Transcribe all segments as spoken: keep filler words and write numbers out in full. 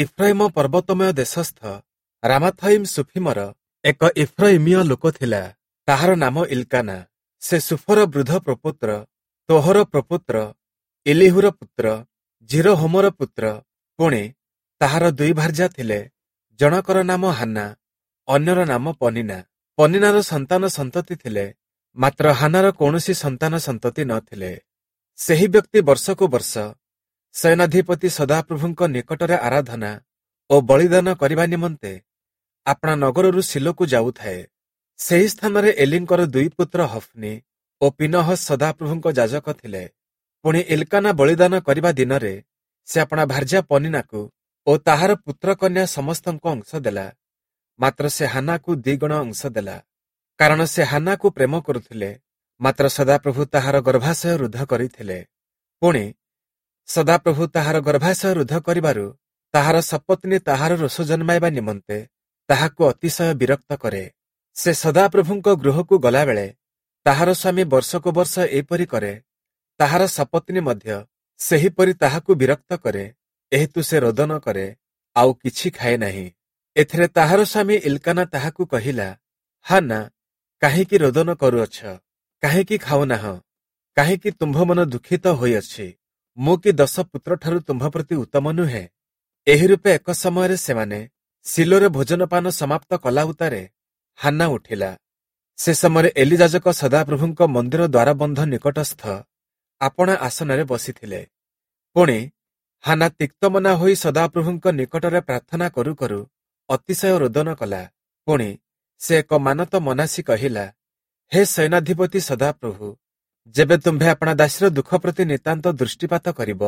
ଇଫ୍ରାଇମ ପର୍ବତମୟ ଦେଶସ୍ଥ ରାମାଥୟିମ୍ ସୁଫିମର ଏକ ଇଫ୍ରୟିମୀୟ ଲୋକ ଥିଲା, ତାହାର ନାମ ଇଲ୍କାନା। ସେ ସୁଫର ବୃଦ୍ଧ ପ୍ରପୌତ୍ର, ତୋହର ପ୍ରପୌତ୍ର, ଇଲିହୁର ପୁତ୍ର, ଯିରୋହମର ପୁତ୍ର। ପୁଣି ତାହାର ଦୁଇ ଭାର୍ଯ୍ୟା ଥିଲେ, ଜଣକର ନାମ ହାନ୍ନା, ଅନ୍ୟର ନାମ ପନିନା। ପନିନାର ସନ୍ତାନ ସନ୍ତତି ଥିଲେ, ମାତ୍ର ହାନାର କୌଣସି ସନ୍ତାନ ସନ୍ତତି ନଥିଲେ। ସେହି ବ୍ୟକ୍ତି ବର୍ଷକୁ ବର୍ଷ ସେନାଧିପତି ସଦାପ୍ରଭୁଙ୍କ ନିକଟରେ ଆରାଧନା ଓ ବଳିଦାନ କରିବା ନିମନ୍ତେ ଆପଣା ନଗରରୁ ଶିଲୋକୁ ଯାଉଥାଏ। ସେହି ସ୍ଥାନରେ ଏଲିଙ୍କର ଦୁଇ ପୁତ୍ର ହଫ୍ନି ଓ ପିନହସ୍ ସଦାପ୍ରଭୁଙ୍କ ଯାଜକ ଥିଲେ। ପୁଣି ଇଲ୍କାନା ବଳିଦାନ କରିବା ଦିନରେ ସେ ଆପଣା ଭାର୍ଯ୍ୟା ପନିନାକୁ ଓ ତାହାର ପୁତ୍ରକନ୍ୟା ସମସ୍ତଙ୍କୁ ଅଂଶ ଦେଲା, ମାତ୍ର ସେ ହାନାକୁ ଦ୍ୱିଗୁଣ ଅଂଶ ଦେଲା, କାରଣ ସେ ହାନାକୁ ପ୍ରେମ କରୁଥିଲେ। ମାତ୍ର ସଦାପ୍ରଭୁ ତାହାର ଗର୍ଭାଶୟ ରୁଦ୍ଧ କରିଥିଲେ। ପୁଣି ସଦାପ୍ରଭୁ ତାହାର ଗର୍ଭାଶୟ ରୁଦ୍ଧ କରିବାରୁ ତାହାର ସପତ୍ନୀ ତାହାର ରୋଷ ଜନ୍ମାଇବା ନିମନ୍ତେ ତାହାକୁ ଅତିଶୟ ବିରକ୍ତ କରେ। ସେ ସଦାପ୍ରଭୁଙ୍କ ଗୃହକୁ ଗଲାବେଳେ ତାହାର ସ୍ୱାମୀ ବର୍ଷକୁ ବର୍ଷ ଏପରି କରେ, ତାହାର ସପତ୍ନୀ ମଧ୍ୟ ସେହିପରି ତାହାକୁ ବିରକ୍ତ କରେ, ଏହେତୁ ସେ ରୋଦନ କରେ, ଆଉ କିଛି ଖାଏ ନାହିଁ। ଏଥିରେ ତାହାର ସ୍ୱାମୀ ଇଲ୍କାନା ତାହାକୁ କହିଲା, ହାନା, କାହିଁକି ରୋଦନ କରୁଅଛ? କାହିଁକି ଖାଉନାହଁ? କାହିଁକି ତୁମ୍ଭ ମନ ଦୁଃଖିତ ହୋଇଅଛି? ମୁଁ କି ଦଶ ପୁତ୍ରଠାରୁ ତୁମ୍ଭ ପ୍ରତି ଉତ୍ତମ ନୁହେଁ? ଏହି ରୂପେ ଏକ ସମୟରେ ସେମାନେ ଶିଲୋରେ ଭୋଜନପାନ ସମାପ୍ତ କଲା ଉତ୍ତାରେ ହାନ୍ନା ଉଠିଲା। ସେ ସମୟରେ ଏଲି ଯାଜକ ସଦାପ୍ରଭୁଙ୍କ ମନ୍ଦିର ଦ୍ୱାରବନ୍ଧ ନିକଟସ୍ଥ ଆପଣା ଆସନରେ ବସିଥିଲେ। ପୁଣି ହାନା ତିକ୍ତମନା ହୋଇ ସଦାପ୍ରଭୁଙ୍କ ନିକଟରେ ପ୍ରାର୍ଥନା କରୁ କରୁ ଅତିଶୟ ରୋଦନ କଲା। ପୁଣି ସେ ଏକ ମାନତ ମନାସି କହିଲା, ହେ ସେନାଧିପତି ସଦାପ୍ରଭୁ, ଯେବେ ତୁମ୍ଭେ ଆପଣା ଦାସୀର ଦୁଃଖ ପ୍ରତି ନିତାନ୍ତ ଦୃଷ୍ଟିପାତ କରିବ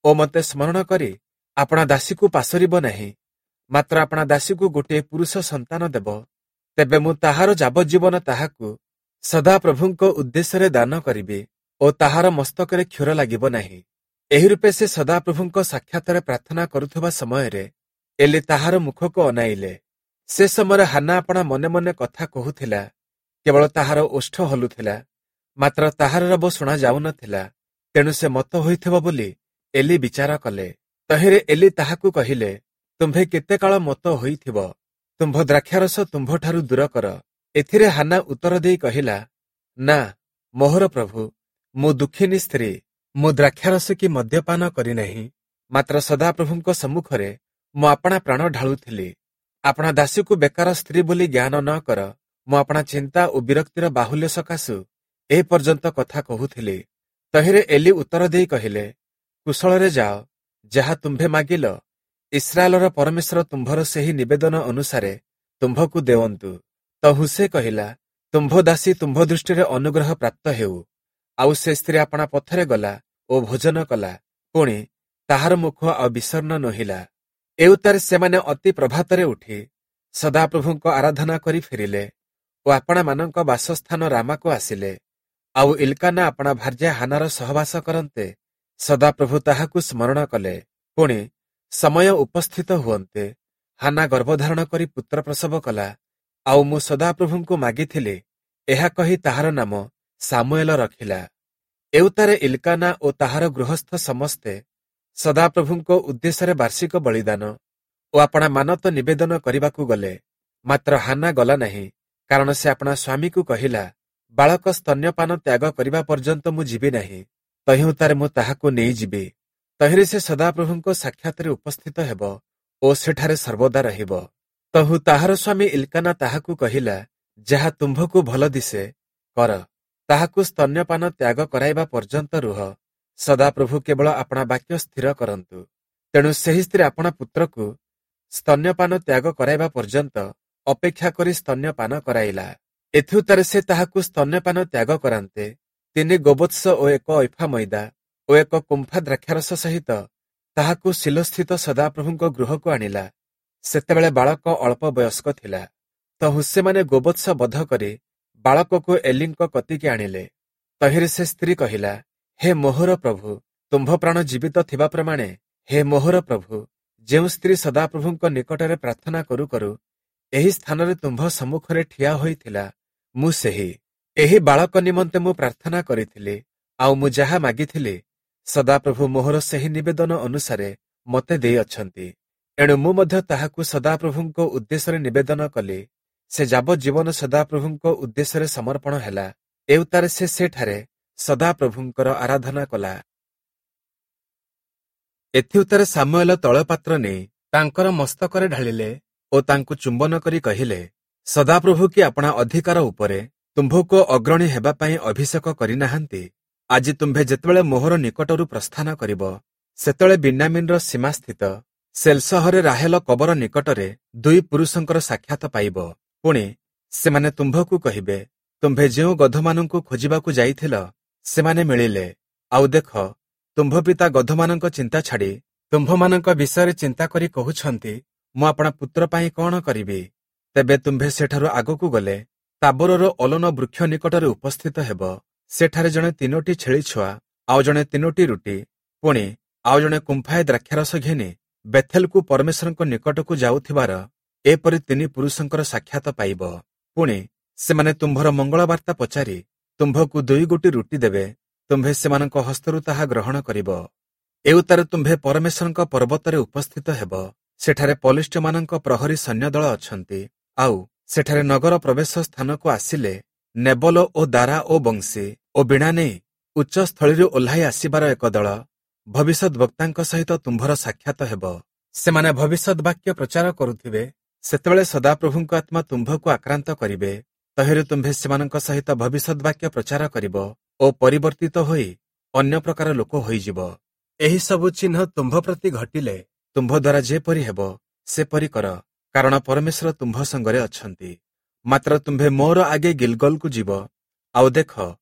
ଓ ମୋତେ ସ୍ମରଣ କରି ଆପଣା ଦାସୀକୁ ପାଶୋରିବ ନାହିଁ, ମାତ୍ର ଆପଣା ଦାସୀକୁ ଗୋଟିଏ ପୁରୁଷ ସନ୍ତାନ ଦେବ, ତେବେ ମୁଁ ତାହାର ଯାବଜ୍ଜୀବନ ତାହାକୁ ସଦାପ୍ରଭୁଙ୍କ ଉଦ୍ଦେଶ୍ୟରେ ଦାନ କରିବି ଓ ତାହାର ମସ୍ତକରେ କ୍ଷୁର ଲାଗିବ ନାହିଁ। ଏହି ରୂପେ ସେ ସଦାପ୍ରଭୁଙ୍କ ସାକ୍ଷାତରେ ପ୍ରାର୍ଥନା କରୁଥିବା ସମୟରେ ଏଲି ତାହାର ମୁଖକୁ ଅନାଇଲେ। ସେ ସମୟରେ ହାନା ଆପଣା ମନେ ମନେ କଥା କହୁଥିଲା, କେବଳ ତାହାର ଓଷ୍ଠ ହଲୁଥିଲା, ମାତ୍ର ତାହାର ରବ ଶୁଣା ଯାଉନଥିଲା। ତେଣୁ ସେ ମତ ହୋଇଥିବ ବୋଲି ଏଲି ବିଚାର କଲେ। ତହିଁରେ ଏଲି ତାହାକୁ କହିଲେ, ତୁମ୍ଭେ କେତେ କାଳ ମତ ହୋଇଥିବ? ତୁମ୍ଭ ଦ୍ରାକ୍ଷାରସ ତୁମ୍ଭଠାରୁ ଦୂର କର। ଏଥିରେ ହାନା ଉତ୍ତର ଦେଇ କହିଲା, ନା ମୋହର ପ୍ରଭୁ, ମୁଁ ଦୁଃଖିନୀ ସ୍ତ୍ରୀ, ମୁଁ ଦ୍ରାକ୍ଷାରସ କି ମଦ୍ୟପାନ କରିନାହିଁ, ମାତ୍ର ସଦାପ୍ରଭୁଙ୍କ ସମ୍ମୁଖରେ ମୁଁ ଆପଣା ପ୍ରାଣ ଢାଳୁଥିଲି। ଆପଣା ଦାସୀକୁ ବେକାର ସ୍ତ୍ରୀ ବୋଲି ଜ୍ଞାନ ନ କର। ମୁଁ ଆପଣା ଚିନ୍ତା ଓ ବିରକ୍ତିର ବାହୁଲ୍ୟ ସକାଶୁ ଏ ପର୍ଯ୍ୟନ୍ତ କଥା କହୁଥିଲି। ତହିଁରେ ଏଲି ଉତ୍ତର ଦେଇ କହିଲେ, କୁଶଳରେ ଯାଅ, ଯାହା ତୁମ୍ଭେ ମାଗିଲ, ଇସ୍ରାଏଲର ପରମେଶ୍ୱର ତୁମ୍ଭର ସେହି ନିବେଦନ ଅନୁସାରେ ତୁମ୍ଭକୁ ଦେଉନ୍ତୁ। ତହୁଁ ସେ କହିଲା, ତୁମ୍ଭ ଦାସୀ ତୁମ୍ଭ ଦୃଷ୍ଟିରେ ଅନୁଗ୍ରହ ପ୍ରାପ୍ତ ହେଉ। ଆଉ ସେ ସ୍ତ୍ରୀ ଆପଣା ପଥରେ ଗଲା ଓ ଭୋଜନ କଲା, ପୁଣି ତାହାର ମୁଖ ଆଉ ବିଷର୍ଣ୍ଣ ନୋହିଲା। ଏଉତ୍ତାରେ ସେମାନେ ଅତି ପ୍ରଭାତରେ ଉଠି ସଦାପ୍ରଭୁଙ୍କ ଆରାଧନା କରି ଫେରିଲେ ଓ ଆପଣାମାନଙ୍କ ବାସସ୍ଥାନ ରାମାକୁ ଆସିଲେ। ଆଉ ଇଲ୍କାନା ଆପଣା ଭାର୍ଯ୍ୟା ହାନାର ସହବାସ କରନ୍ତେ ସଦାପ୍ରଭୁ ତାହାକୁ ସ୍ମରଣ କଲେ। ପୁଣି ସମୟ ଉପସ୍ଥିତ ହୁଅନ୍ତେ ହାନା ଗର୍ଭଧାରଣ କରି ପୁତ୍ର ପ୍ରସବ କଲା। ଆଉ ମୁଁ ସଦାପ୍ରଭୁଙ୍କୁ ମାଗିଥିଲି, ଏହା କହି ତାହାର ନାମ ସାମୁଏଲ ରଖିଲା। ଏଉତ୍ତାରେ ଇଲ୍କାନା ଓ ତାହାର ଗୃହସ୍ଥ ସମସ୍ତେ ସଦାପ୍ରଭୁଙ୍କ ଉଦ୍ଦେଶ୍ୟରେ ବାର୍ଷିକ ବଳିଦାନ ଓ ଆପଣା ମାନତ ନିବେଦନ କରିବାକୁ ଗଲେ। ମାତ୍ର ହାନା ଗଲା ନାହିଁ, କାରଣ ସେ ଆପଣା ସ୍ୱାମୀକୁ କହିଲା, ବାଳକ ସ୍ତନ୍ୟପାନ ତ୍ୟାଗ କରିବା ପର୍ଯ୍ୟନ୍ତ ମୁଁ ଯିବି ନାହିଁ, ତହିଁଉତ୍ତାରେ ମୁଁ ତାହାକୁ ନେଇଯିବି। ତହିଁରେ ସେ ସଦାପ୍ରଭୁଙ୍କ ସାକ୍ଷାତରେ ଉପସ୍ଥିତ ହେବ ଓ ସେଠାରେ ସର୍ବଦା ରହିବ। ତହୁଁ ତାହାର ସ୍ୱାମୀ ଇଲ୍କାନା ତାହାକୁ କହିଲା, ଯାହା ତୁମ୍ଭକୁ ଭଲ ଦିଶେ କର, ତାହାକୁ ସ୍ତନ୍ୟପାନ ତ୍ୟାଗ କରାଇବା ପର୍ଯ୍ୟନ୍ତ ରୁହ, ସଦାପ୍ରଭୁ କେବଳ ଆପଣା ବାକ୍ୟ ସ୍ଥିର କରନ୍ତୁ। ତେଣୁ ସେହି ସ୍ତ୍ରୀ ଆପଣା ପୁତ୍ରକୁ ସ୍ତନ୍ୟପାନ ତ୍ୟାଗ କରାଇବା ପର୍ଯ୍ୟନ୍ତ ଅପେକ୍ଷା କରି ସ୍ତନ୍ୟପାନ କରାଇଲା। ଏଥିଉତ୍ତାରେ ସେ ତାହାକୁ ସ୍ତନ୍ୟପାନ ତ୍ୟାଗ କରାନ୍ତେ ତିନି ଗୋବତ୍ସ ଓ ଏକ ଐଫା ମଇଦା ଓ ଏକ କୁମ୍ଫା ଦ୍ରାକ୍ଷାରସ ସହିତ ତାହାକୁ ଶିଲୋସ୍ଥିତ ସଦାପ୍ରଭୁଙ୍କ ଗୃହକୁ ଆଣିଲା। ସେତେବେଳେ ବାଳକ ଅଳ୍ପ ବୟସ୍କ ଥିଲା। ତହୁଁ ସେମାନେ ଗୋବତ୍ସ ବଧ କରି ବାଳକକୁ ଏଲିଙ୍କ କତିକି ଆଣିଲେ। ତହିଁରେ ସେ ସ୍ତ୍ରୀ କହିଲା, ହେ ମୋହର ପ୍ରଭୁ, ତୁମ୍ଭ ପ୍ରାଣ ଜୀବିତ ଥିବା ପ୍ରମାଣେ, ହେ ମୋହର ପ୍ରଭୁ, ଯେଉଁ ସ୍ତ୍ରୀ ସଦାପ୍ରଭୁଙ୍କ ନିକଟରେ ପ୍ରାର୍ଥନା କରୁ କରୁ ଏହି ସ୍ଥାନରେ ତୁମ୍ଭ ସମ୍ମୁଖରେ ଠିଆ ହୋଇଥିଲା, ମୁଁ ସେହି। ଏହି ବାଳକ ନିମନ୍ତେ ମୁଁ ପ୍ରାର୍ଥନା କରିଥିଲି, ଆଉ ମୁଁ ଯାହା ମାଗିଥିଲି ସଦାପ୍ରଭୁ ମୋହର ସେହି ନିବେଦନ ଅନୁସାରେ ମୋତେ ଦେଇଅଛନ୍ତି। ଏଣୁ ମୁଁ ମଧ୍ୟ ତାହାକୁ ସଦାପ୍ରଭୁଙ୍କ ଉଦ୍ଦେଶ୍ୟରେ ନିବେଦନ କଲି। ସେ ଯାବଜ୍ଜୀବନ ସଦାପ୍ରଭୁଙ୍କ ଉଦ୍ଦେଶ୍ୟରେ ସମର୍ପଣ ହେଲା। ଏଉତ୍ତାରେ ସେ ସେଠାରେ ସଦାପ୍ରଭୁଙ୍କର ଆରାଧନା କଲା। ଏଥିଉତ୍ତାରେ ସାମୁଏଲ ତୈଳପାତ୍ର ନେଇ ତାଙ୍କର ମସ୍ତକରେ ଢାଳିଲେ ଓ ତାଙ୍କୁ ଚୁମ୍ବନ କରି କହିଲେ, ସଦାପ୍ରଭୁ କି ଆପଣା ଅଧିକାର ଉପରେ ତୁମ୍ଭକୁ ଅଗ୍ରଣୀ ହେବା ପାଇଁ ଅଭିଷେକ କରିନାହାନ୍ତି? ଆଜି ତୁମ୍ଭେ ଯେତେବେଳେ ମୋହର ନିକଟରୁ ପ୍ରସ୍ଥାନ କରିବ, ସେତେବେଳେ ବିନ୍ୟାମୀନର ସୀମାସ୍ଥିତ ସେଲସହରେ ରାହେଲ କବର ନିକଟରେ ଦୁଇ ପୁରୁଷଙ୍କର ସାକ୍ଷାତ ପାଇବ। ପୁଣି ସେମାନେ ତୁମ୍ଭକୁ କହିବେ, ତୁମ୍ଭେ ଯେଉଁ ଗଧମାନଙ୍କୁ ଖୋଜିବାକୁ ଯାଇଥିଲ, ସେମାନେ ମିଳିଲେ। ଆଉ ଦେଖ, ତୁମ୍ଭ ପିତା ଗଧମାନଙ୍କ ଚିନ୍ତା ଛାଡ଼ି ତୁମ୍ଭମାନଙ୍କ ବିଷୟରେ ଚିନ୍ତା କରି କହୁଛନ୍ତି, ମୁଁ ଆପଣା ପୁତ୍ର ପାଇଁ କଣ କରିବି? ତେବେ ତୁମ୍ଭେ ସେଠାରୁ ଆଗକୁ ଗଲେ ତାବୋରର ଅଲୋନ ବୃକ୍ଷ ନିକଟରେ ଉପସ୍ଥିତ ହେବ। ସେଠାରେ ଜଣେ ତିନୋଟି ଛେଳି ଛୁଆ, ଆଉ ଜଣେ ତିନୋଟି ରୁଟି, ପୁଣି ଆଉ ଜଣେ କୁମ୍ଫାଏ ଦ୍ରାକ୍ଷାରସ ଘେନି ବେଥେଲକୁ ପରମେଶ୍ୱରଙ୍କ ନିକଟକୁ ଯାଉଥିବାର ଏପରି ତିନି ପୁରୁଷଙ୍କର ସାକ୍ଷାତ ପାଇବ। ପୁଣି ସେମାନେ ତୁମ୍ଭର ମଙ୍ଗଳବାର୍ତ୍ତା ପଚାରି ତୁମ୍ଭକୁ ଦୁଇ ଗୋଟି ରୁଟି ଦେବେ, ତୁମ୍ଭେ ସେମାନଙ୍କ ହସ୍ତରୁ ତାହା ଗ୍ରହଣ କରିବ। ଏଉତ୍ତାରେ ତୁମ୍ଭେ ପରମେଶ୍ୱରଙ୍କ ପର୍ବତରେ ଉପସ୍ଥିତ ହେବ। ସେଠାରେ ପଲିଷ୍ଠ୍ୟମାନଙ୍କ ପ୍ରହରୀ ସୈନ୍ୟଦଳ ଅଛନ୍ତି। ଆଉ ସେଠାରେ ନଗର ପ୍ରବେଶ ସ୍ଥାନକୁ ଆସିଲେ ନେବଲ ଓ ଦାରା ଓ ବଂଶୀ ଓ ବୀଣା ନେଇ ଉଚ୍ଚସ୍ଥଳୀରୁ ଓହ୍ଲାଇ ଆସିବାର ଏକ ଦଳ ଭବିଷ୍ୟଦ୍‌ବକ୍ତାଙ୍କ ସହିତ ତୁମ୍ଭର ସାକ୍ଷାତ ହେବ। ସେମାନେ ଭବିଷ୍ୟତ ବାକ୍ୟ ପ୍ରଚାର କରୁଥିବେ, ସେତେବେଳେ ସଦାପ୍ରଭୁଙ୍କ ଆତ୍ମା ତୁମ୍ଭକୁ ଆକ୍ରାନ୍ତ କରିବେ। ତହିଁରୁ ତୁମ୍ଭେ ସେମାନଙ୍କ ସହିତ ଭବିଷ୍ୟତ ବାକ୍ୟ ପ୍ରଚାର କରିବ ଓ ପରିବର୍ତ୍ତିତ ହୋଇ ଅନ୍ୟ ପ୍ରକାର ଲୋକ ହୋଇଯିବ। ଏହି ସବୁ ଚିହ୍ନ ତୁମ୍ଭ ପ୍ରତି ଘଟିଲେ ତୁମ୍ଭ ଦ୍ୱାରା ଯେପରି ହେବ ସେପରି କର, କାରଣ ପରମେଶ୍ୱର ତୁମ୍ଭ ସଙ୍ଗରେ ଅଛନ୍ତି। ମାତ୍ର ତୁମ୍ଭେ ମୋର ଆଗେ ଗିଲଗଲକୁ ଯିବ। ଆଉ ଦେଖ,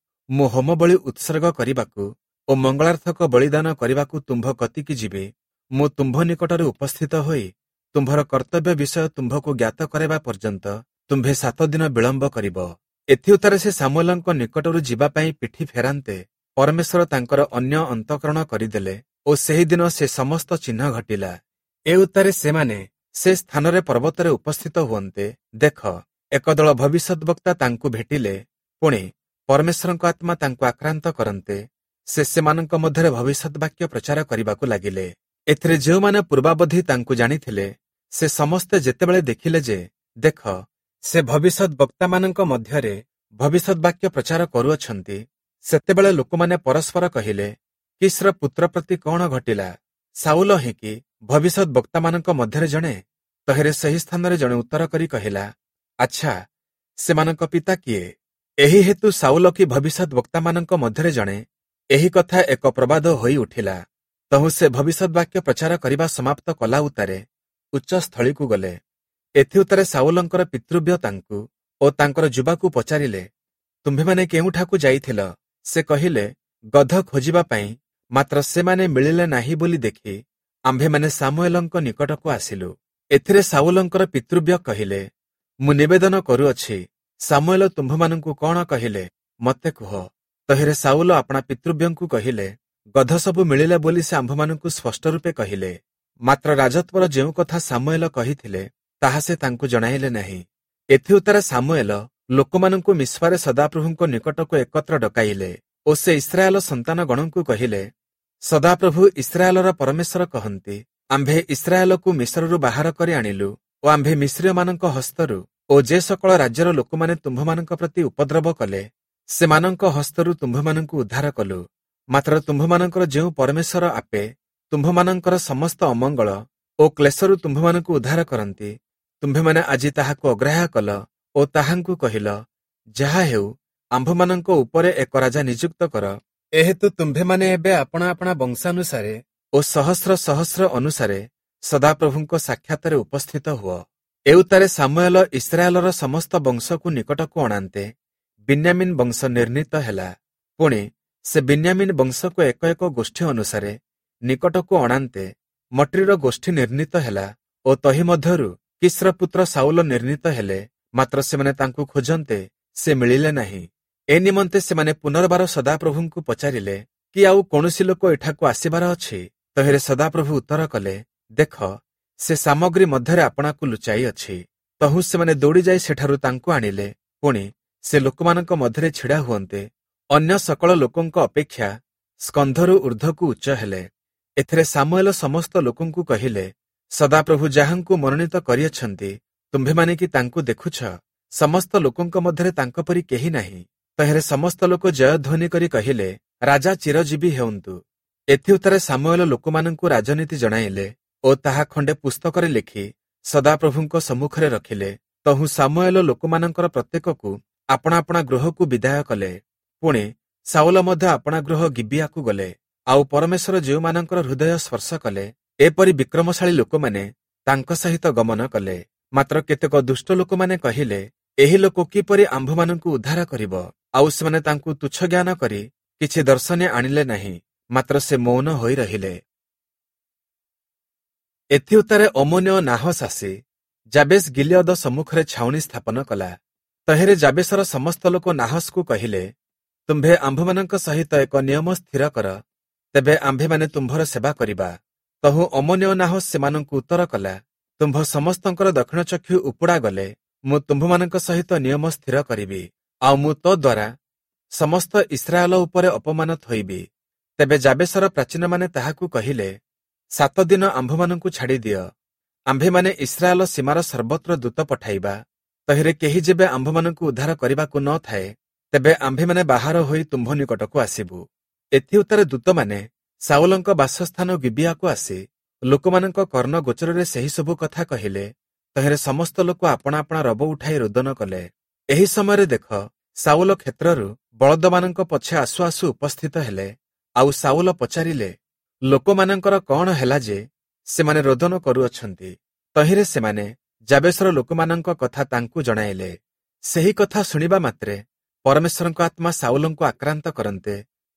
ମୁଁ ହୋମବଳି ଉତ୍ସର୍ଗ କରିବାକୁ ଓ ମଙ୍ଗଳାର୍ଥକ ବଳିଦାନ କରିବାକୁ ତୁମ୍ଭ କତିକି ଯିବି। ମୁଁ ତୁମ୍ଭ ନିକଟରେ ଉପସ୍ଥିତ ହୋଇ ତୁମ୍ଭର କର୍ତ୍ତବ୍ୟ ବିଷୟ ତୁମ୍ଭକୁ ଜ୍ଞାତ କରାଇବା ପର୍ଯ୍ୟନ୍ତ ତୁମ୍ଭେ ସାତ ଦିନ ବିଳମ୍ବ କରିବ। ଏଥିଉତ୍ତାରେ ସେ ସାମୁଏଲଙ୍କ ନିକଟରୁ ଯିବା ପାଇଁ ପିଠି ଫେରାନ୍ତେ ପରମେଶ୍ୱର ତାଙ୍କର ଅନ୍ୟ ଅନ୍ତଃକରଣ କରିଦେଲେ ଓ ସେହିଦିନ ସେ ସମସ୍ତ ଚିହ୍ନ ଘଟିଲା। ଏ ଉତ୍ତାରେ ସେମାନେ ସେ ସ୍ଥାନରେ ପର୍ବତରେ ଉପସ୍ଥିତ ହୁଅନ୍ତେ, ଦେଖ, ଏକ ଦଳ ଭବିଷ୍ୟଦ୍‌ବକ୍ତା ତାଙ୍କୁ ଭେଟିଲେ। ପୁଣି ପରମେଶ୍ୱରଙ୍କ ଆତ୍ମା ତାଙ୍କୁ ଆକ୍ରାନ୍ତ କରନ୍ତେ ସେ ସେମାନଙ୍କ ମଧ୍ୟରେ ଭବିଷ୍ୟତ ବାକ୍ୟ ପ୍ରଚାର କରିବାକୁ ଲାଗିଲେ। ଏଥିରେ ଯେଉଁମାନେ ପୂର୍ବାବଧି ତାଙ୍କୁ ଜାଣିଥିଲେ, ସେ ସମସ୍ତେ ଯେତେବେଳେ ଦେଖିଲେ ଯେ ଦେଖ, ସେ ଭବିଷ୍ୟତ ବକ୍ତାମାନଙ୍କ ମଧ୍ୟରେ ଭବିଷ୍ୟତ ବାକ୍ୟ ପ୍ରଚାର କରୁଅଛନ୍ତି, ସେତେବେଳେ ଲୋକମାନେ ପରସ୍ପର କହିଲେ, କିସ୍ର ପୁତ୍ର ପ୍ରତି କଣ ଘଟିଲା? ସାଉଲ ହିଁ କି ଭବିଷ୍ୟତ ବକ୍ତାମାନଙ୍କ ମଧ୍ୟରେ ଜଣେ? ତହିଁରେ ସେହି ସ୍ଥାନରେ ଜଣେ ଉତ୍ତର କରି କହିଲା, ଆଚ୍ଛା, ସେମାନଙ୍କ ପିତା କିଏ? ଏହି ହେତୁ ସାଉଲ କି ଭବିଷ୍ୟତ ବକ୍ତାମାନଙ୍କ ମଧ୍ୟରେ ଜଣେ, ଏହି କଥା ଏକ ପ୍ରବାଦ ହୋଇ ଉଠିଲା। ତହୁଁ ସେ ଭବିଷ୍ୟତ ବାକ୍ୟ ପ୍ରଚାର କରିବା ସମାପ୍ତ କଲା ଉତ୍ତାରେ ଉଚ୍ଚସ୍ଥଳୀକୁ ଗଲେ। ଏଥିଉତ୍ତାରେ ସାଉଲଙ୍କର ପିତୃବ୍ୟ ତାଙ୍କୁ ଓ ତାଙ୍କର ଯୁବାକୁ ପଚାରିଲେ, ତୁମ୍ଭେମାନେ କେଉଁଠାକୁ ଯାଇଥିଲ? ସେ କହିଲେ, ଗଧ ଖୋଜିବା ପାଇଁ, ମାତ୍ର ସେମାନେ ମିଳିଲେ ନାହିଁ ବୋଲି ଦେଖି ଆମ୍ଭେମାନେ ସାମୁଏଲଙ୍କ ନିକଟକୁ ଆସିଲୁ। ଏଥିରେ ସାଉଲଙ୍କର ପିତୃବ୍ୟ କହିଲେ, ମୁଁ ନିବେଦନ କରୁଅଛି, ସାମୁଏଲ ତୁମ୍ଭମାନଙ୍କୁ କଣ କହିଲେ ମୋତେ କୁହ। ତହିଁରେ ସାଉଲ ଆପଣା ପିତୃବ୍ୟଙ୍କୁ କହିଲେ, ଗଧ ସବୁ ମିଳିଲା ବୋଲି ସେ ଆମ୍ଭମାନଙ୍କୁ ସ୍ପଷ୍ଟ ରୂପେ କହିଲେ। ମାତ୍ର ରାଜତ୍ୱର ଯେଉଁ କଥା ସାମୁଏଲ କହିଥିଲେ, ତାହା ସେ ତାଙ୍କୁ ଜଣାଇଲେ ନାହିଁ। ଏଥିଉତ୍ତାରେ ସାମୁଏଲ ଲୋକମାନଙ୍କୁ ମିସ୍ପାରେ ସଦାପ୍ରଭୁଙ୍କ ନିକଟକୁ ଏକତ୍ର ଡକାଇଲେ ଓ ସେ ଇସ୍ରାଏଲ ସନ୍ତାନଗଣଙ୍କୁ କହିଲେ, ସଦାପ୍ରଭୁ ଇସ୍ରାଏଲର ପରମେଶ୍ୱର କହନ୍ତି, ଆମ୍ଭେ ଇସ୍ରାଏଲକୁ ମିଶରରୁ ବାହାର କରି ଆଣିଲୁ ଓ ଆମ୍ଭେ ମିଶ୍ରୀୟମାନଙ୍କ ହସ୍ତରୁ ଓ ଯେ ସକଳ ରାଜ୍ୟର ଲୋକମାନେ ତୁମ୍ଭମାନଙ୍କ ପ୍ରତି ଉପଦ୍ରବ କଲେ, ସେମାନଙ୍କ ହସ୍ତରୁ ତୁମ୍ଭମାନଙ୍କୁ ଉଦ୍ଧାର କଲୁ। ମାତ୍ର ତୁମ୍ଭମାନଙ୍କର ଯେଉଁ ପରମେଶ୍ୱର ଆପେ ତୁମ୍ଭମାନଙ୍କର ସମସ୍ତ ଅମଙ୍ଗଳ ଓ କ୍ଲେଶରୁ ତୁମ୍ଭମାନଙ୍କୁ ଉଦ୍ଧାର କରନ୍ତି, ତୁମ୍ଭେମାନେ ଆଜି ତାହାକୁ ଅଗ୍ରାହ୍ୟ କଲ ଓ ତାହାଙ୍କୁ କହିଲ, ଯାହା ହେଉ ଆମ୍ଭମାନଙ୍କ ଉପରେ ଏକ ରାଜା ନିଯୁକ୍ତ କର। ଏହେତୁ ତୁମ୍ଭେମାନେ ଏବେ ଆପଣା ଆପଣା ବଂଶାନୁସାରେ ଓ ସହସ୍ର ସହସ୍ର ଅନୁସାରେ ସଦାପ୍ରଭୁଙ୍କ ସାକ୍ଷାତରେ ଉପସ୍ଥିତ ହୁଅ। ଏଉତ୍ତାରେ ସାମୁଏଲ ଇସ୍ରାଏଲର ସମସ୍ତ ବଂଶକୁ ନିକଟକୁ ଅଣାନ୍ତେ ବିନ୍ୟାମିନ ବଂଶ ନିର୍ଣ୍ଣିତ ହେଲା। ପୁଣି ସେ ବିନ୍ୟାମିନ ବଂଶକୁ ଏକ ଏକ ଗୋଷ୍ଠୀ ଅନୁସାରେ ନିକଟକୁ ଅଣାନ୍ତେ ମଟ୍ରିର ଗୋଷ୍ଠୀ ନିର୍ଣ୍ଣିତ ହେଲା ଓ ତହି ମଧ୍ୟରୁ କିସ୍ର ପୁତ୍ର ସାଉଲ ନିର୍ଣ୍ଣିତ ହେଲେ। ମାତ୍ର ସେମାନେ ତାଙ୍କୁ ଖୋଜନ୍ତେ ସେ ମିଳିଲେ ନାହିଁ। ଏ ନିମନ୍ତେ ସେମାନେ ପୁନର୍ବାର ସଦାପ୍ରଭୁଙ୍କୁ ପଚାରିଲେ, କି ଆଉ କୌଣସି ଲୋକ ଏଠାକୁ ଆସିବାର ଅଛି? ତହିଁରେ ସଦାପ୍ରଭୁ ଉତ୍ତର କଲେ, ଦେଖ, ସେ ସାମଗ୍ରୀ ମଧ୍ୟରେ ଆପଣାକୁ ଲୁଚାଇ ଅଛି। ତହୁଁ ସେମାନେ ଦୌଡ଼ିଯାଇ ସେଠାରୁ ତାଙ୍କୁ ଆଣିଲେ। ପୁଣି ସେ ଲୋକମାନଙ୍କ ମଧ୍ୟରେ ଛିଡ଼ା ହୁଅନ୍ତେ ଅନ୍ୟ ସକଳ ଲୋକଙ୍କ ଅପେକ୍ଷା ସ୍କନ୍ଧରୁ ଊର୍ଦ୍ଧ୍ୱକୁ ଉଚ୍ଚ ହେଲେ। ଏଥିରେ ସାମୁଏଲ ସମସ୍ତ ଲୋକଙ୍କୁ କହିଲେ, ସଦାପ୍ରଭୁ ଯାହାଙ୍କୁ ମନୋନୀତ କରିଅଛନ୍ତି, ତୁମ୍ଭେମାନେ କି ତାଙ୍କୁ ଦେଖୁଛ? ସମସ୍ତ ଲୋକଙ୍କ ମଧ୍ୟରେ ତାଙ୍କ ପରି କେହି ନାହିଁ। ତହିଁରେ ସମସ୍ତ ଲୋକ ଜୟଧ୍ୱନି କରି କହିଲେ, ରାଜା ଚିରଜୀବୀ ହେଉନ୍ତୁ। ଏଥିଉତ୍ତାରେ ସାମୁଏଲ ଲୋକମାନଙ୍କୁ ରାଜନୀତି ଜଣାଇଲେ ଓ ତାହା ଖଣ୍ଡେ ପୁସ୍ତକରେ ଲେଖି ସଦାପ୍ରଭୁଙ୍କ ସମ୍ମୁଖରେ ରଖିଲେ। ତହୁଁ ସାମୁଏଲ ଲୋକମାନଙ୍କର ପ୍ରତ୍ୟେକକୁ ଆପଣା ଆପଣା ଗୃହକୁ ବିଦାୟ କଲେ। ପୁଣି ସାଉଲ ମଧ୍ୟ ଆପଣା ଗୃହ ଗିବିଆକୁ ଗଲେ। ଆଉ ପରମେଶ୍ୱର ଯେଉଁମାନଙ୍କର ହୃଦୟ ସ୍ପର୍ଶ କଲେ, ଏପରି ବିକ୍ରମଶାଳୀ ଲୋକମାନେ ତାଙ୍କ ସହିତ ଗମନ କଲେ। ମାତ୍ର କେତେକ ଦୁଷ୍ଟ ଲୋକମାନେ କହିଲେ, ଏହି ଲୋକ କିପରି ଆମ୍ଭମାନଙ୍କୁ ଉଦ୍ଧାର କରିବ? ଆଉ ସେମାନେ ତାଙ୍କୁ ତୁଚ୍ଛ ଜ୍ଞାନ କରି କିଛି ଦର୍ଶନୀ ଆଣିଲେ ନାହିଁ, ମାତ୍ର ସେ ମୌନ ହୋଇ ରହିଲେ। ଏଥିଉତ୍ତାରେ ଅମୋନୀୟ ନାହସ ଆସି ଯାବେଶ ଗିଲିୟଦ ସମ୍ମୁଖରେ ଛାଉଣି ସ୍ଥାପନ କଲା। ତହିଁରେ ଯାବେଶର ସମସ୍ତ ଲୋକ ନାହସକୁ କହିଲେ, ତୁମ୍ଭେ ଆମ୍ଭମାନଙ୍କ ସହିତ ଏକ ନିୟମ ସ୍ଥିର କର, ତେବେ ଆମ୍ଭେମାନେ ତୁମ୍ଭର ସେବା କରିବା। ତହୁଁ ଅମୋନୀୟ ନାହସ ସେମାନଙ୍କୁ ଉତ୍ତର କଲା, ତୁମ୍ଭ ସମସ୍ତଙ୍କର ଦକ୍ଷିଣ ଚକ୍ଷୁ ଉପୁଡ଼ା ଗଲେ ମୁଁ ତୁମ୍ଭମାନଙ୍କ ସହିତ ନିୟମ ସ୍ଥିର କରିବି, ଆଉ ମୁଁ ତଦ୍ୱାରା ସମସ୍ତ ଇସ୍ରାଏଲ ଉପରେ ଅପମାନ ଥୋଇବି। ତେବେ ଯାବେଶର ପ୍ରାଚୀନମାନେ ତାହାକୁ କହିଲେ, ସାତ ଦିନ ଆମ୍ଭମାନଙ୍କୁ ଛାଡ଼ିଦିଅ, ଆମ୍ଭେମାନେ ଇସ୍ରାଏଲ ସୀମାର ସର୍ବତ୍ର ଦୂତ ପଠାଇବା। ତହିଁରେ କେହି ଯେବେ ଆମ୍ଭମାନଙ୍କୁ ଉଦ୍ଧାର କରିବାକୁ ନ ଥାଏ, ତେବେ ଆମ୍ଭେମାନେ ବାହାର ହୋଇ ତୁମ୍ଭ ନିକଟକୁ ଆସିବୁ। ଏଥିଉତ୍ତାରେ ଦୂତମାନେ ସାଉଲଙ୍କ ବାସସ୍ଥାନ ଗିବିଆକୁ ଆସି ଲୋକମାନଙ୍କ କର୍ଣ୍ଣ ଗୋଚରରେ ସେହି ସବୁ କଥା କହିଲେ। ତହିଁରେ ସମସ୍ତ ଲୋକ ଆପଣା ଆପଣା ରବ ଉଠାଇ ରୋଦନ କଲେ। ଏହି ସମୟରେ ଦେଖ, ସାଉଲ କ୍ଷେତ୍ରରୁ ବଳଦମାନଙ୍କ ପଛେ ଆସୁ ଆସୁ ଉପସ୍ଥିତ ହେଲେ। ଆଉ ସାଉଲ ପଚାରିଲେ, ଲୋକମାନଙ୍କର କଣ ହେଲା ଯେ ସେମାନେ ରୋଦନ କରୁଅଛନ୍ତି? ତହିଁରେ ସେମାନେ ଯାବେଶର ଲୋକମାନଙ୍କ କଥା ତାଙ୍କୁ ଜଣାଇଲେ। ସେହି କଥା ଶୁଣିବା ମାତ୍ରେ ପରମେଶ୍ୱରଙ୍କ ଆତ୍ମା ସାଉଲଙ୍କୁ ଆକ୍ରାନ୍ତ କରନ୍ତେ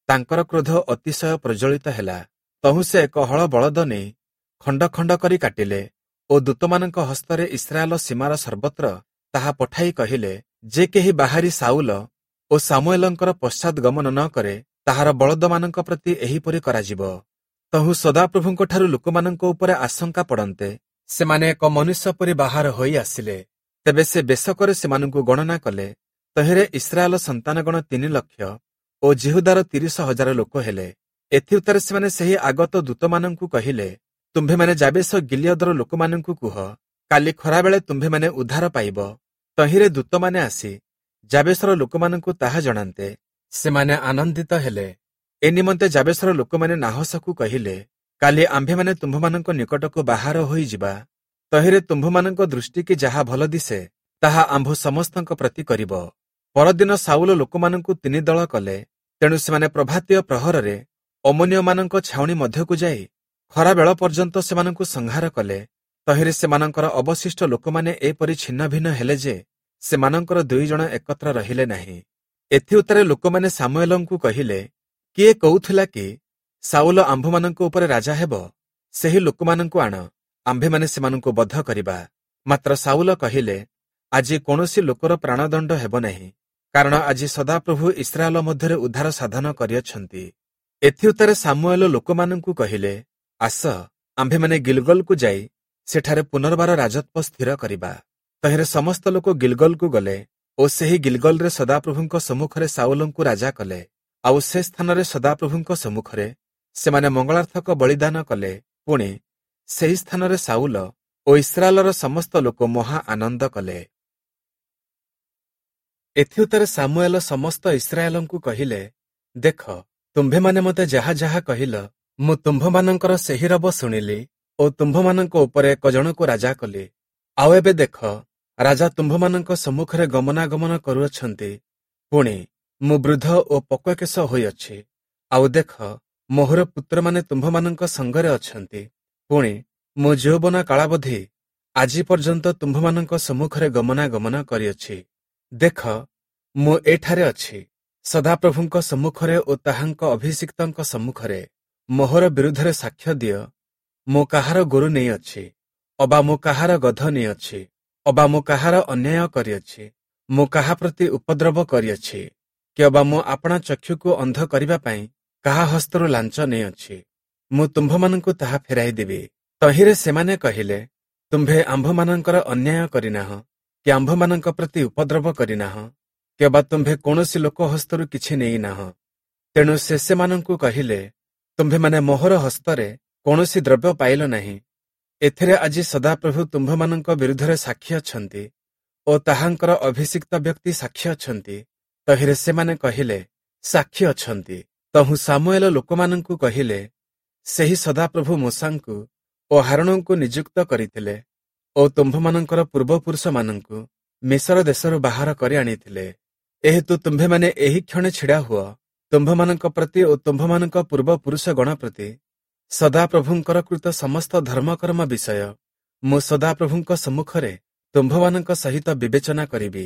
ତାଙ୍କର କ୍ରୋଧ ଅତିଶୟ ପ୍ରଜ୍ୱଳିତ ହେଲା। ତହୁଁ ସେ ଏକ ହଳ ବଳଦ ନେଇ ଖଣ୍ଡ ଖଣ୍ଡ କରି କାଟିଲେ ଓ ଦୂତମାନଙ୍କ ହସ୍ତରେ ଇସ୍ରାଏଲ ସୀମାର ସର୍ବତ୍ର ତାହା ପଠାଇ କହିଲେ, ଯେ କେହି ବାହାରି ସାଉଲ ଓ ସାମୁଏଲଙ୍କର ପଶ୍ଚାଦଗମନ ନ କରେ, ତାହାର ବଳଦମାନଙ୍କ ପ୍ରତି ଏହିପରି କରାଯିବ। ତହୁଁ ସଦାପ୍ରଭୁଙ୍କଠାରୁ ଲୋକମାନଙ୍କ ଉପରେ ଆଶଙ୍କା ପଡ଼ନ୍ତେ ସେମାନେ ଏକ ମନୁଷ୍ୟ ପରି ବାହାର ହୋଇ ଆସିଲେ। ତେବେ ସେ ବେଶକରେ ସେମାନଙ୍କୁ ଗଣନା କଲେ। ତହିଁରେ ଇସ୍ରାଏଲ ସନ୍ତାନଗଣ ତିନି ଲକ୍ଷ ଓ ଯିହୁଦାର ତିରିଶ ହଜାର ଲୋକ ହେଲେ। ଏଥିଉତ୍ତାରେ ସେମାନେ ସେହି ଆଗତ ଦୂତମାନଙ୍କୁ କହିଲେ, ତୁମ୍ଭେମାନେ ଯାବେଶ ଗିଲିୟଦର ଲୋକମାନଙ୍କୁ କୁହ, କାଲି ଖରାବେଳେ ତୁମ୍ଭେମାନେ ଉଦ୍ଧାର ପାଇବ। ତହିଁରେ ଦୂତମାନେ ଆସି ଯାବେଶର ଲୋକମାନଙ୍କୁ ତାହା ଜଣାନ୍ତେ ସେମାନେ ଆନନ୍ଦିତ ହେଲେ। ଏ ନିମନ୍ତେ ଯାବେଶର ଲୋକମାନେ ନାହସକୁ କହିଲେ, କାଲି ଆମ୍ଭେମାନେ ତୁମ୍ଭମାନଙ୍କ ନିକଟକୁ ବାହାର ହୋଇଯିବା। ତହିଁରେ ତୁମ୍ଭମାନଙ୍କ ଦୃଷ୍ଟିକି ଯାହା ଭଲ ଦିଶେ, ତାହା ଆମ୍ଭ ସମସ୍ତଙ୍କ ପ୍ରତି କରିବ। ପରଦିନ ସାଉଲ ଲୋକମାନଙ୍କୁ ତିନି ଦଳ କଲେ। ତେଣୁ ସେମାନେ ପ୍ରଭାତୀୟ ପ୍ରହରରେ ଅମୋନୀୟମାନଙ୍କ ଛାଉଣି ମଧ୍ୟକୁ ଯାଇ ଖରାବେଳ ପର୍ଯ୍ୟନ୍ତ ସେମାନଙ୍କୁ ସଂହାର କଲେ। ତହିଁରେ ସେମାନଙ୍କର ଅବଶିଷ୍ଟ ଲୋକମାନେ ଏପରି ଛିନ୍ନଭିନ୍ନ ହେଲେ ଯେ ସେମାନଙ୍କର ଦୁଇ ଜଣ ଏକତ୍ର ରହିଲେ ନାହିଁ। ଏଥିଉତ୍ତାରେ ଲୋକମାନେ ସାମୁଏଲଙ୍କୁ କହିଲେ, କିଏ କହୁଥିଲା କି ସାଉଲ ଆମ୍ଭମାନଙ୍କ ଉପରେ ରାଜା ହେବ? ସେହି ଲୋକମାନଙ୍କୁ ଆଣ, ଆମ୍ଭେମାନେ ସେମାନଙ୍କୁ ବଧ କରିବା। ମାତ୍ର ସାଉଲ କହିଲେ, ଆଜି କୌଣସି ଲୋକର ପ୍ରାଣଦଣ୍ଡ ହେବ ନାହିଁ, କାରଣ ଆଜି ସଦାପ୍ରଭୁ ଇସ୍ରାଏଲ ମଧ୍ୟରେ ଉଦ୍ଧାର ସାଧନ କରିଅଛନ୍ତି। ଏଥିଉତ୍ତାରେ ସାମୁଏଲ ଲୋକମାନଙ୍କୁ କହିଲେ, ଆସ, ଆମ୍ଭେମାନେ ଗିଲଗଲକୁ ଯାଇ ସେଠାରେ ପୁନର୍ବାର ରାଜତ୍ୱ ସ୍ଥିର କରିବା। ତହିଁରେ ସମସ୍ତ ଲୋକ ଗିଲଗଲକୁ ଗଲେ ଓ ସେହି ଗିଲଗଲରେ ସଦାପ୍ରଭୁଙ୍କ ସମ୍ମୁଖରେ ସାଉଲଙ୍କୁ ରାଜା କଲେ। ଆଉ ସେ ସ୍ଥାନରେ ସଦାପ୍ରଭୁଙ୍କ ସମ୍ମୁଖରେ ସେମାନେ ମଙ୍ଗଳାର୍ଥକ ବଳିଦାନ କଲେ। ପୁଣି ସେହି ସ୍ଥାନରେ ସାଉଲ ଓ ଇସ୍ରାଏଲର ସମସ୍ତ ଲୋକ ମହା ଆନନ୍ଦ କଲେ। ଏଥିଉତ୍ତାରେ ସାମୁଏଲ ସମସ୍ତ ଇସ୍ରାଏଲଙ୍କୁ କହିଲେ, ଦେଖ, ତୁମ୍ଭେମାନେ ମୋତେ ଯାହା ଯାହା କହିଲ, ମୁଁ ତୁମ୍ଭମାନଙ୍କର ସେହି ରବ ଶୁଣିଲି ଓ ତୁମ୍ଭମାନଙ୍କ ଉପରେ ଏକ ଜଣକୁ ରାଜା କଲି। ଆଉ ଏବେ ଦେଖ, ରାଜା ତୁମ୍ଭମାନଙ୍କ ସମ୍ମୁଖରେ ଗମନାଗମନ କରୁଅଛନ୍ତି। ପୁଣି ମୁଁ ବୃଦ୍ଧ ଓ ପକ୍ୱକେଶ ହୋଇଅଛି। ଆଉ ଦେଖ, ମୋହର ପୁତ୍ରମାନେ ତୁମ୍ଭମାନଙ୍କ ସଙ୍ଗରେ ଅଛନ୍ତି। ପୁଣି ମୁଁ ଯୌବନ କାଳାବଧି ଆଜି ପର୍ଯ୍ୟନ୍ତ ତୁମ୍ଭମାନଙ୍କ ସମ୍ମୁଖରେ ଗମନାଗମନ କରିଅଛି। ଦେଖ, ମୁଁ ଏଠାରେ ଅଛି, ସଦାପ୍ରଭୁଙ୍କ ସମ୍ମୁଖରେ ଓ ତାହାଙ୍କ ଅଭିଷିକ୍ତଙ୍କ ସମ୍ମୁଖରେ ମୋହର ବିରୁଦ୍ଧରେ ସାକ୍ଷ୍ୟ ଦିଅ। ମୁଁ କାହାର ଗୋରୁ ନେଇଅଛି, ଅବା ମୁଁ କାହାର ଗଧ ନେଇଅଛି, ଅବା ମୁଁ କାହାର ଅନ୍ୟାୟ କରିଅଛି, ମୁଁ କାହା ପ୍ରତି ଉପଦ୍ରବ କରିଅଛି, କି ଅବା ମୁଁ ଆପଣା ଚକ୍ଷୁକୁ ଅନ୍ଧ କରିବା ପାଇଁ କାହା ହସ୍ତରୁ ଲାଞ୍ଚ ନେଇଅଛି? ମୁଁ ତୁମ୍ଭମାନଙ୍କୁ ତାହା ଫେରାଇ ଦେବି। ତହିଁରେ ସେମାନେ କହିଲେ, ତୁମ୍ଭେ ଆମ୍ଭମାନଙ୍କର ଅନ୍ୟାୟ କରିନାହଁ, କି ଆମ୍ଭମାନଙ୍କ ପ୍ରତି ଉପଦ୍ରବ କରିନାହଁ, କି ଅବା ତୁମ୍ଭେ କୌଣସି ଲୋକ ହସ୍ତରୁ କିଛି ନେଇନାହଁ। ତେଣୁ ସେ ସେମାନଙ୍କୁ କହିଲେ, ତୁମ୍ଭେମାନେ ମୋହର ହସ୍ତରେ କୌଣସି ଦ୍ରବ୍ୟ ପାଇଲ ନାହିଁ, ଏଥିରେ ଆଜି ସଦାପ୍ରଭୁ ତୁମ୍ଭମାନଙ୍କ ବିରୁଦ୍ଧରେ ସାକ୍ଷୀ ଅଛନ୍ତି ଓ ତାହାଙ୍କର ଅଭିଷିକ୍ତ ବ୍ୟକ୍ତି ସାକ୍ଷୀ ଅଛନ୍ତି। ତହିଁରେ ସେମାନେ କହିଲେ, ସାକ୍ଷୀ ଅଛନ୍ତି। ତହୁଁ ସାମୁଏଲ ଲୋକମାନଙ୍କୁ କହିଲେ, ସେହି ସଦାପ୍ରଭୁ ମୋଶାଙ୍କୁ ଓ ହାରୋଣଙ୍କୁ ନିଯୁକ୍ତ କରିଥିଲେ ଓ ତୁମ୍ଭମାନଙ୍କର ପୂର୍ବପୁରୁଷମାନଙ୍କୁ ମିଶର ଦେଶରୁ ବାହାର କରି ଆଣିଥିଲେ। ଏହେତୁ ତୁମ୍ଭେମାନେ ଏହି କ୍ଷଣେ ଛିଡ଼ା ହୁଅ, ତୁମ୍ଭମାନଙ୍କ ପ୍ରତି ଓ ତୁମ୍ଭମାନଙ୍କ ପୂର୍ବପୁରୁଷଗଣ ପ୍ରତି ସଦାପ୍ରଭୁଙ୍କର କୃତ ସମସ୍ତ ଧର୍ମକର୍ମ ବିଷୟ ମୁଁ ସଦାପ୍ରଭୁଙ୍କ ସମ୍ମୁଖରେ ତୁମ୍ଭମାନଙ୍କ ସହିତ ବିବେଚନା କରିବି।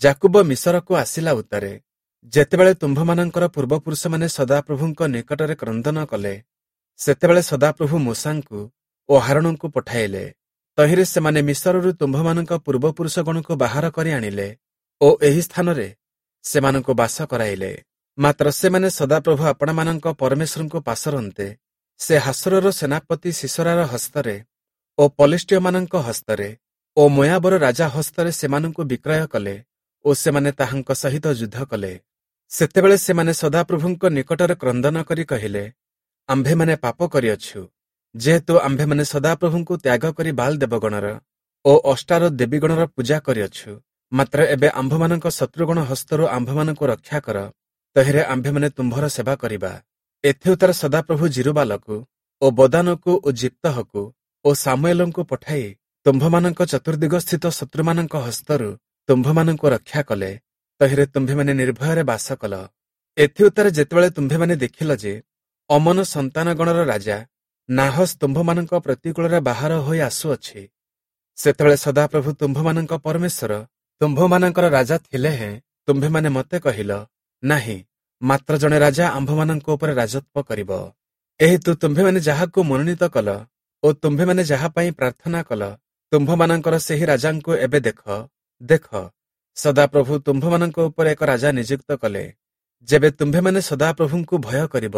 ଯାକୁବ ମିଶରକୁ ଆସିଲା ଉତ୍ତାରେ ଯେତେବେଳେ ତୁମ୍ଭମାନଙ୍କର ପୂର୍ବପୁରୁଷମାନେ ସଦାପ୍ରଭୁଙ୍କ ନିକଟରେ କ୍ରନ୍ଦନ କଲେ, ସେତେବେଳେ ସଦାପ୍ରଭୁ ମୋଶାଙ୍କୁ ଓ ହାରୋଣଙ୍କୁ ପଠାଇଲେ। ତହିଁରେ ସେମାନେ ମିଶରରୁ ତୁମ୍ଭମାନଙ୍କ ପୂର୍ବପୁରୁଷଗଣକୁ ବାହାର କରି ଆଣିଲେ ଓ ଏହି ସ୍ଥାନରେ ସେମାନଙ୍କୁ ବାସ କରାଇଲେ। ମାତ୍ର ସେମାନେ ସଦାପ୍ରଭୁ ଆପଣମାନଙ୍କ ପରମେଶ୍ୱରଙ୍କୁ ପାସରନ୍ତେ, ସେ ହାସୋରର ସେନାପତି ସୀଷରାର ହସ୍ତରେ ଓ ପଲେଷ୍ଟୀୟମାନଙ୍କ ହସ୍ତରେ ଓ ମୋୟାବର ରାଜା ହସ୍ତରେ ସେମାନଙ୍କୁ ବିକ୍ରୟ କଲେ ଓ ସେମାନେ ତାହାଙ୍କ ସହିତ ଯୁଦ୍ଧ କଲେ। ସେତେବେଳେ ସେମାନେ ସଦାପ୍ରଭୁଙ୍କ ନିକଟରେ କ୍ରନ୍ଦନ କରି କହିଲେ, ଆମ୍ଭେମାନେ ପାପ କରିଅଛୁ, ଯେହେତୁ ଆମ୍ଭେମାନେ ସଦାପ୍ରଭୁଙ୍କୁ ତ୍ୟାଗ କରି ବାଲ ଦେବଗଣର ଓ ଅଷ୍ଟାର ଦେବୀଗଣର ପୂଜା କରିଅଛୁ। ମାତ୍ର ଏବେ ଆମ୍ଭମାନଙ୍କ ଶତ୍ରୁଗଣ ହସ୍ତରୁ ଆମ୍ଭମାନଙ୍କୁ ରକ୍ଷା କର, ତହିଁରେ ଆମ୍ଭେମାନେ ତୁମ୍ଭର ସେବା କରିବା। ଏଥିଉତ୍ତାରେ ସଦାପ୍ରଭୁ ଯିରୁବାଲକୁ ଓ ବଦାନକୁ ଓ ଜିପ୍ତହକୁ ଓ ସାମୁଏଲଙ୍କୁ ପଠାଇ ତୁମ୍ଭମାନଙ୍କ ଚତୁର୍ଦିଗସ୍ଥିତ ଶତ୍ରୁମାନଙ୍କ ହସ୍ତରୁ ତୁମ୍ଭମାନଙ୍କୁ ରକ୍ଷା କଲେ। ତହିଁରେ ତୁମ୍ଭେମାନେ ନିର୍ଭୟରେ ବାସ କଲ। ଏଥିଉତ୍ତାରେ ଯେତେବେଳେ ତୁମ୍ଭେମାନେ ଦେଖିଲ ଯେ ଅମ୍ମୋନ ସନ୍ତାନଗଣର ରାଜା ନାହସ୍ ତୁମ୍ଭମାନଙ୍କ ପ୍ରତିକୂଳରେ ବାହାର ହୋଇ ଆସୁଅଛି, ସେତେବେଳେ ସଦାପ୍ରଭୁ ତୁମ୍ଭମାନଙ୍କ ପରମେଶ୍ୱର ତୁମ୍ଭମାନଙ୍କର ରାଜା ଥିଲେ ହେଁ ତୁମ୍ଭେମାନେ ମୋତେ କହିଲ, ନାହିଁ, ମାତ୍ର ଜଣେ ରାଜା ଆମ୍ଭମାନଙ୍କ ଉପରେ ରାଜତ୍ୱ କରିବ। ଏହେତୁ ତୁମ୍ଭେମାନେ ଯାହାକୁ ମନୋନୀତ କଲ ଓ ତୁମ୍ଭେମାନେ ଯାହା ପାଇଁ ପ୍ରାର୍ଥନା କଲ, ତୁମ୍ଭମାନଙ୍କର ସେହି ରାଜାଙ୍କୁ ଏବେ ଦେଖ, ଦେଖ, ସଦାପ୍ରଭୁ ତୁମ୍ଭମାନଙ୍କ ଉପରେ ଏକ ରାଜା ନିଯୁକ୍ତ କଲେ। ଯେବେ ତୁମ୍ଭେମାନେ ସଦାପ୍ରଭୁଙ୍କୁ ଭୟ କରିବ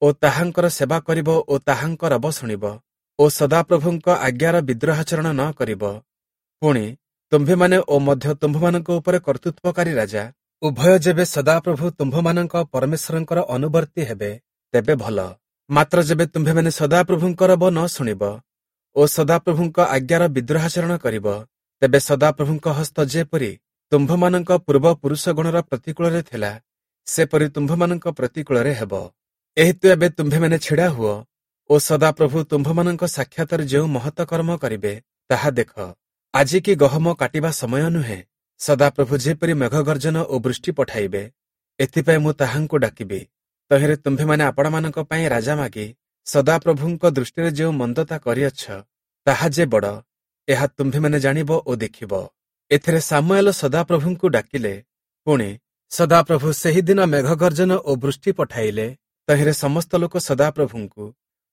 ଓ ତାହାଙ୍କର ସେବା କରିବ ଓ ତାହାଙ୍କ ରବ ଶୁଣିବ ଓ ସଦାପ୍ରଭୁଙ୍କ ଆଜ୍ଞାର ବିଦ୍ରୋହାଚରଣ ନ କରିବ, ପୁଣି ତୁମ୍ଭେମାନେ ଓ ମଧ୍ୟ ତୁମ୍ଭମାନଙ୍କ ଉପରେ କର୍ତ୍ତୃତ୍ୱକାରୀ ରାଜା ଉଭୟ ଯେବେ ସଦାପ୍ରଭୁ ତୁମ୍ଭମାନଙ୍କ ପରମେଶ୍ୱରଙ୍କର ଅନୁବର୍ତ୍ତୀ ହେବେ, ତେବେ ଭଲ। ମାତ୍ର ଯେବେ ତୁମ୍ଭେମାନେ ସଦାପ୍ରଭୁଙ୍କ ରବ ନ ଶୁଣିବ ଓ ସଦାପ୍ରଭୁଙ୍କ ଆଜ୍ଞାର ବିଦ୍ରୋହାଚରଣ କରିବ, ତେବେ ସଦାପ୍ରଭୁଙ୍କ ହସ୍ତ ଯେପରି ତୁମ୍ଭମାନଙ୍କ ପୂର୍ବପୁରୁଷଗଣର ପ୍ରତିକୂଳରେ ଥିଲା, ସେପରି ତୁମ୍ଭମାନଙ୍କ ପ୍ରତିକୂଳରେ ହେବ। ଏହେତୁ ଏବେ ତୁମ୍ଭେମାନେ ଛିଡ଼ା ହୁଅ ଓ ସଦାପ୍ରଭୁ ତୁମ୍ଭମାନଙ୍କ ସାକ୍ଷାତରେ ଯେଉଁ ମହତ କର୍ମ କରିବେ, ତାହା ଦେଖ। ଆଜି କି ଗହମ କାଟିବା ସମୟ ନୁହେଁ? ସଦାପ୍ରଭୁ ଯେପରି ମେଘଗର୍ଜନ ଓ ବୃଷ୍ଟି ପଠାଇବେ, ଏଥିପାଇଁ ମୁଁ ତାହାଙ୍କୁ ଡାକିବି। ତହିଁରେ ତୁମ୍ଭେମାନେ ଆପଣମାନଙ୍କ ପାଇଁ ରାଜା ମାଗି ସଦାପ୍ରଭୁଙ୍କ ଦୃଷ୍ଟିରେ ଯେଉଁ ମନ୍ଦତା କରିଅଛ, ତାହା ଯେ ବଡ଼, ଏହା ତୁମ୍ଭେମାନେ ଜାଣିବ ଓ ଦେଖିବ। ଏଥିରେ ସାମୁଏଲ ସଦାପ୍ରଭୁଙ୍କୁ ଡାକିଲେ। ପୁଣି ସଦାପ୍ରଭୁ ସେହିଦିନ ମେଘଗର୍ଜନ ଓ ବୃଷ୍ଟି ପଠାଇଲେ। ତହିଁରେ ସମସ୍ତ ଲୋକ ସଦାପ୍ରଭୁଙ୍କୁ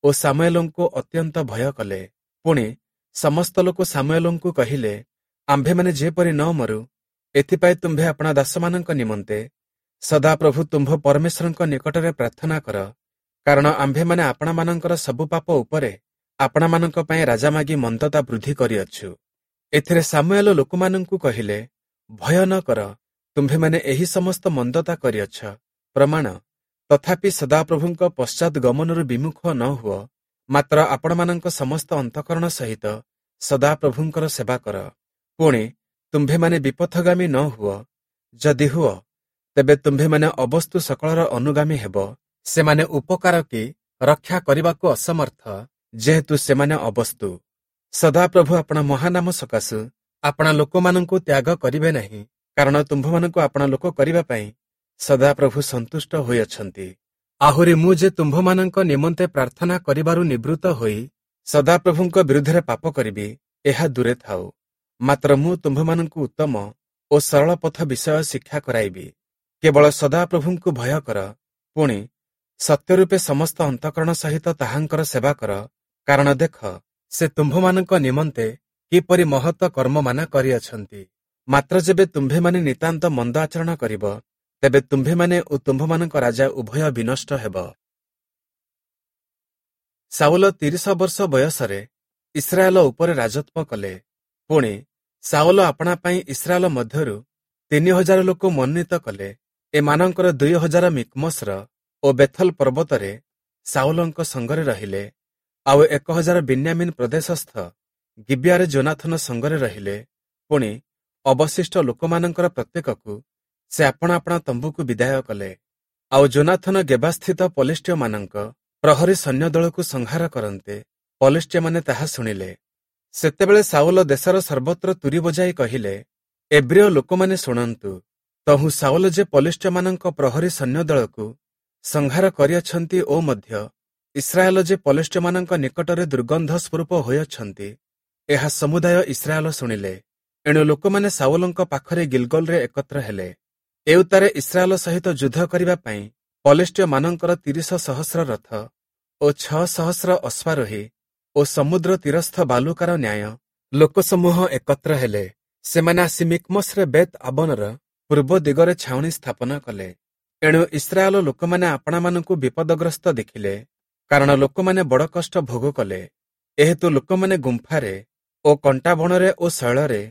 ଓ ସାମୁଏଲଙ୍କୁ ଅତ୍ୟନ୍ତ ଭୟ କଲେ। ପୁଣି ସମସ୍ତ ଲୋକ ସାମୁଏଲଙ୍କୁ କହିଲେ, ଆମ୍ଭେମାନେ ଯେପରି ନ ମରୁ, ଏଥିପାଇଁ ତୁମ୍ଭେ ଆପଣା ଦାସମାନଙ୍କ ନିମନ୍ତେ ସଦାପ୍ରଭୁ ତୁମ୍ଭ ପରମେଶ୍ୱରଙ୍କ ନିକଟରେ ପ୍ରାର୍ଥନା କର, କାରଣ ଆମ୍ଭେମାନେ ଆପଣାମାନଙ୍କର ସବୁ ପାପ ଉପରେ ଆପଣାମାନଙ୍କ ପାଇଁ ରାଜା ମାଗି ମନ୍ଦତା ବୃଦ୍ଧି କରିଅଛୁ। ଏଥିରେ ସାମୁଏଲ ଲୋକମାନଙ୍କୁ କହିଲେ, ଭୟ ନ କର, ତୁମ୍ଭେମାନେ ଏହି ସମସ୍ତ ମନ୍ଦତା କରିଅଛ ପ୍ରମାଣ, ତଥାପି ସଦାପ୍ରଭୁଙ୍କ ପଶ୍ଚାତ୍ ଗମନରୁ ବିମୁଖ ନ ହୁଅ, ମାତ୍ର ଆପଣମାନଙ୍କ ସମସ୍ତ ଅନ୍ତଃକରଣ ସହିତ ସଦାପ୍ରଭୁଙ୍କର ସେବା କର। ପୁଣି ତୁମ୍ଭେମାନେ ବିପଥଗାମୀ ନ ହୁଅ, ଯଦି ହୁଅ, ତେବେ ତୁମ୍ଭେମାନେ ଅବସ୍ତୁ ସକଳର ଅନୁଗାମୀ ହେବ। ସେମାନେ ଉପକାର କି ରକ୍ଷା କରିବାକୁ ଅସମର୍ଥ, ଯେହେତୁ ସେମାନେ ଅବସ୍ତୁ। ସଦାପ୍ରଭୁ ଆପଣା ମହାନାମ ସକାଶୁ ଆପଣା ଲୋକମାନଙ୍କୁ ତ୍ୟାଗ କରିବେ ନାହିଁ, କାରଣ ତୁମ୍ଭମାନଙ୍କୁ ଆପଣା ଲୋକ କରିବା ପାଇଁ ସଦାପ୍ରଭୁ ସନ୍ତୁଷ୍ଟ ହୋଇଅଛନ୍ତି। ଆହୁରି ମୁଁ ଯେ ତୁମ୍ଭମାନଙ୍କ ନିମନ୍ତେ ପ୍ରାର୍ଥନା କରିବାରୁ ନିବୃତ୍ତ ହୋଇ ସଦାପ୍ରଭୁଙ୍କ ବିରୁଦ୍ଧରେ ପାପ କରିବି, ଏହା ଦୂରେ ଥାଉ। ମାତ୍ର ମୁଁ ତୁମ୍ଭମାନଙ୍କୁ ଉତ୍ତମ ଓ ସରଳ ପଥ ବିଷୟ ଶିକ୍ଷା କରାଇବି। କେବଳ ସଦାପ୍ରଭୁଙ୍କୁ ଭୟ କର, ପୁଣି ସତ୍ୟରୂପେ ସମସ୍ତ ଅନ୍ତଃକରଣ ସହିତ ତାହାଙ୍କର ସେବା କର, କାରଣ ଦେଖ, ସେ ତୁମ୍ଭମାନଙ୍କ ନିମନ୍ତେ କିପରି ମହତ କର୍ମମାନ କରିଅଛନ୍ତି। ମାତ୍ର ଯେବେ ତୁମ୍ଭେମାନେ ନିତାନ୍ତ ମନ୍ଦ ଆଚରଣ କରିବ, ତେବେ ତୁମ୍ଭେମାନେ ଓ ତୁମ୍ଭମାନଙ୍କ ରାଜା ଉଭୟ ବିନଷ୍ଟ ହେବ। ସାଉଲ ତିରିଶ ବର୍ଷ ବୟସରେ ଇସ୍ରାଏଲ ଉପରେ ରାଜତ୍ୱ କଲେ। ପୁଣି ସାଉଲ ଆପଣା ପାଇଁ ଇସ୍ରାଏଲ ମଧ୍ୟରୁ ତିନି ହଜାର ଲୋକ ମନୋନୀତ କଲେ। ଏମାନଙ୍କର ଦୁଇ ହଜାର ମିକ୍ମସର ଓ ବେଥଲ ପର୍ବତରେ ସାଉଲଙ୍କ ସଙ୍ଗରେ ରହିଲେ, ଆଉ ଏକ ହଜାର ବିନ୍ୟାମିନ ପ୍ରଦେଶସ୍ଥ ଗିବିଆରେ ଯୋନାଥନ ସଙ୍ଗରେ ରହିଲେ। ପୁଣି ଅବଶିଷ୍ଟ ଲୋକମାନଙ୍କର ପ୍ରତ୍ୟେକକୁ ସେ ଆପଣା ଆପଣା ତମ୍ବୁକୁ ବିଦାୟ କଲେ। ଆଉ ଯୋନାଥନ ଗେବାସ୍ଥିତ ପଲିଷ୍ଟୀୟମାନଙ୍କ ପ୍ରହରୀ ସୈନ୍ୟଦଳକୁ ସଂହାର କରନ୍ତେ ପଲିଷ୍ଟୀୟମାନେ ତାହା ଶୁଣିଲେ। ସେତେବେଳେ ସାଉଲ ଦେଶର ସର୍ବତ୍ର ତୁରୀ ବଜାଇ କହିଲେ, ଏବ୍ରୀୟ ଲୋକମାନେ ଶୁଣନ୍ତୁ। ତହୁଁ ସାଉଲ ଯେ ପଲିଷ୍ଟୀୟମାନଙ୍କ ପ୍ରହରୀ ସୈନ୍ୟଦଳକୁ ସଂହାର କରିଅଛନ୍ତି ଓ ମଧ୍ୟ ଇସ୍ରାଏଲ ଯେ ପଲିଷ୍ଟୀୟମାନଙ୍କ ନିକଟରେ ଦୁର୍ଗନ୍ଧ ସ୍ୱରୂପ ହୋଇଅଛନ୍ତି, ଏହା ସମୁଦାୟ ଇସ୍ରାଏଲ ଶୁଣିଲେ। ଏଣୁ ଲୋକମାନେ ସାଉଲଙ୍କ ପାଖରେ ଗିଲଗଲରେ ଏକତ୍ର ହେଲେ। ଏଉତ୍ତାରେ ଇସ୍ରାଏଲ ସହିତ ଯୁଦ୍ଧ କରିବା ପାଇଁ ପଲିଷ୍ଟୀୟମାନଙ୍କର ତିରିଶ ସହସ୍ର ରଥ ଓ ଛଅ ସହସ୍ର ଅଶ୍ୱାରୋହୀ ଓ ସମୁଦ୍ର ତୀରସ୍ଥ ବାଲୁକାର ନ୍ୟାୟ ଲୋକସମୂହ ଏକତ୍ର ହେଲେ। ସେମାନେ ଆସି ମିକ୍ମସରେ ବେତ୍ ଆବନର ପୂର୍ବ ଦିଗରେ ଛାଉଣି ସ୍ଥାପନ କଲେ। ଏଣୁ ଇସ୍ରାଏଲ ଲୋକମାନେ ଆପଣାମାନଙ୍କୁ ବିପଦଗ୍ରସ୍ତ ଦେଖିଲେ, କାରଣ ଲୋକମାନେ ବଡ଼ କଷ୍ଟ ଭୋଗ କଲେ। ଏହେତୁ ଲୋକମାନେ ଗୁମ୍ଫାରେ ଓ କଣ୍ଟାବଣରେ ଓ ଶୈଳରେ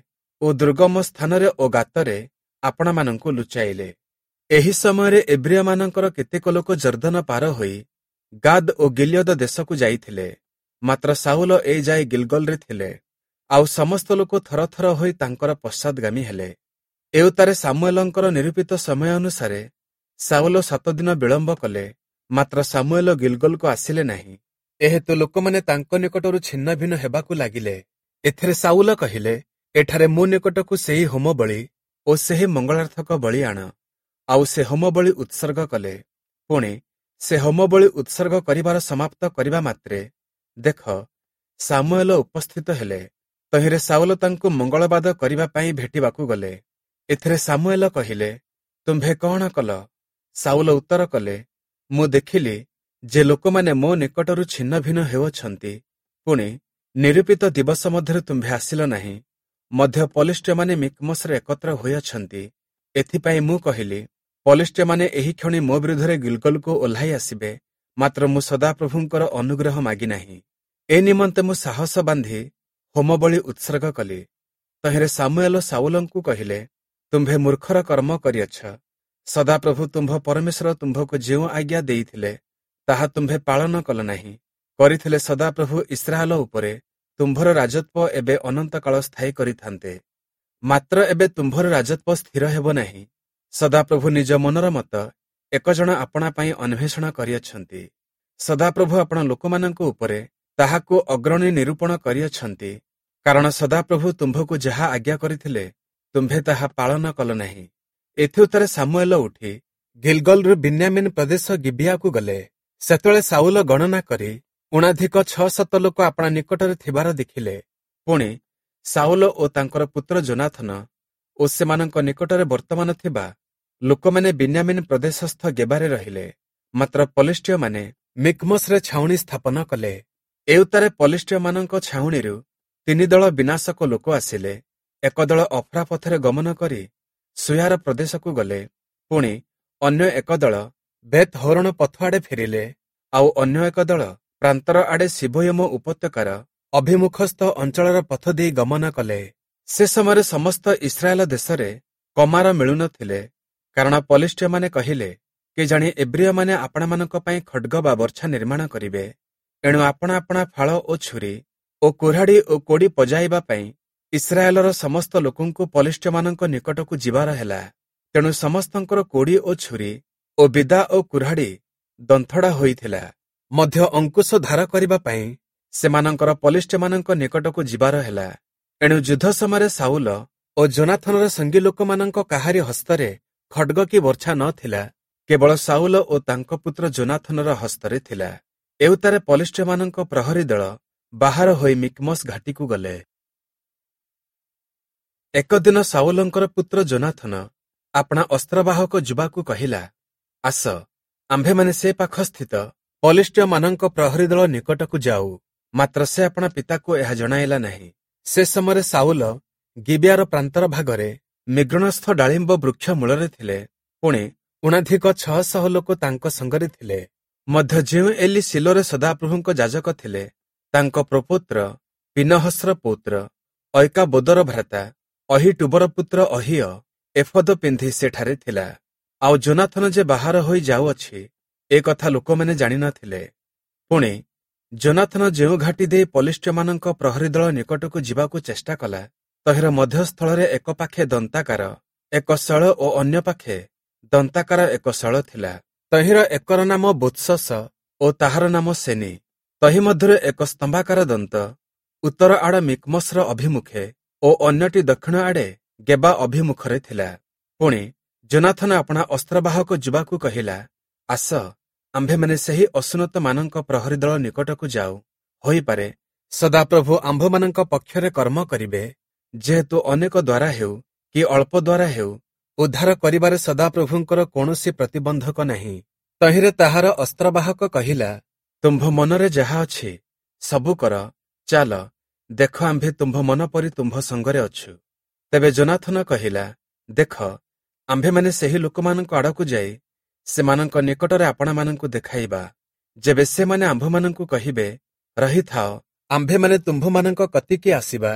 ଓ ଦୁର୍ଗମ ସ୍ଥାନରେ ଓ ଗାତରେ ଆପଣାମାନଙ୍କୁ ଲୁଚାଇଲେ। ଏହି ସମୟରେ ଏବ୍ରୀୟମାନଙ୍କର କେତେକ ଲୋକ ଯର୍ଦ୍ଦନ ପାର ହୋଇ ଗାଦ୍ ଓ ଗିଲିୟଦ ଦେଶକୁ ଯାଇଥିଲେ, ମାତ୍ର ସାଉଲ ଏ ଯାଏ ଗିଲଗଲରେ ଥିଲେ। ଆଉ ସମସ୍ତ ଲୋକ ଥରଥର ହୋଇ ତାଙ୍କର ପଶ୍ଚାଦଗାମୀ ହେଲେ। ଏଉତ୍ତାରେ ସାମୁଏଲଙ୍କର ନିରୂପିତ ସମୟ ଅନୁସାରେ ସାଉଲ ସାତ ଦିନ ବିଳମ୍ବ କଲେ, ମାତ୍ର ସାମୁଏଲ ଗିଲଗଲକୁ ଆସିଲେ ନାହିଁ। ଏହେତୁ ଲୋକମାନେ ତାଙ୍କ ନିକଟରୁ ଛିନ୍ନଭିନ୍ନ ହେବାକୁ ଲାଗିଲେ। ଏଥିରେ ସାଉଲ କହିଲେ, ଏଠାରେ ମୋ ନିକଟକୁ ସେହି ହୋମବଳି ଓ ସେହି ମଙ୍ଗଳାର୍ଥକ ବଳି ଆଣ। ଆଉ ସେ ହୋମବଳି ଉତ୍ସର୍ଗ କଲେ। ପୁଣି ସେ ହୋମବଳି ଉତ୍ସର୍ଗ କରିବାର ସମାପ୍ତ କରିବା ମାତ୍ରେ ଦେଖ, ସାମୁଏଲ ଉପସ୍ଥିତ ହେଲେ। ତହିଁରେ ସାଉଲ ତାଙ୍କୁ ମଙ୍ଗଳବାଦ କରିବା ପାଇଁ ଭେଟିବାକୁ ଗଲେ। ଏଥିରେ ସାମୁଏଲ କହିଲେ, ତୁମ୍ଭେ କଣ କଲ? ସାଉଲ ଉତ୍ତର କଲେ, ମୁଁ ଦେଖିଲି ଯେ ଲୋକମାନେ ମୋ ନିକଟରୁ ଛିନ୍ନଭିନ୍ନ ହେଉଅଛନ୍ତି। ପୁଣି ନିରୂପିତ ଦିବସ ମଧ୍ୟରେ ତୁମ୍ଭେ ଆସିଲ ନାହିଁ, ମଧ୍ୟ ପଲିଷ୍ଟୀୟମାନେ ମିକ୍ମସରେ ଏକତ୍ର ହୋଇଅଛନ୍ତି। ଏଥିପାଇଁ ମୁଁ କହିଲି, ପଲିଷ୍ଟୀୟମାନେ ଏହି କ୍ଷଣି ମୋ ବିରୁଦ୍ଧରେ ଗିଲଗଲକୁ ଓହ୍ଲାଇ ଆସିବେ, ମାତ୍ର ମୁଁ ସଦାପ୍ରଭୁଙ୍କର ଅନୁଗ୍ରହ ମାଗିନାହିଁ। ଏ ନିମନ୍ତେ ମୁଁ ସାହସ ବାନ୍ଧି ହୋମବଳି ଉତ୍ସର୍ଗ କଲି। ତହିଁରେ ସାମୁଏଲ ସାଉଲଙ୍କୁ କହିଲେ, ତୁମ୍ଭେ ମୂର୍ଖର କର୍ମ କରିଅଛ। ସଦାପ୍ରଭୁ ତୁମ୍ଭ ପରମେଶ୍ୱର ତୁମ୍ଭକୁ ଯେଉଁ ଆଜ୍ଞା ଦେଇଥିଲେ, ତାହା ତୁମ୍ଭେ ପାଳନ କଲ ନାହିଁ। କରିଥିଲେ ସଦାପ୍ରଭୁ ଇସ୍ରାଏଲ ଉପରେ ତୁମ୍ଭର ରାଜତ୍ୱ ଏବେ ଅନନ୍ତକାଳ ସ୍ଥାୟୀ କରିଥାନ୍ତେ। ମାତ୍ର ଏବେ ତୁମ୍ଭର ରାଜତ୍ୱ ସ୍ଥିର ହେବ ନାହିଁ। ସଦାପ୍ରଭୁ ନିଜ ମନର ମତ ଏକ ଜଣ ଆପଣା ପାଇଁ ଅନ୍ୱେଷଣ କରିଅଛନ୍ତି। ସଦାପ୍ରଭୁ ଆପଣା ଲୋକମାନଙ୍କ ଉପରେ ତାହାକୁ ଅଗ୍ରଣୀ ନିରୂପଣ କରିଅଛନ୍ତି, କାରଣ ସଦାପ୍ରଭୁ ତୁମ୍ଭକୁ ଯାହା ଆଜ୍ଞା କରିଥିଲେ, ତୁମ୍ଭେ ତାହା ପାଳନ କଲ ନାହିଁ। ଏଥିଉତ୍ତାରେ ସାମୁଏଲ ଉଠି ଗିଲଗଲରୁ ବିନ୍ୟାମିନ ପ୍ରଦେଶ ଗିବିଆକୁ ଗଲେ। ସେତେବେଳେ ସାଉଲ ଗଣନା କରି ଊଣାଧିକ ଛଅ ଶତ ଲୋକ ଆପଣା ନିକଟରେ ଥିବାର ଦେଖିଲେ। ପୁଣି ସାଉଲ ଓ ତାଙ୍କର ପୁତ୍ର ଯୋନାଥନ ଓ ସେମାନଙ୍କ ନିକଟରେ ବର୍ତ୍ତମାନ ଥିବା ଲୋକମାନେ ବିନ୍ୟାମିନ ପ୍ରଦେଶସ୍ଥ ଗେବାରେ ରହିଲେ, ମାତ୍ର ପଲିଷ୍ଟୀୟମାନେ ମିକ୍ମସରେ ଛାଉଣି ସ୍ଥାପନ କଲେ। ଏଉତ୍ତାରେ ପଲିଷ୍ଟୀୟମାନଙ୍କ ଛାଉଣିରୁ ତିନି ଦଳ ବିନାଶକ ଲୋକ ଆସିଲେ। ଏକ ଦଳ ଅଫ୍ରା ପଥରେ ଗମନ କରି ସୁୟାର ପ୍ରଦେଶକୁ ଗଲେ। ପୁଣି ଅନ୍ୟ ଏକ ଦଳ ବେତ୍ ହୋରଣ ପଥ ଆଡ଼େ ଫେରିଲେ। ଆଉ ଅନ୍ୟ ଏକ ଦଳ ପ୍ରାନ୍ତର ଆଡ଼େ ସିବୋୟମ ଉପତ୍ୟକାର ଅଭିମୁଖସ୍ଥ ଅଞ୍ଚଳର ପଥ ଦେଇ ଗମନ କଲେ। ସେ ସମୟରେ ସମସ୍ତ ଇସ୍ରାଏଲ ଦେଶରେ କମାର ମିଳୁନଥିଲେ, କାରଣ ପଲିଷ୍ଟୀୟମାନେ କହିଲେ, କେଜାଣି ଏବ୍ରୀୟମାନେ ଆପଣାମାନଙ୍କ ପାଇଁ ଖଡ୍ଗ ବା ବର୍ଚ୍ଛା ନିର୍ମାଣ କରିବେ। ଏଣୁ ଆପଣା ଆପଣା ଫାଳ ଓ ଛୁରୀ ଓ କୁରାଢ଼ି ଓ କୋଡ଼ି ପଜାଇବା ପାଇଁ ଇସ୍ରାଏଲର ସମସ୍ତ ଲୋକଙ୍କୁ ପଲିଷ୍ଟୀୟମାନଙ୍କ ନିକଟକୁ ଯିବାର ହେଲା। ତେଣୁ ସମସ୍ତଙ୍କର କୋଡ଼ି ଓ ଛୁରୀ ଓ ବିଦା ଓ କୁରାଢ଼ି ଦନ୍ଥଡ଼ା ହୋଇଥିଲା। ମଧ୍ୟ ଅଙ୍କୁଶ ଧାର କରିବା ପାଇଁ ସେମାନଙ୍କର ପଲିଷ୍ଟୀୟମାନଙ୍କ ନିକଟକୁ ଯିବାର ହେଲା। ଏଣୁ ଯୁଦ୍ଧ ସମୟରେ ସାଉଲ ଓ ଯୋନାଥନର ସଙ୍ଗୀ ଲୋକମାନଙ୍କ କାହାରି ହସ୍ତରେ ଖଡ୍ଗ କି ବର୍ଚ୍ଛା ନ ଥିଲା, କେବଳ ସାଉଲ ଓ ତାଙ୍କ ପୁତ୍ର ଯୋନାଥନର ହସ୍ତରେ ଥିଲା। ଏଉତ୍ତାରେ ପଲିଷ୍ଟୀୟମାନଙ୍କ ପ୍ରହରୀ ଦଳ ବାହାର ହୋଇ ମିକ୍ମସ ଘାଟିକୁ ଗଲେ। ଏକ ଦିନ ସାଉଲଙ୍କର ପୁତ୍ର ଯୋନାଥନ ଆପଣା ଅସ୍ତ୍ରବାହକ ଯୁବାକୁ କହିଲା, ଆସ, ଆମ୍ଭେମାନେ ସେ ପାଖସ୍ଥିତ ପଲିଷ୍ଟୀୟମାନଙ୍କ ପ୍ରହରୀ ଦଳ ନିକଟକୁ ଯାଉ। ମାତ୍ର ସେ ଆପଣା ପିତାକୁ ଏହା ଜଣାଇଲା ନାହିଁ। ସେ ସମୟରେ ସାଉଲ ଗିବିଆର ପ୍ରାନ୍ତର ଭାଗରେ ମିଗ୍ରୋଣସ୍ଥ ଡାଳିମ୍ବ ବୃକ୍ଷ ମୂଳରେ ଥିଲେ। ପୁଣି ଊଣାଧିକ ଛଅ ଶହ ଲୋକ ତାଙ୍କ ସଙ୍ଗରେ ଥିଲେ। ମଧ୍ୟ ଯେଉଁ ଏଲି ଶିଲୋରେ ସଦାପ୍ରଭୁଙ୍କ ଯାଜକ ଥିଲେ, ତାଙ୍କ ପ୍ରପୌତ୍ର ପିନହସ୍ର ପୌତ୍ର ଐକାବୋଦର ଭ୍ରାତା ଅହୀଟୂବର ପୁତ୍ର ଅହୀୟ ଏଫୋଦ ପିନ୍ଧି ସେଠାରେ ଥିଲା। ଆଉ ଯୋନାଥନ ଯେ ବାହାର ହୋଇ ଯାଉଅଛି, ଏ କଥା ଲୋକମାନେ ଜାଣିନଥିଲେ। ପୁଣି ଯୋନାଥନ ଯେଉଁ ଘାଟି ଦେଇ ପଲିଷ୍ଠୀୟମାନଙ୍କ ପ୍ରହରୀ ଦଳ ନିକଟକୁ ଯିବାକୁ ଚେଷ୍ଟା କଲା, ତହିଁର ମଧ୍ୟସ୍ଥଳରେ ଏକ ପାଖେ ଦନ୍ତାକାର ଏକ ଶୈଳ ଓ ଅନ୍ୟ ପାଖେ ଦନ୍ତାକାର ଏକ ଶୈଳ ଥିଲା। ତହିଁର ଏକର ନାମ ବୋତ୍ସସ ଓ ତାହାର ନାମ ସେନି। ତହିଁ ମଧ୍ୟରୁ ଏକ ସ୍ତମ୍ଭାକାର ଦନ୍ତ ଉତ୍ତର ଆଡ଼ ମିକ୍ମସର ଅଭିମୁଖେ ଓ ଅନ୍ୟଟି ଦକ୍ଷିଣ ଆଡ଼େ ଗେବା ଅଭିମୁଖରେ ଥିଲା। ପୁଣି ଯୋନାଥନ ଆପଣା ଅସ୍ତ୍ରବାହକ ଯୁବାକୁ କହିଲା, ଆସ, ଆମ୍ଭେମାନେ ସେହି ଅସୁନ୍ନତମାନଙ୍କ ପ୍ରହରୀ ଦଳ ନିକଟକୁ ଯାଉ। ହୋଇପାରେ ସଦାପ୍ରଭୁ ଆମ୍ଭମାନଙ୍କ ପକ୍ଷରେ କର୍ମ କରିବେ, ଯେହେତୁ ଅନେକ ଦ୍ୱାରା ହେଉ କି ଅଳ୍ପ ଦ୍ୱାରା ହେଉ, ଉଦ୍ଧାର କରିବାରେ ସଦାପ୍ରଭୁଙ୍କର କୌଣସି ପ୍ରତିବନ୍ଧକ ନାହିଁ। ତହିଁରେ ତାହାର ଅସ୍ତ୍ରବାହକ କହିଲା, ତୁମ୍ଭ ମନରେ ଯାହା ଅଛି ସବୁ କର, ଚାଲ, ଦେଖ ଆମ୍ଭେ ତୁମ୍ଭ ମନ ପରି ତୁମ୍ଭ ସଙ୍ଗରେ ଅଛୁ। ତେବେ ଯୋନାଥନ କହିଲା, ଦେଖ, ଆମ୍ଭେମାନେ ସେହି ଲୋକମାନଙ୍କ ଆଡ଼କୁ ଯାଇ ସେମାନଙ୍କ ନିକଟରେ ଆପଣାମାନଙ୍କୁ ଦେଖାଇବା। ଯେବେ ସେମାନେ ଆମ୍ଭମାନଙ୍କୁ କହିବେ, ରହିଥାଅ, ଆମ୍ଭେମାନେ ତୁମ୍ଭମାନଙ୍କ କତିକି ଆସିବା,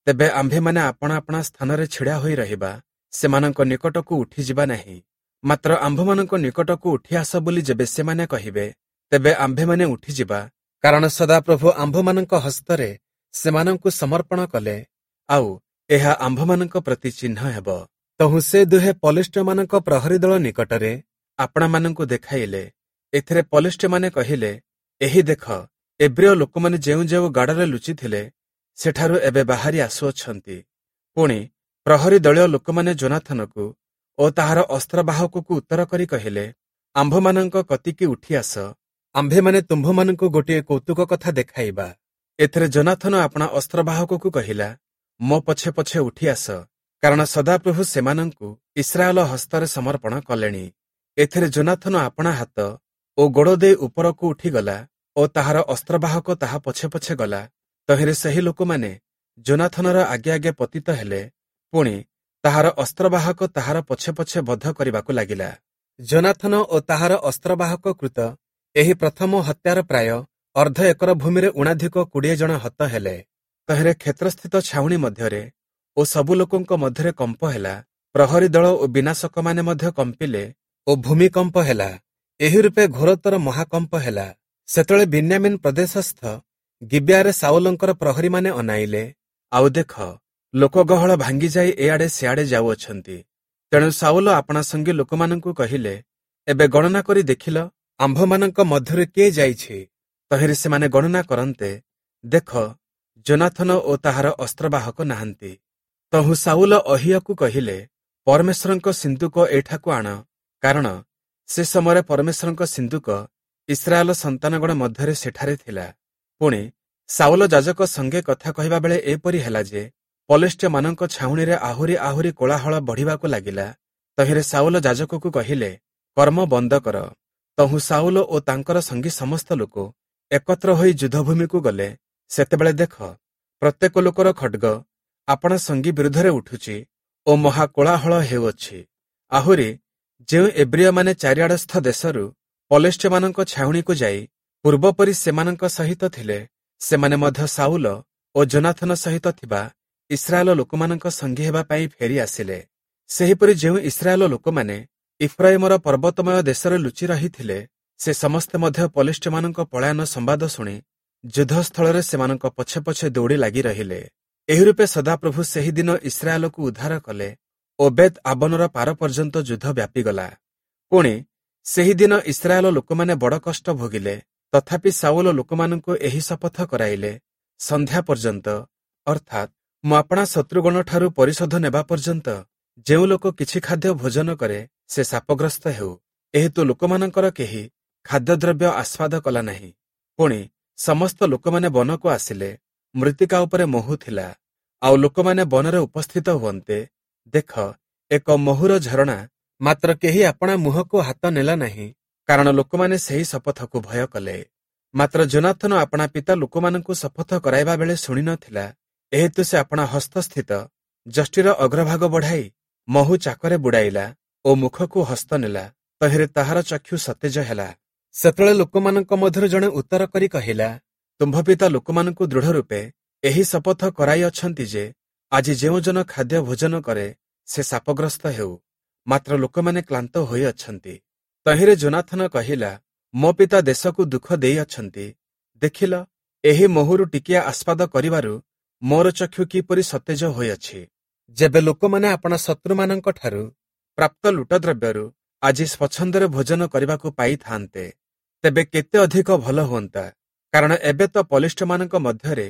ତେବେ ଆମ୍ଭେମାନେ ଆପଣା ଆପଣା ସ୍ଥାନରେ ଛିଡ଼ା ହୋଇ ରହିବା, ସେମାନଙ୍କ ନିକଟକୁ ଉଠିଯିବା ନାହିଁ। ମାତ୍ର ଆମ୍ଭମାନଙ୍କ ନିକଟକୁ ଉଠି ଆସ ବୋଲି ଯେବେ ସେମାନେ କହିବେ, ତେବେ ଆମ୍ଭେମାନେ ଉଠିଯିବା, କାରଣ ସଦାପ୍ରଭୁ ଆମ୍ଭମାନଙ୍କ ହସ୍ତରେ ସେମାନଙ୍କୁ ସମର୍ପଣ କଲେ, ଆଉ ଏହା ଆମ୍ଭମାନଙ୍କ ପ୍ରତି ଚିହ୍ନ ହେବ। ତହୁଁ ସେ ଦୁହେଁ ପଲିଷ୍ଠୀୟମାନଙ୍କ ପ୍ରହରୀ ଦଳ ନିକଟରେ ଆପଣାମାନଙ୍କୁ ଦେଖାଇଲେ। ଏଥିରେ ପଲିଷ୍ଠୀୟମାନେ କହିଲେ, ଏହି ଦେଖ, ଏବ୍ରିୟ ଲୋକମାନେ ଯେଉଁ ଯେଉଁ ଗାଡ଼ରେ ଲୁଚିଥିଲେ, ସେଠାରୁ ଏବେ ବାହାରି ଆସୁଅଛନ୍ତି। ପୁଣି ପ୍ରହରୀ ଦଳୀୟ ଲୋକମାନେ ଯୋନାଥନକୁ ଓ ତାହାର ଅସ୍ତ୍ରବାହକକୁ ଉତ୍ତର କରି କହିଲେ, ଆମ୍ଭମାନଙ୍କ କତିକି ଉଠି ଆସ, ଆମ୍ଭେମାନେ ତୁମ୍ଭମାନଙ୍କୁ ଗୋଟିଏ କୌତୁକ କଥା ଦେଖାଇବା। ଏଥିରେ ଯୋନାଥନ ଆପଣା ଅସ୍ତ୍ରବାହକକୁ କହିଲା, ମୋ ପଛେ ପଛେ ଉଠି ଆସ, କାରଣ ସଦାପ୍ରଭୁ ସେମାନଙ୍କୁ ଇସ୍ରାଏଲ ହସ୍ତରେ ସମର୍ପଣ କଲେଣି। ଏଥିରେ ଯୋନାଥନ ଆପଣା ହାତ ଓ ଗୋଡ଼ ଦେଇ ଉପରକୁ ଉଠିଗଲା ଓ ତାହାର ଅସ୍ତ୍ରବାହକ ତାହା ପଛେ ପଛେ ଗଲା। ତହିଁରେ ସେହି ଲୋକମାନେ ଯୋନାଥନର ଆଗେ ଆଗେ ପତିତ ହେଲେ। ପୁଣି ତାହାର ଅସ୍ତ୍ରବାହକ ତାହାର ପଛେ ପଛେ ବଧ କରିବାକୁ ଲାଗିଲା। ଯୋନାଥନ ଓ ତାହାର ଅସ୍ତ୍ରବାହକ କୃତ ଏହି ପ୍ରଥମ ହତ୍ୟାର ପ୍ରାୟ ଅର୍ଦ୍ଧ ଏକର ଭୂମିରେ ଊଣାଧିକ କୋଡ଼ିଏ ଜଣ ହତ ହେଲେ। ତହିଁରେ କ୍ଷେତ୍ରସ୍ଥିତ ଛାଉଣି ମଧ୍ୟରେ ଓ ସବୁ ଲୋକଙ୍କ ମଧ୍ୟରେ କମ୍ପ ହେଲା। ପ୍ରହରୀ ଦଳ ଓ ବିନାଶକମାନେ ମଧ୍ୟ କମ୍ପିଲେ ଓ ଭୂମିକମ୍ପ ହେଲା। ଏହି ରୂପେ ଘୋରତର ମହାକମ୍ପ ହେଲା। ସେତେବେଳେ ବିନ୍ୟାମିନ୍ ପ୍ରଦେଶସ୍ଥ ଗିବିଆରେ ସାଉଲଙ୍କର ପ୍ରହରୀମାନେ ଅନାଇଲେ, ଆଉ ଦେଖ, ଲୋକଗହଳ ଭାଙ୍ଗିଯାଇ ଏଆଡ଼େ ସିଆଡ଼େ ଯାଉଅଛନ୍ତି। ତେଣୁ ସାଉଲ ଆପଣା ସଙ୍ଗୀ ଲୋକମାନଙ୍କୁ କହିଲେ, ଏବେ ଗଣନା କରି ଦେଖିଲ, ଆମ୍ଭମାନଙ୍କ ମଧ୍ୟରୁ କିଏ ଯାଇଛି? ତହିଁରେ ସେମାନେ ଗଣନା କରନ୍ତେ, ଦେଖ, ଯୋନାଥନ ଓ ତାହାର ଅସ୍ତ୍ରବାହକ ନାହାନ୍ତି। ତହୁଁ ସାଉଲ ଅହିୟକୁ କହିଲେ, ପରମେଶ୍ୱରଙ୍କ ସିନ୍ଦୁକ ଏଠାକୁ ଆଣ, କାରଣ ସେ ସମୟରେ ପରମେଶ୍ୱରଙ୍କ ସିନ୍ଦୁକ ଇସ୍ରାଏଲ ସନ୍ତାନଗଣ ମଧ୍ୟରେ ସେଠାରେ ଥିଲା। ପୁଣି ସାଉଲ ଯାଜକ ସଙ୍ଗେ କଥା କହିବା ବେଳେ ଏପରି ହେଲା ଯେ ପଲେଷ୍ଠୀୟମାନଙ୍କ ଛାଉଣିରେ ଆହୁରି ଆହୁରି କୋଳାହଳ ବଢ଼ିବାକୁ ଲାଗିଲା। ତହିଁରେ ସାଉଲ ଯାଜକକୁ କହିଲେ, କର୍ମ ବନ୍ଦ କର। ତହୁଁ ସାଉଲ ଓ ତାଙ୍କର ସଙ୍ଗୀ ସମସ୍ତ ଲୋକ ଏକତ୍ର ହୋଇ ଯୁଦ୍ଧଭୂମିକୁ ଗଲେ। ସେତେବେଳେ ଦେଖ, ପ୍ରତ୍ୟେକ ଲୋକର ଖଡ୍ଗ ଆପଣା ସଙ୍ଗୀ ବିରୁଦ୍ଧରେ ଉଠୁଛି ଓ ମହା କୋଳାହଳ ହେଉଅଛି। ଆହୁରି ଯେଉଁ ଏବ୍ରିୟମାନେ ଚାରିଆଡ଼ସ୍ଥ ଦେଶରୁ ପଲେଷ୍ଠୀୟମାନଙ୍କ ଛାଉଣିକୁ ଯାଇ ପୂର୍ବପରି ସେମାନଙ୍କ ସହିତ ଥିଲେ, ସେମାନେ ମଧ୍ୟ ସାଉଲ ଓ ଯୋନାଥନ ସହିତ ଥିବା ଇସ୍ରାଏଲ ଲୋକମାନଙ୍କ ସଙ୍ଗୀ ହେବା ପାଇଁ ଫେରି ଆସିଲେ। ସେହିପରି ଯେଉଁ ଇସ୍ରାଏଲ ଲୋକମାନେ ଇଫ୍ରାଇମର ପର୍ବତମୟ ଦେଶରେ ଲୁଚି ରହିଥିଲେ, ସେ ସମସ୍ତେ ମଧ୍ୟ ପଲେଷ୍ଠୀୟମାନଙ୍କ ପଳାୟନ ସମ୍ବାଦ ଶୁଣି ଯୁଦ୍ଧସ୍ଥଳରେ ସେମାନଙ୍କ ପଛେ ପଛେ ଦୌଡ଼ି ଲାଗି ରହିଲେ। ଏହି ରୂପେ ସଦାପ୍ରଭୁ ସେହି ଦିନ ଇସ୍ରାଏଲକୁ ଉଦ୍ଧାର କଲେ ଓ ବେତ୍ ଆବନର ପାର ପର୍ଯ୍ୟନ୍ତ ଯୁଦ୍ଧ ବ୍ୟାପିଗଲା। ପୁଣି ସେହିଦିନ ଇସ୍ରାଏଲ ଲୋକମାନେ ବଡ଼ କଷ୍ଟ ଭୋଗିଲେ। ତଥାପି ସାଉଲ ଲୋକମାନଙ୍କୁ ଏହି ଶପଥ କରାଇଲେ, ସନ୍ଧ୍ୟା ପର୍ଯ୍ୟନ୍ତ, ଅର୍ଥାତ୍ ମୁଁ ଆପଣା ଶତ୍ରୁଗଣଠାରୁ ପରିଶୋଧ ନେବା ପର୍ଯ୍ୟନ୍ତ ଯେଉଁ ଲୋକ କିଛି ଖାଦ୍ୟ ଭୋଜନ କରେ, ସେ ଶାପଗ୍ରସ୍ତ ହେଉ। ଏହେତୁ ଲୋକମାନଙ୍କର କେହି ଖାଦ୍ୟଦ୍ରବ୍ୟ ଆସ୍ୱାଦ କଲା ନାହିଁ। ପୁଣି ସମସ୍ତ ଲୋକମାନେ ବନକୁ ଆସିଲେ। ମୃତ୍ତିକା ଉପରେ ମହୁ ଥିଲା। ଆଉ ଲୋକମାନେ ବନରେ ଉପସ୍ଥିତ ହୁଅନ୍ତେ, ଦେଖ, ଏକ ମହୁର ଝରଣା, ମାତ୍ର କେହି ଆପଣା ମୁହଁକୁ ହାତ ନେଲା ନାହିଁ, କାରଣ ଲୋକମାନେ ସେହି ଶପଥକୁ ଭୟ କଲେ। ମାତ୍ର ଯୋନାଥନ ଆପଣା ପିତା ଲୋକମାନଙ୍କୁ ଶପଥ କରାଇବା ବେଳେ ଶୁଣି ନଥିଲା। ଏହେତୁ ସେ ଆପଣା ହସ୍ତସ୍ଥିତ ଯଷ୍ଟିର ଅଗ୍ରଭାଗ ବଢ଼ାଇ ମହୁ ଚାକରେ ବୁଡ଼ାଇଲା ଓ ମୁଖକୁ ହସ୍ତ ନେଲା। ତହିଁରେ ତାହାର ଚକ୍ଷୁ ସତେଜ ହେଲା। ସେତେବେଳେ ଲୋକମାନଙ୍କ ମଧ୍ୟରୁ ଜଣେ ଉତ୍ତର କରି କହିଲା, ତୁମ୍ଭ ପିତା ଲୋକମାନଙ୍କୁ ଦୃଢ଼ ରୂପେ ଏହି ଶପଥ କରାଇଅଛନ୍ତି ଯେ, ଆଜି ଯେଉଁ ଜନ ଖାଦ୍ୟ ଭୋଜନ କରେ, ସେ ଶାପଗ୍ରସ୍ତ ହେଉ। ମାତ୍ର ଲୋକମାନେ କ୍ଳାନ୍ତ ହୋଇଅଛନ୍ତି। ତହିଁରେ ଯୋନାଥନ କହିଲା, ମୋ ପିତା ଦେଶକୁ ଦୁଃଖ ଦେଇଅଛନ୍ତି। ଦେଖିଲ, ଏହି ମହୁରୁ ଟିକିଏ ଆସ୍ୱାଦ କରିବାରୁ ମୋର ଚକ୍ଷୁ କିପରି ସତେଜ ହୋଇଅଛି। ଯେବେ ଲୋକମାନେ ଆପଣା ଶତ୍ରୁମାନଙ୍କଠାରୁ ପ୍ରାପ୍ତ ଲୁଟଦ୍ରବ୍ୟରୁ ଆଜି ସ୍ୱଚ୍ଛନ୍ଦରେ ଭୋଜନ କରିବାକୁ ପାଇଥାନ୍ତେ, ତେବେ କେତେ ଅଧିକ ଭଲ ହୁଅନ୍ତା! କାରଣ ଏବେ ତ ପଲେଷ୍ଟୀୟମାନଙ୍କ ମଧ୍ୟରେ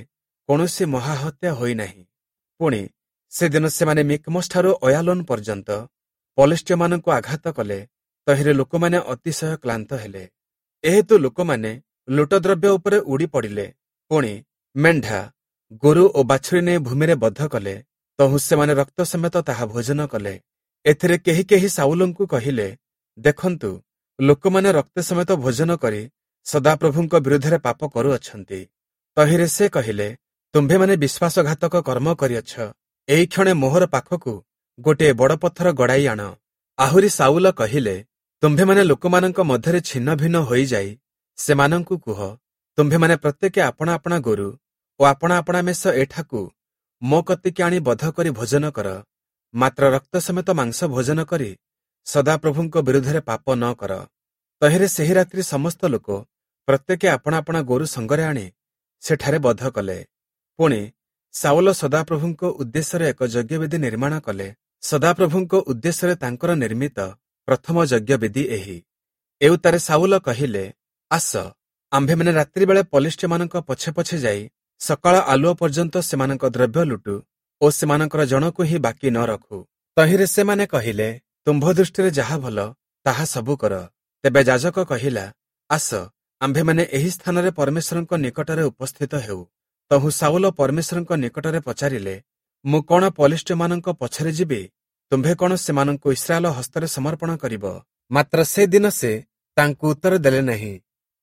କୌଣସି ମହାହତ୍ୟା ହୋଇନାହିଁ। ପୁଣି ସେଦିନ ସେମାନେ ମିକ୍ମୋସଠାରୁ ଅୟାଲୋନ ପର୍ଯ୍ୟନ୍ତ ପଲେଷ୍ଟୀୟମାନଙ୍କୁ ଆଘାତ କଲେ, ତହିଁରେ ଲୋକମାନେ ଅତିଶୟ କ୍ଳାନ୍ତ ହେଲେ। ଏହେତୁ ଲୋକମାନେ ଲୁଟଦ୍ରବ୍ୟ ଉପରେ ଉଡ଼ି ପଡ଼ିଲେ। ପୁଣି ମେଣ୍ଢା, ଗୋରୁ ଓ ବାଛୁରୀ ନେଇ ଭୂମିରେ ବଧ କଲେ, ତହୁଁ ସେମାନେ ରକ୍ତ ସମେତ ତାହା ଭୋଜନ କଲେ। ଏଥିରେ କେହି କେହି ସାଉଲଙ୍କୁ କହିଲେ, ଦେଖନ୍ତୁ, ଲୋକମାନେ ରକ୍ତ ସମେତ ଭୋଜନ କରି ସଦାପ୍ରଭୁଙ୍କ ବିରୁଦ୍ଧରେ ପାପ କରୁଅଛନ୍ତି। ତହିଁରେ ସେ କହିଲେ, ତୁମ୍ଭେମାନେ ବିଶ୍ୱାସଘାତକ କର୍ମ କରିଅଛ। ଏହି କ୍ଷଣେ ମୋହର ପାଖକୁ ଗୋଟିଏ ବଡ଼ ପଥର ଗଡ଼ାଇ ଆଣ। ଆହୁରି ସାଉଲ କହିଲେ, ତୁମ୍ଭେମାନେ ଲୋକମାନଙ୍କ ମଧ୍ୟରେ ଛିନ୍ନ ଭିନ୍ନ ହୋଇଯାଇ ସେମାନଙ୍କୁ କୁହ, ତୁମ୍ଭେମାନେ ପ୍ରତ୍ୟେକେ ଆପଣା ଆପଣା ଗୋରୁ ଓ ଆପଣା ଆପଣା ମେଷ ଏଠାକୁ ମୋ କତିକି ଆଣି ବଧ କରି ଭୋଜନ କର, ମାତ୍ର ରକ୍ତ ସମେତ ମାଂସ ଭୋଜନ କରି ସଦାପ୍ରଭୁଙ୍କ ବିରୁଦ୍ଧରେ ପାପ ନ କର। ତହିଁରେ ସେହି ରାତ୍ରି ସମସ୍ତ ଲୋକ ପ୍ରତ୍ୟେକେ ଆପଣା ଆପଣା ଗୋରୁ ସଙ୍ଗରେ ଆଣି ସେଠାରେ ବଧ କଲେ। ପୁଣି ସାଉଲ ସଦାପ୍ରଭୁଙ୍କ ଉଦ୍ଦେଶ୍ୟରେ ଏକ ଯଜ୍ଞବେଦୀ ନିର୍ମାଣ କଲେ। ସଦାପ୍ରଭୁଙ୍କ ଉଦ୍ଦେଶ୍ୟରେ ତାଙ୍କର ନିର୍ମିତ ପ୍ରଥମ ଯଜ୍ଞବେଦୀ ଏହି। ଏଉତ୍ତାରେ ସାଉଲ କହିଲେ, ଆସ, ଆମ୍ଭେମାନେ ରାତ୍ରିବେଳେ ପଲେଷ୍ଟୀୟମାନଙ୍କ ପଛେ ପଛେ ଯାଇ ସକାଳ ଆଲୁଅ ପର୍ଯ୍ୟନ୍ତ ସେମାନଙ୍କ ଦ୍ରବ୍ୟ ଲୁଟୁ ଓ ସେମାନଙ୍କର ଜଣକୁ ହିଁ ବାକି ନ ରଖୁ। ତହିଁରେ ସେମାନେ କହିଲେ, ତୁମ୍ଭ ଦୃଷ୍ଟିରେ ଯାହା ଭଲ ତାହା ସବୁ କର। ତେବେ ଯାଜକ କହିଲା, ଆସ, ଆମ୍ଭେମାନେ ଏହି ସ୍ଥାନରେ ପରମେଶ୍ୱରଙ୍କ ନିକଟରେ ଉପସ୍ଥିତ ହେଉ। ତହୁଁ ସାଉଲ ପରମେଶ୍ୱରଙ୍କ ନିକଟରେ ପଚାରିଲେ, ମୁଁ କଣ ପଲେଷ୍ଟୀୟମାନଙ୍କ ପଛରେ ଯିବି? ତୁମ୍ଭେ କଣ ସେମାନଙ୍କୁ ଇସ୍ରାଏଲ ହସ୍ତରେ ସମର୍ପଣ କରିବ? ମାତ୍ର ସେ ଦିନ ସେ ତାଙ୍କୁ ଉତ୍ତର ଦେଲେ ନାହିଁ।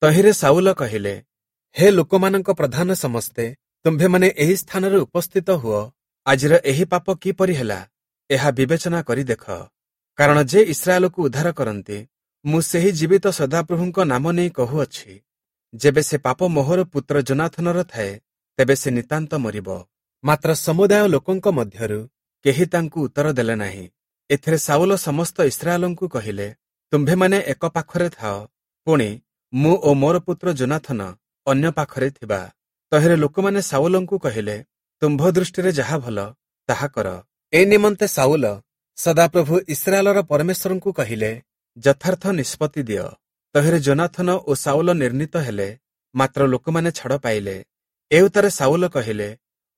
ତହିଁରେ ସାଉଲ କହିଲେ, ହେ ଲୋକମାନଙ୍କ ପ୍ରଧାନ ସମସ୍ତେ, ତୁମ୍ଭେମାନେ ଏହି ସ୍ଥାନରେ ଉପସ୍ଥିତ ହୁଅ। ଆଜିର ଏହି ପାପ କିପରି ହେଲା, ଏହା ବିବେଚନା କରି ଦେଖ। କାରଣ ଯେ ଇସ୍ରାଏଲକୁ ଉଦ୍ଧାର କରନ୍ତି, ମୁଁ ସେହି ଜୀବିତ ସଦାପ୍ରଭୁଙ୍କ ନାମ ନେଇ କହୁଅଛି, ଯେବେ ସେ ପାପ ମୋହର ପୁତ୍ର ଯୋନାଥନର ଥାଏ, ତେବେ ସେ ନିତାନ୍ତ ମରିବ। ମାତ୍ର ସମୁଦାୟ ଲୋକଙ୍କ ମଧ୍ୟରୁ କେହି ତାଙ୍କୁ ଉତ୍ତର ଦେଲେ ନାହିଁ। ଏଥିରେ ସାଉଲ ସମସ୍ତ ଇସ୍ରାଏଲଙ୍କୁ କହିଲେ, ତୁମ୍ଭେମାନେ ଏକ ପାଖରେ ଥାଅ, ପୁଣି ମୁଁ ଓ ମୋର ପୁତ୍ର ଯୋନାଥନ ଅନ୍ୟ ପାଖରେ ଥିବା। ତହିଁରେ ଲୋକମାନେ ସାଉଲଙ୍କୁ କହିଲେ, ତୁମ୍ଭ ଦୃଷ୍ଟିରେ ଯାହା ଭଲ ତାହା କର। ଏ ନିମନ୍ତେ ସାଉଲ ସଦାପ୍ରଭୁ ଇସ୍ରାଏଲର ପରମେଶ୍ୱରଙ୍କୁ କହିଲେ, ଯଥାର୍ଥ ନିଷ୍ପତ୍ତି ଦିଅ। ତହିଁରେ ଯୋନାଥନ ଓ ସାଉଲ ନିର୍ଣ୍ଣିତ ହେଲେ, ମାତ୍ର ଲୋକମାନେ ଛାଡ଼ ପାଇଲେ। ଏଉତ୍ତାରେ ସାଉଲ କହିଲେ,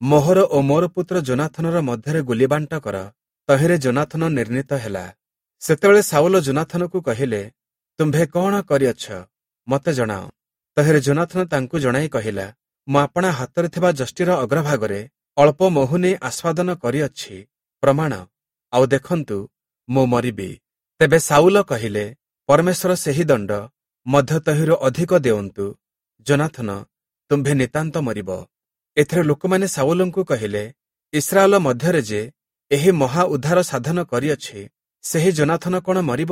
ମୋହର ଓ ମୋର ପୁତ୍ର ଯୋନାଥନର ମଧ୍ୟରେ ଗୁଲିବାଣ୍ଟ କର। ତହିଁରେ ଯୋନାଥନ ନିର୍ଣ୍ଣିତ ହେଲା। ସେତେବେଳେ ସାଉଲ ଯୋନାଥନକୁ କହିଲେ, ତୁମ୍ଭେ କଣ କରିଅଛ, ମତେ ଜଣାଅ। ତହିଁରେ ଯୋନାଥନ ତାଙ୍କୁ ଜଣାଇ କହିଲା, ମୁଁ ଆପଣା ହାତରେ ଥିବା ଯଷ୍ଟିର ଅଗ୍ରଭାଗରେ ଅଳ୍ପ ମହୁ ନେଇ ଆସ୍ୱାଦନ କରିଅଛି, ପ୍ରମାଣ, ଆଉ ଦେଖନ୍ତୁ, ମୁଁ ମରିବି। ତେବେ ସାଉଲ କହିଲେ, ପରମେଶ୍ୱର ସେହି ଦଣ୍ଡ ମଧ୍ୟ ତହିଁରୁ ଅଧିକ ଦେଉନ୍ତୁ। ଯୋନାଥନ, ତୁମ୍ଭେ ନିତାନ୍ତ ମରିବ। ଏଥିରେ ଲୋକମାନେ ସାଉଲଙ୍କୁ କହିଲେ, ଇସ୍ରାଏଲ ମଧ୍ୟରେ ଯେ ଏହି ମହା ଉଦ୍ଧାର ସାଧନ କରିଅଛି, ସେହି ଯୋନାଥନ କଣ ମରିବ?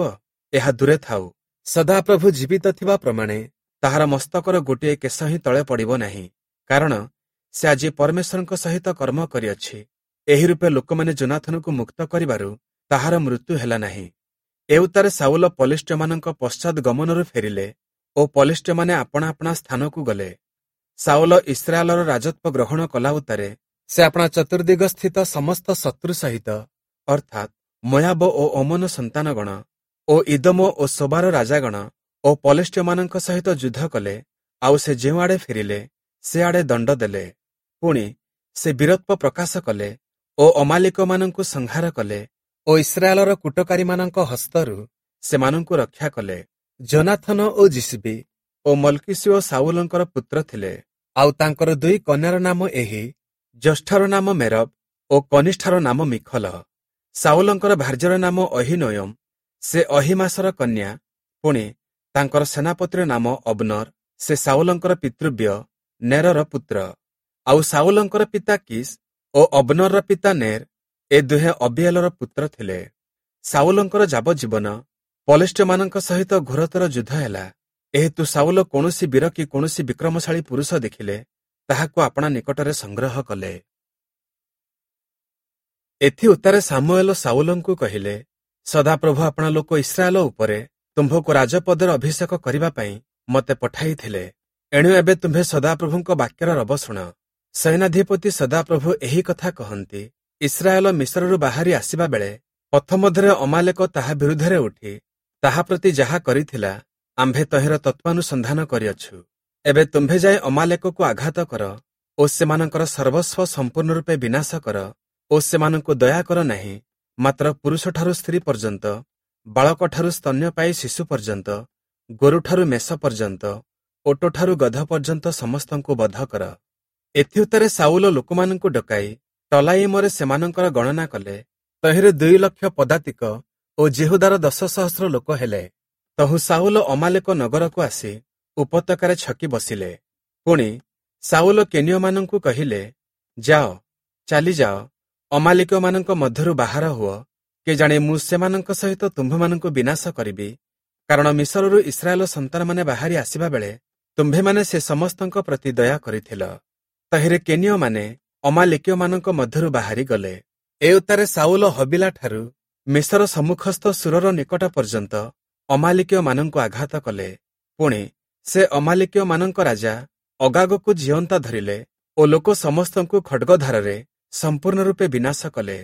ଏହା ଦୂରେ ଥାଉ। ସଦାପ୍ରଭୁ ଜୀବିତ ଥିବା ପ୍ରମାଣେ ତାହାର ମସ୍ତକର ଗୋଟିଏ କେଶ ହିଁ ତଳେ ପଡ଼ିବ ନାହିଁ, କାରଣ ସେ ଆଜି ପରମେଶ୍ୱରଙ୍କ ସହିତ କର୍ମ କରିଅଛି। ଏହି ରୂପେ ଲୋକମାନେ ଯୋନାଥନକୁ ମୁକ୍ତ କରିବାରୁ ତାହାର ମୃତ୍ୟୁ ହେଲା ନାହିଁ। ଏଉତ୍ତାରେ ସାଉଲ ପଲେଷ୍ଟୀୟମାନଙ୍କ ପଶ୍ଚାତ୍ ଗମନରୁ ଫେରିଲେ ଓ ପଲେଷ୍ଟୀୟମାନେ ଆପଣା ଆପଣା ସ୍ଥାନକୁ ଗଲେ। ସାଉଲ ଇସ୍ରାଏଲର ରାଜତ୍ୱ ଗ୍ରହଣ କଲା ଉତ୍ତାରେ ସେ ଆପଣା ଚତୁର୍ଦିଗସ୍ଥିତ ସମସ୍ତ ଶତ୍ରୁ ସହିତ, ଅର୍ଥାତ୍ ମୋୟାବ ଓ ଅମ୍ମୋନ ସନ୍ତାନଗଣ ଓ ଇଦୋମ ଓ ସୋବାର ରାଜାଗଣ ଓ ପଲେଷ୍ଟୀୟମାନଙ୍କ ସହିତ ଯୁଦ୍ଧ କଲେ। ଆଉ ସେ ଯେଉଁଆଡ଼େ ଫେରିଲେ ସେଆଡ଼େ ଦଣ୍ଡ ଦେଲେ। ପୁଣି ସେ ବୀରତ୍ୱ ପ୍ରକାଶ କଲେ ଓ ଅମାଲିକମାନଙ୍କୁ ସଂହାର କଲେ ଓ ଇସ୍ରାଏଲର କୂଟକାରୀମାନଙ୍କ ହସ୍ତରୁ ସେମାନଙ୍କୁ ରକ୍ଷା କଲେ। ଯୋନାଥନ ଓ ଯିଶବୀ ଓ ମଲ୍କୀଶୂଅ ସାଉଲଙ୍କର ପୁତ୍ର ଥିଲେ। ଆଉ ତାଙ୍କର ଦୁଇ କନ୍ୟାର ନାମ ଏହି, ଜ୍ୟେଷ୍ଠର ନାମ ମେରବ ଓ କନିଷ୍ଠାର ନାମ ମିଖଲ। ସାଉଲଙ୍କର ଭାର୍ଯ୍ୟାର ନାମ ଅହୀନୋୟମ, ସେ ଅହୀମାସର କନ୍ୟା। ପୁଣି ତାଙ୍କର ସେନାପତିର ନାମ ଅବ୍ନର, ସେ ସାଉଲଙ୍କର ପିତୃବ୍ୟ ନେରର ପୁତ୍ର। ଆଉ ସାଉଲଙ୍କର ପିତା କିସ୍ ଓ ଅବ୍ନରର ପିତା ନେର, ଏ ଦୁହେଁ ଅବିଏଲର ପୁତ୍ର ଥିଲେ। ସାଉଲଙ୍କର ଯାବଜୀବନ ପଲେଷ୍ଟୀୟମାନଙ୍କ ସହିତ ଘୋରତର ଯୁଦ୍ଧ ହେଲା। ଏହେତୁ ସାଉଲ କୌଣସି ବୀର କି କୌଣସି ବିକ୍ରମଶାଳୀ ପୁରୁଷ ଦେଖିଲେ ତାହାକୁ ଆପଣା ନିକଟରେ ସଂଗ୍ରହ କଲେ। ଏଥି ଉତ୍ତାରେ ସାମୁଏଲ ସାଉଲଙ୍କୁ କହିଲେ, ସଦାପ୍ରଭୁ ଆପଣା ଲୋକ ଇସ୍ରାଏଲ ଉପରେ ତୁମ୍ଭକୁ ରାଜପଦରେ ଅଭିଷେକ କରିବା ପାଇଁ ମୋତେ ପଠାଇଥିଲେ। ଏଣୁ ଏବେ ତୁମ୍ଭେ ସଦାପ୍ରଭୁଙ୍କ ବାକ୍ୟର ରବ ଶୁଣ। ସୈନ୍ୟାଧିପତି ସଦାପ୍ରଭୁ ଏହି କଥା କହନ୍ତି, ଇସ୍ରାଏଲ ମିଶରରୁ ବାହାରି ଆସିବା ବେଳେ ପଥ ମଧ୍ୟରେ ଅମାଲେକ ତାହା ବିରୁଦ୍ଧରେ ଉଠି ତାହା ପ୍ରତି ଯାହା କରିଥିଲା, ଆମ୍ଭେ ତହିଁର ତତ୍ତ୍ୱାନୁସନ୍ଧାନ କରିଅଛୁ। ଏବେ ତୁମ୍ଭେ ଯାଇ ଅମାଲେକକୁ ଆଘାତ କର ଓ ସେମାନଙ୍କର ସର୍ବସ୍ୱ ସମ୍ପୂର୍ଣ୍ଣ ରୂପେ ବିନାଶ କର ଓ ସେମାନଙ୍କୁ ଦୟା କର ନାହିଁ, ମାତ୍ର ପୁରୁଷଠାରୁ ସ୍ତ୍ରୀ ପର୍ଯ୍ୟନ୍ତ, ବାଳକଠାରୁ ସ୍ତନ୍ୟପାୟୀ ଶିଶୁ ପର୍ଯ୍ୟନ୍ତ, ଗୋରୁଠାରୁ ମେଷ ପର୍ଯ୍ୟନ୍ତ, ଓଟଠାରୁ ଗଧ ପର୍ଯ୍ୟନ୍ତ ସମସ୍ତଙ୍କୁ ବଧ କର। ଏଥିଉତ୍ତାରେ ସାଉଲ ଲୋକମାନଙ୍କୁ ଡକାଇ ତଲାଇମରେ ସେମାନଙ୍କର ଗଣନା କଲେ। ତହିଁରେ ଦୁଇ ଲକ୍ଷ ପଦାତିକ ଓ ଯିହୁଦାର ଦଶ ସହସ୍ର ଲୋକ ହେଲେ। ତହୁଁ ସାଉଲ ଅମାଲେକ ନଗରକୁ ଆସି ଉପତ୍ୟକାରେ ଛକି ବସିଲେ। ପୁଣି ସାଉଲ କେନୀୟମାନଙ୍କୁ କହିଲେ, ଯାଅ, ଚାଲିଯାଅ, ଅମାଲେକୀୟମାନଙ୍କ ମଧ୍ୟରୁ ବାହାର ହୁଅ, କେଜାଣି ମୁଁ ସେମାନଙ୍କ ସହିତ ତୁମ୍ଭମାନଙ୍କୁ ବିନାଶ କରିବି। କାରଣ ମିଶରରୁ ଇସ୍ରାଏଲ ସନ୍ତାନମାନେ ବାହାରି ଆସିବା ବେଳେ ତୁମ୍ଭେମାନେ ସେ ସମସ୍ତଙ୍କ ପ୍ରତି ଦୟା କରିଥିଲ। ତହିଁରେ କେନୀୟମାନେ ଅମାଲେକୀୟମାନଙ୍କ ମଧ୍ୟରୁ ବାହାରି ଗଲେ। ଏ ଉତ୍ତାରେ ସାଉଲ ହବିଲାଠାରୁ ମିଶର ସମ୍ମୁଖସ୍ଥ ଶୂରର ନିକଟ ପର୍ଯ୍ୟନ୍ତ ଅମାଲେକୀୟମାନଙ୍କୁ ଆଘାତ କଲେ। ପୁଣି ସେ ଅମାଲେକୀୟମାନଙ୍କ ରାଜା ଅଗାଗକୁ ଜିଅନ୍ତା ଧରିଲେ ଓ ଲୋକ ସମସ୍ତଙ୍କୁ ଖଡ୍ଗଧାରରେ ସମ୍ପୂର୍ଣ୍ଣ ରୂପେ ବିନାଶ କଲେ।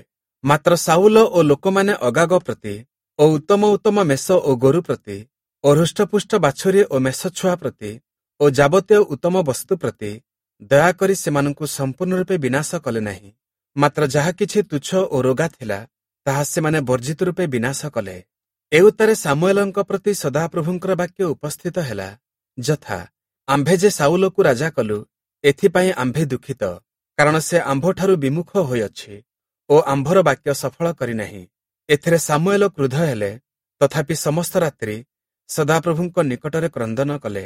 ମାତ୍ର ସାଉଲ ଓ ଲୋକମାନେ ଅଗାଗ ପ୍ରତି ଓ ଉତ୍ତମ ଉତ୍ତମ ମେଷ ଓ ଗୋରୁ ପ୍ରତି ଓ ହୃଷ୍ଟପୁଷ୍ଟ ବାଛୁରୀ ଓ ମେଷ ଛୁଆ ପ୍ରତି ଓ ଯାବତୀୟ ଉତ୍ତମ ବସ୍ତୁ ପ୍ରତି ଦୟାକରି ସେମାନଙ୍କୁ ସମ୍ପୂର୍ଣ୍ଣ ରୂପେ ବିନାଶ କଲେ ନାହିଁ, ମାତ୍ର ଯାହା କିଛି ତୁଚ୍ଛ ଓ ରୋଗା ଥିଲା ତାହା ସେମାନେ ବର୍ଜିତ ରୂପେ ବିନାଶ କଲେ। ଏ ଉତ୍ତାରେ ସାମୁଏଲଙ୍କ ପ୍ରତି ସଦାପ୍ରଭୁଙ୍କର ବାକ୍ୟ ଉପସ୍ଥିତ ହେଲା, ଯଥା, ଆମ୍ଭେ ଯେ ସାଉଲକୁ ରାଜା କଲୁ, ଏଥିପାଇଁ ଆମ୍ଭେ ଦୁଃଖିତ, କାରଣ ସେ ଆମ୍ଭଠାରୁ ବିମୁଖ ହୋଇଅଛି ଓ ଆମ୍ଭର ବାକ୍ୟ ସଫଳ କରିନାହିଁ। ଏଥିରେ ସାମୁଏଲ କ୍ରୁଦ୍ଧ ହେଲେ, ତଥାପି ସମସ୍ତ ରାତ୍ରି ସଦାପ୍ରଭୁଙ୍କ ନିକଟରେ କ୍ରନ୍ଦନ କଲେ।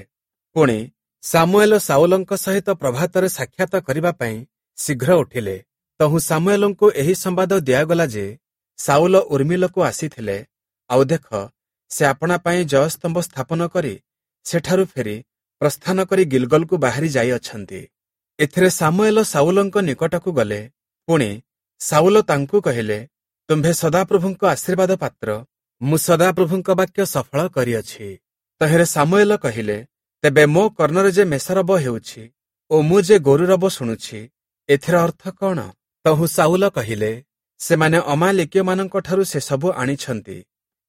ପୁଣି ସାମୁଏଲ ସାଉଲଙ୍କ ସହିତ ପ୍ରଭାତରେ ସାକ୍ଷାତ କରିବା ପାଇଁ ଶୀଘ୍ର ଉଠିଲେ। ତହୁଁ ସାମୁଏଲଙ୍କୁ ଏହି ସମ୍ବାଦ ଦିଆଗଲା ଯେ ସାଉଲ ଉର୍ମିଲକୁ ଆସିଥିଲେ, ଆଉ ଦେଖ, ସେ ଆପଣା ପାଇଁ ଜୟସ୍ତମ୍ଭ ସ୍ଥାପନ କରି ସେଠାରୁ ଫେରି ପ୍ରସ୍ଥାନ କରି ଗିଲଗଲକୁ ବାହାରି ଯାଇଅଛନ୍ତି। ଏଥିରେ ସାମୁଏଲ ସାଉଲଙ୍କ ନିକଟକୁ ଗଲେ। ପୁଣି ସାଉଲ ତାଙ୍କୁ କହିଲେ, ତୁମ୍ଭେ ସଦାପ୍ରଭୁଙ୍କ ଆଶୀର୍ବାଦ ପାତ୍ର, ମୁଁ ସଦାପ୍ରଭୁଙ୍କ ବାକ୍ୟ ସଫଳ କରିଅଛି। ତହିଁରେ ସାମୁଏଲ କହିଲେ, ତେବେ ମୋ କର୍ଣ୍ଣରେ ଯେ ମେଷରବ ହେଉଛି ଓ ମୁଁ ଯେ ଗୋରୁରବ ଶୁଣୁଛି, ଏଥିର ଅର୍ଥ କଣ? ତହୁଁ ସାଉଲ କହିଲେ, ସେମାନେ ଅମାଲେକୀୟମାନଙ୍କଠାରୁ ସେସବୁ ଆଣିଛନ୍ତି,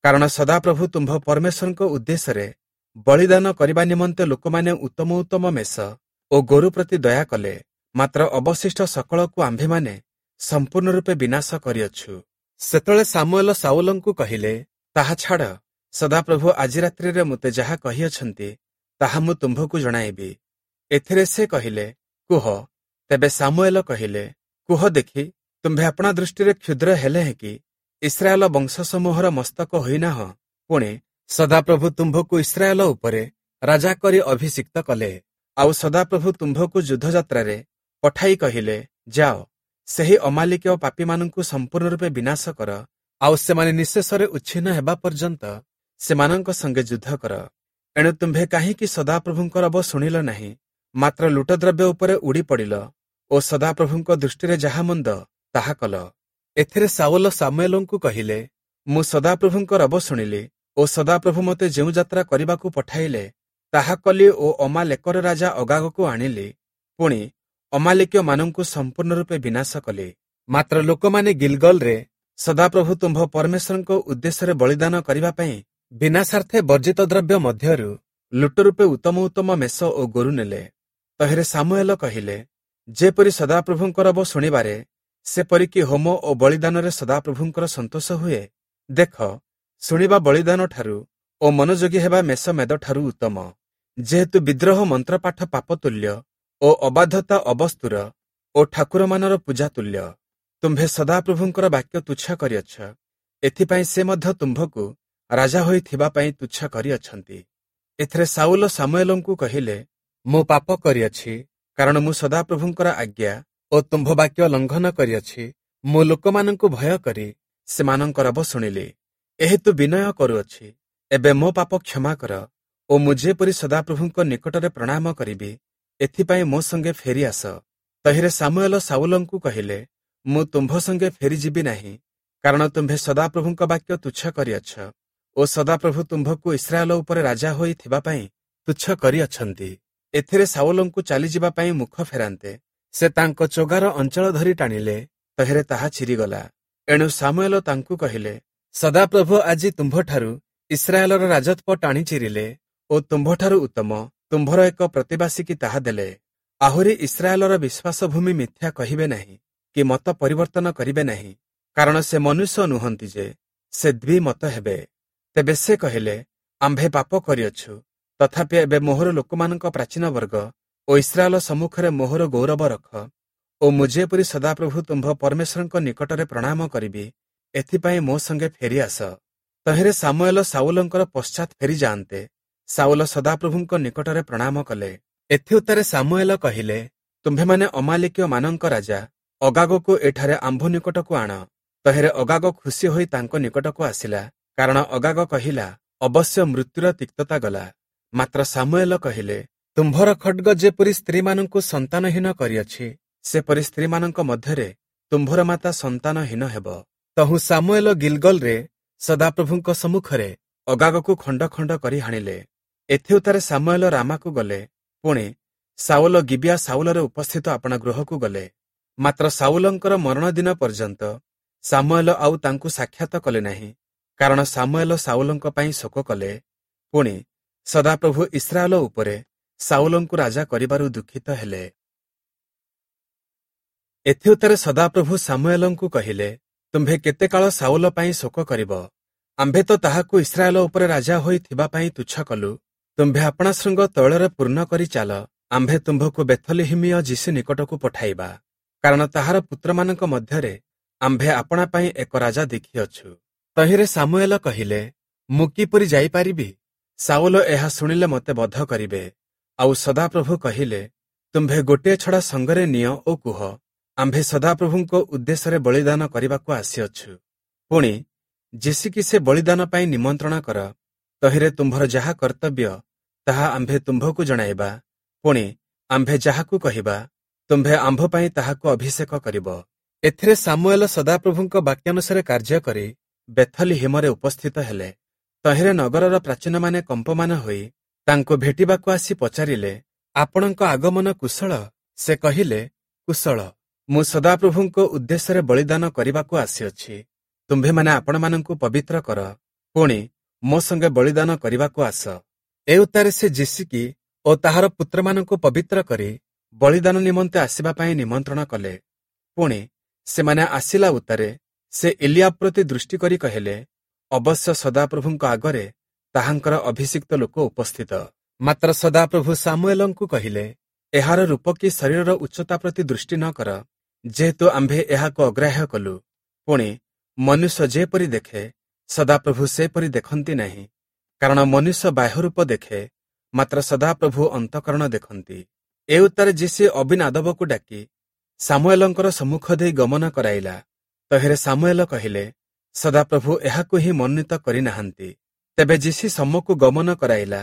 କାରଣ ସଦାପ୍ରଭୁ ତୁମ୍ଭ ପରମେଶ୍ୱରଙ୍କ ଉଦ୍ଦେଶ୍ୟରେ ବଳିଦାନ କରିବା ନିମନ୍ତେ ଲୋକମାନେ ଉତ୍ତମ ଉତ୍ତମ ମେଷ ଓ ଗୋରୁ ପ୍ରତି ଦୟା କଲେ, ମାତ୍ର ଅବଶିଷ୍ଟ ସକଳକୁ ଆମ୍ଭେମାନେ ସମ୍ପୂର୍ଣ୍ଣ ରୂପେ ବିନାଶ କରିଅଛୁ। ସେତେବେଳେ ସାମୁଏଲ ସାଉଲଙ୍କୁ କହିଲେ, ତାହା ଛାଡ଼, ସଦାପ୍ରଭୁ ଆଜି ରାତ୍ରିରେ ମୋତେ ଯାହା କହିଅଛନ୍ତି ତାହା ମୁଁ ତୁମ୍ଭକୁ ଜଣାଇବି। ଏଥିରେ ସେ କହିଲେ, କୁହ। ତେବେ ସାମୁଏଲ କହିଲେ, କୁହ ଦେଖି, ତୁମ୍ଭେ ଆପଣା ଦୃଷ୍ଟିରେ କ୍ଷୁଦ୍ର ହେଲେ କି ଇସ୍ରାଏଲ ବଂଶସମୂହର ମସ୍ତକ ହୋଇନାହଁ? ପୁଣି ସଦାପ୍ରଭୁ ତୁମ୍ଭକୁ ଇସ୍ରାଏଲ ଉପରେ ରାଜା କରି ଅଭିଷିକ୍ତ କଲେ। ଆଉ ସଦାପ୍ରଭୁ ତୁମ୍ଭକୁ ଯୁଦ୍ଧଯାତ୍ରାରେ ପଠାଇ କହିଲେ, ଯାଅ, ସେହି ଅମାଲିକୀୟ ପାପୀମାନଙ୍କୁ ସମ୍ପୂର୍ଣ୍ଣ ରୂପେ ବିନାଶ କର, ଆଉ ସେମାନେ ନିଃଶେଷରେ ଉଚ୍ଛିନ୍ନ ହେବା ପର୍ଯ୍ୟନ୍ତ ସେମାନଙ୍କ ସଙ୍ଗେ ଯୁଦ୍ଧ କର। ଏଣୁ ତୁମ୍ଭେ କାହିଁକି ସଦାପ୍ରଭୁଙ୍କ ରବ ଶୁଣିଲ ନାହିଁ, ମାତ୍ର ଲୁଟଦ୍ରବ୍ୟ ଉପରେ ଉଡ଼ି ପଡ଼ିଲ ଓ ସଦାପ୍ରଭୁଙ୍କ ଦୃଷ୍ଟିରେ ଯାହା ମନ୍ଦ ତାହା କଲ? ଏଥିରେ ସାଉଲ ସାମୁଏଲଙ୍କୁ କହିଲେ, ମୁଁ ସଦାପ୍ରଭୁଙ୍କ ରବ ଶୁଣିଲି ଓ ସଦାପ୍ରଭୁ ମୋତେ ଯେଉଁ ଯାତ୍ରା କରିବାକୁ ପଠାଇଲେ ତାହା କଲି ଓ ଅମାଲେକର ରାଜା ଅଗାଗକୁ ଆଣିଲି, ପୁଣି ଅମାଲେକୀୟମାନଙ୍କୁ ସମ୍ପୂର୍ଣ୍ଣ ରୂପେ ବିନାଶ କଲି। ମାତ୍ର ଲୋକମାନେ ଗିଲଗଲରେ ସଦାପ୍ରଭୁ ତୁମ୍ଭ ପରମେଶ୍ୱରଙ୍କ ଉଦ୍ଦେଶ୍ୟରେ ବଳିଦାନ କରିବା ପାଇଁ ବିନାଶାର୍ଥେ ବର୍ଜିତ ଦ୍ରବ୍ୟ ମଧ୍ୟରୁ ଲୁଟ ରୂପେ ଉତ୍ତମ ଉତ୍ତମ ମେଷ ଓ ଗୋରୁ ନେଲେ। ତହିଁରେ ସାମୁଏଲ କହିଲେ, ଯେପରି ସଦାପ୍ରଭୁଙ୍କ ରବ ଶୁଣିବାରେ ସେପରିକି ହୋମ ଓ ବଳିଦାନରେ ସଦାପ୍ରଭୁଙ୍କର ସନ୍ତୋଷ ହୁଏ, ଦେଖ, ଶୁଣିବା ବଳିଦାନଠାରୁ ଓ ମନୋଯୋଗୀ ହେବା ମେଷ ମେଦଠାରୁ ଉତ୍ତମ। ଯେହେତୁ ବିଦ୍ରୋହ ମନ୍ତ୍ରପାଠ ପାପତୁଲ୍ୟ ଓ ଅବାଧ୍ୟତା ଅବସ୍ତୁର ଓ ଠାକୁରମାନର ପୂଜା ତୁଲ୍ୟ। ତୁମ୍ଭେ ସଦାପ୍ରଭୁଙ୍କର ବାକ୍ୟ ତୁଚ୍ଛ କରିଅଛ, ଏଥିପାଇଁ ସେ ମଧ୍ୟ ତୁମ୍ଭକୁ ରାଜା ହୋଇଥିବା ପାଇଁ ତୁଚ୍ଛ କରିଅଛନ୍ତି। ଏଥିରେ ସାଉଲ ସାମୁଏଲଙ୍କୁ କହିଲେ, ମୁଁ ପାପ କରିଅଛି, କାରଣ ମୁଁ ସଦାପ୍ରଭୁଙ୍କର ଆଜ୍ଞା ଓ ତୁମ୍ଭ ବାକ୍ୟ ଲଙ୍ଘନ କରିଅଛି। ମୁଁ ଲୋକମାନଙ୍କୁ ଭୟ କରି ସେମାନଙ୍କ ରବ ଶୁଣିଲି, ଏହେତୁ ବିନୟ କରୁଅଛି। ଏବେ ମୋ ପାପ କ୍ଷମା କର ଓ ମୁଁ ଯେପରି ସଦାପ୍ରଭୁଙ୍କ ନିକଟରେ ପ୍ରଣାମ କରିବି, ଏଥିପାଇଁ ମୋ ସଙ୍ଗେ ଫେରି ଆସ। ତହିଁରେ ସାମୁଏଲ ସାଉଲଙ୍କୁ କହିଲେ, ମୁଁ ତୁମ୍ଭ ସଙ୍ଗେ ଫେରିଯିବି ନାହିଁ, କାରଣ ତୁମ୍ଭେ ସଦାପ୍ରଭୁଙ୍କ ବାକ୍ୟ ତୁଚ୍ଛ କରିଅଛ ଓ ସଦାପ୍ରଭୁ ତୁମ୍ଭକୁ ଇସ୍ରାଏଲ ଉପରେ ରାଜା ହୋଇଥିବା ପାଇଁ ତୁଚ୍ଛ କରିଅଛନ୍ତି। ଏଥିରେ ସାଉଲଙ୍କୁ ଚାଲିଯିବା ପାଇଁ ମୁଖ ଫେରାନ୍ତେ ସେ ତାଙ୍କ ଚୋଗାର ଅଞ୍ଚଳ ଧରି ଟାଣିଲେ, ତହିଁରେ ତାହା ଚିରିଗଲା। ଏଣୁ ସାମୁଏଲ ତାଙ୍କୁ କହିଲେ, ସଦାପ୍ରଭୁ ଆଜି ତୁମ୍ଭଠାରୁ ଇସ୍ରାଏଲର ରାଜତ୍ୱ ଟାଣି ଚିରିଲେ ଓ ତୁମ୍ଭଠାରୁ ଉତ୍ତମ ତୁମ୍ଭର ଏକ ପ୍ରତିବାସୀକି ତାହା ଦେଲେ। ଆହୁରି ଇସ୍ରାଏଲର ବିଶ୍ୱାସଭୂମି ମିଥ୍ୟା କହିବେ ନାହିଁ କି ମତ ପରିବର୍ତ୍ତନ କରିବେ ନାହିଁ, କାରଣ ସେ ମନୁଷ୍ୟ ନୁହନ୍ତି ଯେ ସେ ଦ୍ୱିମତ ହେବେ। ତେବେ ସେ କହିଲେ, ଆମ୍ଭେ ପାପ କରିଅଛୁ, ତଥାପି ଏବେ ମୋହର ଲୋକମାନଙ୍କ ପ୍ରାଚୀନ ବର୍ଗ ଓ ଇସ୍ରାଏଲ ସମ୍ମୁଖରେ ମୋହର ଗୌରବ ରଖ ଓ ମୁଁ ଯେପରି ସଦାପ୍ରଭୁ ତୁମ୍ଭ ପରମେଶ୍ୱରଙ୍କ ନିକଟରେ ପ୍ରଣାମ କରିବି, ଏଥିପାଇଁ ମୋ ସଙ୍ଗେ ଫେରି ଆସ। ତହିଁରେ ସାମୁଏଲ ସାଉଲଙ୍କର ପଶ୍ଚାତ୍ ଫେରିଯାଆନ୍ତେ ସାଉଲ ସଦାପ୍ରଭୁଙ୍କ ନିକଟରେ ପ୍ରଣାମ କଲେ। ଏଥିଉତ୍ତାରେ ସାମୁଏଲ କହିଲେ, ତୁମ୍ଭେମାନେ ଅମାଲିକୀୟମାନଙ୍କ ରାଜା ଅଗାଗକୁ ଏଠାରେ ଆମ୍ଭ ନିକଟକୁ ଆଣ। ତହିଁରେ ଅଗାଗ ଖୁସି ହୋଇ ତାଙ୍କ ନିକଟକୁ ଆସିଲା, କାରଣ ଅଗାଗ କହିଲା, ଅବଶ୍ୟ ମୃତ୍ୟୁର ତିକ୍ତତା ଗଲା। ମାତ୍ର ସାମୁଏଲ କହିଲେ, ତୁମ୍ଭର ଖଡ୍ଗ ଯେପରି ସ୍ତ୍ରୀମାନଙ୍କୁ ସନ୍ତାନହୀନ କରିଅଛି, ସେପରି ସ୍ତ୍ରୀମାନଙ୍କ ମଧ୍ୟରେ ତୁମ୍ଭର ମାତା ସନ୍ତାନହୀନ ହେବ। ତହୁଁ ସାମୁଏଲ ଗିଲଗଲରେ ସଦାପ୍ରଭୁଙ୍କ ସମ୍ମୁଖରେ ଅଗାଗକୁ ଖଣ୍ଡ ଖଣ୍ଡ କରି ହାଣିଲେ। ଏଥିଉତ୍ତାରେ ସାମୁଏଲ ରାମାକୁ ଗଲେ। ପୁଣି ସାଉଲ ଗିବିଆ ସାଉଲରେ ଉପସ୍ଥିତ ଆପଣା ଗୃହକୁ ଗଲେ। ମାତ୍ର ସାଉଲଙ୍କର ମରଣ ଦିନ ପର୍ଯ୍ୟନ୍ତ ସାମୁଏଲ ଆଉ ତାଙ୍କୁ ସାକ୍ଷାତ କଲେ ନାହିଁ, କାରଣ ସାମୁଏଲ ସାଉଲଙ୍କ ପାଇଁ ଶୋକ କଲେ। ପୁଣି ସଦାପ୍ରଭୁ ଇସ୍ରାଏଲ ଉପରେ ସାଉଲଙ୍କୁ ରାଜା କରିବାରୁ ଦୁଃଖିତ ହେଲେ। ଏଥିଉତ୍ତାରେ ସଦାପ୍ରଭୁ ସାମୁଏଲଙ୍କୁ କହିଲେ, ତୁମ୍ଭେ କେତେ କାଳ ସାଉଲ ପାଇଁ ଶୋକ କରିବ? ଆମ୍ଭେ ତ ତାହାକୁ ଇସ୍ରାଏଲ ଉପରେ ରାଜା ହୋଇ ଥିବା ପାଇଁ ତୁଚ୍ଛ କଲୁ। ତୁମ୍ଭେ ଆପଣା ଶୃଙ୍ଗ ତୈଳରେ ପୂର୍ଣ୍ଣ କରି ଚାଲ, ଆମ୍ଭେ ତୁମ୍ଭକୁ ବେଥଲିହିମୀୟ ଯିଶି ନିକଟକୁ ପଠାଇବା, କାରଣ ତାହାର ପୁତ୍ରମାନଙ୍କ ମଧ୍ୟରେ ଆମ୍ଭେ ଆପଣା ପାଇଁ ଏକ ରାଜା ଦେଖିଅଛୁ। ତହିଁରେ ସାମୁଏଲ କହିଲେ, ମୁଁ କିପରି ଯାଇପାରିବି? ସାଉଲ ଏହା ଶୁଣିଲେ ମୋତେ ବଧ କରିବେ। ଆଉ ସଦାପ୍ରଭୁ କହିଲେ, ତୁମ୍ଭେ ଗୋଟିଏ ଛଡ଼ା ସଙ୍ଗରେ ନିଅ ଓ କୁହ, ଆମ୍ଭେ ସଦାପ୍ରଭୁଙ୍କ ଉଦ୍ଦେଶ୍ୟରେ ବଳିଦାନ କରିବାକୁ ଆସିଅଛୁ। ପୁଣି ଯିଶିକି ସେ ବଳିଦାନ ପାଇଁ ନିମନ୍ତ୍ରଣ କର, ତହିଁରେ ତୁମ୍ଭର ଯାହା କର୍ତ୍ତବ୍ୟ ତାହା ଆମ୍ଭେ ତୁମ୍ଭକୁ ଜଣାଇବା। ପୁଣି ଆମ୍ଭେ ଯାହାକୁ କହିବା, ତୁମ୍ଭେ ଆମ୍ଭ ପାଇଁ ତାହାକୁ ଅଭିଷେକ କରିବ। ଏଥିରେ ସାମୁଏଲ ସଦାପ୍ରଭୁଙ୍କ ବାକ୍ୟାନୁସାରେ କାର୍ଯ୍ୟ କରି ବେଥଲିହିମରେ ଉପସ୍ଥିତ ହେଲେ। ତହିଁରେ ନଗରର ପ୍ରାଚୀନମାନେ କମ୍ପମାନ ହୋଇ ତାଙ୍କୁ ଭେଟିବାକୁ ଆସି ପଚାରିଲେ, ଆପଣଙ୍କ ଆଗମନ କୁଶଳ? ସେ କହିଲେ, କୁଶଳ। ମୁଁ ସଦାପ୍ରଭୁଙ୍କ ଉଦ୍ଦେଶ୍ୟରେ ବଳିଦାନ କରିବାକୁ ଆସିଅଛି। ତୁମ୍ଭେମାନେ ଆପଣମାନଙ୍କୁ ପବିତ୍ର କର, ପୁଣି ମୋ ସଙ୍ଗେ ବଳିଦାନ କରିବାକୁ ଆସ। ଏ ଉତ୍ତାରେ ସେ ଯିଶିକି ଓ ତାହାର ପୁତ୍ରମାନଙ୍କୁ ପବିତ୍ର କରି ବଳିଦାନ ନିମନ୍ତେ ଆସିବା ପାଇଁ ନିମନ୍ତ୍ରଣ କଲେ। ପୁଣି ସେମାନେ ଆସିଲା ଉତ୍ତାରେ ସେ ଇଲିଆବ ପ୍ରତି ଦୃଷ୍ଟି କରି କହିଲେ, ଅବଶ୍ୟ ସଦାପ୍ରଭୁଙ୍କ ଆଗରେ ତାହାଙ୍କର ଅଭିଷିକ୍ତ ଲୋକ ଉପସ୍ଥିତ। ମାତ୍ର ସଦାପ୍ରଭୁ ସାମୁଏଲଙ୍କୁ କହିଲେ, ଏହାର ରୂପ କି ଶରୀରର ଉଚ୍ଚତା ପ୍ରତି ଦୃଷ୍ଟି ନ କର, ଯେହେତୁ ଆମ୍ଭେ ଏହାକୁ ଅଗ୍ରାହ୍ୟ କଲୁ। ପୁଣି ମନୁଷ୍ୟ ଯେପରି ଦେଖେ, ସଦାପ୍ରଭୁ ସେପରି ଦେଖନ୍ତି ନାହିଁ, କାରଣ ମନୁଷ୍ୟ ବାହ୍ୟରୂପ ଦେଖେ, ମାତ୍ର ସଦାପ୍ରଭୁ ଅନ୍ତଃକରଣ ଦେଖନ୍ତି। ଏ ଉତ୍ତାରେ ଯିଶି ଅବିନାଦବକୁ ଡାକି ସାମୁଏଲଙ୍କର ସମ୍ମୁଖ ଦେଇ ଗମନ କରାଇଲା। ତହିଁରେ ସାମୁଏଲ କହିଲେ, ସଦାପ୍ରଭୁ ଏହାକୁ ହିଁ ମନୋନୀତ କରିନାହାନ୍ତି। ତେବେ ଯିଶି ସମ୍ମୁଖକୁ ଗମନ କରାଇଲା।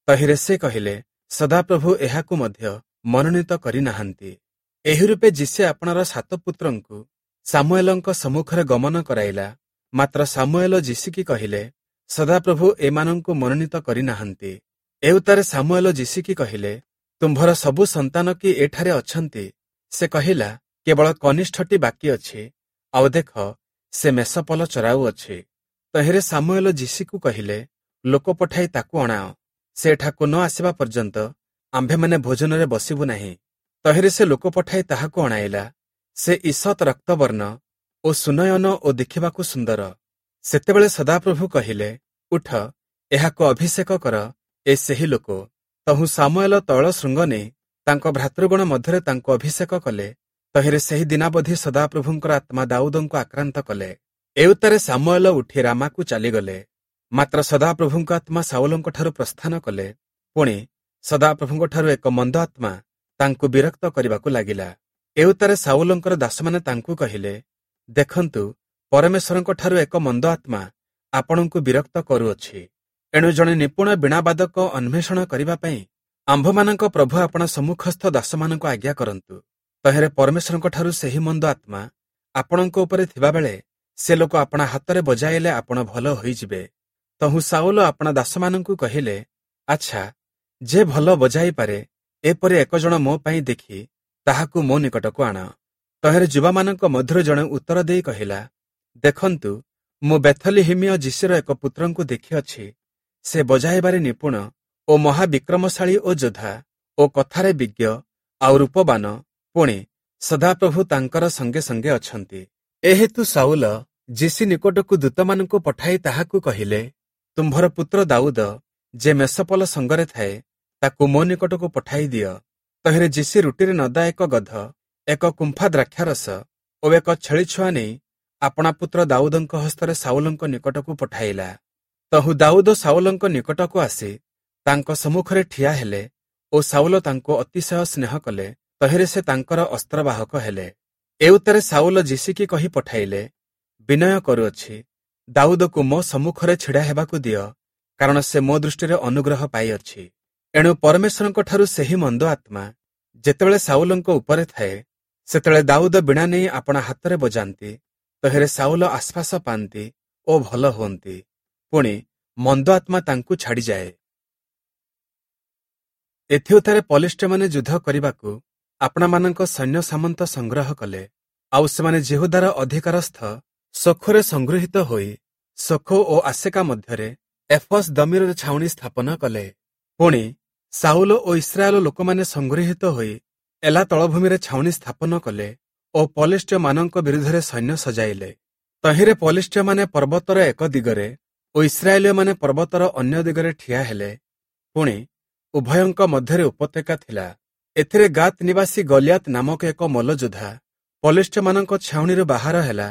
ତହିଁରେ ସେ କହିଲେ, ସଦାପ୍ରଭୁ ଏହାକୁ ମଧ୍ୟ ମନୋନୀତ କରିନାହାନ୍ତି। ଏହି ରୂପେ ଯିଶି ଆପଣାର ସାତ ପୁତ୍ରଙ୍କୁ ସାମୁଏଲଙ୍କ ସମ୍ମୁଖରେ ଗମନ କରାଇଲା। ମାତ୍ର ସାମୁଏଲ ଯିଶିକି କହିଲେ, ସଦାପ୍ରଭୁ ଏମାନଙ୍କୁ ମନୋନୀତ କରିନାହାନ୍ତି। ଏ ଉତ୍ତାରେ ସାମୁଏଲ ଯିଶିକି କହିଲେ, ତୁମ୍ଭର ସବୁ ସନ୍ତାନ କି ଏଠାରେ ଅଛନ୍ତି? ସେ କହିଲା, କେବଳ କନିଷ୍ଠଟି ବାକି ଅଛି, ଆଉ ଦେଖ, ସେ ମେଷପଲ ଚରାଉଅଛି। ତହିଁରେ ସାମୁଏଲ ଯିଶିକୁ କହିଲେ, ଲୋକ ପଠାଇ ତାକୁ ଅଣାଅ, ସେ ଏଠାକୁ ନ ଆସିବା ପର୍ଯ୍ୟନ୍ତ ଆମ୍ଭେମାନେ ଭୋଜନରେ ବସିବୁ ନାହିଁ। ତହିଁରେ ସେ ଲୋକ ପଠାଇ ତାହାକୁ ଅଣାଇଲା। ସେ ଈଷତ୍ ରକ୍ତବର୍ଣ୍ଣ ଓ ସୁନୟନ ଓ ଦେଖିବାକୁ ସୁନ୍ଦର। ସେତେବେଳେ ସଦାପ୍ରଭୁ କହିଲେ, ଉଠ, ଏହାକୁ ଅଭିଷେକ କର, ଏ ସେହି ଲୋକ। ତହୁଁ ସାମୁଏଲ ତୈଳ ଶୃଙ୍ଗ ନେଇ ତାଙ୍କ ଭ୍ରାତୃଗଣ ମଧ୍ୟରେ ତାଙ୍କୁ ଅଭିଷେକ କଲେ। ତହିଁରେ ସେହି ଦିନାବଧି ସଦାପ୍ରଭୁଙ୍କର ଆତ୍ମା ଦାଉଦଙ୍କୁ ଆକ୍ରାନ୍ତ କଲେ। ଏ ଉତ୍ତାରେ ସାମୁଏଲ ଉଠି ରାମାକୁ ଚାଲିଗଲେ। ମାତ୍ର ସଦାପ୍ରଭୁଙ୍କ ଆତ୍ମା ସାଉଲଙ୍କଠାରୁ ପ୍ରସ୍ଥାନ କଲେ। ପୁଣି ସଦାପ୍ରଭୁଙ୍କଠାରୁ ଏକ ମନ୍ଦ ଆତ୍ମା ତାଙ୍କୁ ବିରକ୍ତ କରିବାକୁ ଲାଗିଲା। ଏ ଉତ୍ତାରେ ସାଉଲଙ୍କର ଦାସମାନେ ତାଙ୍କୁ କହିଲେ, ଦେଖନ୍ତୁ, ପରମେଶ୍ୱରଙ୍କଠାରୁ ଏକ ମନ୍ଦ ଆତ୍ମା ଆପଣଙ୍କୁ ବିରକ୍ତ କରୁଅଛି। ଏଣୁ ଜଣେ ନିପୁଣ ବୀଣାବାଦକ ଅନ୍ୱେଷଣ କରିବା ପାଇଁ ଆମ୍ଭମାନଙ୍କ ପ୍ରଭୁ ଆପଣା ସମ୍ମୁଖସ୍ଥ ଦାସମାନଙ୍କୁ ଆଜ୍ଞା କରନ୍ତୁ। ତହିଁରେ ପରମେଶ୍ୱରଙ୍କଠାରୁ ସେହି ମନ୍ଦ ଆତ୍ମା ଆପଣଙ୍କ ଉପରେ ଥିବାବେଳେ ସେ ଲୋକ ଆପଣା ହାତରେ ବଜାଇଲେ ଆପଣ ଭଲ ହୋଇଯିବେ। ତହୁଁ ସାଉଲ ଆପଣା ଦାସମାନଙ୍କୁ କହିଲେ, ଆଚ୍ଛା, ଯେ ଭଲ ବଜାଇପାରେ ଏପରି ଏକ ଜଣ ମୋ ପାଇଁ ଦେଖି ତାହାକୁ ମୋ ନିକଟକୁ ଆଣ। ତହିଁରେ ଯୁବାମାନଙ୍କ ମଧ୍ୟରୁ ଜଣେ ଉତ୍ତର ଦେଇ କହିଲା, ଦେଖନ୍ତୁ, ମୁଁ ବେଥଲିହିମୀୟ ଯିଶୀର ଏକ ପୁତ୍ରଙ୍କୁ ଦେଖିଅଛି, ସେ ବଜାଇବାରେ ନିପୁଣ ଓ ମହାବିକ୍ରମଶାଳୀ ଓ ଯୋଦ୍ଧା ଓ କଥାରେ ବିଜ୍ଞ ଆଉ ରୂପବାନ, ପୁଣି ସଦାପ୍ରଭୁ ତାଙ୍କର ସଙ୍ଗେ ସଙ୍ଗେ ଅଛନ୍ତି। ଏହେତୁ ସାଉଲ ଯିଶୀ ନିକଟକୁ ଦୂତମାନଙ୍କୁ ପଠାଇ ତାହାକୁ କହିଲେ, ତୁମ୍ଭର ପୁତ୍ର ଦାଉଦ ଯେ ମେଷପଲ ସଙ୍ଗରେ ଥାଏ, ତାକୁ ମୋ ନିକଟକୁ ପଠାଇ ଦିଅ। ତହିଁରେ ଯିଶୀ ରୁଟିରେ ନଦା ଏକ ଗଧ, ଏକ କୁମ୍ଫା ଦ୍ରାକ୍ଷାରସ ଓ ଏକ ଛେଳି ଛୁଆ ନେଇ ଆପଣା ପୁତ୍ର ଦାଉଦଙ୍କ ହସ୍ତରେ ସାଉଲଙ୍କ ନିକଟକୁ ପଠାଇଲା। ତହୁଁ ଦାଉଦ ସାଉଲଙ୍କ ନିକଟକୁ ଆସି ତାଙ୍କ ସମ୍ମୁଖରେ ଠିଆ ହେଲେ ଓ ସାଉଲ ତାଙ୍କୁ ଅତିଶୟ ସ୍ନେହ କଲେ। ତହିଁରେ ସେ ତାଙ୍କର ଅସ୍ତ୍ରବାହକ ହେଲେ। ଏଉତ୍ତାରେ ସାଉଲ ଯିଶୀକି କହି ପଠାଇଲେ, ବିନୟ କରୁଅଛି, ଦାଉଦକୁ ମୋ ସମ୍ମୁଖରେ ଛିଡ଼ା ହେବାକୁ ଦିଅ, କାରଣ ସେ ମୋ ଦୃଷ୍ଟିରେ ଅନୁଗ୍ରହ ପାଇଅଛି। ଏଣୁ ପରମେଶ୍ୱରଙ୍କଠାରୁ ସେହି ମନ୍ଦ ଆତ୍ମା ଯେତେବେଳେ ସାଉଲଙ୍କ ଉପରେ ଥାଏ, ସେତେବେଳେ ଦାଉଦ ବୀଣା ନେଇ ଆପଣା ହାତରେ ବଜାନ୍ତି। ତହିଁରେ ସାଉଲ ଆଶ୍ୱାସ ପାଆନ୍ତି ଓ ଭଲ ହୁଅନ୍ତି। ପୁଣି ମନ୍ଦ ଆତ୍ମା ତାଙ୍କୁ ଛାଡ଼ିଯାଏ। ଏଥିଉତ୍ତାରେ ପଲିଷ୍ଠୀୟମାନେ ଯୁଦ୍ଧ କରିବାକୁ ଆପଣାମାନଙ୍କ ସୈନ୍ୟ ସାମନ୍ତ ସଂଗ୍ରହ କଲେ। ଆଉ ସେମାନେ ଯିହୁଦାର ଅଧିକାରସ୍ଥ ସୋଖୋରେ ସଂଗୃହୀତ ହୋଇ ସୋଖୋ ଓ ଆସେକା ମଧ୍ୟରେ ଏଫସ୍ ଦମୀରରେ ଛାଉଣି ସ୍ଥାପନ କଲେ। ପୁଣି ସାଉଲ ଓ ଇସ୍ରାଏଲ ଲୋକମାନେ ସଂଗୃହୀତ ହୋଇ ଏଲା ତଳଭୂମିରେ ଛାଉଣି ସ୍ଥାପନ କଲେ ଓ ପଲିଷ୍ଠୀୟମାନଙ୍କ ବିରୁଦ୍ଧରେ ସୈନ୍ୟ ସଜାଇଲେ। ତହିଁରେ ପଲିଷ୍ଠୀୟମାନେ ପର୍ବତର ଏକ ଦିଗରେ ଓ ଇସ୍ରାଏଲୀୟମାନେ ପର୍ବତର ଅନ୍ୟ ଦିଗରେ ଠିଆ ହେଲେ। ପୁଣି ଉଭୟଙ୍କ ମଧ୍ୟରେ ଉପତ୍ୟକା ଥିଲା। ଏଥିରେ ଗାତ୍ ନିବାସୀ ଗଲିଆତ ନାମକ ଏକ ମଲ୍ଲଯୋଦ୍ଧା ପଲିଷ୍ଠୀୟମାନଙ୍କ ଛାଉଣିରୁ ବାହାର ହେଲା।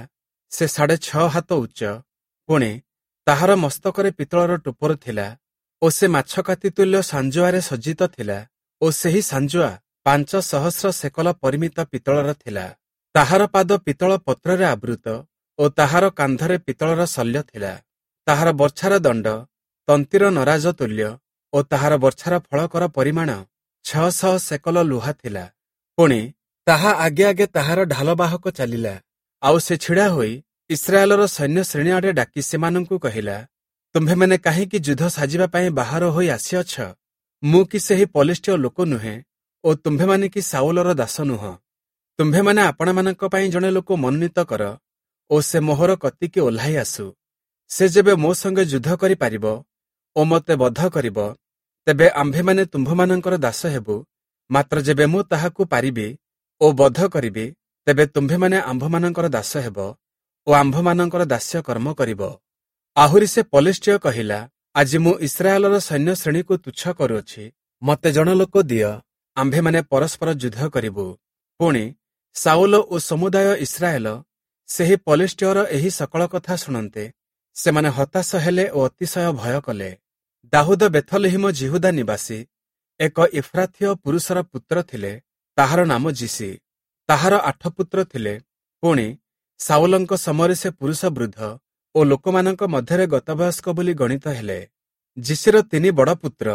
ସେ ସାଢ଼େ ଛଅ ହାତ ଉଚ୍ଚ, ପୁଣି ତାହାର ମସ୍ତକରେ ପିତ୍ତଳର ଟୋପର ଥିଲା ଓ ସେ ମାଛକାତି ତୁଲ୍ୟ ସାଞ୍ଜୁଆରେ ସଜ୍ଜିତ ଥିଲା ଓ ସେହି ସାଞ୍ଜୁଆ ପାଞ୍ଚ ସହସ୍ର ସେକଲ ପରିମିତ ପିତ୍ତଳର ଥିଲା। ତାହାର ପାଦ ପିତ୍ତଳ ପତ୍ରରେ ଆବୃତ ଓ ତାହାର କାନ୍ଧରେ ପିତ୍ତଳର ଶଲ୍ୟ ଥିଲା। ତାହାର ବର୍ଚ୍ଛାର ଦଣ୍ଡ ତନ୍ତୀର ନରାଜ ତୁଲ୍ୟ ଓ ତାହାର ବର୍ଚ୍ଛାର ଫଳକର ପରିମାଣ ଛଅଶହ ସେକଲ ଲୁହା ଥିଲା। ପୁଣି ତାହା ଆଗେ ଆଗେ ତାହାର ଢାଲବାହକ ଚାଲିଲା। ଆଉ ସେ ଛିଡ଼ା ହୋଇ ଇସ୍ରାଏଲର ସୈନ୍ୟ ଶ୍ରେଣୀ ଆଡ଼େ ଡାକି ସେମାନଙ୍କୁ କହିଲା, ତୁମ୍ଭେମାନେ କାହିଁକି ଯୁଦ୍ଧ ସାଜିବା ପାଇଁ ବାହାର ହୋଇ ଆସିଅଛ? ମୁଁ କି ସେହି ପଲିଷ୍ଠୀୟ ଲୋକ ନୁହେଁ ଓ ତୁମ୍ଭେମାନେ କି ସାଉଲର ଦାସ ନୁହଁ? ତୁମ୍ଭେମାନେ ଆପଣମାନଙ୍କ ପାଇଁ ଜଣେ ଲୋକ ମନୋନୀତ କର ଓ ସେ ମୋହର କତିକି ଓହ୍ଲାଇ ଆସୁ। ସେ ଯେବେ ମୋ ସଙ୍ଗେ ଯୁଦ୍ଧ କରିପାରିବ ଓ ମୋତେ ବଧ କରିବ, ତେବେ ଆମ୍ଭେମାନେ ତୁମ୍ଭମାନଙ୍କର ଦାସ ହେବୁ। ମାତ୍ର ଯେବେ ମୁଁ ତାହାକୁ ପାରିବି ଓ ବଧ କରିବି, ତେବେ ତୁମ୍ଭେମାନେ ଆମ୍ଭମାନଙ୍କର ଦାସ ହେବ ଓ ଆମ୍ଭମାନଙ୍କର ଦାସ୍ୟ କର୍ମ କରିବ। ଆହୁରି ସେ ପଲିଷ୍ଠୀୟ କହିଲା, ଆଜି ମୁଁ ଇସ୍ରାଏଲର ସୈନ୍ୟ ଶ୍ରେଣୀକୁ ତୁଚ୍ଛ କରୁଅଛି। ମୋତେ ଜଣ ଲୋକ ଦିଅ, ଆମ୍ଭେମାନେ ପରସ୍ପର ଯୁଦ୍ଧ କରିବୁ। ପୁଣି ସାଉଲ ଓ ସମୁଦାୟ ଇସ୍ରାଏଲ ସେହି ପଲିଷ୍ଠୀୟର ଏହି ସକଳ କଥା ଶୁଣନ୍ତେ ସେମାନେ ହତାଶ ହେଲେ ଓ ଅତିଶୟ ଭୟ କଲେ। ଦାଉଦ ବେଥଲହିମ ଯିହୁଦା ନିବାସୀ ଏକ ଇଫ୍ରାଥୀୟ ପୁରୁଷର ପୁତ୍ର ଥିଲେ। ତାହାର ନାମ ଯିଶୀ। ତାହାର ଆଠ ପୁତ୍ର ଥିଲେ। ପୁଣି ସାଉଲଙ୍କ ସମୟରେ ସେ ପୁରୁଷ ବୃଦ୍ଧ ଓ ଲୋକମାନଙ୍କ ମଧ୍ୟରେ ଗତବୟସ୍କ ବୋଲି ଗଣିତ ହେଲେ। ଯିଶୀର ତିନି ବଡ଼ ପୁତ୍ର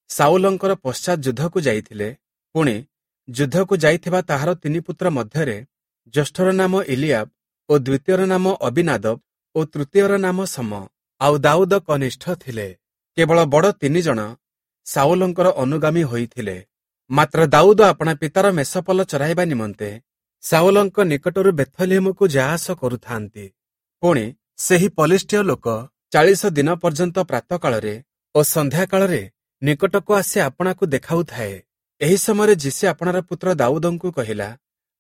ସାଉଲଙ୍କର ପଶ୍ଚାତ୍ ଯୁଦ୍ଧକୁ ଯାଇଥିଲେ। ପୁଣି ଯୁଦ୍ଧକୁ ଯାଇଥିବା ତାହାର ତିନି ପୁତ୍ର ମଧ୍ୟରେ ଜ୍ୟେଷ୍ଠର ନାମ ଇଲିଆବ ଓ ଦ୍ୱିତୀୟର ନାମ ଅବିନାଦବ ଓ ତୃତୀୟର ନାମ ସମ। ଆଉ ଦାଉଦ କନିଷ୍ଠ ଥିଲେ। କେବଳ ବଡ଼ ତିନି ଜଣ ସାଉଲଙ୍କର ଅନୁଗାମୀ ହୋଇଥିଲେ। ମାତ୍ର ଦାଉଦ ଆପଣା ପିତାର ମେଷପଲ ଚରାଇବା ନିମନ୍ତେ ସାଉଲଙ୍କ ନିକଟରୁ ବେଥଲିହମକୁ ଯାଆସ କରୁଥାନ୍ତି। ପୁଣି ସେହି ପଲିଷ୍ଠୀୟ ଲୋକ ଚାଳିଶ ଦିନ ପର୍ଯ୍ୟନ୍ତ ପ୍ରାତଃକାଳରେ ଓ ସନ୍ଧ୍ୟାକାଳରେ ନିକଟକୁ ଆସି ଆପଣାକୁ ଦେଖାଉଥାଏ। ଏହି ସମୟରେ ଯିଶୀ ଆପଣାର ପୁତ୍ର ଦାଉଦଙ୍କୁ କହିଲା,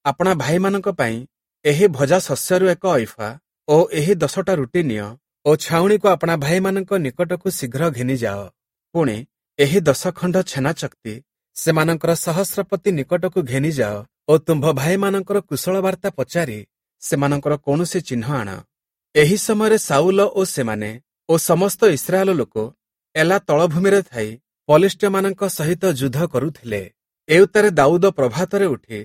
ଆପଣା ଭାଇମାନଙ୍କ ପାଇଁ ଏହି ଭଜା ଶସ୍ୟରୁ ଏକ ଐଫା ଓ ଏହି ଦଶଟା ରୁଟି ନିଅ ଓ ଛାଉଣିକୁ ଆପଣା ଭାଇମାନଙ୍କ ନିକଟକୁ ଶୀଘ୍ର ଘେନିଯାଅ। ପୁଣି ଏହି ଦଶ ଖଣ୍ଡ ଛେନା ଚକ୍ତି ସେମାନଙ୍କର ସହସ୍ରପତି ନିକଟକୁ ଘେନିଯାଅ ଓ ତୁମ୍ଭ ଭାଇମାନଙ୍କର କୁଶଳ ବାର୍ତ୍ତା ପଚାରି ସେମାନଙ୍କର କୌଣସି ଚିହ୍ନ ଆଣ। ଏହି ସମୟରେ ସାଉଲ ଓ ସେମାନେ ଓ ସମସ୍ତ ଇସ୍ରାଏଲ ଲୋକ ଏଲା ତଳଭୂମିରେ ଥାଇ ପଲିଷ୍ଠୀୟମାନଙ୍କ ସହିତ ଯୁଦ୍ଧ କରୁଥିଲେ। ଏଉତ୍ତାରେ ଦାଉଦ ପ୍ରଭାତରେ ଉଠି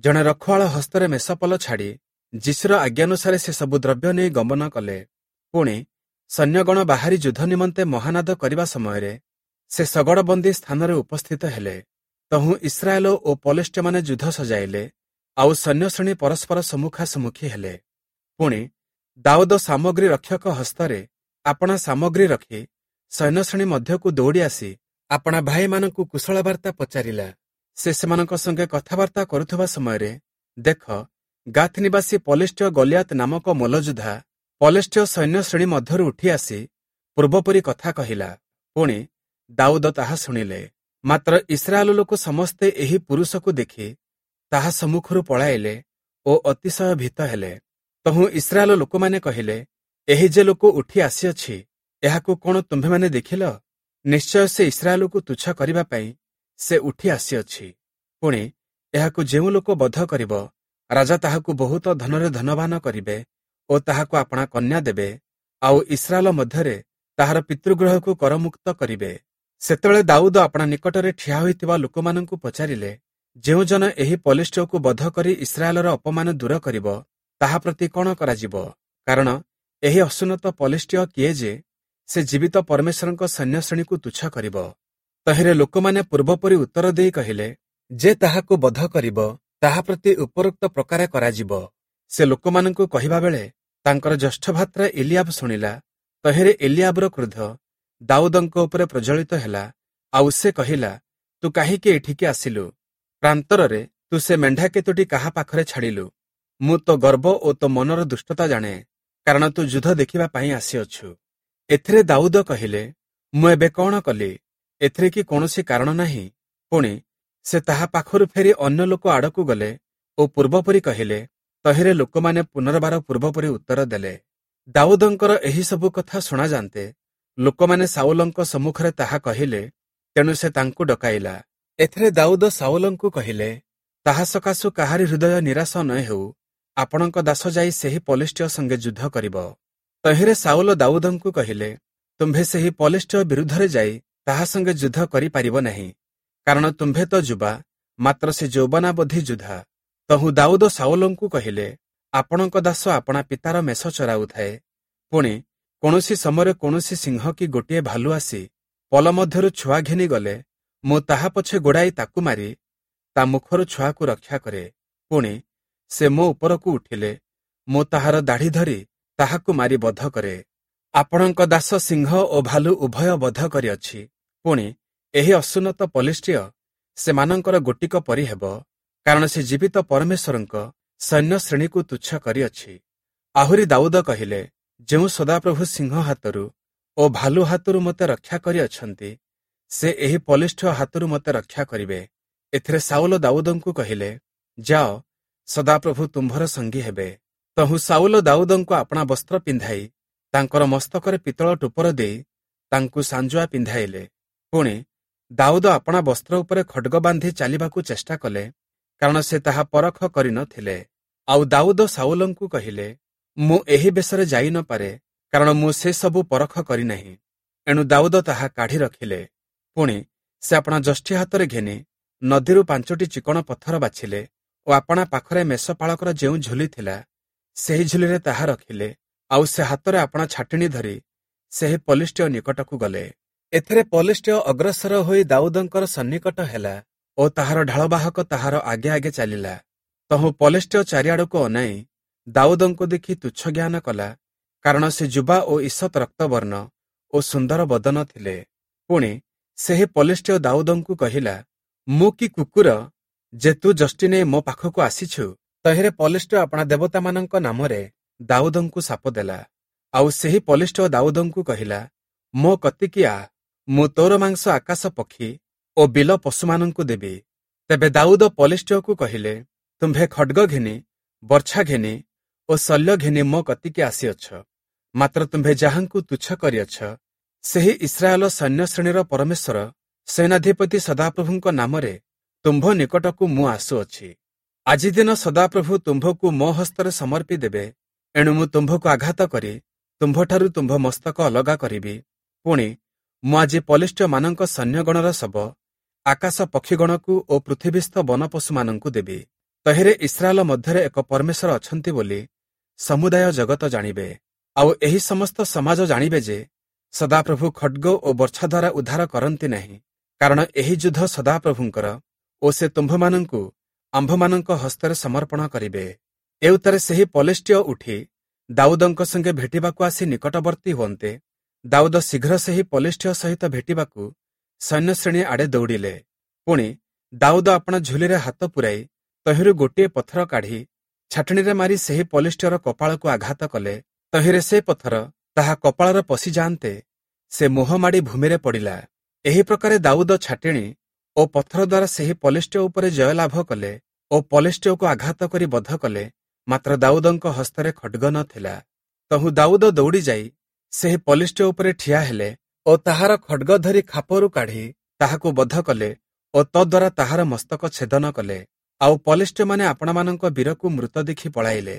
ଜଣେ ରଖୁଆଳ ହସ୍ତରେ ମେଷପଲ ଛାଡ଼ି ଯିଶୀର ଆଜ୍ଞାନୁସାରେ ସେ ସବୁ ଦ୍ରବ୍ୟ ନେଇ ଗମନ କଲେ। ପୁଣି ସୈନ୍ୟଗଣ ବାହାରି ଯୁଦ୍ଧ ନିମନ୍ତେ ମହାନାଦ କରିବା ସମୟରେ ସେ ଶଗଡ଼ବନ୍ଦୀ ସ୍ଥାନରେ ଉପସ୍ଥିତ ହେଲେ। ତହୁଁ ଇସ୍ରାଏଲ ଓ ପଲିଷ୍ଠୀୟମାନେ ଯୁଦ୍ଧ ସଜାଇଲେ, ଆଉ ସୈନ୍ୟଶ୍ରେଣୀ ପରସ୍ପର ସମ୍ମୁଖାସମ୍ମୁଖୀ ହେଲେ। ପୁଣି ଦାଉଦ ସାମଗ୍ରୀ ରକ୍ଷକ ହସ୍ତରେ ଆପଣା ସାମଗ୍ରୀ ରଖି ସୈନ୍ୟଶ୍ରେଣୀ ମଧ୍ୟକୁ ଦୌଡ଼ି ଆସି ଆପଣା ଭାଇମାନଙ୍କୁ କୁଶଳ ବାର୍ତ୍ତା ପଚାରିଲା। ସେ ସେମାନଙ୍କ ସଙ୍ଗେ କଥାବାର୍ତ୍ତା କରୁଥିବା ସମୟରେ ଦେଖ, ଗାଥ ନିବାସୀ ପଲେଷ୍ଟୀୟ ଗଲିଆତ ନାମକ ମଲ୍ଲଯୋଦ୍ଧା ପଲେଷ୍ଟୀୟ ସୈନ୍ୟ ଶ୍ରେଣୀ ମଧ୍ୟରୁ ଉଠି ଆସି ପୂର୍ବପରି କଥା କହିଲା। ପୁଣି ଦାଉଦ ତାହା ଶୁଣିଲେ। ମାତ୍ର ଇସ୍ରାଏଲ ଲୋକ ସମସ୍ତେ ଏହି ପୁରୁଷକୁ ଦେଖି ତାହା ସମ୍ମୁଖରୁ ପଳାଇଲେ ଓ ଅତିଶୟ ଭୀତ ହେଲେ। ତହୁଁ ଇସ୍ରାଏଲ ଲୋକମାନେ କହିଲେ, ଏହି ଯେ ଲୋକ ଉଠି ଆସିଅଛି, ଏହାକୁ କଣ ତୁମ୍ଭେମାନେ ଦେଖିଲ? ନିଶ୍ଚୟ ସେ ଇସ୍ରାଏଲକୁ ତୁଚ୍ଛ କରିବା ପାଇଁ ସେ ଉଠି ଆସିଅଛି। ପୁଣି ଏହାକୁ ଯେଉଁ ଲୋକ ବଧ କରିବ, ରାଜା ତାହାକୁ ବହୁତ ଧନରେ ଧନବାନ କରିବେ ଓ ତାହାକୁ ଆପଣା କନ୍ୟା ଦେବେ, ଆଉ ଇସ୍ରାଏଲ ମଧ୍ୟରେ ତାହାର ପିତୃଗୃହକୁ କରମୁକ୍ତ କରିବେ। ସେତେବେଳେ ଦାଉଦ ଆପଣା ନିକଟରେ ଠିଆ ହୋଇଥିବା ଲୋକମାନଙ୍କୁ ପଚାରିଲେ, ଯେଉଁ ଜନ ଏହି ପଲେଷ୍ଟୀୟକୁ ବଧ କରି ଇସ୍ରାଏଲର ଅପମାନ ଦୂର କରିବ, ତାହା ପ୍ରତି କଣ କରାଯିବ? କାରଣ ଏହି ଅସୁନ୍ନତ ପଲେଷ୍ଟୀୟ କିଏ ଯେ ସେ ଜୀବିତ ପରମେଶ୍ୱରଙ୍କ ସୈନ୍ୟଶ୍ରେଣୀକୁ ତୁଚ୍ଛ କରିବ? ତହିଁରେ ଲୋକମାନେ ପୂର୍ବପରି ଉତ୍ତର ଦେଇ କହିଲେ, ଯେ ତାହାକୁ ବଧ କରିବ, ତାହା ପ୍ରତି ଉପରୋକ୍ତ ପ୍ରକାରେ କରାଯିବ। ସେ ଲୋକମାନଙ୍କୁ କହିବା ବେଳେ ତାଙ୍କର ଜ୍ୟେଷ୍ଠ ଭ୍ରାତା ଏଲିଆବ ଶୁଣିଲା। ତହିଁରେ ଏଲିଆବର କ୍ରୋଧ ଦାଉଦଙ୍କ ଉପରେ ପ୍ରଜ୍ୱଳିତ ହେଲା, ଆଉ ସେ କହିଲା, ତୁ କାହିଁକି ଏଠିକି ଆସିଲୁ? ପ୍ରାନ୍ତରରେ ତୁ ସେ ମେଣ୍ଢା କେତୋଟି କାହା ପାଖରେ ଛାଡ଼ିଲୁ? ମୁଁ ତୋ ଗର୍ବ ଓ ତୋ ମନର ଦୁଷ୍ଟତା ଜାଣେ, କାରଣ ତୁ ଯୁଦ୍ଧ ଦେଖିବା ପାଇଁ ଆସିଅଛୁ। ଏଥିରେ ଦାଉଦ କହିଲେ, ମୁଁ ଏବେ କଣ କଲି? ଏଥିରେ କି କୌଣସି କାରଣ ନାହିଁ? ପୁଣି ସେ ତାହା ପାଖରୁ ଫେରି ଅନ୍ୟ ଲୋକ ଆଡ଼କୁ ଗଲେ ଓ ପୂର୍ବପରି କହିଲେ। ତହିଁରେ ଲୋକମାନେ ପୁନର୍ବାର ପୂର୍ବପରି ଉତ୍ତର ଦେଲେ। ଦାଉଦଙ୍କର ଏହି ସବୁ କଥା ଶୁଣାଯାନ୍ତେ ଲୋକମାନେ ସାଉଲଙ୍କ ସମ୍ମୁଖରେ ତାହା କହିଲେ, ତେଣୁ ସେ ତାଙ୍କୁ ଡକାଇଲା। ଏଥିରେ ଦାଉଦ ସାଉଲଙ୍କୁ କହିଲେ, ତାହା ସକାଶୁ କାହାରି ହୃଦୟ ନିରାଶ ନ ହେଉ, ଆପଣଙ୍କ ଦାସ ଯାଇ ସେହି ପଲେଷ୍ଟୀୟ ସଙ୍ଗେ ଯୁଦ୍ଧ କରିବ। ତହିଁରେ ସାଉଲ ଦାଉଦଙ୍କୁ କହିଲେ, ତୁମ୍ଭେ ସେହି ପଲେଷ୍ଟୀୟ ବିରୁଦ୍ଧରେ ଯାଇ ତାହା ସଙ୍ଗେ ଯୁଦ୍ଧ କରିପାରିବ ନାହିଁ, କାରଣ ତୁମ୍ଭେ ତ ଯୁବା, ମାତ୍ର ସେ ଯୌବନାବଧି ଯୋଦ୍ଧା। ତହୁଁ ଦାଉଦ ସାଉଲଙ୍କୁ କହିଲେ, ଆପଣଙ୍କ ଦାସ ଆପଣା ପିତାର ମେଷ ଚରାଉଥାଏ। ପୁଣି କୌଣସି ସମୟରେ କୌଣସି ସିଂହ କି ଗୋଟିଏ ଭାଲୁ ଆସି ପଲ ମଧ୍ୟରୁ ଛୁଆ ଘେନି ଗଲେ, ମୁଁ ତାହା ପଛେ ଗୋଡ଼ାଇ ତାକୁ ମାରି ତା ମୁଖରୁ ଛୁଆକୁ ରକ୍ଷା କରେ। ପୁଣି ସେ ମୋ ଉପରକୁ ଉଠିଲେ ମୁଁ ତାହାର ଦାଢ଼ି ଧରି ତାହାକୁ ମାରି ବଧ କରେ। ଆପଣଙ୍କ ଦାସ ସିଂହ ଓ ଭାଲୁ ଉଭୟ ବଧ କରିଅଛି। ପୁଣି ଏହି ଅସୁନ୍ନତ ପଲେଷ୍ଟୀୟ ସେମାନଙ୍କର ଗୋଟିକ ପରି ହେବ, କାରଣ ସେ ଜୀବିତ ପରମେଶ୍ୱରଙ୍କ ସୈନ୍ୟ ଶ୍ରେଣୀକୁ ତୁଚ୍ଛ କରିଅଛି। ଆହୁରି ଦାଉଦ କହିଲେ, ଯେଉଁ ସଦାପ୍ରଭୁ ସିଂହ ହାତରୁ ଓ ଭାଲୁ ହାତରୁ ମୋତେ ରକ୍ଷା କରିଅଛନ୍ତି, ସେ ଏହି ପଲେଷ୍ଟୀୟ ହାତରୁ ମୋତେ ରକ୍ଷା କରିବେ। ଏଥିରେ ସାଉଲ ଦାଉଦଙ୍କୁ କହିଲେ, ଯାଅ, ସଦାପ୍ରଭୁ ତୁମ୍ଭର ସଙ୍ଗୀ ହେବେ। ତହୁଁ ସାଉଲ ଦାଉଦଙ୍କୁ ଆପଣା ବସ୍ତ୍ର ପିନ୍ଧାଇ ତାଙ୍କର ମସ୍ତକରେ ପିତ୍ତଳ ଟୋପର ଦେଇ ତାଙ୍କୁ ସାଞ୍ଜୁଆ ପିନ୍ଧାଇଲେ। ପୁଣି ଦାଉଦ ଆପଣା ବସ୍ତ୍ର ଉପରେ ଖଡ୍ଗ ବାନ୍ଧି ଚାଲିବାକୁ ଚେଷ୍ଟା କଲେ, କାରଣ ସେ ତାହା ପରଖ କରିନଥିଲେ। ଆଉ ଦାଉଦ ସାଉଲଙ୍କୁ କହିଲେ, ମୁଁ ଏହି ବେଶରେ ଯାଇ ନପାରେ, କାରଣ ମୁଁ ସେସବୁ ପରଖ କରିନାହିଁ। ଏଣୁ ଦାଉଦ ତାହା କାଢ଼ି ରଖିଲେ। ପୁଣି ସେ ଆପଣା ଯଷ୍ଟି ହାତରେ ଘେନି ନଦୀରୁ ପାଞ୍ଚଟି ଚିକଣ ପଥର ବାଛିଲେ ଓ ଆପଣା ପାଖରେ ମେଷପାଳକର ଯେଉଁ ଝୁଲି ଥିଲା, ସେହି ଝୁଲିରେ ତାହା ରଖିଲେ। ଆଉ ସେ ହାତରେ ଆପଣା ଛାଟିଣୀ ଧରି ସେହି ପଲେଷ୍ଟୀୟ ନିକଟକୁ ଗଲେ। ଏଥିରେ ପଲେଷ୍ଟୀୟ ଅଗ୍ରସର ହୋଇ ଦାଉଦଙ୍କର ସନ୍ନିକଟ ହେଲା ଓ ତାହାର ଢାଳବାହକ ତାହାର ଆଗେ ଆଗେ ଚାଲିଲା। ତହୁଁ ପଲେଷ୍ଟୀୟ ଚାରିଆଡ଼କୁ ଅନାଇ ଦାଉଦଙ୍କୁ ଦେଖି ତୁଚ୍ଛ ଜ୍ଞାନ କଲା, କାରଣ ସେ ଯୁବା ଓ ଈଷତ୍ ରକ୍ତବର୍ଣ୍ଣ ଓ ସୁନ୍ଦର ବଦନ ଥିଲେ। ପୁଣି ସେହି ପଲେଷ୍ଟୀୟ ଦାଉଦଙ୍କୁ କହିଲା, ମୁଁ କି କୁକୁର ଯେ ତୁ ଯଷ୍ଟି ନେଇ ମୋ ପାଖକୁ ଆସିଛୁ? ତହିଁରେ ପଲେଷ୍ଟୀୟ ଆପଣା ଦେବତାମାନଙ୍କ ନାମରେ ଦାଉଦଙ୍କୁ ଶାପ ଦେଲା। ଆଉ ସେହି ପଲେଷ୍ଟୀୟ ଦାଉଦଙ୍କୁ କହିଲା, ମୋ କତିକି ଆ, ମୁଁ ତୋର ମାଂସ ଆକାଶ ପକ୍ଷୀ ଓ ବିଲ ପଶୁମାନଙ୍କୁ ଦେବି। ତେବେ ଦାଉଦ ପଲେଷ୍ଟୀୟକୁ କହିଲେ, ତୁମ୍ଭେ ଖଡ୍ଗ ଘେନି, ବର୍ଚ୍ଛା ଘେନି ଓ ଶଲ୍ୟ ଘେନି ମୋ କତିକି ଆସିଅଛ, ମାତ୍ର ତୁମ୍ଭେ ଯାହାଙ୍କୁ ତୁଚ୍ଛ କରିଅଛ, ସେହି ଇସ୍ରାଏଲ ସୈନ୍ୟଶ୍ରେଣୀର ପରମେଶ୍ୱର ସେନାଧିପତି ସଦାପ୍ରଭୁଙ୍କ ନାମରେ ତୁମ୍ଭ ନିକଟକୁ ମୁଁ ଆସୁଅଛି। ଆଜି ଦିନ ସଦାପ୍ରଭୁ ତୁମ୍ଭକୁ ମୋ ହସ୍ତରେ ସମର୍ପି ଦେବେ, ଏଣୁ ମୁଁ ତୁମ୍ଭକୁ ଆଘାତ କରି ତୁମ୍ଭଠାରୁ ତୁମ୍ଭ ମସ୍ତକ ଅଲଗା କରିବି। ପୁଣି ମୁଁ ଆଜି ପଲେଷ୍ଟୀୟମାନଙ୍କ ସୈନ୍ୟଗଣର ଶବ ଆକାଶ ପକ୍ଷୀଗଣକୁ ଓ ପୃଥିବୀସ୍ଥ ବନପଶୁମାନଙ୍କୁ ଦେବି। ତହିଁରେ ଇସ୍ରାଏଲ ମଧ୍ୟରେ ଏକ ପରମେଶ୍ୱର ଅଛନ୍ତି ବୋଲି ସମୁଦାୟ ଜଗତ ଜାଣିବେ। ଆଉ ଏହି ସମସ୍ତ ସମାଜ ଜାଣିବେ ଯେ ସଦାପ୍ରଭୁ ଖଡ୍ଗ ଓ ବର୍ଚ୍ଛା ଦ୍ୱାରା ଉଦ୍ଧାର କରନ୍ତି ନାହିଁ, କାରଣ ଏହି ଯୁଦ୍ଧ ସଦାପ୍ରଭୁଙ୍କର ଓ ସେ ତୁମ୍ଭମାନଙ୍କୁ ଆମ୍ଭମାନଙ୍କ ହସ୍ତରେ ସମର୍ପଣ କରିବେ। ଏଉତ୍ତାରେ ସେହି ପଲେଷ୍ଟୀୟ ଉଠି ଦାଉଦଙ୍କ ସଙ୍ଗେ ଭେଟିବାକୁ ଆସି ନିକଟବର୍ତ୍ତୀ ହୁଅନ୍ତେ, ଦାଉଦ ଶୀଘ୍ର ସେହି ପଲେଷ୍ଟୀୟ ସହିତ ଭେଟିବାକୁ ସୈନ୍ୟଶ୍ରେଣୀ ଆଡ଼େ ଦୌଡ଼ିଲେ। ପୁଣି ଦାଉଦ ଆପଣା ଝୁଲିରେ ହାତ ପୂରାଇ ତହିଁରୁ ଗୋଟିଏ ପଥର କାଢ଼ି ଛାଟିଣୀରେ ମାରି ସେହି ପଲିଷ୍ଠ୍ୟର କପାଳକୁ ଆଘାତ କଲେ। ତହିଁରେ ସେ ପଥର ତାହା କପାଳରେ ପଶିଯାଆନ୍ତେ ସେ ମୁହଁ ମାଡ଼ି ଭୂମିରେ ପଡ଼ିଲା। ଏହି ପ୍ରକାରେ ଦାଉଦ ଛାଟିଣୀ ଓ ପଥର ଦ୍ୱାରା ସେହି ପଲିଷ୍ଠ୍ୟ ଉପରେ ଜୟ ଲାଭ କଲେ ଓ ପଲିଷ୍ଠ୍ୟକୁ ଆଘାତ କରି ବଧ କଲେ, ମାତ୍ର ଦାଉଦଙ୍କ ହସ୍ତରେ ଖଡ୍ଗ ନ ଥିଲା। ତହୁଁ ଦାଉଦ ଦୌଡ଼ି ଯାଇ ସେହି ପଲିଷ୍ଠ୍ୟ ଉପରେ ଠିଆ ହେଲେ ଓ ତାହାର ଖଡ୍ଗ ଧରି ଖାପରୁ କାଢ଼ି ତାହାକୁ ବଧ କଲେ ଓ ତଦ୍ୱାରା ତାହାର ମସ୍ତକ ଛେଦନ କଲେ। ଆଉ ପଲିଷ୍ଠ୍ୟମାନେ ଆପଣାମାନଙ୍କ ବୀରକୁ ମୃତ ଦେଖି ପଳାଇଲେ।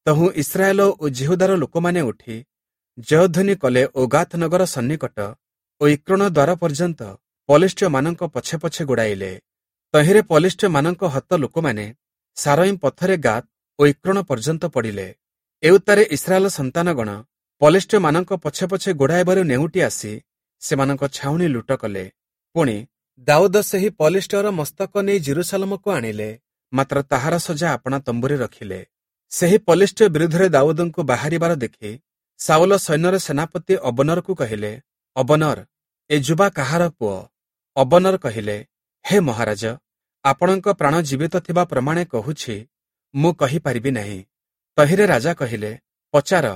ତହୁଁ ଇସ୍ରାଏଲ ଓ ଯିହୁଦାର ଲୋକମାନେ ଉଠି ଜୟଧ୍ୱନି କଲେ ଓ ଗାଥ ନଗର ସନ୍ନିକଟ ଓ ଇକ୍ରୋଣ ଦ୍ୱାର ପର୍ଯ୍ୟନ୍ତ ପଲିଷ୍ଠ୍ୟମାନଙ୍କ ପଛେ ପଛେ ଗୋଡ଼ାଇଲେ। ତହିଁରେ ପଲିଷ୍ଠ୍ୟମାନଙ୍କ ହତ ଲୋକମାନେ ସାରଇମ୍ ପଥରେ ଗାତ ଓ ଇକ୍ରୋଣ ପର୍ଯ୍ୟନ୍ତ ପଡ଼ିଲେ। ଏଉତ୍ତାରେ ଇସ୍ରାଏଲ ସନ୍ତାନଗଣ ପଲିଷ୍ଠ୍ୟମାନଙ୍କ ପଛେ ପଛେ ଗୋଡ଼ାଇବାରୁ ନେଉଟି ଆସି ସେମାନଙ୍କ ଛାଉଣି ଲୁଟ କଲେ। ପୁଣି ଦାଉଦ ସେହି ପଲିଷ୍ଠ୍ୟର ମସ୍ତକ ନେଇ ଯିରୂଶାଲମକୁ ଆଣିଲେ, ମାତ୍ର ତାହାର ସଜା ଆପଣା ତମ୍ବୁରେ ରଖିଲେ। ସେହି ପଲିଷ୍ଠ୍ୟ ବିରୁଦ୍ଧରେ ଦାଉଦଙ୍କୁ ବାହାରିବାର ଦେଖି ସାଉଲ ସୈନ୍ୟର ସେନାପତି ଅବନରକୁ କହିଲେ, ଅବନର, ଏ ଯୁବା କାହାର ପୁଅ? ଅବନର କହିଲେ, ହେ ମହାରାଜ, ଆପଣଙ୍କ ପ୍ରାଣ ଜୀବିତ ଥିବା ପ୍ରମାଣେ କହୁଛି, ମୁଁ କହିପାରିବି ନାହିଁ। ତହିଁରେ ରାଜା କହିଲେ, ପଚାର,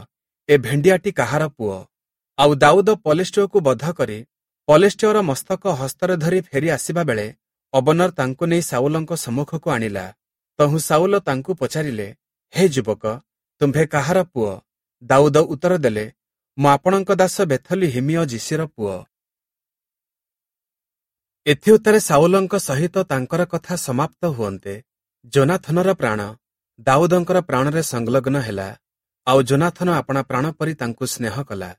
ଏ ଭେଣ୍ଡିଆଟି କାହାର ପୁଅ? ଆଉ ଦାଉଦ ପଲିଷ୍ଠ୍ୟକୁ ବଧ କରି ପଲିଷ୍ଠ୍ୟର ମସ୍ତକ ହସ୍ତରେ ଧରି ଫେରି ଆସିବା ବେଳେ ଅବନର ତାଙ୍କୁ ନେଇ ସାଉଲଙ୍କ ସମ୍ମୁଖକୁ ଆଣିଲା। ତହୁଁ ସାଉଲ ତାଙ୍କୁ ପଚାରିଲେ, ହେ ଯୁବକ, ତୁମ୍ଭେ କାହାର ପୁଅ? ଦାଉଦ ଉତ୍ତର ଦେଲେ, ମୁଁ ଆପଣଙ୍କ ଦାସ ବେଥଲିହିମୀୟ ଯିଶୀର ପୁଅ। ଏଥିଉତ୍ତାରେ ସାଉଲଙ୍କ ସହିତ ତାଙ୍କର କଥା ସମାପ୍ତ ହୁଅନ୍ତେ ଯୋନାଥନର ପ୍ରାଣ ଦାଉଦଙ୍କର ପ୍ରାଣରେ ସଂଲଗ୍ନ ହେଲା, ଆଉ ଯୋନାଥନ ଆପଣା ପ୍ରାଣ ପରି ତାଙ୍କୁ ସ୍ନେହ କଲା।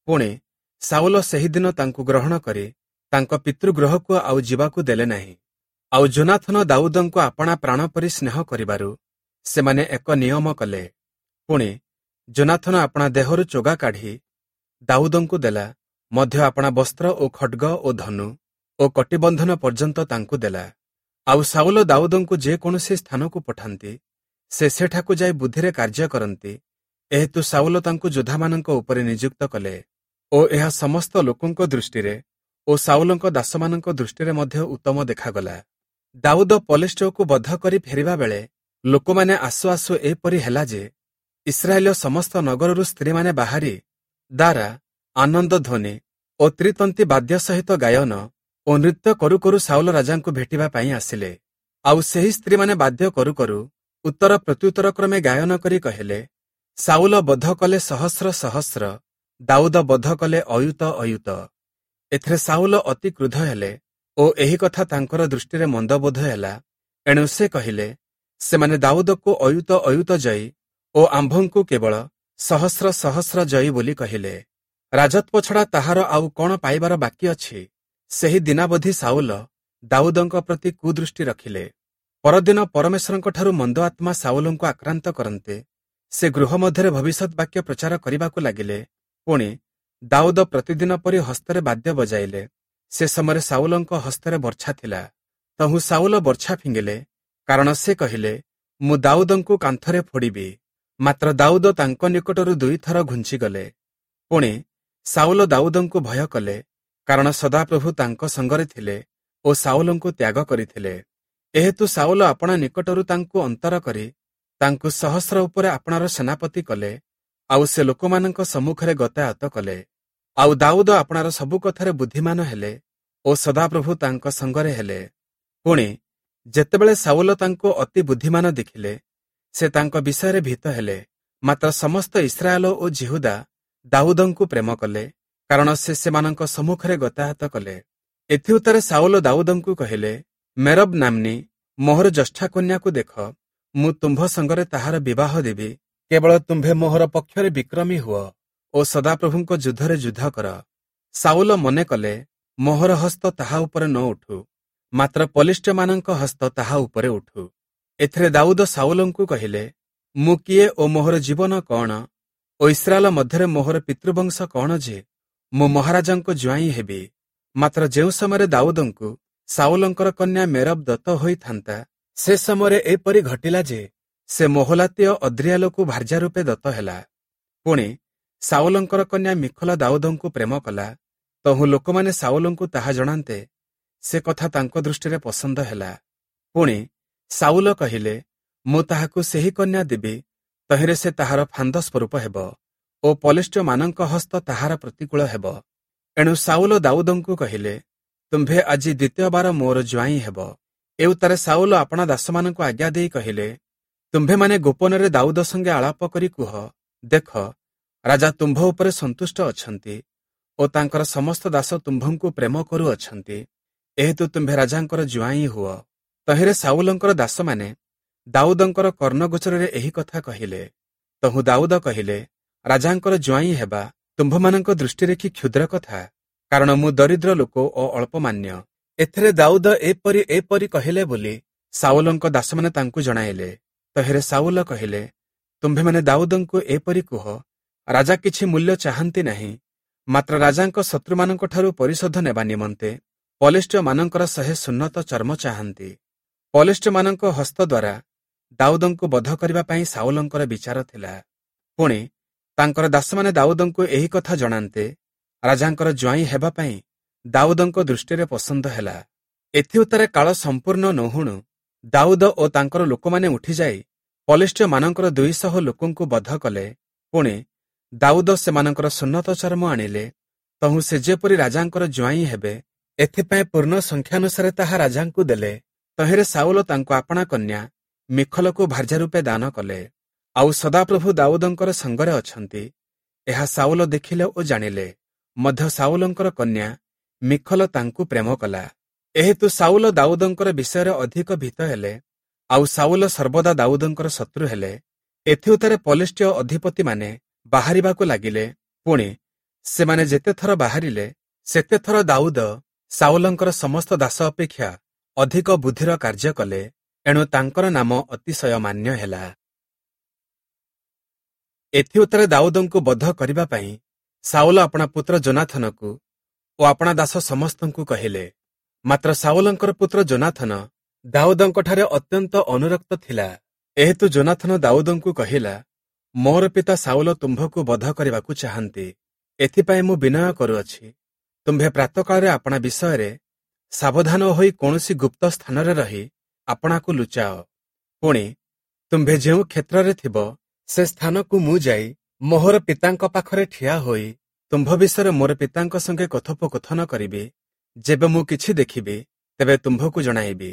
ପୁଣି ସାଉଲ ସେହିଦିନ ତାଙ୍କୁ ଗ୍ରହଣ କରି ତାଙ୍କ ପିତୃଗୃହକୁ ଆଉ ଯିବାକୁ ଦେଲେ ନାହିଁ। ଆଉ ଯୋନାଥନ ଦାଉଦଙ୍କୁ ଆପଣା ପ୍ରାଣ ପରି ସ୍ନେହ କରିବାରୁ ସେମାନେ ଏକ ନିୟମ କଲେ। ପୁଣି ଯୋନାଥନ ଆପଣା ଦେହରୁ ଚୋଗା କାଢ଼ି ଦାଉଦଙ୍କୁ ଦେଲା, ମଧ୍ୟ ଆପଣା ବସ୍ତ୍ର ଓ ଖଡ୍ଗ ଓ ଧନୁ ଓ କଟିବନ୍ଧନ ପର୍ଯ୍ୟନ୍ତ ତାଙ୍କୁ ଦେଲା। ଆଉ ସାଉଲ ଦାଉଦଙ୍କୁ ଯେକୌଣସି ସ୍ଥାନକୁ ପଠାନ୍ତି, ସେ ସେଠାକୁ ଯାଇ ବୁଦ୍ଧିରେ କାର୍ଯ୍ୟ କରନ୍ତି। ଏହେତୁ ସାଉଲ ତାଙ୍କୁ ଯୋଦ୍ଧାମାନଙ୍କ ଉପରେ ନିଯୁକ୍ତ କଲେ ଓ ଏହା ସମସ୍ତ ଲୋକଙ୍କ ଦୃଷ୍ଟିରେ ଓ ସାଉଲଙ୍କ ଦାସମାନଙ୍କ ଦୃଷ୍ଟିରେ ମଧ୍ୟ ଉତ୍ତମ ଦେଖାଗଲା। ଦାଉଦ ପଲିଷ୍ଠ୍ୟକୁ ବଧ କରି ଫେରିବା ବେଳେ ଲୋକମାନେ ଆସୁ ଆସୁ ଏପରି ହେଲା ଯେ ଇସ୍ରାଏଲୀୟ ସମସ୍ତ ନଗରରୁ ସ୍ତ୍ରୀମାନେ ବାହାରି ଦାରା, ଆନନ୍ଦ ଧ୍ୱନି ଓ ତ୍ରିତନ୍ତୀ ବାଦ୍ୟ ସହିତ ଗାୟନ ଓ ନୃତ୍ୟ କରୁ କରୁ ସାଉଲ ରାଜାଙ୍କୁ ଭେଟିବା ପାଇଁ ଆସିଲେ। ଆଉ ସେହି ସ୍ତ୍ରୀମାନେ ବାଦ୍ୟ କରୁ କରୁ ଉତ୍ତର ପ୍ରତ୍ୟୁତ୍ତର କ୍ରମେ ଗାୟନ କରି କହିଲେ, ସାଉଲ ବଧ କଲେ ସହସ୍ର ସହସ୍ର, ଦାଉଦ ବଧ କଲେ ଅୟୁତ ଅୟୁତ। ଏଥିରେ ସାଉଲ ଅତି କ୍ରୁଦ୍ଧ ହେଲେ ଓ ଏହି କଥା ତାଙ୍କର ଦୃଷ୍ଟିରେ ମନ୍ଦବୋଧ ହେଲା। ଏଣୁ ସେ କହିଲେ, ସେମାନେ ଦାଉଦକୁ ଅୟୁତ ଅୟୁତ ଜୟୀ ଓ ଆମ୍ଭଙ୍କୁ କେବଳ ସହସ୍ର ସହସ୍ର ଜୟୀ ବୋଲି କହିଲେ। ରାଜତ୍ୱ ଛଡ଼ା ତାହାର ଆଉ କଣ ପାଇବାର ବାକି ଅଛି? ସେହି ଦିନାବଧି ସାଉଲ ଦାଉଦଙ୍କ ପ୍ରତି କୁଦୃଷ୍ଟି ରଖିଲେ। ପରଦିନ ପରମେଶ୍ୱରଙ୍କଠାରୁ ମନ୍ଦ ଆତ୍ମା ସାଉଲଙ୍କୁ ଆକ୍ରାନ୍ତ କରନ୍ତେ ସେ ଗୃହ ମଧ୍ୟରେ ଭବିଷ୍ୟତ ବାକ୍ୟ ପ୍ରଚାର କରିବାକୁ ଲାଗିଲେ। ପୁଣି ଦାଉଦ ପ୍ରତିଦିନ ପରି ହସ୍ତରେ ବାଦ୍ୟ ବଜାଇଲେ। ସେ ସମୟରେ ସାଉଲଙ୍କ ହସ୍ତରେ ବର୍ଚ୍ଛା ଥିଲା। ତହୁଁ ସାଉଲ ବର୍ଚ୍ଛା ଫିଙ୍ଗିଲେ, କାରଣ ସେ କହିଲେ, ମୁଁ ଦାଉଦଙ୍କୁ କାନ୍ଥରେ ଫୋଡ଼ିବି। ମାତ୍ର ଦାଉଦ ତାଙ୍କ ନିକଟରୁ ଦୁଇଥର ଘୁଞ୍ଚିଗଲେ। ପୁଣି ସାଉଲ ଦାଉଦଙ୍କୁ ଭୟ କଲେ, କାରଣ ସଦାପ୍ରଭୁ ତାଙ୍କ ସଙ୍ଗରେ ଥିଲେ ଓ ସାଉଲଙ୍କୁ ତ୍ୟାଗ କରିଥିଲେ। ଏହେତୁ ସାଉଲ ଆପଣା ନିକଟରୁ ତାଙ୍କୁ ଅନ୍ତର କରି ତାଙ୍କୁ ସହସ୍ର ଉପରେ ଆପଣାର ସେନାପତି କଲେ, ଆଉ ସେ ଲୋକମାନଙ୍କ ସମ୍ମୁଖରେ ଗତାୟତ କଲେ। ଆଉ ଦାଉଦ ଆପଣାର ସବୁ କଥାରେ ବୁଦ୍ଧିମାନ ହେଲେ ଓ ସଦାପ୍ରଭୁ ତାଙ୍କ ସଙ୍ଗରେ ହେଲେ। ପୁଣି ଯେତେବେଳେ ସାଉଲ ତାଙ୍କୁ ଅତି ବୁଦ୍ଧିମାନ ଦେଖିଲେ, ସେ ତାଙ୍କ ବିଷୟରେ ଭୀତ ହେଲେ। ମାତ୍ର ସମସ୍ତ ଇସ୍ରାଏଲ ଓ ଯିହୁଦା ଦାଉଦଙ୍କୁ ପ୍ରେମ କଲେ, କାରଣ ସେ ସେମାନଙ୍କ ସମ୍ମୁଖରେ ଗତାୟତ କଲେ। ଏଥିଉତ୍ତାରେ ସାଉଲ ଦାଉଦଙ୍କୁ କହିଲେ, ମେରବ ନାମ୍ନୀ ମୋହର ଜ୍ୟେଷ୍ଠା କନ୍ୟାକୁ ଦେଖ, ମୁଁ ତୁମ୍ଭ ସଙ୍ଗରେ ତାହାର ବିବାହ ଦେବି। କେବଳ ତୁମ୍ଭେ ମୋହର ପକ୍ଷରେ ବିକ୍ରମୀ ହୁଅ ଓ ସଦାପ୍ରଭୁଙ୍କ ଯୁଦ୍ଧରେ ଯୁଦ୍ଧ କର। ସାଉଲ ମନେ କଲେ, ମୋହର ହସ୍ତ ତାହା ଉପରେ ନ ଉଠୁ, ମାତ୍ର ପଲିଷ୍ଠ୍ୟମାନଙ୍କ ହସ୍ତ ତାହା ଉପରେ ଉଠୁ। ଏଥିରେ ଦାଉଦ ସାଉଲଙ୍କୁ କହିଲେ, ମୁଁ କିଏ ଓ ମୋହର ଜୀବନ କଣ ଓ ଇସ୍ରାଏଲ ମଧ୍ୟରେ ମୋହର ପିତୃବଂଶ କଣ ଯେ ମୁଁ ମହାରାଜାଙ୍କ ଜ୍ୱାଇଁ ହେବି? ମାତ୍ର ଯେଉଁ ସମୟରେ ଦାଉଦଙ୍କୁ ସାଉଲଙ୍କର କନ୍ୟା ମେରବ ଦତ୍ତ ହୋଇଥାନ୍ତା, ସେ ସମୟରେ ଏପରି ଘଟିଲା ଯେ ସେ ମୋହଲାତୀୟ ଅଦ୍ରିୟାଲକୁ ଭାର୍ଯ୍ୟା ରୂପେ ଦତ୍ତ ହେଲା। ପୁଣି ସାଉଲଙ୍କର କନ୍ୟା ମିଖଲା ଦାଉଦଙ୍କୁ ପ୍ରେମ କଲା। ତହୁଁ ଲୋକମାନେ ସାଉଲଙ୍କୁ ତାହା ଜଣାନ୍ତେ, ସେ କଥା ତାଙ୍କ ଦୃଷ୍ଟିରେ ପସନ୍ଦ ହେଲା। ପୁଣି ସାଉଲ କହିଲେ, ମୁଁ ତାହାକୁ ସେହି କନ୍ୟା ଦେବି, ତହିଁରେ ସେ ତାହାର ଫାନ୍ଦ ସ୍ୱରୂପ ହେବ ଓ ପଲେଷ୍ଟୀୟମାନଙ୍କ ହସ୍ତ ତାହାର ପ୍ରତିକୂଳ ହେବ। ଏଣୁ ସାଉଲ ଦାଉଦଙ୍କୁ କହିଲେ, ତୁମ୍ଭେ ଆଜି ଦ୍ୱିତୀୟବାର ମୋର ଜ୍ୱାଇଁ ହେବ। ଏଉତ୍ତାରେ ସାଉଲ ଆପଣା ଦାସମାନଙ୍କୁ ଆଜ୍ଞା ଦେଇ କହିଲେ, ତୁମ୍ଭେମାନେ ଗୋପନରେ ଦାଉଦ ସଙ୍ଗେ ଆଳାପ କରି କୁହ, ଦେଖ, ରାଜା ତୁମ୍ଭ ଉପରେ ସନ୍ତୁଷ୍ଟ ଅଛନ୍ତି ଓ ତାଙ୍କର ସମସ୍ତ ଦାସ ତୁମ୍ଭଙ୍କୁ ପ୍ରେମ କରୁଅଛନ୍ତି, ଏହେତୁ ତୁମ୍ଭେ ରାଜାଙ୍କର ଜ୍ୱାଇଁ ହୁଅ। ତହିଁରେ ସାଉଲଙ୍କର ଦାସମାନେ ଦାଉଦଙ୍କର କର୍ଣ୍ଣଗୋଚରରେ ଏହି କଥା କହିଲେ। ତହୁଁ ଦାଉଦ କହିଲେ, ରାଜାଙ୍କର ଜ୍ୱାଇଁ ହେବା ତୁମ୍ଭମାନଙ୍କ ଦୃଷ୍ଟିରେ କି କ୍ଷୁଦ୍ର କଥା? କାରଣ ମୁଁ ଦରିଦ୍ର ଲୋକ ଓ ଅଳ୍ପମାନ୍ୟ। ଏଥିରେ ଦାଉଦ ଏପରି ଏପରି କହିଲେ ବୋଲି ସାଉଲଙ୍କ ଦାସମାନେ ତାଙ୍କୁ ଜଣାଇଲେ। ତହିଁରେ ସାଉଲ କହିଲେ, ତୁମ୍ଭେମାନେ ଦାଉଦଙ୍କୁ ଏପରି କୁହ, ରାଜା କିଛି ମୂଲ୍ୟ ଚାହାନ୍ତି ନାହିଁ, ମାତ୍ର ରାଜାଙ୍କ ଶତ୍ରୁମାନଙ୍କଠାରୁ ପରିଶୋଧ ନେବା ନିମନ୍ତେ ପଲେଷ୍ଟୀୟମାନଙ୍କର ଶହେ ସୁନ୍ନତ ଚର୍ମ ଚାହାନ୍ତି। ପଲେଷ୍ଟୀୟମାନଙ୍କ ହସ୍ତ ଦ୍ୱାରା ଦାଉଦଙ୍କୁ ବଧ କରିବା ପାଇଁ ସାଉଲଙ୍କର ବିଚାର ଥିଲା। ପୁଣି ତାଙ୍କର ଦାସମାନେ ଦାଉଦଙ୍କୁ ଏହି କଥା ଜଣାନ୍ତେ ରାଜାଙ୍କର ଜ୍ୱାଇଁ ହେବା ପାଇଁ ଦାଉଦଙ୍କ ଦୃଷ୍ଟିରେ ପସନ୍ଦ ହେଲା। ଏଥିଉତ୍ତାରେ କାଳ ସମ୍ପୂର୍ଣ୍ଣ ନହୁଣୁ ଦାଉଦ ଓ ତାଙ୍କର ଲୋକମାନେ ଉଠିଯାଇ ପଲେଷ୍ଟୀୟମାନଙ୍କର ଦୁଇଶହ ଲୋକଙ୍କୁ ବଧ କଲେ। ପୁଣି ଦାଉଦ ସେମାନଙ୍କର ସୁନ୍ନତ ଚର୍ମ ଆଣିଲେ। ତହୁଁ ସେ ଯେପରି ରାଜାଙ୍କର ଜ୍ୱାଇଁ ହେବେ, ଏଥିପାଇଁ ପୂର୍ଣ୍ଣ ସଂଖ୍ୟାନୁସାରେ ତାହା ରାଜାଙ୍କୁ ଦେଲେ। ତହିଁରେ ସାଉଲ ତାଙ୍କୁ ଆପଣା କନ୍ୟା ମିଖଲକୁ ଭାର୍ଯ୍ୟା ରୂପେ ଦାନ କଲେ। ଆଉ ସଦାପ୍ରଭୁ ଦାଉଦଙ୍କର ସଙ୍ଗରେ ଅଛନ୍ତି, ଏହା ସାଉଲ ଦେଖିଲେ ଓ ଜାଣିଲେ। ମଧ୍ୟ ସାଉଲଙ୍କର କନ୍ୟା ମିଖଲ ତାଙ୍କୁ ପ୍ରେମ କଲା। ଏହେତୁ ସାଉଲ ଦାଉଦଙ୍କର ବିଷୟରେ ଅଧିକ ଭୀତ ହେଲେ, ଆଉ ସାଉଲ ସର୍ବଦା ଦାଉଦଙ୍କର ଶତ୍ରୁ ହେଲେ। ଏଥିଉତ୍ତାରେ ପଲେଷ୍ଟୀୟ ଅଧିପତିମାନେ ବାହାରିବାକୁ ଲାଗିଲେ। ପୁଣି ସେମାନେ ଯେତେଥର ବାହାରିଲେ, ସେତେଥର ଦାଉଦ ସାଉଲଙ୍କର ସମସ୍ତ ଦାସ ଅପେକ୍ଷା ଅଧିକ ବୁଦ୍ଧିର କାର୍ଯ୍ୟ କଲେ। ଏଣୁ ତାଙ୍କର ନାମ ଅତିଶୟ ମାନ୍ୟ ହେଲା। ଏଥିଉତ୍ତାରେ ଦାଉଦଙ୍କୁ ବଧ କରିବା ପାଇଁ ସାଉଲ ଆପଣା ପୁତ୍ର ଯୋନାଥନକୁ ଓ ଆପଣା ଦାସ ସମସ୍ତଙ୍କୁ କହିଲେ। ମାତ୍ର ସାଉଲଙ୍କର ପୁତ୍ର ଯୋନାଥନ ଦାଉଦଙ୍କଠାରେ ଅତ୍ୟନ୍ତ ଅନୁରକ୍ତ ଥିଲା। ଏହେତୁ ଯୋନାଥନ ଦାଉଦଙ୍କୁ କହିଲା, ମୋର ପିତା ସାଉଲ ତୁମ୍ଭକୁ ବଧ କରିବାକୁ ଚାହାନ୍ତି, ଏଥିପାଇଁ ମୁଁ ବିନୟ କରୁଅଛି, ତୁମ୍ଭେ ପ୍ରାତଃକାଳରେ ଆପଣା ବିଷୟରେ ସାବଧାନ ହୋଇ କୌଣସି ଗୁପ୍ତ ସ୍ଥାନରେ ରହି ଆପଣାକୁ ଲୁଚାଅ। ପୁଣି ତୁମ୍ଭେ ଯେଉଁ କ୍ଷେତ୍ରରେ ଥିବ, ସେ ସ୍ଥାନକୁ ମୁଁ ଯାଇ ମୋହର ପିତାଙ୍କ ପାଖରେ ଠିଆ ହୋଇ ତୁମ୍ଭ ବିଷୟରେ ମୋର ପିତାଙ୍କ ସଙ୍ଗେ କଥୋପକଥନ କରିବି। ଯେବେ ମୁଁ କିଛି ଦେଖିବି, ତେବେ ତୁମ୍ଭକୁ ଜଣାଇବି।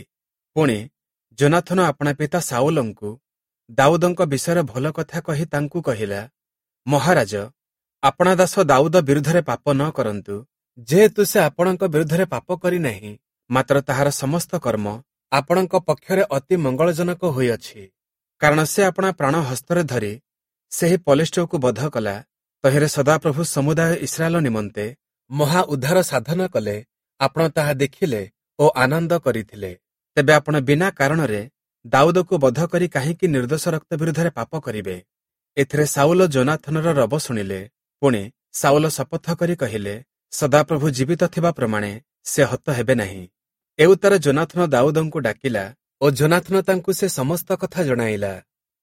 ପୁଣି ଯୋନାଥନ ଆପଣା ପିତା ସାଉଲଙ୍କୁ ଦାଉଦଙ୍କ ବିଷୟରେ ଭଲ କଥା କହି ତାଙ୍କୁ କହିଲା, ମହାରାଜ, ଆପଣା ଦାସ ଦାଉଦ ବିରୁଦ୍ଧରେ ପାପ ନ କରନ୍ତୁ, ଯେହେତୁ ସେ ଆପଣଙ୍କ ବିରୁଦ୍ଧରେ ପାପ କରିନାହିଁ, ମାତ୍ର ତାହାର ସମସ୍ତ କର୍ମ ଆପଣଙ୍କ ପକ୍ଷରେ ଅତି ମଙ୍ଗଳଜନକ ହୋଇଅଛି। କାରଣ ସେ ଆପଣା ପ୍ରାଣ ହସ୍ତରେ ଧରି ସେହି ପଲେଷ୍ଟୀୟକୁ ବଧ କଲା। ତହିଁରେ ସଦାପ୍ରଭୁ ସମୁଦାୟ ଇସ୍ରାଏଲ ନିମନ୍ତେ ମହା ଉଦ୍ଧାର ସାଧନ କଲେ। ଆପଣ ତାହା ଦେଖିଲେ ଓ ଆନନ୍ଦ କରିଥିଲେ। ତେବେ ଆପଣ ବିନା କାରଣରେ ଦାଉଦକୁ ବଧ କରି କାହିଁକି ନିର୍ଦ୍ଦୋଷ ରକ୍ତ ବିରୁଦ୍ଧରେ ପାପ କରିବେ? ଏଥିରେ ସାଉଲ ଯୋନାଥନର ରବ ଶୁଣିଲେ। ପୁଣି ସାଉଲ ଶପଥ କରି କହିଲେ, ସଦାପ୍ରଭୁ ଜୀବିତ ଥିବା ପ୍ରମାଣେ ସେ ହତ ହେବେ ନାହିଁ। ଏଉତ୍ତାରେ ଯୋନାଥନ ଦାଉଦଙ୍କୁ ଡାକିଲା ଓ ଯୋନାଥନ ତାଙ୍କୁ ସେ ସମସ୍ତ କଥା ଜଣାଇଲା।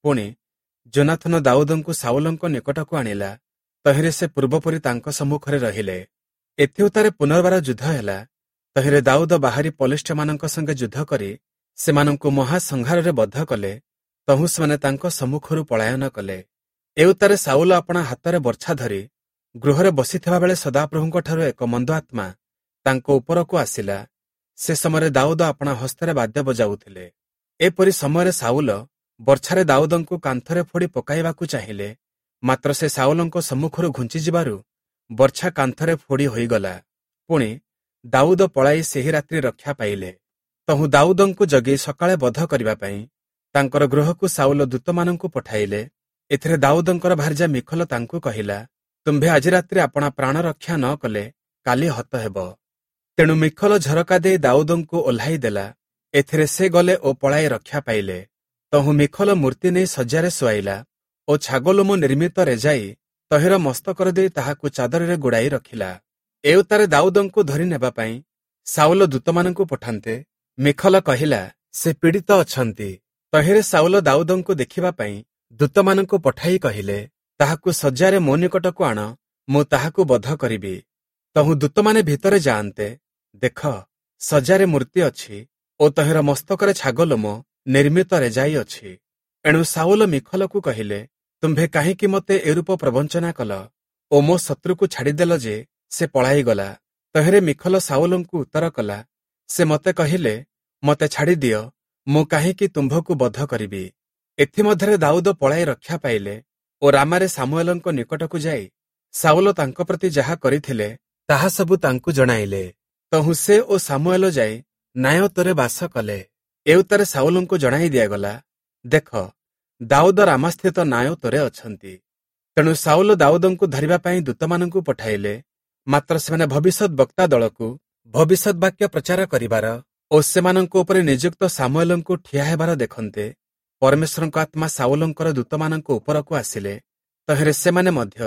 ପୁଣି ଯୋନାଥନ ଦାଉଦଙ୍କୁ ସାଉଲଙ୍କ ନିକଟକୁ ଆଣିଲା। ତହିଁରେ ସେ ପୂର୍ବପରି ତାଙ୍କ ସମ୍ମୁଖରେ ରହିଲେ। ଏଥିଉତ୍ତାରେ ପୁନର୍ବାର ଯୁଦ୍ଧ ହେଲା। ତହିଁରେ ଦାଉଦ ବାହାରି ପଲେଷ୍ଟୀୟମାନଙ୍କ ସଙ୍ଗେ ଯୁଦ୍ଧ କରି ସେମାନଙ୍କୁ ମହାସଂହାରରେ ବଧ କଲେ। ତହୁଁ ସେମାନେ ତାଙ୍କ ସମ୍ମୁଖରୁ ପଳାୟନ କଲେ। ଏଉତ୍ତାରେ ସାଉଲ ଆପଣା ହାତରେ ବର୍ଚ୍ଛା ଧରି ଗୃହରେ ବସିଥିବା ବେଳେ ସଦାପ୍ରଭୁଙ୍କଠାରୁ ଏକ ମନ୍ଦ ଆତ୍ମା ତାଙ୍କ ଉପରକୁ ଆସିଲା। ସେ ସମୟରେ ଦାଉଦ ଆପଣା ହସ୍ତରେ ବାଦ୍ୟ ବଜାଉଥିଲେ। ଏପରି ସମୟରେ ସାଉଲ ବର୍ଚ୍ଛାରେ ଦାଉଦଙ୍କୁ କାନ୍ଥରେ ଫୋଡ଼ି ପକାଇବାକୁ ଚାହିଁଲେ, ମାତ୍ର ସେ ସାଉଲଙ୍କ ସମ୍ମୁଖରୁ ଘୁଞ୍ଚିଯିବାରୁ ବର୍ଚ୍ଛା କାନ୍ଥରେ ଫୋଡ଼ି ହୋଇଗଲା। ପୁଣି ଦାଉଦ ପଳାଇ ସେହି ରାତ୍ରି ରକ୍ଷା ପାଇଲେ। ତହୁଁ ଦାଉଦଙ୍କୁ ଜଗି ସକାଳେ ବଧ କରିବା ପାଇଁ ତାଙ୍କର ଗୃହକୁ ସାଉଲ ଦୂତମାନଙ୍କୁ ପଠାଇଲେ। ଏଥିରେ ଦାଉଦଙ୍କର ଭାର୍ଯ୍ୟା ମିଖଲ ତାଙ୍କୁ କହିଲା, ତୁମ୍ଭେ ଆଜି ରାତ୍ରି ଆପଣା ପ୍ରାଣ ରକ୍ଷା ନ କଲେ କାଲି ହତ ହେବ। ତେଣୁ ମିଖଲ ଝରକା ଦେଇ ଦାଉଦଙ୍କୁ ଓହ୍ଲାଇ ଦେଲା। ଏଥିରେ ସେ ଗଲେ ଓ ପଳାଇ ରକ୍ଷା ପାଇଲେ। ତହୁଁ ମିଖଲ ମୂର୍ତ୍ତି ନେଇ ଶଯ୍ୟାରେ ଶୁଆଇଲା ଓ ଛାଗଲୋମ ନିର୍ମିତ ରେଜାଇ ତହିଁର ମସ୍ତକରେ ଦେଇ ତାହାକୁ ଚାଦରରେ ଗୁଡ଼ାଇ ରଖିଲା। ଏଉତ୍ତାରେ ଦାଉଦଙ୍କୁ ଧରି ନେବା ପାଇଁ ସାଉଲ ଦୂତମାନଙ୍କୁ ପଠାନ୍ତେ ମିଖଲ କହିଲା, ସେ ପୀଡ଼ିତ ଅଛନ୍ତି। ତହିଁରେ ସାଉଲ ଦାଉଦଙ୍କୁ ଦେଖିବା ପାଇଁ ଦୂତମାନଙ୍କୁ ପଠାଇ କହିଲେ, ତାହାକୁ ଶଯ୍ୟାରେ ମୋ ନିକଟକୁ ଆଣ, ମୁଁ ତାହାକୁ ବଧ କରିବି। ତହୁଁ ଦୂତମାନେ ଭିତରେ ଯାଆନ୍ତେ, ଦେଖ, ସଜାରେ ମୂର୍ତ୍ତି ଅଛି ଓ ତହିଁର ମସ୍ତକରେ ଛାଗ ଲୋମ ନିର୍ମିତ ରେଜାଇ ଅଛି। ଏଣୁ ସାଉଲ ମିଖଲକୁ କହିଲେ, ତୁମ୍ଭେ କାହିଁକି ମୋତେ ଏରୂପ ପ୍ରବଞ୍ଚନା କଲ ଓ ମୋ ଶତ୍ରୁକୁ ଛାଡ଼ିଦେଲ ଯେ ସେ ପଳାଇଗଲା? ତହିଁରେ ମିଖଲ ସାଉଲଙ୍କୁ ଉତ୍ତର କଲା, ସେ ମୋତେ କହିଲେ, ମୋତେ ଛାଡ଼ିଦିଅ, ମୁଁ କାହିଁକି ତୁମ୍ଭକୁ ବଧ କରିବି? ଏଥିମଧ୍ୟରେ ଦାଉଦ ପଳାଇ ରକ୍ଷା ପାଇଲେ ଓ ରାମାରେ ସାମୁଏଲଙ୍କ ନିକଟକୁ ଯାଇ ସାଉଲ ତାଙ୍କ ପ୍ରତି ଯାହା କରିଥିଲେ ତାହା ସବୁ ତାଙ୍କୁ ଜଣାଇଲେ। ତହୁଁ ସେ ଓ ସାମୁଏଲ ଯାଇ ନାୟୋତରେ ବାସ କଲେ। ଏଉତ୍ତାରେ ସାଉଲଙ୍କୁ ଜଣାଇ ଦିଆଗଲା, ଦେଖ, ଦାଉଦ ରାମାସ୍ଥିତ ନାୟୋତରେ ଅଛନ୍ତି। ତେଣୁ ସାଉଲ ଦାଉଦଙ୍କୁ ଧରିବା ପାଇଁ ଦୂତମାନଙ୍କୁ ପଠାଇଲେ, ମାତ୍ର ସେମାନେ ଭବିଷ୍ୟତ ବକ୍ତା ଦଳକୁ ଭବିଷ୍ୟତ ବାକ୍ୟ ପ୍ରଚାର କରିବାର ଓ ସେମାନଙ୍କ ଉପରେ ନିଯୁକ୍ତ ସାମୁଏଲଙ୍କୁ ଠିଆ ହେବାର ଦେଖନ୍ତେ ପରମେଶ୍ୱରଙ୍କ ଆତ୍ମା ସାଉଲଙ୍କର ଦୂତମାନଙ୍କ ଉପରକୁ ଆସିଲେ। ତହିଁରେ ସେମାନେ ମଧ୍ୟ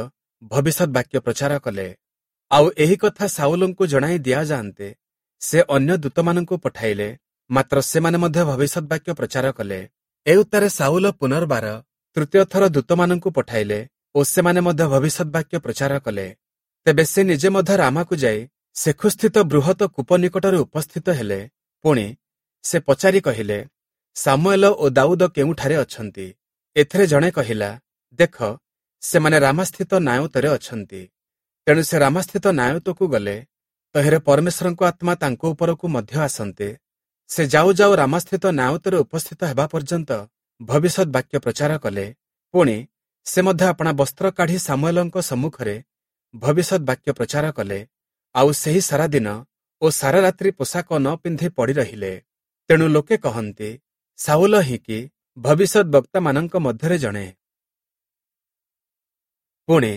ଭବିଷ୍ୟତ ବାକ୍ୟ ପ୍ରଚାର କଲେ। ଆଉ ଏହି କଥା ସାଉଲଙ୍କୁ ଜଣାଇ ଦିଆଯାଆନ୍ତେ ସେ ଅନ୍ୟ ଦୂତମାନଙ୍କୁ ପଠାଇଲେ, ମାତ୍ର ସେମାନେ ମଧ୍ୟ ଭବିଷ୍ୟତ ବାକ୍ୟ ପ୍ରଚାର କଲେ। ଏଉତ୍ତାରେ ସାଉଲ ପୁନର୍ବାର ତୃତୀୟ ଥର ଦୂତମାନଙ୍କୁ ପଠାଇଲେ ଓ ସେମାନେ ମଧ୍ୟ ଭବିଷ୍ୟତ ବାକ୍ୟ ପ୍ରଚାର କଲେ। ତେବେ ସେ ନିଜେ ମଧ୍ୟ ରାମାକୁ ଯାଇ ସେଖୁସ୍ଥିତ ବୃହତ କୂପ ନିକଟରେ ଉପସ୍ଥିତ ହେଲେ। ପୁଣି ସେ ପଚାରି କହିଲେ, ସାମୁଏଲ ଓ ଦାଉଦ କେଉଁଠାରେ ଅଛନ୍ତି? ଏଥିରେ ଜଣେ କହିଲା, ଦେଖ, ସେମାନେ ରାମାସ୍ଥିତ ନାୟୋତରେ ଅଛନ୍ତି। ତେଣୁ ସେ ରାମାସ୍ଥିତ ନାୟୋତକୁ ଗଲେ। ତହିଁରେ ପରମେଶ୍ୱରଙ୍କ ଆତ୍ମା ତାଙ୍କ ଉପରକୁ ମଧ୍ୟ ଆସନ୍ତେ ସେ ଯାଉ ଯାଉ ରାମାସ୍ଥିତ ନାୟୋତରେ ଉପସ୍ଥିତ ହେବା ପର୍ଯ୍ୟନ୍ତ ଭବିଷ୍ୟତ ବାକ୍ୟ ପ୍ରଚାର କଲେ। ପୁଣି ସେ ମଧ୍ୟ ଆପଣା ବସ୍ତ୍ର କାଢ଼ି ସାମୁଏଲଙ୍କ ସମ୍ମୁଖରେ ଭବିଷ୍ୟତ ବାକ୍ୟ ପ୍ରଚାର କଲେ। ଆଉ ସେହି ସାରା ଦିନ ଓ ସାରା ରାତ୍ରି ପୋଷାକ ନ ପିନ୍ଧି ପଡ଼ି ରହିଲେ। ତେଣୁ ଲୋକେ କହନ୍ତି, ସାଉଲ ହିଁ କି ଭବିଷ୍ୟତ ବକ୍ତାମାନଙ୍କ ମଧ୍ୟରେ ଜଣେ? ପୁଣି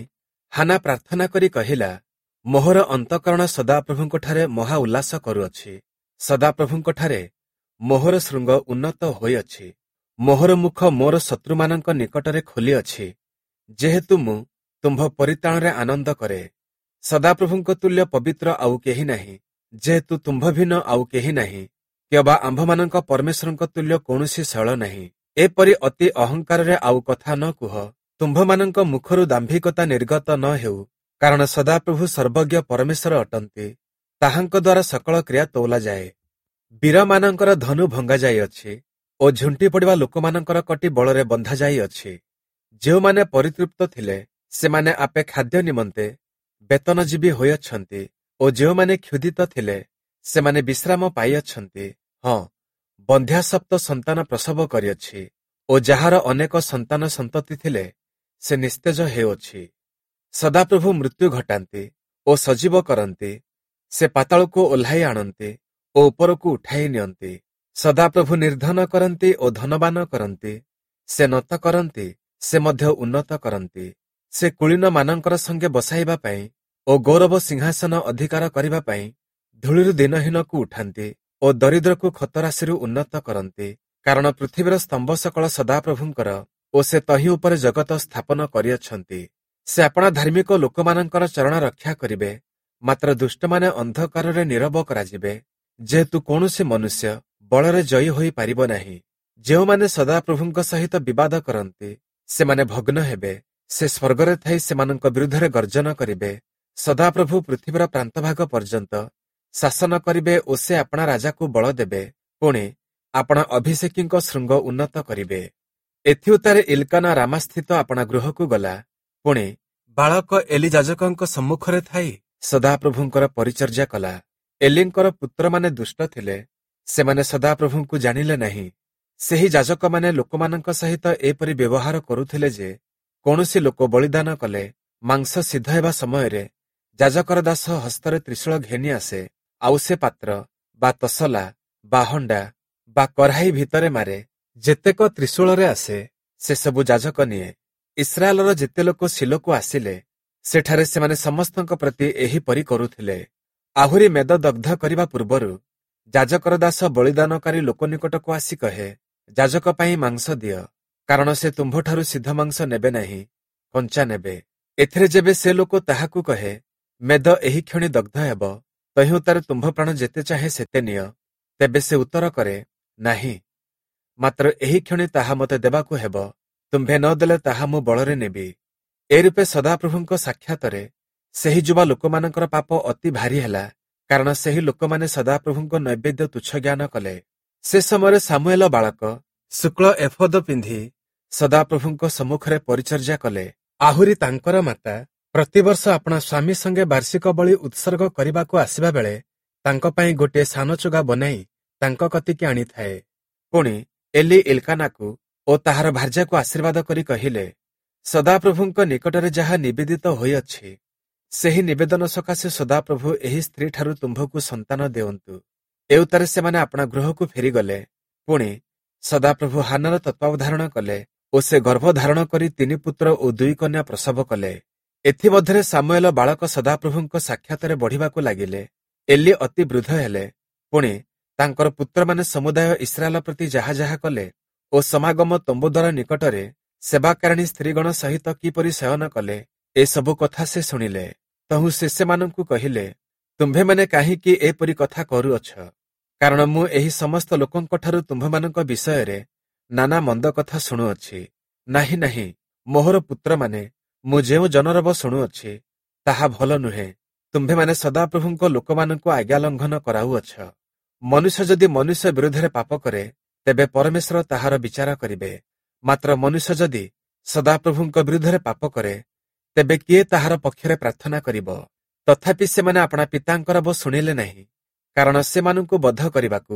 ହାନା ପ୍ରାର୍ଥନା କରି କହିଲା, ମୋହର ଅନ୍ତଃକରଣ ସଦାପ୍ରଭୁଙ୍କଠାରେ ମହା ଉଲ୍ଲାସ କରୁଅଛି। ସଦାପ୍ରଭୁଙ୍କଠାରେ ମୋହର ଶୃଙ୍ଗ ଉନ୍ନତ ହୋଇଅଛି। ମୋହର ମୁଖ ମୋର ଶତ୍ରୁମାନଙ୍କ ନିକଟରେ ଖୋଲିଅଛି, ଯେହେତୁ ମୁଁ ତୁମ୍ଭ ପରିତ୍ରାଣରେ ଆନନ୍ଦ କରେ। ସଦାପ୍ରଭୁଙ୍କ ତୁଲ୍ୟ ପବିତ୍ର ଆଉ କେହି ନାହିଁ, ଯେହେତୁ ତୁମ୍ଭ ଭିନ୍ନ ଆଉ କେହି ନାହିଁ, କିମ୍ବା ଆମ୍ଭମାନଙ୍କ ପରମେଶ୍ୱରଙ୍କ ତୁଲ୍ୟ କୌଣସି ଶୈଳ ନାହିଁ। ଏପରି ଅତି ଅହଙ୍କାରରେ ଆଉ କଥା ନ କୁହ, ତୁମ୍ଭମାନଙ୍କ ମୁଖରୁ ଦାମ୍ଭିକତା ନିର୍ଗତ ନ ହେଉ, କାରଣ ସଦାପ୍ରଭୁ ସର୍ବଜ୍ଞ ପରମେଶ୍ୱର ଅଟନ୍ତି, ତାହାଙ୍କ ଦ୍ୱାରା ସକଳ କ୍ରିୟା ତୋଲାଯାଏ। ବୀରମାନଙ୍କର ଧନୁ ଭଙ୍ଗାଯାଇଅଛି ଓ ଝୁଣ୍ଟି ପଡ଼ିବା ଲୋକମାନଙ୍କର କଟି ବଳରେ ବନ୍ଧାଯାଇଅଛି। ଯେଉଁମାନେ ପରିତୃପ୍ତ ଥିଲେ ସେମାନେ ଆପେ ଖାଦ୍ୟ ନିମନ୍ତେ ବେତନଜୀବୀ ହୋଇଅଛନ୍ତି ଓ ଯେଉଁମାନେ କ୍ଷୁଧିତ ଥିଲେ ସେମାନେ ବିଶ୍ରାମ ପାଇଅଛନ୍ତି। ହଁ, ବନ୍ଧ୍ୟା ସପ୍ତ ସନ୍ତାନ ପ୍ରସବ କରିଅଛି ଓ ଯାହାର ଅନେକ ସନ୍ତାନ ସନ୍ତତି ଥିଲେ ସେ ନିସ୍ତେଜ ହେଉଅଛି। ସଦାପ୍ରଭୁ ମୃତ୍ୟୁ ଘଟାନ୍ତି ଓ ସଜୀବ କରନ୍ତି, ସେ ପାତାଳକୁ ଓହ୍ଲାଇ ଆଣନ୍ତି ଓ ଉପରକୁ ଉଠାଇ ନିଅନ୍ତି। ସଦାପ୍ରଭୁ ନିର୍ଦ୍ଧନ କରନ୍ତି ଓ ଧନବାନ କରନ୍ତି, ସେ ନତ କରନ୍ତି, ସେ ମଧ୍ୟ ଉନ୍ନତ କରନ୍ତି। ସେ କୁଳୀନମାନଙ୍କର ସଙ୍ଗେ ବସାଇବା ପାଇଁ ଓ ଗୌରବ ସିଂହାସନ ଅଧିକାର କରିବା ପାଇଁ ଧୂଳିରୁ ଦିନହୀନକୁ ଉଠାନ୍ତି ଓ ଦରିଦ୍ରକୁ ଖତରାଶିରୁ ଉନ୍ନତ କରନ୍ତି। କାରଣ ପୃଥିବୀର ସ୍ତମ୍ଭ ସକଳ ସଦାପ୍ରଭୁଙ୍କର ଓ ସେ ତହିଁ ଉପରେ ଜଗତ ସ୍ଥାପନ କରିଅଛନ୍ତି। ସେ ଆପଣା ଧାର୍ମିକ ଲୋକମାନଙ୍କର ଚରଣ ରକ୍ଷା କରିବେ, ମାତ୍ର ଦୁଷ୍ଟମାନେ ଅନ୍ଧକାରରେ ନୀରବ କରାଯିବେ, ଯେହେତୁ କୌଣସି ମନୁଷ୍ୟ ବଳରେ ଜୟୀ ହୋଇପାରିବ ନାହିଁ। ଯେଉଁମାନେ ସଦାପ୍ରଭୁଙ୍କ ସହିତ ବିବାଦ କରନ୍ତି ସେମାନେ ଭଗ୍ନ ହେବେ। ସେ ସ୍ୱର୍ଗରେ ଥାଇ ସେମାନଙ୍କ ବିରୁଦ୍ଧରେ ଗର୍ଜନ କରିବେ। ସଦାପ୍ରଭୁ ପୃଥିବୀର ପ୍ରାନ୍ତଭାଗ ପର୍ଯ୍ୟନ୍ତ ଶାସନ କରିବେ ଓ ସେ ଆପଣା ରାଜାକୁ ବଳ ଦେବେ, ପୁଣି ଆପଣା ଅଭିଷେକୀଙ୍କ ଶୃଙ୍ଗ ଉନ୍ନତ କରିବେ। ଏଥିଉତ୍ତାରେ ଇଲକାନା ରାମାସ୍ଥିତ ଆପଣା ଗୃହକୁ ଗଲା। ପୁଣି ବାଳକ ଏଲି ଯାଜକଙ୍କ ସମ୍ମୁଖରେ ଥାଇ ସଦାପ୍ରଭୁଙ୍କର ପରିଚର୍ଯା କଲା। ଏଲିଙ୍କର ପୁତ୍ରମାନେ ଦୁଷ୍ଟ ଥିଲେ, ସେମାନେ ସଦାପ୍ରଭୁଙ୍କୁ ଜାଣିଲେ ନାହିଁ। ସେହି ଯାଜକମାନେ ଲୋକମାନଙ୍କ ସହିତ ଏପରି ବ୍ୟବହାର କରୁଥିଲେ ଯେ କୌଣସି ଲୋକ ବଳିଦାନ କଲେ ମାଂସ ସିଦ୍ଧ ହେବା ସମୟରେ ଯାଜକର ଦାସ ହସ୍ତରେ ତ୍ରିଶୂଳ ଘେନି ଆସେ, ଆଉ ସେ ପାତ୍ର ବା ତସଲା ବା ହଣ୍ଡା ବା କଢ଼ାଇ ଭିତରେ ମାରେ। ଯେତେକ ତ୍ରିଶୂଳରେ ଆସେ ସେସବୁ ଯାଜକ ନିଏ। ଇସ୍ରାଏଲର ଯେତେ ଲୋକ ଶିଲୋକୁ ଆସିଲେ ସେଠାରେ ସେମାନେ ସମସ୍ତଙ୍କ ପ୍ରତି ଏହିପରି କରୁଥିଲେ। ଆହୁରି ମେଦ ଦଗ୍ଧ କରିବା ପୂର୍ବରୁ ଯାଜକର ଦାସ ବଳିଦାନକାରୀ ଲୋକ ନିକଟକୁ ଆସି କହେ, ଯାଜକ ପାଇଁ ମାଂସ ଦିଅ, କାରଣ ସେ ତୁମ୍ଭଠାରୁ ସିଦ୍ଧ ମାଂସ ନେବେ ନାହିଁ, କଞ୍ଚା ନେବେ। ଏଥିରେ ଯେବେ ସେ ଲୋକ ତାହାକୁ କହେ, ମେଦ ଏହି କ୍ଷଣି ଦଗ୍ଧ ହେବ, ତହିଁ ଉତ୍ତାରେ ତୁମ୍ଭ ପ୍ରାଣ ଯେତେ ଚାହେଁ ସେତେ ନିଅ, ତେବେ ସେ ଉତ୍ତର କରେ, ନାହିଁ, ମାତ୍ର ଏହି କ୍ଷଣି ତାହା ମୋତେ ଦେବାକୁ ହେବ, ତୁମ୍ଭେ ନ ଦେଲେ ତାହା ମୁଁ ବଳରେ ନେବି। ଏ ରୂପେ ସଦାପ୍ରଭୁଙ୍କ ସାକ୍ଷାତରେ ସେହି ଯୁବା ଲୋକମାନଙ୍କର ପାପ ଅତି ଭାରି ହେଲା, କାରଣ ସେହି ଲୋକମାନେ ସଦାପ୍ରଭୁଙ୍କ ନୈବେଦ୍ୟ ତୁଚ୍ଛ ଜ୍ଞାନ କଲେ। ସେ ସମୟରେ ସାମୁଏଲ ବାଳକ ଶୁକ୍ଳ ଏଫୋଦ ପିନ୍ଧି ସଦାପ୍ରଭୁଙ୍କ ସମ୍ମୁଖରେ ପରିଚର୍ଯା କଲେ। ଆହୁରି ତାଙ୍କର ମାତା ପ୍ରତିବର୍ଷ ଆପଣା ସ୍ୱାମୀ ସଙ୍ଗେ ବାର୍ଷିକ ବଳି ଉତ୍ସର୍ଗ କରିବାକୁ ଆସିବା ବେଳେ ତାଙ୍କ ପାଇଁ ଗୋଟିଏ ସାନ ଚୁଗା ବନାଇ ତାଙ୍କ କତିକି ଆଣିଥାଏ। ପୁଣି ଏଲି ଇଲକାନାକୁ ଓ ତାହାର ଭାର୍ଯ୍ୟାକୁ ଆଶୀର୍ବାଦ କରି କହିଲେ, ସଦାପ୍ରଭୁଙ୍କ ନିକଟରେ ଯାହା ନିବେଦିତ ହୋଇଅଛି, ସେହି ନିବେଦନ ସକାଶେ ସଦାପ୍ରଭୁ ଏହି ସ୍ତ୍ରୀଠାରୁ ତୁମ୍ଭକୁ ସନ୍ତାନ ଦେଉନ୍ତୁ। ଏଉତ୍ତାରେ ସେମାନେ ଆପଣା ଗୃହକୁ ଫେରିଗଲେ। ପୁଣି ସଦାପ୍ରଭୁ ହାନାର ତତ୍ତ୍ୱାବଧାରଣ କଲେ ଓ ସେ ଗର୍ଭ ଧାରଣ କରି ତିନି ପୁତ୍ର ଓ ଦୁଇ କନ୍ୟା ପ୍ରସବ କଲେ। ଏଥିମଧ୍ୟରେ ସାମୁଏଲ ବାଳକ ସଦାପ୍ରଭୁଙ୍କ ସାକ୍ଷାତରେ ବଢ଼ିବାକୁ ଲାଗିଲେ। ଏଲି ଅତି ବୃଦ୍ଧ ହେଲେ। ପୁଣି ତାଙ୍କର ପୁତ୍ରମାନେ ସମୁଦାୟ ଇସ୍ରାଏଲ ପ୍ରତି ଯାହା ଯାହା କଲେ ଓ ସମାଗମ ତମ୍ବୁଦ୍ୱାର ନିକଟରେ ସେବାକାରିଣୀ ସ୍ତ୍ରୀଗଣ ସହିତ କିପରି ଶୟନ କଲେ, ଏସବୁ କଥା ସେ ଶୁଣିଲେ। ତହୁଁ ସେ ସେମାନଙ୍କୁ କହିଲେ, ତୁମ୍ଭେମାନେ କାହିଁକି ଏପରି କଥା କରୁଅଛ? କାରଣ ମୁଁ ଏହି ସମସ୍ତ ଲୋକଙ୍କଠାରୁ ତୁମ୍ଭମାନଙ୍କ ବିଷୟରେ ନାନା ମନ୍ଦ କଥା ଶୁଣୁଅଛି। ନାହିଁ ନାହିଁ, ମୋହର ପୁତ୍ରମାନେ, ମୁଁ ଯେଉଁ ଜନରବ ଶୁଣୁଅଛି ତାହା ଭଲ ନୁହେଁ। ତୁମ୍ଭେମାନେ ସଦାପ୍ରଭୁଙ୍କ ଲୋକମାନଙ୍କୁ ଆଜ୍ଞା ଲଙ୍ଘନ କରାଉଅଛ। ମନୁଷ୍ୟ ଯଦି ମନୁଷ୍ୟ ବିରୁଦ୍ଧରେ ପାପ କରେ, ତେବେ ପରମେଶ୍ୱର ତାହାର ବିଚାର କରିବେ। ମାତ୍ର ମନୁଷ୍ୟ ଯଦି ସଦାପ୍ରଭୁଙ୍କ ବିରୁଦ୍ଧରେ ପାପ କରେ, ତେବେ କିଏ ତାହାର ପକ୍ଷରେ ପ୍ରାର୍ଥନା କରିବ? ତଥାପି ସେମାନେ ଆପଣା ପିତାଙ୍କ ରବ ଶୁଣିଲେ ନାହିଁ, କାରଣ ସେମାନଙ୍କୁ ବଧ କରିବାକୁ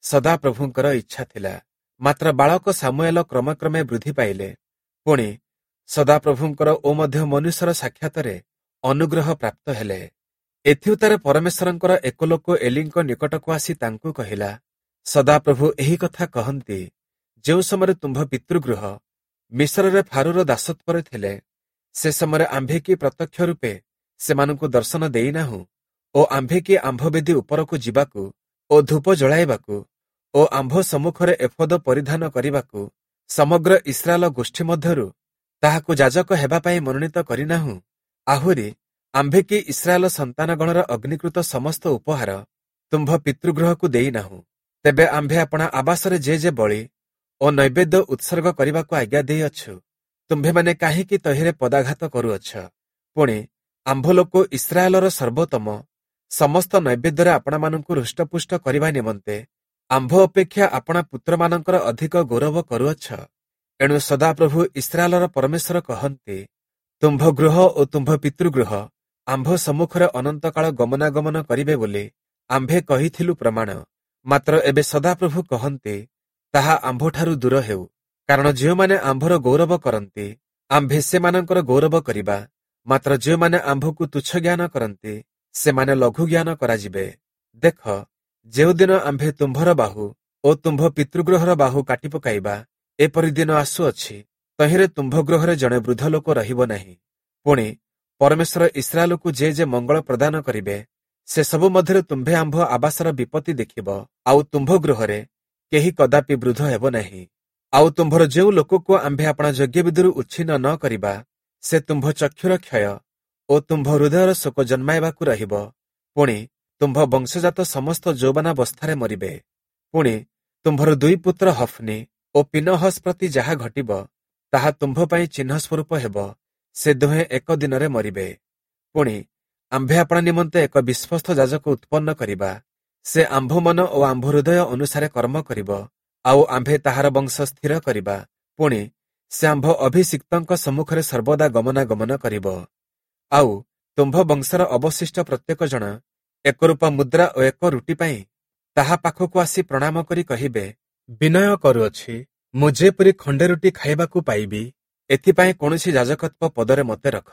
ସଦାପ୍ରଭୁଙ୍କର ଇଚ୍ଛା ଥିଲା। ମାତ୍ର ବାଳକ ସାମୁଏଲ କ୍ରମେ କ୍ରମେ ବୃଦ୍ଧି ପାଇଲେ। ପୁଣି ସଦାପ୍ରଭୁଙ୍କର ଓ ମଧ୍ୟ ମନୁଷ୍ୟର ସାକ୍ଷାତରେ ଅନୁଗ୍ରହ ପ୍ରାପ୍ତ ହେଲେ। ଏଥିଉତ୍ତାରେ ପରମେଶ୍ୱରଙ୍କର ଏକ ଲୋକ ଏଲିଙ୍କ ନିକଟକୁ ଆସି ତାଙ୍କୁ କହିଲା, ସଦାପ୍ରଭୁ ଏହି କଥା କହନ୍ତି, ଯେଉଁ ସମୟରେ ତୁମ୍ଭ ପିତୃଗୃହ ମିଶରରେ ଫାରୋର ଦାସତ୍ୱରେ ଥିଲେ, ସେ ସମୟରେ ଆମ୍ଭେ କି ପ୍ରତ୍ୟକ୍ଷ ରୂପେ ସେମାନଙ୍କୁ ଦର୍ଶନ ଦେଇନାହୁଁ? ଓ ଆମ୍ଭେ କି ଆମ୍ଭ ବେଦୀ ଉପରକୁ ଯିବାକୁ ଓ ଧୂପ ଜଳାଇବାକୁ ଓ ଆମ୍ଭ ସମ୍ମୁଖରେ ଏଫୋଦ ପରିଧାନ କରିବାକୁ ସମଗ୍ର ଇସ୍ରାଏଲ ଗୋଷ୍ଠୀ ମଧ୍ୟରୁ ତାହାକୁ ଯାଜକ ହେବା ପାଇଁ ମନୋନୀତ କରିନାହୁଁ? ଆହୁରି ଆମ୍ଭେ କି ଇସ୍ରାଏଲ ସନ୍ତାନଗଣର ଅଗ୍ନିକୃତ ସମସ୍ତ ଉପହାର ତୁମ୍ଭ ପିତୃଗୃହକୁ ଦେଇନାହୁଁ? ତେବେ ଆମ୍ଭେ ଆପଣା ଆବାସରେ ଯେ ଯେ ବଳି ଓ ନୈବେଦ୍ୟ ଉତ୍ସର୍ଗ କରିବାକୁ ଆଜ୍ଞା ଦେଇଅଛୁ, ତୁମ୍ଭେମାନେ କାହିଁକି ତହିଁରେ ପଦାଘାତ କରୁଅଛ? ପୁଣି ଆମ୍ଭ ଲୋକ ଇସ୍ରାଏଲର ସର୍ବୋତ୍ତମ ସମସ୍ତ ନୈବେଦ୍ୟରେ ଆପଣାମାନଙ୍କୁ ହୃଷ୍ଟପୁଷ୍ଟ କରିବା ନିମନ୍ତେ ଆମ୍ଭ ଅପେକ୍ଷା ଆପଣା ପୁତ୍ରମାନଙ୍କର ଅଧିକ ଗୌରବ କରୁଅଛ। ଏଣୁ ସଦାପ୍ରଭୁ ଇସ୍ରାଏଲର ପରମେଶ୍ୱର କହନ୍ତି, ତୁମ୍ଭ ଗୃହ ଓ ତୁମ୍ଭ ପିତୃଗୃହ ଆମ୍ଭ ସମ୍ମୁଖରେ ଅନନ୍ତକାଳ ଗମନାଗମନ କରିବେ ବୋଲି ଆମ୍ଭେ କହିଥିଲୁ ପ୍ରମାଣ। ମାତ୍ର ଏବେ ସଦାପ୍ରଭୁ କହନ୍ତି, ତାହା ଆମ୍ଭଠାରୁ ଦୂର ହେଉ। କାରଣ ଯେଉଁମାନେ ଆମ୍ଭର ଗୌରବ କରନ୍ତି, ଆମ୍ଭେ ସେମାନଙ୍କର ଗୌରବ କରିବା। ମାତ୍ର ଯେଉଁମାନେ ଆମ୍ଭକୁ ତୁଚ୍ଛ ଜ୍ଞାନ କରନ୍ତି, ସେମାନେ ଲଘୁ ଜ୍ଞାନ କରାଯିବେ। ଦେଖ, ଯେଉଁଦିନ ଆମ୍ଭେ ତୁମ୍ଭର ବାହୁ ଓ ତୁମ୍ଭ ପିତୃଗୃହର ବାହୁ କାଟି ପକାଇବା, ଏପରି ଦିନ ଆସୁଅଛି, ତହିଁରେ ତୁମ୍ଭ ଗୃହରେ ଜଣେ ବୃଦ୍ଧ ଲୋକ ରହିବ ନାହିଁ। ପୁଣି ପରମେଶ୍ୱର ଇସ୍ରାଏଲକୁ ଯେ ଯେ ମଙ୍ଗଳ ପ୍ରଦାନ କରିବେ, ସେ ସବୁ ମଧ୍ୟରେ ତୁମ୍ଭେ ଆମ୍ଭ ଆବାସର ବିପତ୍ତି ଦେଖିବ, ଆଉ ତୁମ୍ଭ ଗୃହରେ କେହି କଦାପି ବୃଦ୍ଧ ହେବ ନାହିଁ। ଆଉ ତୁମ୍ଭର ଯେଉଁ ଲୋକକୁ ଆମ୍ଭେ ଆପଣା ଯଜ୍ଞବେଦୀରୁ ଉଚ୍ଛିନ୍ନ ନ କରିବା, ସେ ତୁମ୍ଭ ଚକ୍ଷୁର କ୍ଷୟ ଓ ତୁମ୍ଭ ହୃଦୟର ଶୋକ ଜନ୍ମାଇବାକୁ ରହିବ। ପୁଣି ତୁମ୍ଭ ବଂଶଜାତ ସମସ୍ତ ଯୌବନାବସ୍ଥାରେ ମରିବେ। ପୁଣି ତୁମ୍ଭର ଦୁଇ ପୁତ୍ର ହଫ୍ନି ଓ ପିନହସ୍ ପ୍ରତି ଯାହା ଘଟିବ, ତାହା ତୁମ୍ଭ ପାଇଁ ଚିହ୍ନ ସ୍ୱରୂପ ହେବ। ସେ ଦୁହେଁ ଏକ ଦିନରେ ମରିବେ। ପୁଣି ଆମ୍ଭେ ଆପଣା ନିମନ୍ତେ ଏକ ବିଶ୍ୱସ୍ତ ଯାଜକ ଉତ୍ପନ୍ନ କରିବା। ସେ ଆମ୍ଭ ମନ ଓ ଆମ୍ଭ ହୃଦୟ ଅନୁସାରେ କର୍ମ କରିବ, ଆଉ ଆମ୍ଭେ ତାହାର ବଂଶ ସ୍ଥିର କରିବା। ପୁଣି ସେ ଆମ୍ଭ ଅଭିଷିକ୍ତଙ୍କ ସମ୍ମୁଖରେ ସର୍ବଦା ଗମନାଗମନ କରିବ। ଆଉ ତୁମ୍ଭ ବଂଶର ଅବଶିଷ୍ଟ ପ୍ରତ୍ୟେକ ଜଣ ଏକ ରୂପା ମୁଦ୍ରା ଓ ଏକ ରୁଟି ପାଇଁ ତାହା ପାଖକୁ ଆସି ପ୍ରଣାମ କରି କହିବେ, ବିନୟ କରୁଅଛି, ମୁଁ ଯେପରି ଖଣ୍ଡେ ରୁଟି ଖାଇବାକୁ ପାଇବି, ଏଥିପାଇଁ କୌଣସି ଯାଜକତ୍ୱ ପଦରେ ମୋତେ ରଖ।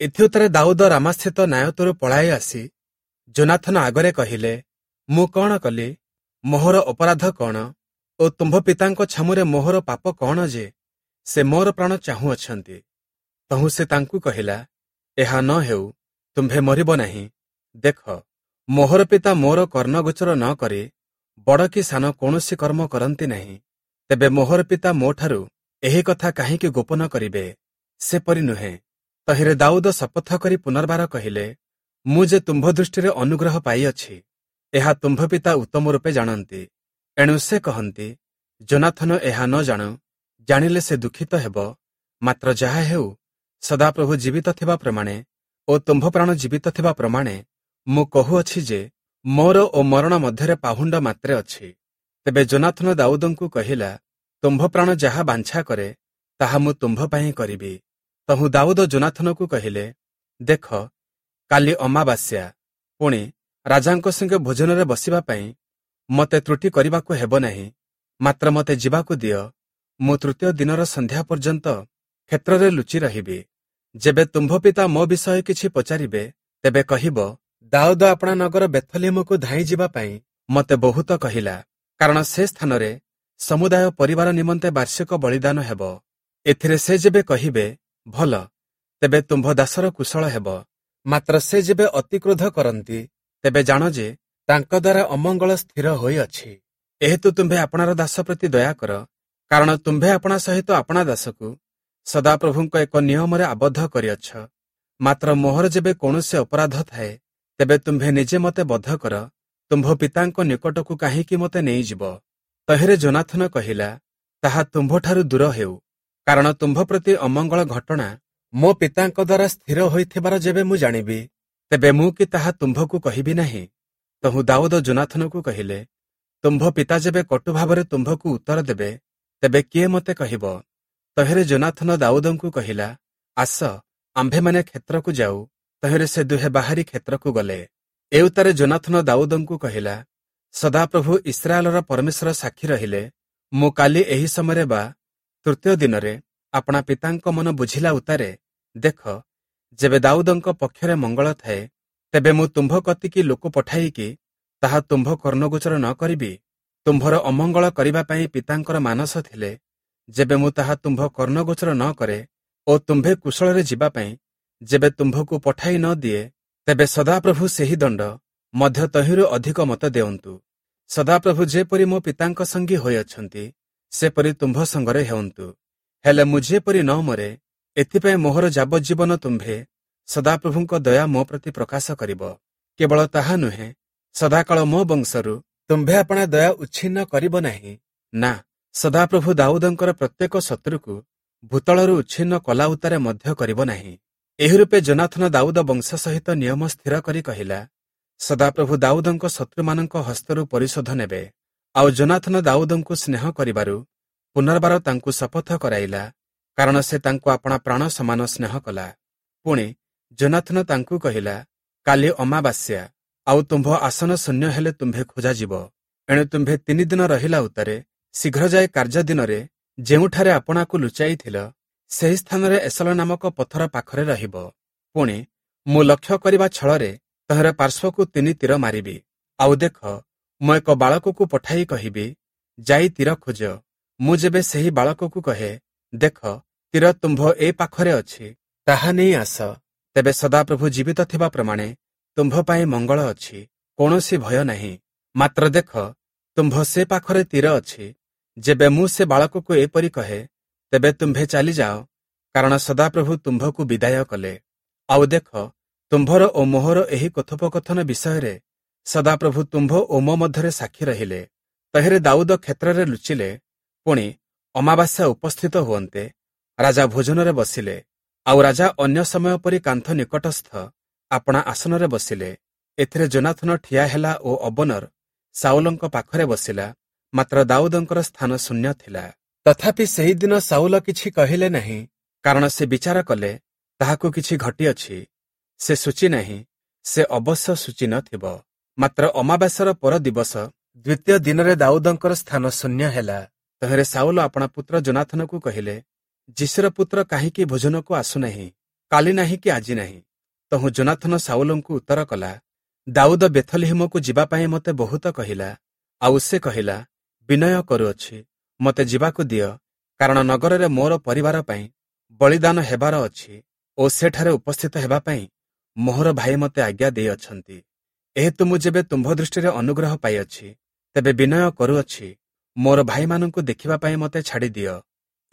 ଏଥିଉତ୍ତାରେ ଦାଉଦ ରାମାସ୍ଥିତ ନାୟତରୁ ପଳାଇ ଆସି ଯୋନାଥନ ଆଗରେ କହିଲେ, ମୁଁ କଣ କଲି? ମୋହର ଅପରାଧ କଣ? ଓ ତୁମ୍ଭ ପିତାଙ୍କ ଛାମୁରେ ମୋହର ପାପ କଣ ଯେ ସେ ମୋର ପ୍ରାଣ ଚାହୁଁଅଛନ୍ତି? ତହୁଁ ସେ ତାଙ୍କୁ କହିଲା, ଏହା ନ ହେଉ, ତୁମ୍ଭେ ମରିବ ନାହିଁ। ଦେଖ, ମୋହର ପିତା ମୋର କର୍ଣ୍ଣଗୋଚର ନ କରି ବଡ଼ କି ସାନ କୌଣସି କର୍ମ କରନ୍ତି ନାହିଁ। ତେବେ ମୋହର ପିତା ମୋଠାରୁ ଏହି କଥା କାହିଁକି ଗୋପନ କରିବେ? ସେପରି ନୁହେଁ। ତହିଁରେ ଦାଉଦ ଶପଥ କରି ପୁନର୍ବାର କହିଲେ, ମୁଁ ଯେ ତୁମ୍ଭ ଦୃଷ୍ଟିରେ ଅନୁଗ୍ରହ ପାଇଅଛି, ଏହା ତୁମ୍ଭ ପିତା ଉତ୍ତମ ରୂପେ ଜାଣନ୍ତି। ଏଣୁ ସେ କହନ୍ତି, ଯୋନାଥନ ଏହା ନ ଜାଣୁ, ଜାଣିଲେ ସେ ଦୁଃଖିତ ହେବ। ମାତ୍ର ଯାହା ହେଉ, ସଦାପ୍ରଭୁ ଜୀବିତ ଥିବା ପ୍ରମାଣେ ଓ ଓ ତୁମ୍ଭ ପ୍ରାଣ ଜୀବିତ ଥିବା ପ୍ରମାଣେ ମୁଁ କହୁଅଛି ଯେ ମୋର ଓ ମରଣ ମଧ୍ୟରେ ପାହୁଣ୍ଡ ମାତ୍ରେ ଅଛି। ତେବେ ଯୋନାଥନ ଦାଉଦଙ୍କୁ କହିଲା, ତୁମ୍ଭ ପ୍ରାଣ ଯାହା ବାଞ୍ଛା କରେ ତାହା ମୁଁ ତୁମ୍ଭ ପାଇଁ କରିବି। ତହୁଁ ଦାଉଦ ଯୋନାଥନକୁ କହିଲେ, ଦେଖ, କାଲି ଅମାବାସ୍ୟା, ପୁଣି ରାଜାଙ୍କ ସଙ୍ଗେ ଭୋଜନରେ ବସିବା ପାଇଁ ମୋତେ ତ୍ରୁଟି କରିବାକୁ ହେବ ନାହିଁ, ମାତ୍ର ମୋତେ ଯିବାକୁ ଦିଅ। ମୁଁ ତୃତୀୟ ଦିନର ସନ୍ଧ୍ୟା ପର୍ଯ୍ୟନ୍ତ କ୍ଷେତ୍ରରେ ଲୁଚି ରହିବି। ଯେବେ ତୁମ୍ଭ ପିତା ମୋ ବିଷୟ କିଛି ପଚାରିବେ, ତେବେ କହିବ, ଦାଉଦ ଆପଣା ନଗର ବେଥଲିମକୁ ଧାଇଁ ଯିବା ପାଇଁ ମୋତେ ବହୁତ କହିଲା, କାରଣ ସେ ସ୍ଥାନରେ ସମୁଦାୟ ପରିବାର ନିମନ୍ତେ ବାର୍ଷିକ ବଳିଦାନ ହେବ। ଏଥିରେ ସେ ଯେବେ କହିବେ, ଭଲ, ତେବେ ତୁମ୍ଭ ଦାସର କୁଶଳ ହେବ। ମାତ୍ର ସେ ଯେବେ ଅତିକ୍ରୋଧ କରନ୍ତି, ତେବେ ଜାଣ ଯେ ତାଙ୍କ ଦ୍ୱାରା ଅମଙ୍ଗଳ ସ୍ଥିର ହୋଇଅଛି। ଏହେତୁ ତୁମ୍ଭେ ଆପଣାର ଦାସ ପ୍ରତି ଦୟା କର, କାରଣ ତୁମ୍ଭେ ଆପଣା ସହିତ ଆପଣା ଦାସକୁ ସଦାପ୍ରଭୁଙ୍କ ଏକ ନିୟମରେ ଆବଦ୍ଧ କରିଅଛ। ମାତ୍ର ମୋହର ଯେବେ କୌଣସି ଅପରାଧ ଥାଏ, ତେବେ ତୁମ୍ଭେ ନିଜେ ମୋତେ ବଧ କର, ତୁମ୍ଭ ପିତାଙ୍କ ନିକଟକୁ କାହିଁକି ମୋତେ ନେଇଯିବ? ତହିଁରେ ଯୋନାଥନ କହିଲା, ତାହା ତୁମ୍ଭଠାରୁ ଦୂର ହେଉ, କାରଣ ତୁମ୍ଭ ପ୍ରତି ଅମଙ୍ଗଳ ଘଟଣା ମୋ ପିତାଙ୍କ ଦ୍ୱାରା ସ୍ଥିର ହୋଇଥିବାର ଯେବେ ମୁଁ ଜାଣିବି, ତେବେ ମୁଁ କି ତାହା ତୁମ୍ଭକୁ କହିବି ନାହିଁ? ତହୁଁ ଦାଉଦ ଯୋନାଥନକୁ କହିଲେ, ତୁମ୍ଭ ପିତା ଯେବେ କଟୁ ଭାବରେ ତୁମ୍ଭକୁ ଉତ୍ତର ଦେବେ, ତେବେ କିଏ ମୋତେ କହିବ? ତହିଁରେ ଯୋନାଥନ ଦାଉଦଙ୍କୁ କହିଲା, ଆସ, ଆମ୍ଭେମାନେ କ୍ଷେତ୍ରକୁ ଯାଉ। ତହିଁରେ ସେ ଦୁହେଁ ବାହାରି କ୍ଷେତ୍ରକୁ ଗଲେ। ଏଉତ୍ତାରେ ଯୋନାଥନ ଦାଉଦଙ୍କୁ କହିଲା, ସଦାପ୍ରଭୁ ଇସ୍ରାଏଲର ପରମେଶ୍ୱର ସାକ୍ଷୀ ରହିଲେ, ମୁଁ କାଲି ଏହି ସମୟରେ ବା ତୃତୀୟ ଦିନରେ ଆପଣା ପିତାଙ୍କ ମନ ବୁଝିଲା ଉତ୍ତାରେ, ଦେଖ, ଯେବେ ଦାଉଦଙ୍କ ପକ୍ଷରେ ମଙ୍ଗଳ ଥାଏ, ତେବେ ମୁଁ ତୁମ୍ଭ କତିକି ଲୋକ ପଠାଇକି ତାହା ତୁମ୍ଭ କର୍ଣ୍ଣଗୋଚର ନ କରିବି? ତୁମ୍ଭର ଅମଙ୍ଗଳ କରିବା ପାଇଁ ପିତାଙ୍କର ମାନସ ଥିଲେ, ଯେବେ ମୁଁ ତାହା ତୁମ୍ଭ କର୍ଣ୍ଣଗୋଚର ନ କରେ ଓ ତୁମ୍ଭେ କୁଶଳରେ ଯିବା ପାଇଁ ଯେବେ ତୁମ୍ଭକୁ ପଠାଇ ନ ଦିଏ, ତେବେ ସଦାପ୍ରଭୁ ସେହି ଦଣ୍ଡ ମଧ୍ୟ ତହିଁରୁ ଅଧିକ ମତ ଦେଉନ୍ତୁ। ସଦାପ୍ରଭୁ ଯେପରି ମୋ ପିତାଙ୍କ ସଙ୍ଗୀ ହୋଇଅଛନ୍ତି, ସେପରି ତୁମ୍ଭ ସଙ୍ଗରେ ହେଉନ୍ତୁ। ହେଲେ ମୁଁ ଯେପରି ନ ମରେ, ଏଥିପାଇଁ ମୋହର ଯାବଜ୍ଜୀବନ ତୁମ୍ଭେ ସଦାପ୍ରଭୁଙ୍କ ଦୟା ମୋ ପ୍ରତି ପ୍ରକାଶ କରିବ। କେବଳ ତାହା ନୁହେଁ, ସଦାକାଳ ମୋ ବଂଶରୁ ତୁମ୍ଭେ ଆପଣା ଦୟା ଉଚ୍ଛିନ୍ନ କରିବ ନାହିଁ। ନା, ସଦାପ୍ରଭୁ ଦାଉଦଙ୍କର ପ୍ରତ୍ୟେକ ଶତ୍ରୁକୁ ଭୂତଳରୁ ଉଚ୍ଛିନ୍ନ କଲା ଉତ୍ତାରେ ମଧ୍ୟ କରିବ ନାହିଁ। ଏହି ରୂପେ ଯୋନାଥନ ଦାଉଦ ବଂଶ ସହିତ ନିୟମ ସ୍ଥିର କରି କହିଲା, ସଦାପ୍ରଭୁ ଦାଉଦଙ୍କ ଶତ୍ରୁମାନଙ୍କ ହସ୍ତରୁ ପରିଶୋଧ ନେବେ। ଆଉ ଯୋନାଥନ ଦାଉଦଙ୍କୁ ସ୍ନେହ କରିବାରୁ ପୁନର୍ବାର ତାଙ୍କୁ ଶପଥ କରାଇଲା, କାରଣ ସେ ତାଙ୍କୁ ଆପଣା ପ୍ରାଣ ସମାନ ସ୍ନେହ କଲା। ପୁଣି ଯୋନାଥନ ତାଙ୍କୁ କହିଲା, କାଲି ଅମାବାସ୍ୟା, ଆଉ ତୁମ୍ଭ ଆସନ ଶୂନ୍ୟ ହେଲେ ତୁମ୍ଭେ ଖୋଜାଯିବ। ଏଣୁ ତୁମ୍ଭେ ତିନି ଦିନ ରହିଲା ଉତ୍ତାରେ ଶୀଘ୍ର ଯାଇ କାର୍ଯ୍ୟ ଦିନରେ ଯେଉଁଠାରେ ଆପଣାକୁ ଲୁଚାଇଥିଲ, ସେହି ସ୍ଥାନରେ ଏସଲ ନାମକ ପଥର ପାଖରେ ରହିବ। ପୁଣି ମୁଁ ଲକ୍ଷ୍ୟ କରିବା ଛଳରେ ତହିଁର ପାର୍ଶ୍ୱକୁ ତିନି ତୀର ମାରିବି। ଆଉ ଦେଖ, ମୁଁ ଏକ ବାଳକକୁ ପଠାଇ କହିବି, ଯାଇ ତୀର ଖୋଜ। ମୁଁ ଯେବେ ସେହି ବାଳକକୁ କହେ, ଦେଖ, ତୀର ତୁମ୍ଭ ଏ ପାଖରେ ଅଛି, ତାହା ନେଇ ଆସ, ତେବେ ସଦାପ୍ରଭୁ ଜୀବିତ ଥିବା ପ୍ରମାଣେ ତୁମ୍ଭ ପାଇଁ ମଙ୍ଗଳ ଅଛି, କୌଣସି ଭୟ ନାହିଁ। ମାତ୍ର ଦେଖ, ତୁମ୍ଭ ସେ ପାଖରେ ତୀର ଅଛି। ଯେବେ ମୁଁ ସେ ବାଳକକୁ ଏପରି କହେ, ତେବେ ତୁମ୍ଭେ ଚାଲିଯାଅ, କାରଣ ସଦାପ୍ରଭୁ ତୁମ୍ଭକୁ ବିଦାୟ କଲେ। ଆଉ ଦେଖ, ତୁମ୍ଭର ଓ ମୋହର ଏହି କଥୋପକଥନ ବିଷୟରେ ସଦାପ୍ରଭୁ ତୁମ୍ଭ ଓ ମୋ ମଧ୍ୟରେ ସାକ୍ଷୀ ରହିଲେ। ତହିଁରେ ଦାଉଦ କ୍ଷେତ୍ରରେ ଲୁଚିଲେ। ପୁଣି ଅମାବାସ୍ୟା ଉପସ୍ଥିତ ହୁଅନ୍ତେ ରାଜା ଭୋଜନରେ ବସିଲେ। ଆଉ ରାଜା ଅନ୍ୟ ସମୟ ପରି କାନ୍ଥ ନିକଟସ୍ଥ ଆପଣା ଆସନରେ ବସିଲେ। ଏଥିରେ ଯୋନାଥନ ଠିଆ ହେଲା ଓ ଅବନର ସାଉଲଙ୍କ ପାଖରେ ବସିଲା, ମାତ୍ର ଦାଉଦଙ୍କର ସ୍ଥାନ ଶୂନ୍ୟ ଥିଲା। ତଥାପି ସେହିଦିନ ସାଉଲ କିଛି କହିଲେ ନାହିଁ, କାରଣ ସେ ବିଚାର କଲେ, ତାହାକୁ କିଛି ଘଟିଅଛି, ସେ ସୂଚି ନାହିଁ, ସେ ଅବଶ୍ୟ ସୂଚି ନଥିବ। ମାତ୍ର ଅମାବାସ୍ୟାର ପର ଦିବସ ଦ୍ୱିତୀୟ ଦିନରେ ଦାଉଦଙ୍କର ସ୍ଥାନ ଶୂନ୍ୟ ହେଲା। ତହିଁରେ ସାଉଲ ଆପଣା ପୁତ୍ର ଯୋନାଥନକୁ କହିଲେ, ଯିଶିର ପୁତ୍ର କାହିଁକି ଭୋଜନକୁ ଆସୁନାହିଁ? କାଲି ନାହିଁ କି ଆଜି ନାହିଁ। ତହୁଁ ଯୋନାଥନ ସାଉଲଙ୍କୁ ଉତ୍ତର କଲା, ଦାଉଦ ବେଥଲିହିମକୁ ଯିବା ପାଇଁ ମୋତେ ବହୁତ କହିଲା। ଆଉ ସେ କହିଲା, ବିନୟ କରୁଅଛି, ମୋତେ ଯିବାକୁ ଦିଅ, କାରଣ ନଗରରେ ମୋର ପରିବାର ପାଇଁ ବଳିଦାନ ହେବାର ଅଛି ଓ ସେଠାରେ ଉପସ୍ଥିତ ହେବା ପାଇଁ ମୋହର ଭାଇ ମୋତେ ଆଜ୍ଞା ଦେଇଅଛନ୍ତି। ଏହେତୁ ମୁଁ ଯେବେ ତୁମ୍ଭ ଦୃଷ୍ଟିରେ ଅନୁଗ୍ରହ ପାଇଅଛି, ତେବେ ବିନୟ କରୁଅଛି, ମୋର ଭାଇମାନଙ୍କୁ ଦେଖିବା ପାଇଁ ମୋତେ ଛାଡ଼ିଦିଅ।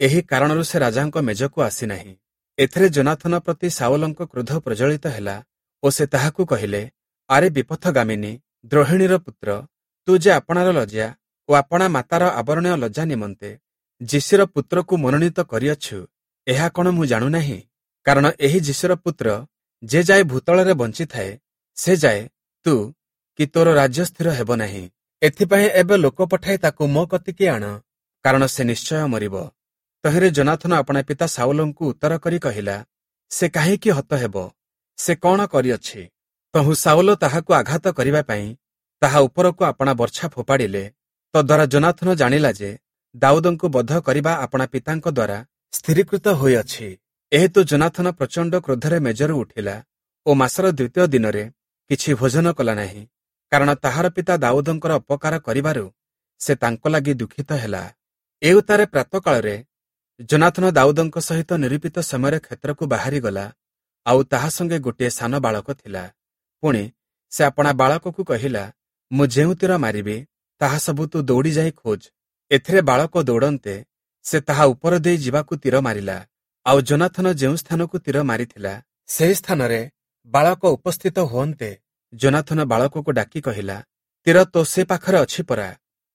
ଏହି କାରଣରୁ ସେ ରାଜାଙ୍କ ମେଜକୁ ଆସିନାହିଁ। ଏଥିରେ ଯୋନାଥନ ପ୍ରତି ସାଉଲଙ୍କ କ୍ରୋଧ ପ୍ରଜ୍ୱଳିତ ହେଲା ଓ ସେ ତାହାକୁ କହିଲେ, ଆରେ ବିପଥଗାମିନୀ ଦ୍ରୋହିଣୀର ପୁତ୍ର, ତୁ ଯେ ଆପଣାର ଲଜ୍ଜା ଓ ଆପଣା ମାତାର ଆବରଣୀୟ ଲଜ୍ଜା ନିମନ୍ତେ ଯିଶିର ପୁତ୍ରକୁ ମନୋନୀତ କରିଅଛୁ, ଏହା କଣ ମୁଁ ଜାଣୁନାହିଁ? କାରଣ ଏହି ଯିଶିର ପୁତ୍ର ଯେ ଯାଏ ଭୂତଳରେ ବଞ୍ଚିଥାଏ ସେ ଯାଏ ତୁ କି ତୋର ରାଜ୍ୟ ସ୍ଥିର ହେବ ନାହିଁ। ଏଥିପାଇଁ ଏବେ ଲୋକ ପଠାଇ ତାକୁ ମୋ କତିକି ଆଣ, କାରଣ ସେ ନିଶ୍ଚୟ ମରିବ। ତହିଁରେ ଯୋନାଥନ ଆପଣା ପିତା ସାଉଲଙ୍କୁ ଉତ୍ତର କରି କହିଲା, ସେ କାହିଁକି ହତ ହେବ? ସେ କଣ କରିଅଛି? ତହୁଁ ସାଉଲ ତାହାକୁ ଆଘାତ କରିବା ପାଇଁ ତାହା ଉପରକୁ ଆପଣା ବର୍ଚ୍ଛା ଫୋପାଡ଼ିଲେ। ତଦ୍ୱାରା ଯୋନାଥନ ଜାଣିଲା ଯେ ଦାଉଦଙ୍କୁ ବଧ କରିବା ଆପଣା ପିତାଙ୍କ ଦ୍ୱାରା ସ୍ଥିରୀକୃତ ହୋଇଅଛି। ଏହେତୁ ଯୋନାଥନ ପ୍ରଚଣ୍ଡ କ୍ରୋଧରେ ମେଜରୁ ଉଠିଲା ଓ ମାସର ଦ୍ୱିତୀୟ ଦିନରେ କିଛି ଭୋଜନ କଲା ନାହିଁ, କାରଣ ତାହାର ପିତା ଦାଉଦଙ୍କର ଅପକାର କରିବାରୁ ସେ ତାଙ୍କ ଲାଗି ଦୁଃଖିତ ହେଲା। ଏଉତ୍ତାରେ ପ୍ରାତଃକାଳରେ ଯୋନାଥନ ଦାଉଦଙ୍କ ସହିତ ନିରୂପିତ ସମୟରେ କ୍ଷେତ୍ରକୁ ବାହାରିଗଲା, ଆଉ ତାହା ସଙ୍ଗେ ଗୋଟିଏ ସାନ ବାଳକ ଥିଲା। ପୁଣି ସେ ଆପଣା ବାଳକକୁ କହିଲା, ମୁଁ ଯେଉଁ ତୀର ମାରିବି ତାହା ସବୁ ତୁ ଦୌଡ଼ି ଯାଇ ଖୋଜ। ଏଥିରେ ବାଳକ ଦୌଡ଼ନ୍ତେ ସେ ତାହା ଉପର ଦେଇ ଯିବାକୁ ତୀର ମାରିଲା। ଆଉ ଯୋନାଥନ ଯେଉଁ ସ୍ଥାନକୁ ତୀର ମାରିଥିଲା ସେହି ସ୍ଥାନରେ ବାଳକ ଉପସ୍ଥିତ ହୁଅନ୍ତେ ଯୋନାଥନ ବାଳକକୁ ଡାକି କହିଲା, ତୀର ତୋ ସେ ପାଖରେ ଅଛି ପରା।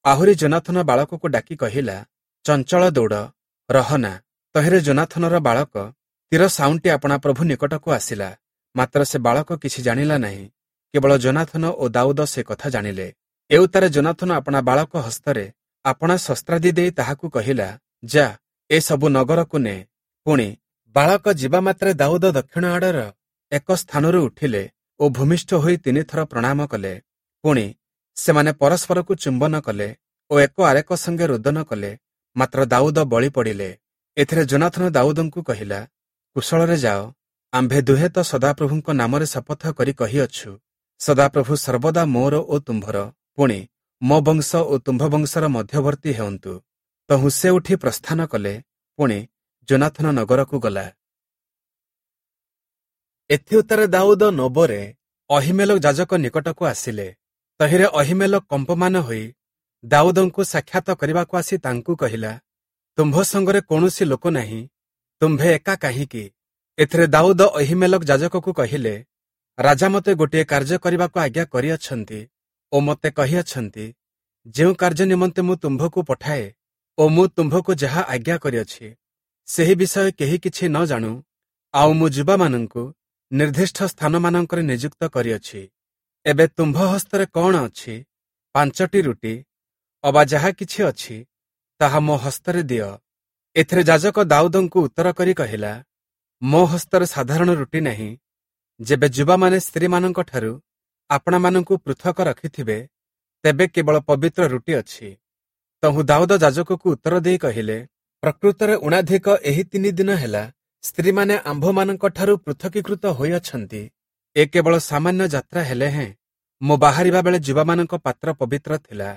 ଆହୁରି ଯୋନାଥନ ବାଳକକୁ ଡାକି କହିଲା, ଚଞ୍ଚଳ ଦୌଡ଼, ରହନା। ତହିଁରେ ଯୋନାଥନର ବାଳକ ତୀର ସାଉଣ୍ଟି ଆପଣା ପ୍ରଭୁ ନିକଟକୁ ଆସିଲା, ମାତ୍ର ସେ ବାଳକ କିଛି ଜାଣିଲା ନାହିଁ, କେବଳ ଯୋନାଥନ ଓ ଦାଉଦ ସେ କଥା ଜାଣିଲେ। ଏଉତ୍ତାରେ ଯୋନାଥନ ଆପଣା ବାଳକ ହସ୍ତରେ ଆପଣା ଶସ୍ତ୍ରାଦି ଦେଇ ତାହାକୁ କହିଲା, ଯା, ଏସବୁ ନଗରକୁ ନେ। ପୁଣି ବାଳକ ଯିବା ମାତ୍ରେ ଦାଉଦ ଦକ୍ଷିଣ ଆଡ଼ର ଏକ ସ୍ଥାନରୁ ଉଠିଲେ ଓ ଭୂମିଷ୍ଠ ହୋଇ ତିନିଥର ପ୍ରଣାମ କଲେ। ପୁଣି ସେମାନେ ପରସ୍ପରକୁ ଚୁମ୍ବନ କଲେ ଓ ଏକ ଆରେକ ସଙ୍ଗେ ରୋଦନ କଲେ, ମାତ୍ର ଦାଉଦ ବଳି ପଡ଼ିଲେ। ଏଥିରେ ଯୋନାଥନ ଦାଉଦଙ୍କୁ କହିଲା, କୁଶଳରେ ଯାଅ, ଆମ୍ଭେ ଦୁହେଁ ତ ସଦାପ୍ରଭୁଙ୍କ ନାମରେ ଶପଥ କରି କହିଅଛୁ, ସଦାପ୍ରଭୁ ସର୍ବଦା ମୋର ଓ ତୁମ୍ଭର, ପୁଣି ମୋ ବଂଶ ଓ ତୁମ୍ଭ ବଂଶର ମଧ୍ୟବର୍ତ୍ତୀ ହେଉନ୍ତୁ। ତହୁଁ ସେ ଉଠି ପ୍ରସ୍ଥାନ କଲେ। ପୁଣି ଯୋନାଥନ ନଗରକୁ ଗଲା। ଏଥିଉତ୍ତାରେ ଦାଉଦ ନୋବରେ ଅହୀମେଲକ ଯାଜକ ନିକଟକୁ ଆସିଲେ। ତହିଁରେ ଅହୀମେଲକ କମ୍ପମାନ ହୋଇ ଦାଉଦଙ୍କୁ ସାକ୍ଷାତ କରିବାକୁ ଆସି ତାଙ୍କୁ କହିଲା, ତୁମ୍ଭ ସଙ୍ଗରେ କୌଣସି ଲୋକ ନାହିଁ, ତୁମ୍ଭେ ଏକା କାହିଁକି? ଏଥିରେ ଦାଉଦ ଅହୀମେଲକ ଯାଜକକୁ କହିଲେ, ରାଜା ମୋତେ ଗୋଟିଏ କାର୍ଯ୍ୟ କରିବାକୁ ଆଜ୍ଞା କରିଅଛନ୍ତି ଓ ମୋତେ କହିଅଛନ୍ତି, ଯେଉଁ କାର୍ଯ୍ୟ ନିମନ୍ତେ ମୁଁ ତୁମ୍ଭକୁ ପଠାଏ ଓ ମୁଁ ତୁମ୍ଭକୁ ଯାହା ଆଜ୍ଞା କରିଅଛି ସେହି ବିଷୟ କେହି କିଛି ନ ଜାଣୁ। ଆଉ ମୁଁ ଯୁବାମାନଙ୍କୁ ନିର୍ଦ୍ଦିଷ୍ଟ ସ୍ଥାନମାନଙ୍କରେ ନିଯୁକ୍ତ କରିଅଛି। ଏବେ ତୁମ୍ଭ ହସ୍ତରେ କଣ ଅଛି? ପାଞ୍ଚଟି ରୁଟି ଅବା ଯାହା କିଛି ଅଛି ତାହା ମୋ ହସ୍ତରେ ଦିଅ। ଏଥିରେ ଯାଜକ ଦାଉଦଙ୍କୁ ଉତ୍ତର କରି କହିଲା, ମୋ ହସ୍ତରେ ସାଧାରଣ ରୁଟି ନାହିଁ। ଯେବେ ଯୁବାମାନେ ସ୍ତ୍ରୀମାନଙ୍କଠାରୁ ଆପଣାମାନଙ୍କୁ ପୃଥକ ରଖିଥିବେ, ତେବେ କେବଳ ପବିତ୍ର ରୁଟି ଅଛି। ତହୁଁ ଦାଉଦ ଯାଜକକୁ ଉତ୍ତର ଦେଇ କହିଲେ, ପ୍ରକୃତରେ ଊଣାଧିକ ଏହି ତିନି ଦିନ ହେଲା ସ୍ତ୍ରୀମାନେ ଆମ୍ଭମାନଙ୍କଠାରୁ ପୃଥକୀକୃତ ହୋଇଅଛନ୍ତି। ଏ କେବଳ ସାମାନ୍ୟ ଯାତ୍ରା ହେଲେ ହେଁ ମୁଁ ବାହାରିବା ବେଳେ ଯୁବାମାନଙ୍କ ପାତ୍ର ପବିତ୍ର ଥିଲା,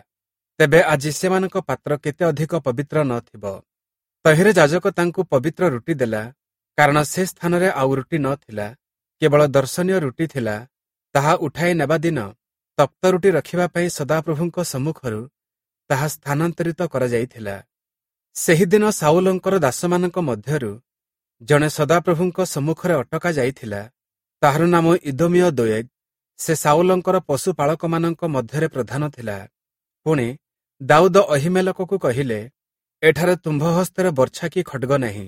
ତେବେ ଆଜି ସେମାନଙ୍କ ପାତ୍ର କେତେ ଅଧିକ ପବିତ୍ର ନ ଥିବ। ତହିଁରେ ଯାଜକ ତାଙ୍କୁ ପବିତ୍ର ରୁଟି ଦେଲା, କାରଣ ସେ ସ୍ଥାନରେ ଆଉ ରୁଟି ନ ଥିଲା, କେବଳ ଦର୍ଶନୀୟ ରୁଟି ଥିଲା। ତାହା ଉଠାଇ ନେବା ଦିନ ତପ୍ତ ରୁଟି ରଖିବା ପାଇଁ ସଦାପ୍ରଭୁଙ୍କ ସମ୍ମୁଖରୁ ତାହା ସ୍ଥାନାନ୍ତରିତ କରାଯାଇଥିଲା। ସେହିଦିନ ସାଉଲଙ୍କର ଦାସମାନଙ୍କ ମଧ୍ୟରୁ ଜଣେ ସଦାପ୍ରଭୁଙ୍କ ସମ୍ମୁଖରେ ଅଟକା ଯାଇଥିଲା। ତାହାର ନାମ ଇଦୋମୀୟ ଦୋଏଗ। ସେ ସାଉଲଙ୍କର ପଶୁପାଳକମାନଙ୍କ ମଧ୍ୟରେ ପ୍ରଧାନ ଥିଲା। ପୁଣି ଦାଉଦ ଅହୀମେଲକକୁ କହିଲେ, ଏଠାରେ ତୁମ୍ଭ ହସ୍ତରେ ବର୍ଚ୍ଛା କି ଖଡ୍ଗ ନାହିଁ,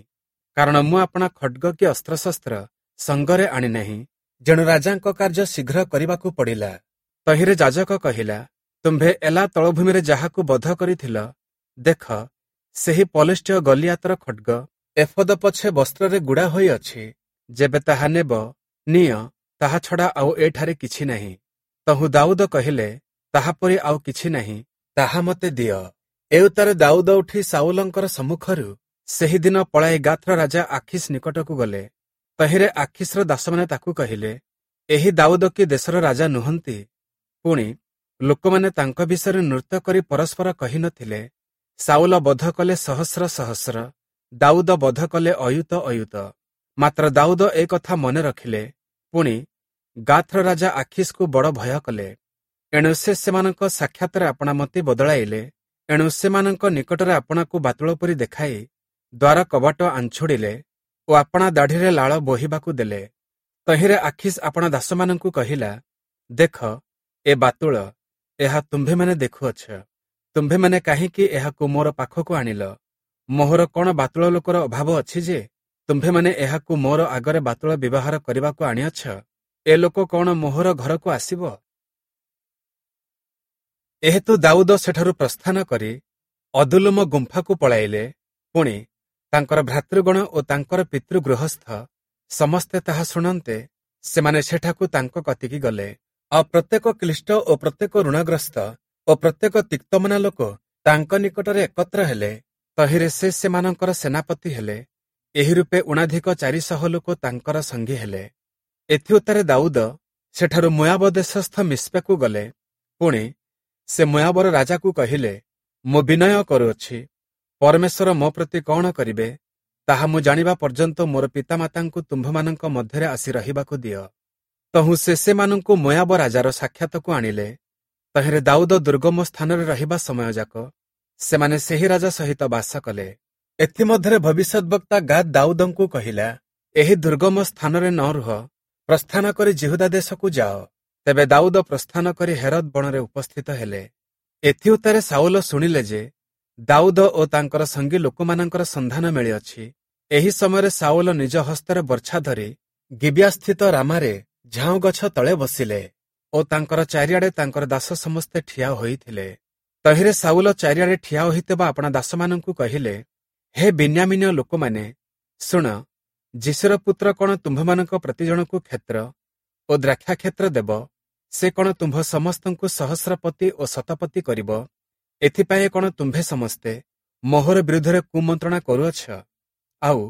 କାରଣ ମୁଁ ଆପଣା ଖଡ୍ଗ କି ଅସ୍ତ୍ରଶସ୍ତ୍ର ସଙ୍ଗରେ ଆଣିନାହିଁ, ଯେଣୁ ରାଜାଙ୍କ କାର୍ଯ୍ୟ ଶୀଘ୍ର କରିବାକୁ ପଡ଼ିଲା। ତହିଁରେ ଯାଜକ କହିଲା, ତୁମ୍ଭେ ଏଲା ତଳଭୂମିରେ ଯାହାକୁ ବଧ କରିଥିଲ, ଦେଖ, ସେହି ପଲେଷ୍ଟୀୟ ଗଲିଆତର ଖଡ୍ଗ ଏଫୋଦ ପଛେ ବସ୍ତ୍ରରେ ଗୁଡ଼ା ହୋଇଅଛି। ଯେବେ ତାହା ନେବ, ନିଅ, ତାହା ଛଡ଼ା ଆଉ ଏଠାରେ କିଛି ନାହିଁ। ତହୁଁ ଦାଉଦ କହିଲେ, ତାହାପରି ଆଉ କିଛି ନାହିଁ, ତାହା ମୋତେ ଦିଅ। ଏଉତ୍ତାରେ ଦାଉଦ ଉଠି ସାଉଲଙ୍କର ସମ୍ମୁଖରୁ ସେହିଦିନ ପଳାଇ ଗାଥର ରାଜା ଆଖିସ୍ ନିକଟକୁ ଗଲେ। ତହିଁରେ ଆଖିସ୍ର ଦାସମାନେ ତାକୁ କହିଲେ, ଏହି ଦାଉଦ କି ଦେଶର ରାଜା ନୁହନ୍ତି? ପୁଣି ଲୋକମାନେ ତାଙ୍କ ବିଷୟରେ ନୃତ୍ୟ କରି ପରସ୍ପର କହିନଥିଲେ, ସାଉଲ ବଧ କଲେ ସହସ୍ର ସହସ୍ର, ଦାଉଦ ବଧ କଲେ ଅୟୁତ ଅୟୁତ। ମାତ୍ର ଦାଉଦ ଏ କଥା ମନେ ରଖିଲେ। ପୁଣି ଗାଥର ରାଜା ଆଖିସ୍କୁ ବଡ଼ ଭୟ କଲେ। ଏଣୁ ସେ ସେମାନଙ୍କ ସାକ୍ଷାତରେ ଆପଣା ମତି ବଦଳାଇଲେ। ଏଣୁ ସେମାନଙ୍କ ନିକଟରେ ଆପଣାକୁ ବାତୁଳ ପରି ଦେଖାଇ ଦ୍ୱାର କବାଟ ଆଞ୍ଛୁଡ଼ିଲେ ଓ ଆପଣା ଦାଢ଼ିରେ ଲାଳ ବୋହିବାକୁ ଦେଲେ। ତହିଁରେ ଆଖିସ୍ ଆପଣା ଦାସମାନଙ୍କୁ କହିଲା, ଦେଖ, ଏ ବାତୁଳ, ଏହା ତୁମ୍ଭେମାନେ ଦେଖୁଅଛ। ତୁମ୍ଭେମାନେ କାହିଁକି ଏହାକୁ ମୋର ପାଖକୁ ଆଣିଲ? ମୋହର କଣ ବାତୁଳ ଲୋକର ଅଭାବ ଅଛି ଯେ ତୁମ୍ଭେମାନେ ଏହାକୁ ମୋର ଆଗରେ ବାତୁଳ ବ୍ୟବହାର କରିବାକୁ ଆଣିଅଛ? ଏ ଲୋକ କଣ ମୋହର ଘରକୁ ଆସିବ? ଏହେତୁ ଦାଉଦ ସେଠାରୁ ପ୍ରସ୍ଥାନ କରି ଅଦୁଲ୍ଲମ ଗୁମ୍ଫାକୁ ପଳାଇଲେ। ପୁଣି ତାଙ୍କର ଭ୍ରାତୃଗଣ ଓ ତାଙ୍କର ପିତୃଗୃହସ୍ଥ ସମସ୍ତେ ତାହା ଶୁଣନ୍ତେ ସେମାନେ ସେଠାକୁ ତାଙ୍କ କତିକି ଗଲେ। ଆଉ ପ୍ରତ୍ୟେକ କ୍ଲିଷ୍ଟ ଓ ପ୍ରତ୍ୟେକ ଋଣଗ୍ରସ୍ତ ଓ ପ୍ରତ୍ୟେକ ତିକ୍ତମନା ଲୋକ ତାଙ୍କ ନିକଟରେ ଏକତ୍ର ହେଲେ। ତହିଁରେ ସେ ସେମାନଙ୍କର ସେନାପତି ହେଲେ। ଏହି ରୂପେ ଊଣାଧିକ ଚାରିଶହ ଲୋକ ତାଙ୍କର ସଙ୍ଗୀ ହେଲେ। ଏଥିଉତ୍ତାରେ ଦାଉଦ ସେଠାରୁ ମୋୟାବ ଦେଶସ୍ଥ ମିସ୍ପାକୁ ଗଲେ। ପୁଣି ସେ ମୋୟାବର ରାଜାକୁ କହିଲେ, ମୁଁ ବିନୟ କରୁଅଛି, ପରମେଶ୍ୱର ମୋ ପ୍ରତି କଣ କରିବେ ତାହା ମୁଁ ଜାଣିବା ପର୍ଯ୍ୟନ୍ତ ମୋର ପିତାମାତାଙ୍କୁ ତୁମ୍ଭମାନଙ୍କ ମଧ୍ୟରେ ଆସି ରହିବାକୁ ଦିଅ। ତହୁଁ ସେ ସେମାନଙ୍କୁ ମୋୟାବ ରାଜାର ସାକ୍ଷାତକୁ ଆଣିଲେ। ତହିଁରେ ଦାଉଦ ଦୁର୍ଗମ ସ୍ଥାନରେ ରହିବା ସମୟଯାକ ସେମାନେ ସେହି ରାଜା ସହିତ ବାସ କଲେ। ଏଥିମଧ୍ୟରେ ଭବିଷ୍ୟଦ୍‌ବକ୍ତା ଗାଦ୍ ଦାଉଦଙ୍କୁ କହିଲା, ଏହି ଦୁର୍ଗମ ସ୍ଥାନରେ ନ ରୁହ, ପ୍ରସ୍ଥାନ କରି ଯିହୁଦା ଦେଶକୁ ଯାଅ। ତେବେ ଦାଉଦ ପ୍ରସ୍ଥାନ କରି ହେରଦ ବଣରେ ଉପସ୍ଥିତ ହେଲେ। ଏଥିଉତ୍ତାରେ ସାଉଲ ଶୁଣିଲେ ଯେ ଦାଉଦ ଓ ତାଙ୍କର ସଙ୍ଗୀ ଲୋକମାନଙ୍କର ସନ୍ଧାନ ମିଳିଅଛି। ଏହି ସମୟରେ ସାଉଲ ନିଜ ହସ୍ତରେ ବର୍ଚ୍ଛା ଧରି ଗିବିୟାସ୍ଥିତ ରାମାରେ ଝାଉଁ ଗଛ ତଳେ ବସିଲେ ଓ ତାଙ୍କର ଚାରିଆଡ଼େ ତାଙ୍କର ଦାସ ସମସ୍ତେ ଠିଆ ହୋଇଥିଲେ। ତହିଁରେ ସାଉଲ ଚାରିଆଡ଼େ ଠିଆ ହୋଇଥିବା ଆପଣା ଦାସମାନଙ୍କୁ କହିଲେ, ହେ ବିନ୍ୟାମୀନୀୟ ଲୋକମାନେ, ଶୁଣ, ଯିଶିର ପୁତ୍ର କଣ ତୁମ୍ଭମାନଙ୍କ ପ୍ରତିଜଣକୁ କ୍ଷେତ୍ର ଓ ଦ୍ରାକ୍ଷାକ୍ଷେତ୍ର ଦେବ? ସେ କଣ ତୁମ୍ଭ ସମସ୍ତଙ୍କୁ ସହସ୍ରପତି ଓ ଶତପତି କରିବ? ଏଥିପାଇଁ କଣ ତୁମ୍ଭେ ସମସ୍ତେ ମୋହର ବିରୁଦ୍ଧରେ କୁମନ୍ତ୍ରଣା କରୁଅଛ? ଆଉ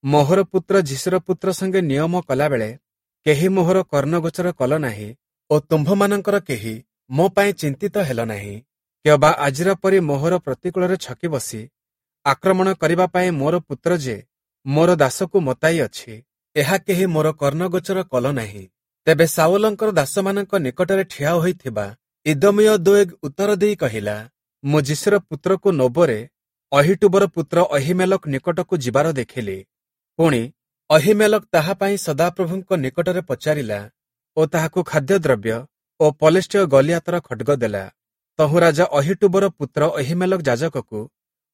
ମୋହର ପୁତ୍ର ଯିଶିର ପୁତ୍ର ସଙ୍ଗେ ନିୟମ କଲାବେଳେ କେହି ମୋହର କର୍ଣ୍ଣଗୋଚର କଲ ନାହିଁ ଓ ତୁମ୍ଭମାନଙ୍କର କେହି ମୋ ପାଇଁ ଚିନ୍ତିତ ହେଲ ନାହିଁ। କିଅବା ଆଜିର ପରି ମୋହର ପ୍ରତିକୂଳରେ ଛକି ବସି ଆକ୍ରମଣ କରିବା ପାଇଁ ମୋର ପୁତ୍ର ଯେ ମୋର ଦାସକୁ ମତାଇ ଅଛି, ଏହା କେହି ମୋର କର୍ଣ୍ଣଗୋଚର କଲ ନାହିଁ। ତେବେ ସାଉଲଙ୍କର ଦାସମାନଙ୍କ ନିକଟରେ ଠିଆ ହୋଇଥିବା ଇଦୋମୀୟ ଦୋଏଗ ଉତ୍ତର ଦେଇ କହିଲା, ମୁଁ ଯିଶିର ପୁତ୍ରକୁ ନୋବରେ ଅହୀଟୂବର ପୁତ୍ର ଅହୀମେଲକ ନିକଟକୁ ଯିବାର ଦେଖିଲି। ପୁଣି ଅହୀମେଲକ ତାହା ପାଇଁ ସଦାପ୍ରଭୁଙ୍କ ନିକଟରେ ପଚାରିଲା ଓ ତାହାକୁ ଖାଦ୍ୟଦ୍ରବ୍ୟ ଓ ପଲେଷ୍ଟୀୟ ଗଲିଆତର ଖଡ୍ଗ ଦେଲା। ତହୁଁ ରାଜା ଅହୀଟୂବର ପୁତ୍ର ଅହୀମେଲକ ଯାଜକକୁ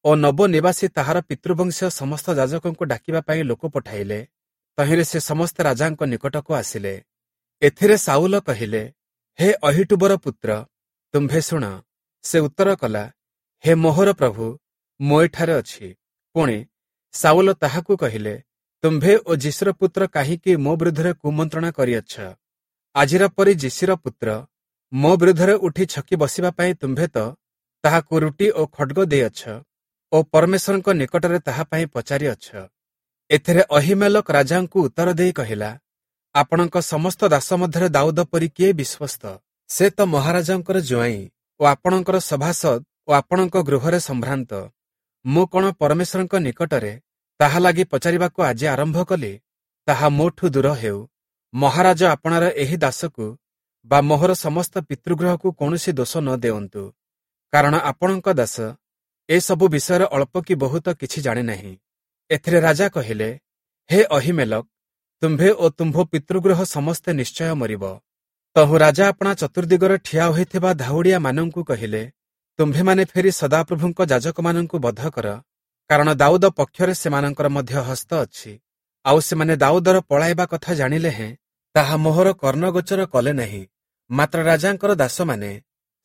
ଓ ନୋବ ନିବାସୀ ତାହାର ପିତୃବଂଶୀୟ ସମସ୍ତ ଯାଜକଙ୍କୁ ଡାକିବା ପାଇଁ ଲୋକ ପଠାଇଲେ। ତହିଁରେ ସେ ସମସ୍ତେ ରାଜାଙ୍କ ନିକଟକୁ ଆସିଲେ। ଏଥିରେ ସାଉଲ କହିଲେ, ହେ ଅହୀଟୂବର ପୁତ୍ର, ତୁମ୍ଭେ ଶୁଣ। ସେ ଉତ୍ତର କଲା, ହେ ମୋହର ପ୍ରଭୁ, ମୁଁ ଏଠାରେ ଅଛି। ପୁଣି ସାଉଲ ତାହାକୁ କହିଲେ, ତୁମ୍ଭେ ଓ ଯିଶିର ପୁତ୍ର କାହିଁକି ମୋ ବିରୁଦ୍ଧରେ କୁମନ୍ତ୍ରଣା କରିଅଛ? ଆଜିର ପରି ଯିଶିର ପୁତ୍ର ମୋ ବିରୁଦ୍ଧରେ ଉଠି ଛକି ବସିବା ପାଇଁ ତୁମ୍ଭେ ତ ତାହାକୁ ରୁଟି ଓ ଖଡ୍ଗ ଦେଇଅଛ ଓ ପରମେଶ୍ୱରଙ୍କ ନିକଟରେ ତାହା ପାଇଁ ପଚାରିଅଛ। ଏଥିରେ ଅହୀମେଲକ ରାଜାଙ୍କୁ ଉତ୍ତର ଦେଇ କହିଲା, ଆପଣଙ୍କ ସମସ୍ତ ଦାସ ମଧ୍ୟରେ ଦାଉଦ ପରି କିଏ ବିଶ୍ୱସ୍ତ? ସେ ତ ମହାରାଜାଙ୍କର ଜୁଆଇଁ ଓ ଆପଣଙ୍କର ସଭାସଦ ଓ ଆପଣଙ୍କ ଗୃହରେ ସମ୍ଭ୍ରାନ୍ତ। ମୁଁ କଣ ପରମେଶ୍ୱରଙ୍କ ନିକଟରେ ତାହା ଲାଗି ପଚାରିବାକୁ ଆଜି ଆରମ୍ଭ କଲି? ତାହା ମୋଠୁ ଦୂର ହେଉ। ମହାରାଜ ଆପଣାର ଏହି ଦାସକୁ ବା ମୋହର ସମସ୍ତ ପିତୃଗୃହକୁ କୌଣସି ଦୋଷ ନ ଦେଉନ୍ତୁ, କାରଣ ଆପଣଙ୍କ ଦାସ ଏସବୁ ବିଷୟରେ ଅଳ୍ପ କି ବହୁତ କିଛି ଜାଣେ ନାହିଁ। ଏଥିରେ ରାଜା କହିଲେ, ହେ ଅହୀମେଲକ, ତୁମ୍ଭେ ଓ ତୁମ୍ଭ ପିତୃଗୃହ ସମସ୍ତେ ନିଶ୍ଚୟ ମରିବ। ତହୁଁ ରାଜା ଆପଣା ଚତୁର୍ଦିଗରେ ଠିଆ ହୋଇଥିବା ଧାଉଡ଼ିଆମାନଙ୍କୁ କହିଲେ, ତୁମ୍ଭେମାନେ ଫେରି ସଦାପ୍ରଭୁଙ୍କ ଯାଜକମାନଙ୍କୁ ବଧ କର, କାରଣ ଦାଉଦ ପକ୍ଷରେ ସେମାନଙ୍କର ମଧ୍ୟ ହସ୍ତ ଅଛି। ଆଉ ସେମାନେ ଦାଉଦର ପଳାଇବା କଥା ଜାଣିଲେ ହେଁ ତାହା ମୋହର କର୍ଣ୍ଣଗୋଚର କଲେ ନାହିଁ। ମାତ୍ର ରାଜାଙ୍କର ଦାସମାନେ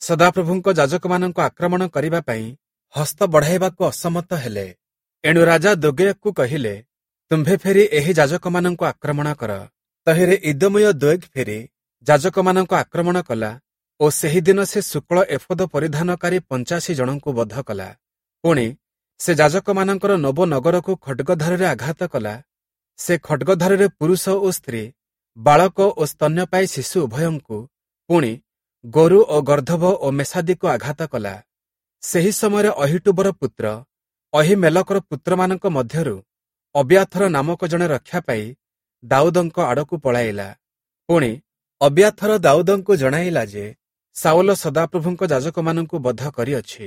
ସଦାପ୍ରଭୁଙ୍କ ଯାଜକମାନଙ୍କୁ ଆକ୍ରମଣ କରିବା ପାଇଁ ହସ୍ତ ବଢ଼ାଇବାକୁ ଅସମ୍ମତ ହେଲେ। ଏଣୁ ରାଜା ଦୋଗେୟକୁ କହିଲେ, ତୁମ୍ଭେ ଫେରି ଏହି ଯାଜକମାନଙ୍କୁ ଆକ୍ରମଣ କର। ତହିଁରେ ଇଦୋମୀୟ ଦୋଏଗ ଫେରି ଯାଜକମାନଙ୍କୁ ଆକ୍ରମଣ କଲା ଓ ସେହିଦିନ ସେ ଶୁକ୍ଳ ଏଫୋଦ ପରିଧାନକାରୀ ପଞ୍ଚାଅଶୀ ଜଣଙ୍କୁ ବଧ କଲା। ପୁଣି ସେ ଯାଜକମାନଙ୍କର ନୋବ ନଗରକୁ ଖଡ୍ଗଧାରରେ ଆଘାତ କଲା। ସେ ଖଡ୍ଗଧାରରେ ପୁରୁଷ ଓ ସ୍ତ୍ରୀ, ବାଳକ ଓ ସ୍ତନ୍ୟପାୟୀ ଶିଶୁ ଉଭୟଙ୍କୁ, ପୁଣି ଗୋରୁ ଓ ଗର୍ଦ୍ଦଭ ଓ ମେଷାଦିକୁ ଆଘାତ କଲା। ସେହି ସମୟରେ ଅହୀଟୂବର ପୁତ୍ର ଅହୀମେଲକର ପୁତ୍ରମାନଙ୍କ ମଧ୍ୟରୁ ଅବିୟାଥର ନାମକ ଜଣେ ରକ୍ଷା ପାଇ ଦାଉଦଙ୍କ ଆଡ଼କୁ ପଳାଇଲା। ପୁଣି ଅବିୟାଥର ଦାଉଦଙ୍କୁ ଜଣାଇଲା ଯେ ସାଉଲ ସଦାପ୍ରଭୁଙ୍କ ଯାଜକମାନଙ୍କୁ ବଧ କରିଅଛି।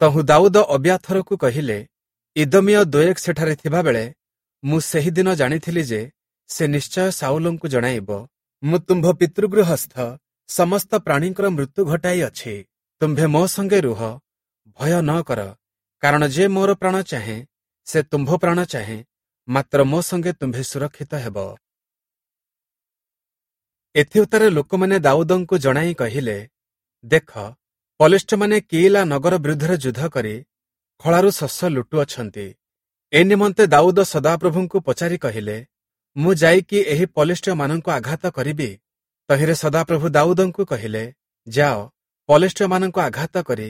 ତହୁଁ ଦାଉଦ ଅବିୟାଥରକୁ କହିଲେ, ଇଦୋମୀୟ ଦୋଏଗ ସେଠାରେ ଥିବାବେଳେ ମୁଁ ସେହିଦିନ ଜାଣିଥିଲି ଯେ ସେ ନିଶ୍ଚୟ ସାଉଲଙ୍କୁ ଜଣାଇବ, ମୁଁ ତୁମ୍ଭ ପିତୃଗୃହସ୍ଥ ସମସ୍ତ ପ୍ରାଣୀଙ୍କର ମୃତ୍ୟୁ ଘଟାଇଅଛି। ତୁମ୍ଭେ ମୋ ସଙ୍ଗେ ରୁହ, ଭୟ ନ କର, କାରଣ ଯେ ମୋର ପ୍ରାଣ ଚାହେଁ ସେ ତୁମ୍ଭ ପ୍ରାଣ ଚାହେଁ, ମାତ୍ର ମୋ ସଙ୍ଗେ ତୁମ୍ଭେ ସୁରକ୍ଷିତ ହେବ। ଏଥିଉତ୍ତାରେ ଲୋକମାନେ ଦାଉଦଙ୍କୁ ଜଣାଇ କହିଲେ, ଦେଖ, ପଲେଷ୍ଟମାନେ କିଇଲା ନଗର ବିରୁଦ୍ଧରେ ଯୁଦ୍ଧ କରି ଖଳାରୁ ଶସ୍ୟ ଲୁଟୁଅଛନ୍ତି। ଏ ନିମନ୍ତେ ଦାଉଦ ସଦାପ୍ରଭୁଙ୍କୁ ପଚାରି କହିଲେ, ମୁଁ ଯାଇକି ଏହି ପଲେଷ୍ଟୀୟମାନଙ୍କୁ ଆଘାତ କରିବି? ତହିଁରେ ସଦାପ୍ରଭୁ ଦାଉଦଙ୍କୁ କହିଲେ, ଯାଅ, ପଲେଷ୍ଟୀୟମାନଙ୍କୁ ଆଘାତ କରି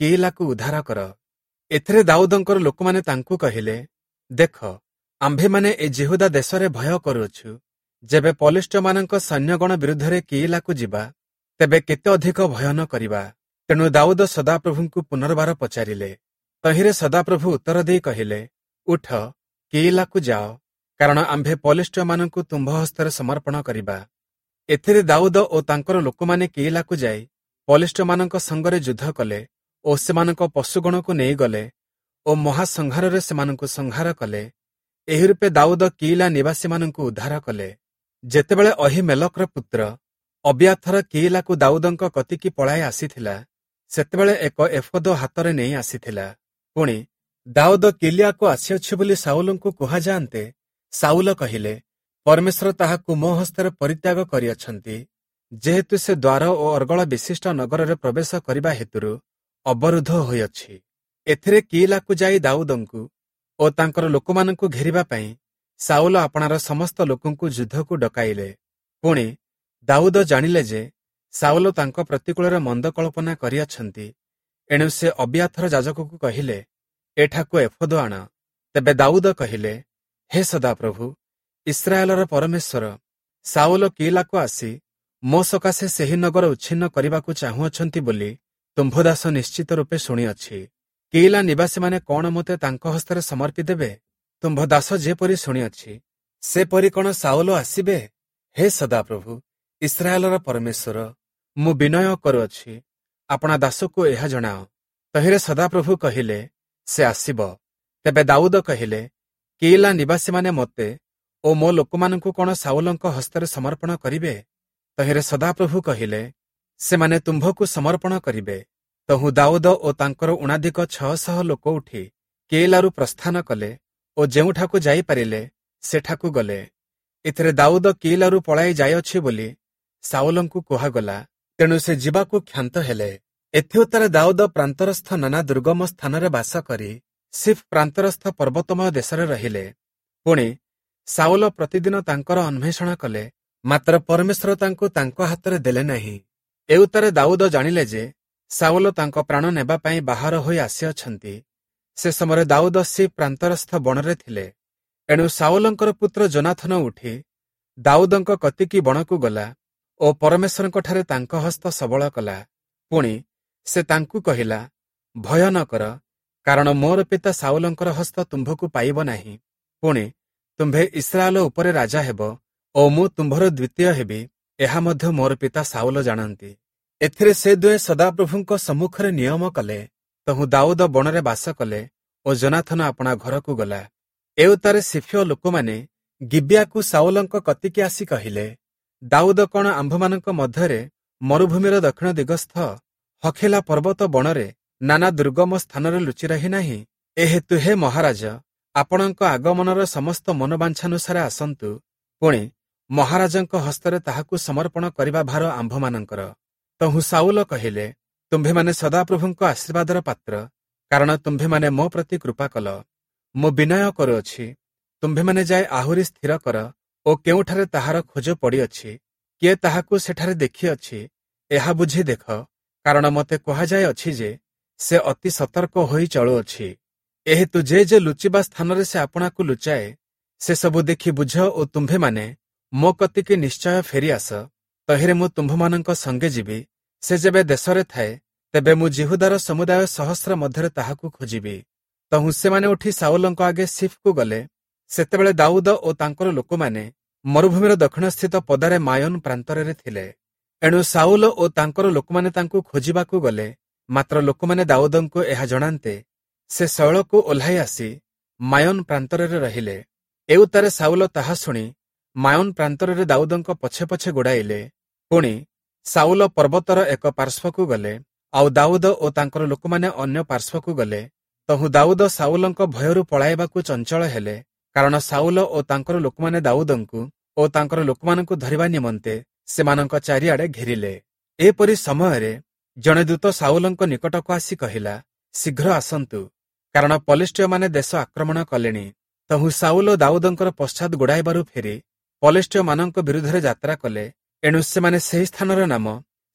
କିଇଲାକୁ ଉଦ୍ଧାର କର। ଏଥିରେ ଦାଉଦଙ୍କର ଲୋକମାନେ ତାଙ୍କୁ କହିଲେ, ଦେଖ, ଆମ୍ଭେମାନେ ଏ ଯିହୁଦା ଦେଶରେ ଭୟ କରୁଅଛୁ। ଯେବେ ପଲେଷ୍ଟୀୟମାନଙ୍କ ସୈନ୍ୟଗଣ ବିରୁଦ୍ଧରେ କିଇଲାକୁ ଯିବା, ତେବେ କେତେ ଅଧିକ ଭୟ ନ କରିବା? ତେଣୁ ଦାଉଦ ସଦାପ୍ରଭୁଙ୍କୁ ପୁନର୍ବାର ପଚାରିଲେ। ତହିଁରେ ସଦାପ୍ରଭୁ ଉତ୍ତର ଦେଇ କହିଲେ, ଉଠ, କିଇଲାକୁ ଯାଅ, କାରଣ ଆମ୍ଭେ ପଲେଷ୍ଟୀୟମାନଙ୍କୁ ତୁମ୍ଭ ହସ୍ତରେ ସମର୍ପଣ କରିବା। ଏଥିରେ ଦାଉଦ ଓ ତାଙ୍କର ଲୋକମାନେ କିଇଲାକୁ ଯାଇ ପଲେଷ୍ଟୀୟମାନଙ୍କ ସଙ୍ଗରେ ଯୁଦ୍ଧ କଲେ ଓ ସେମାନଙ୍କ ପଶୁଗଣକୁ ନେଇଗଲେ ଓ ମହାସଂହାରରେ ସେମାନଙ୍କୁ ସଂହାର କଲେ। ଏହି ରୂପେ ଦାଉଦ କିଇଲା ନିବାସୀମାନଙ୍କୁ ଉଦ୍ଧାର କଲେ। ଯେତେବେଳେ ଅହୀମେଲକର ପୁତ୍ର ଅବିୟାଥର କିଇଲାକୁ ଦାଉଦଙ୍କ କତିକି ପଳାଇ ଆସିଥିଲା, ସେତେବେଳେ ଏକ ଏଫୋଦ ହାତରେ ନେଇ ଆସିଥିଲା। ପୁଣି ଦାଉଦ କିଲିଆକୁ ଆସିଅଛି ବୋଲି ସାଉଲଙ୍କୁ କୁହାଯାଆନ୍ତେ, ସାଉଲ କହିଲେ, ପରମେଶ୍ୱର ତାହାକୁ ମୋ ହସ୍ତରେ ପରିତ୍ୟାଗ କରିଅଛନ୍ତି, ଯେହେତୁ ସେ ଦ୍ୱାର ଓ ଅର୍ଗଳ ବିଶିଷ୍ଟ ନଗରରେ ପ୍ରବେଶ କରିବା ହେତୁରୁ ଅବରୁଦ୍ଧ ହୋଇଅଛି। ଏଥିରେ କିଇଲାକୁ ଯାଇ ଦାଉଦଙ୍କୁ ଓ ତାଙ୍କର ଲୋକମାନଙ୍କୁ ଘେରିବା ପାଇଁ ସାଉଲ ଆପଣାର ସମସ୍ତ ଲୋକଙ୍କୁ ଯୁଦ୍ଧକୁ ଡକାଇଲେ। ପୁଣି ଦାଉଦ ଜାଣିଲେ ଯେ ସାଉଲ ତାଙ୍କ ପ୍ରତିକୂଳରେ ମନ୍ଦ କଳ୍ପନା କରିଅଛନ୍ତି। ଏଣୁ ସେ ଅବିୟାଥର ଯାଜକକୁ କହିଲେ, ଏଠାକୁ ଏଫୋଦ ଆଣ। ତେବେ ଦାଉଦ କହିଲେ, ହେ ସଦାପ୍ରଭୁ, ଇସ୍ରାଏଲର ପରମେଶ୍ୱର, ସାଉଲ କିଇଲାକୁ ଆସି ମୋ ସକାଶେ ସେହି ନଗର ଉଚ୍ଛିନ୍ନ କରିବାକୁ ଚାହୁଁଅଛନ୍ତି ବୋଲି ତୁମ୍ଭ ଦାସ ନିଶ୍ଚିତ ରୂପେ ଶୁଣିଅଛି। କିଇଲା ନିବାସୀମାନେ କଣ ମୋତେ ତାଙ୍କ ହସ୍ତରେ ସମର୍ପି ଦେବେ? ତୁମ୍ଭ ଦାସ ଯେପରି ଶୁଣିଅଛି, ସେପରି କଣ ସାଉଲ ଆସିବେ? ହେ ସଦାପ୍ରଭୁ, ଇସ୍ରାଏଲର ପରମେଶ୍ୱର, ମୁଁ ବିନୟ କରୁଅଛି, ଆପଣା ଦାସକୁ ଏହା ଜଣାଅ। ତହିଁରେ ସଦାପ୍ରଭୁ କହିଲେ, ସେ ଆସିବ। ତେବେ ଦାଉଦ କହିଲେ, କିଇଲା ନିବାସୀମାନେ ମୋତେ ଓ ମୋ ଲୋକମାନଙ୍କୁ କଣ ସାଉଲଙ୍କ ହସ୍ତରେ ସମର୍ପଣ କରିବେ? ତହିଁରେ ସଦାପ୍ରଭୁ କହିଲେ, ସେମାନେ ତୁମ୍ଭକୁ ସମର୍ପଣ କରିବେ। ତହୁଁ ଦାଉଦ ଓ ତାଙ୍କର ଊଣାଧିକ ଛଅଶହ ଲୋକ ଉଠି କିଇଲାରୁ ପ୍ରସ୍ଥାନ କଲେ ଓ ଯେଉଁଠାକୁ ଯାଇପାରିଲେ ସେଠାକୁ ଗଲେ। ଏଥିରେ ଦାଉଦ କିଇଲାରୁ ପଳାଇ ଯାଇଅଛି ବୋଲି ସାଉଲଙ୍କୁ କୁହାଗଲା। ତେଣୁ ସେ ଯିବାକୁ କ୍ଷାନ୍ତ ହେଲେ। ଏଥିଉତ୍ତାରେ ଦାଉଦ ପ୍ରାନ୍ତରସ୍ଥ ନାନା ଦୁର୍ଗମ ସ୍ଥାନରେ ବାସ କରି ସିଫ୍ ପ୍ରାନ୍ତରସ୍ଥ ପର୍ବତମୟ ଦେଶରେ ରହିଲେ। ପୁଣି ସାଉଲ ପ୍ରତିଦିନ ତାଙ୍କର ଅନ୍ୱେଷଣ କଲେ, ମାତ୍ର ପରମେଶ୍ୱର ତାଙ୍କୁ ତାଙ୍କ ହାତରେ ଦେଲେ ନାହିଁ। ଏଉତ୍ତାରେ ଦାଉଦ ଜାଣିଲେ ଯେ ସାଉଲ ତାଙ୍କ ପ୍ରାଣ ନେବା ପାଇଁ ବାହାର ହୋଇ ଆସିଅଛନ୍ତି। ସେ ସମୟରେ ଦାଉଦ ସିଫ୍ ପ୍ରାନ୍ତରସ୍ଥ ବଣରେ ଥିଲେ। ଏଣୁ ସାଉଲଙ୍କର ପୁତ୍ର ଯୋନାଥନ ଉଠି ଦାଉଦଙ୍କ କତିକି ବଣକୁ ଗଲା ଓ ପରମେଶ୍ୱରଙ୍କଠାରେ ତାଙ୍କ ହସ୍ତ ସବଳ କଲା। ପୁଣି ସେ ତାଙ୍କୁ କହିଲା, ଭୟ ନ କର, କାରଣ ମୋର ପିତା ସାଉଲଙ୍କର ହସ୍ତ ତୁମ୍ଭକୁ ପାଇବ ନାହିଁ। ପୁଣି ତୁମ୍ଭେ ଇସ୍ରାଏଲ ଉପରେ ରାଜା ହେବ ଓ ମୁଁ ତୁମ୍ଭର ଦ୍ୱିତୀୟ ହେବି, ଏହା ମଧ୍ୟ ମୋର ପିତା ସାଉଲ ଜାଣନ୍ତି। ଏଥିରେ ସେ ଦୁହେଁ ସଦାପ୍ରଭୁଙ୍କ ସମ୍ମୁଖରେ ନିୟମ କଲେ। ତହୁଁ ଦାଉଦ ବଣରେ ବାସ କଲେ ଓ ଯୋନାଥନ ଆପଣା ଘରକୁ ଗଲା। ଏଉତ୍ତାରେ ସିଫୀୟ ଲୋକମାନେ ଗିବିଆକୁ ସାଉଲଙ୍କ କତିକି ଆସି କହିଲେ, ଦାଉଦ କଣ ଆମ୍ଭମାନଙ୍କ ମଧ୍ୟରେ ମରୁଭୂମିର ଦକ୍ଷିଣ ଦିଗସ୍ଥ ହଖିଲା ପର୍ବତ ବଣରେ ନାନା ଦୁର୍ଗମ ସ୍ଥାନରେ ଲୁଚି ରହି ନାହିଁ? ଏ ହେତୁ ହେ ମହାରାଜ, ଆପଣଙ୍କ ଆଗମନର ସମସ୍ତ ମନୋବାଞ୍ଛାନୁସାରେ ଆସନ୍ତୁ। ପୁଣି ମହାରାଜଙ୍କ ହସ୍ତରେ ତାହାକୁ ସମର୍ପଣ କରିବା ଭାର ଆମ୍ଭମାନଙ୍କର। ତହୁଁ ସାଉଲ କହିଲେ, ତୁମ୍ଭେମାନେ ସଦାପ୍ରଭୁଙ୍କ ଆଶୀର୍ବାଦର ପାତ୍ର, କାରଣ ତୁମ୍ଭେମାନେ ମୋ ପ୍ରତି କୃପା କଲ। ମୁଁ ବିନୟ କରୁଅଛି, ତୁମ୍ଭେମାନେ ଯାଇ ଆହୁରି ସ୍ଥିର କର ଓ କେଉଁଠାରେ ତାହାର ଖୋଜ ପଡ଼ିଅଛି, କିଏ ତାହାକୁ ସେଠାରେ ଦେଖିଅଛି, ଏହା ବୁଝି ଦେଖ, କାରଣ ମୋତେ କୁହାଯାଇଅଛି ଯେ ସେ ଅତି ସତର୍କ ହୋଇ ଚଳୁଅଛି। ଏହେତୁ ଯେ ଯେ ଲୁଚିବା ସ୍ଥାନରେ ସେ ଆପଣାକୁ ଲୁଚାଏ, ସେସବୁ ଦେଖି ବୁଝ ଓ ତୁମ୍ଭେମାନେ ମୋ କତିକି ନିଶ୍ଚୟ ଫେରି ଆସ। ତହିଁରେ ମୁଁ ତୁମ୍ଭମାନଙ୍କ ସଙ୍ଗେ ଯିବି। ସେ ଯେବେ ଦେଶରେ ଥାଏ, ତେବେ ମୁଁ ଯିହୁଦାର ସମୁଦାୟ ସହସ୍ର ମଧ୍ୟରେ ତାହାକୁ ଖୋଜିବି। ତହୁଁ ସେମାନେ ଉଠି ସାଉଲଙ୍କ ଆଗେ ସିଫ୍କୁ ଗଲେ। ସେତେବେଳେ ଦାଉଦ ଓ ତାଙ୍କର ଲୋକମାନେ ମରୁଭୂମିର ଦକ୍ଷିଣସ୍ଥିତ ପଦାରେ ମାୟୋନ ପ୍ରାନ୍ତରରେ ଥିଲେ। ଏଣୁ ସାଉଲ ଓ ତାଙ୍କର ଲୋକମାନେ ତାଙ୍କୁ ଖୋଜିବାକୁ ଗଲେ। ମାତ୍ର ଲୋକମାନେ ଦାଉଦଙ୍କୁ ଏହା ଜଣାନ୍ତେ ସେ ଶୈଳକୁ ଓହ୍ଲାଇ ଆସି ମାୟୋନ ପ୍ରାନ୍ତରରେ ରହିଲେ। ଏଉତ୍ତାରେ ସାଉଲ ତାହା ଶୁଣି ମାୟୋନ ପ୍ରାନ୍ତରରେ ଦାଉଦଙ୍କ ପଛେ ପଛେ ଗୋଡ଼ାଇଲେ। ପୁଣି ସାଉଲ ପର୍ବତର ଏକ ପାର୍ଶ୍ୱକୁ ଗଲେ, ଆଉ ଦାଉଦ ଓ ତାଙ୍କର ଲୋକମାନେ ଅନ୍ୟ ପାର୍ଶ୍ୱକୁ ଗଲେ। ତହୁଁ ଦାଉଦ ସାଉଲଙ୍କ ଭୟରୁ ପଳାଇବାକୁ ଚଞ୍ଚଳ ହେଲେ। କାରଣ ସାଉଲ ଓ ତାଙ୍କର ଲୋକମାନେ ଦାଉଦଙ୍କୁ ଓ ତାଙ୍କର ଲୋକମାନଙ୍କୁ ଧରିବା ନିମନ୍ତେ ସେମାନଙ୍କ ଚାରିଆଡ଼େ ଘେରିଲେ। ଏପରି ସମୟରେ ଜଣେ ଦୂତ ସାଉଲଙ୍କ ନିକଟକୁ ଆସି କହିଲା, ଶୀଘ୍ର ଆସନ୍ତୁ, କାରଣ ପଲେଷ୍ଟୀୟମାନେ ଦେଶ ଆକ୍ରମଣ କଲେଣି। ତହୁଁ ସାଉଲ ଦାଉଦଙ୍କର ପଶ୍ଚାତ ଗୋଡ଼ାଇବାରୁ ଫେରି ପଲେଷ୍ଟୀୟମାନଙ୍କ ବିରୁଦ୍ଧରେ ଯାତ୍ରା କଲେ। ଏଣୁ ସେମାନେ ସେହି ସ୍ଥାନର ନାମ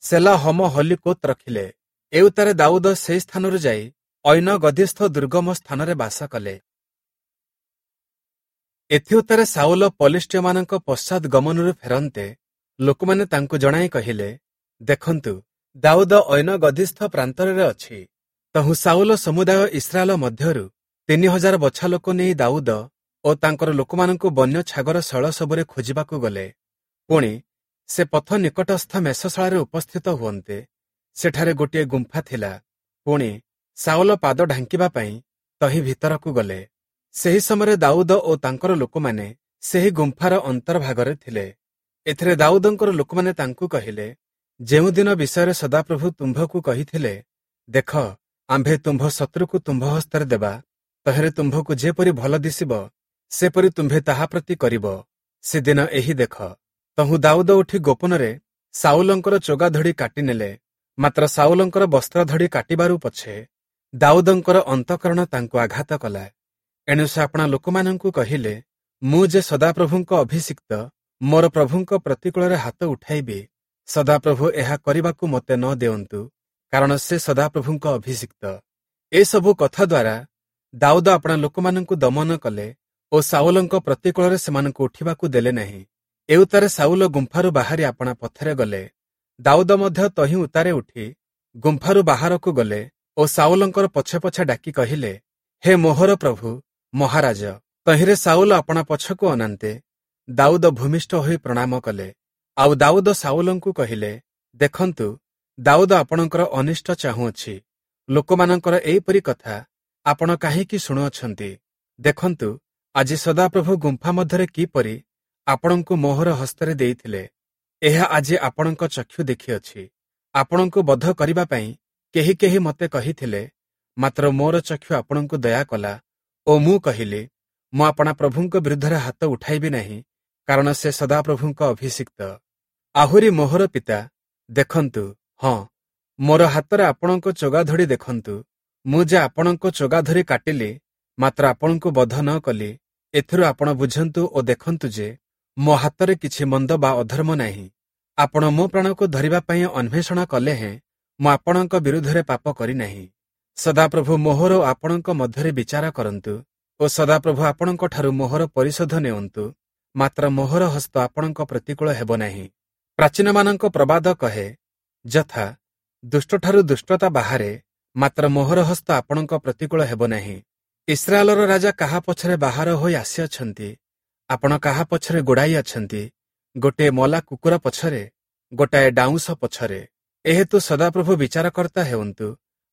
ସେଲା ହମ ହଲିକୋତ ରଖିଲେ। ଏଉତ୍ତାରେ ଦାଉଦ ସେହି ସ୍ଥାନରୁ ଯାଇ ଐନ ଗଦିସ୍ଥ ଦୁର୍ଗମ ସ୍ଥାନରେ ବାସ କଲେ। ଏଥିଉତ୍ତାରେ ସାଉଲ ପଲେଷ୍ଟୀୟମାନଙ୍କ ପଶ୍ଚାତ ଗମନରୁ ଫେରନ୍ତେ ଲୋକମାନେ ତାଙ୍କୁ ଜଣାଇ କହିଲେ, ଦେଖନ୍ତୁ, ଦାଉଦ ଐନ ଗଦିସ୍ଥ ପ୍ରାନ୍ତରରେ ଅଛି। ତହୁଁ ସାଉଲ ସମୁଦାୟ ଇସ୍ରାଏଲ ମଧ୍ୟରୁ ତିନି ହଜାର ବଛା ଲୋକ ନେଇ ଦାଉଦ ଓ ତାଙ୍କର ଲୋକମାନଙ୍କୁ ବନ୍ୟ ଛାଗର ଶୈଳ ସବୁରେ ଖୋଜିବାକୁ ଗଲେ। ପୁଣି ସେ ପଥ ନିକଟସ୍ଥ ମେଷଶାଳାରେ ଉପସ୍ଥିତ ହୁଅନ୍ତେ ସେଠାରେ ଗୋଟିଏ ଗୁମ୍ଫା ଥିଲା। ପୁଣି ସାଉଲ ପାଦ ଢାଙ୍କିବା ପାଇଁ ତହିଁ ଭିତରକୁ ଗଲେ। ସେହି ସମୟରେ ଦାଉଦ ଓ ତାଙ୍କର ଲୋକମାନେ ସେହି ଗୁମ୍ଫାର ଅନ୍ତର୍ଭାଗରେ ଥିଲେ। ଏଥିରେ ଦାଉଦଙ୍କର ଲୋକମାନେ ତାଙ୍କୁ କହିଲେ, ଯେଉଁଦିନ ବିଷୟରେ ସଦାପ୍ରଭୁ ତୁମ୍ଭକୁ କହିଥିଲେ, ଦେଖ, ଆମ୍ଭେ ତୁମ୍ଭ ଶତ୍ରୁକୁ ତୁମ୍ଭ ହସ୍ତରେ ଦେବା, ତହିଁରେ ତୁମ୍ଭକୁ ଯେପରି ଭଲ ଦିଶିବ ସେପରି ତୁମ୍ଭେ ତାହା ପ୍ରତି କରିବ, ସେଦିନ ଏହି ଦେଖ। ତହୁଁ ଦାଉଦ ଉଠି ଗୋପନରେ ସାଉଲଙ୍କର ଚୋଗାଧଡ଼ି କାଟିନେଲେ। ମାତ୍ର ସାଉଲଙ୍କର ବସ୍ତ୍ରଧଡ଼ି କାଟିବାରୁ ପଛେ ଦାଉଦଙ୍କର ଅନ୍ତଃକରଣ ତାଙ୍କୁ ଆଘାତ କଲା। ଏଣୁ ସେ ଆପଣା ଲୋକମାନଙ୍କୁ କହିଲେ, ମୁଁ ଯେ ସଦାପ୍ରଭୁଙ୍କ ଅଭିଷିକ୍ତ, ମୋର ପ୍ରଭୁଙ୍କ ପ୍ରତିକୂଳରେ ହାତ ଉଠାଇବି, ସଦାପ୍ରଭୁ ଏହା କରିବାକୁ ମୋତେ ନ ଦେଅନ୍ତୁ, କାରଣ ସେ ସଦାପ୍ରଭୁଙ୍କ ଅଭିଷିକ୍ତ। ଏସବୁ କଥା ଦ୍ୱାରା ଦାଉଦ ଆପଣା ଲୋକମାନଙ୍କୁ ଦମନ କଲେ ଓ ସାଉଲଙ୍କ ପ୍ରତିକୂଳରେ ସେମାନଙ୍କୁ ଉଠିବାକୁ ଦେଲେ ନାହିଁ। ଏଉତ୍ତାରେ ସାଉଲ ଗୁମ୍ଫାରୁ ବାହାରି ଆପଣା ପଥରେ ଗଲେ। ଦାଉଦ ମଧ୍ୟ ତହିଁ ଉତ୍ତାରେ ଉଠି ଗୁମ୍ଫାରୁ ବାହାରକୁ ଗଲେ ଓ ସାଉଲଙ୍କର ପଛେ ପଛେ ଡାକି କହିଲେ, ହେ ମୋହର ପ୍ରଭୁ ମହାରାଜ। ତହିଁରେ ସାଉଲ ଆପଣା ପଛକୁ ଅନାନ୍ତେ ଦାଉଦ ଭୂମିଷ୍ଠ ହୋଇ ପ୍ରଣାମ କଲେ। ଆଉ ଦାଉଦ ସାଉଲଙ୍କୁ କହିଲେ, ଦେଖନ୍ତୁ, ଦାଉଦ ଆପଣଙ୍କର ଅନିଷ୍ଟ ଚାହୁଁଅଛି। ଲୋକମାନଙ୍କର ଏହିପରି କଥା ଆପଣ କାହିଁକି ଶୁଣୁଅଛନ୍ତି? ଦେଖନ୍ତୁ, ଆଜି ସଦାପ୍ରଭୁ ଗୁମ୍ଫା ମଧ୍ୟରେ କିପରି ଆପଣଙ୍କୁ ମୋହର ହସ୍ତରେ ଦେଇଥିଲେ, ଏହା ଆଜି ଆପଣଙ୍କ ଚକ୍ଷୁ ଦେଖିଅଛି। ଆପଣଙ୍କୁ ବଧ କରିବା ପାଇଁ କେହି କେହି ମୋତେ କହିଥିଲେ, ମାତ୍ର ମୋର ଚକ୍ଷୁ ଆପଣଙ୍କୁ ଦୟା କଲା ଓ ମୁଁ କହିଲି, ମୁଁ ଆପଣା ପ୍ରଭୁଙ୍କ ବିରୁଦ୍ଧରେ ହାତ ଉଠାଇବି ନାହିଁ, କାରଣ ସେ ସଦାପ୍ରଭୁଙ୍କ ଅଭିଷିକ୍ତ। ଆହୁରି ମୋହର ପିତା, ଦେଖନ୍ତୁ, ହଁ, ମୋର ହାତରେ ଆପଣଙ୍କ ଚୋଗାଧଡ଼ି ଦେଖନ୍ତୁ। ମୁଁ ଯେ ଆପଣଙ୍କ ଚୋଗାଧରି କାଟିଲି, ମାତ୍ର ଆପଣଙ୍କୁ ବଧ ନ କଲି, ଏଥିରୁ ଆପଣ ବୁଝନ୍ତୁ ଓ ଦେଖନ୍ତୁ ଯେ ମୋ ହାତରେ କିଛି ମନ୍ଦ ବା ଅଧର୍ମ ନାହିଁ। ଆପଣ ମୋ ପ୍ରାଣକୁ ଧରିବା ପାଇଁ ଅନ୍ୱେଷଣ କଲେ ହେଁ ମୁଁ ଆପଣଙ୍କ ବିରୁଦ୍ଧରେ ପାପ କରିନାହିଁ। ସଦାପ୍ରଭୁ ମୋହର ଓ ଆପଣଙ୍କ ମଧ୍ୟରେ ବିଚାର କରନ୍ତୁ ଓ ସଦାପ୍ରଭୁ ଆପଣଙ୍କଠାରୁ ମୋହର ପରିଶୋଧ ନେଉନ୍ତୁ, ମାତ୍ର ମୋହର ହସ୍ତ ଆପଣଙ୍କ ପ୍ରତିକୂଳ ହେବ ନାହିଁ। ପ୍ରାଚୀନମାନଙ୍କ ପ୍ରବାଦ କହେ, ଯଥା ଦୁଷ୍ଟଠାରୁ ଦୁଷ୍ଟତା ବାହାରେ, ମାତ୍ର ମୋହର ହସ୍ତ ଆପଣଙ୍କ ପ୍ରତିକୂଳ ହେବ ନାହିଁ। ଇସ୍ରାଏଲର ରାଜା କାହା ପଛରେ ବାହାର ହୋଇ ଆସିଅଛନ୍ତି? ଆପଣ କାହା ପଛରେ ଗୋଡ଼ାଇ ଅଛନ୍ତି? ଗୋଟିଏ ମଲା କୁକୁର ପଛରେ, ଗୋଟାଏ ଡାଉଁଶ ପଛରେ। ଏହେତୁ ସଦାପ୍ରଭୁ ବିଚାରକର୍ତ୍ତା ହେଉନ୍ତୁ,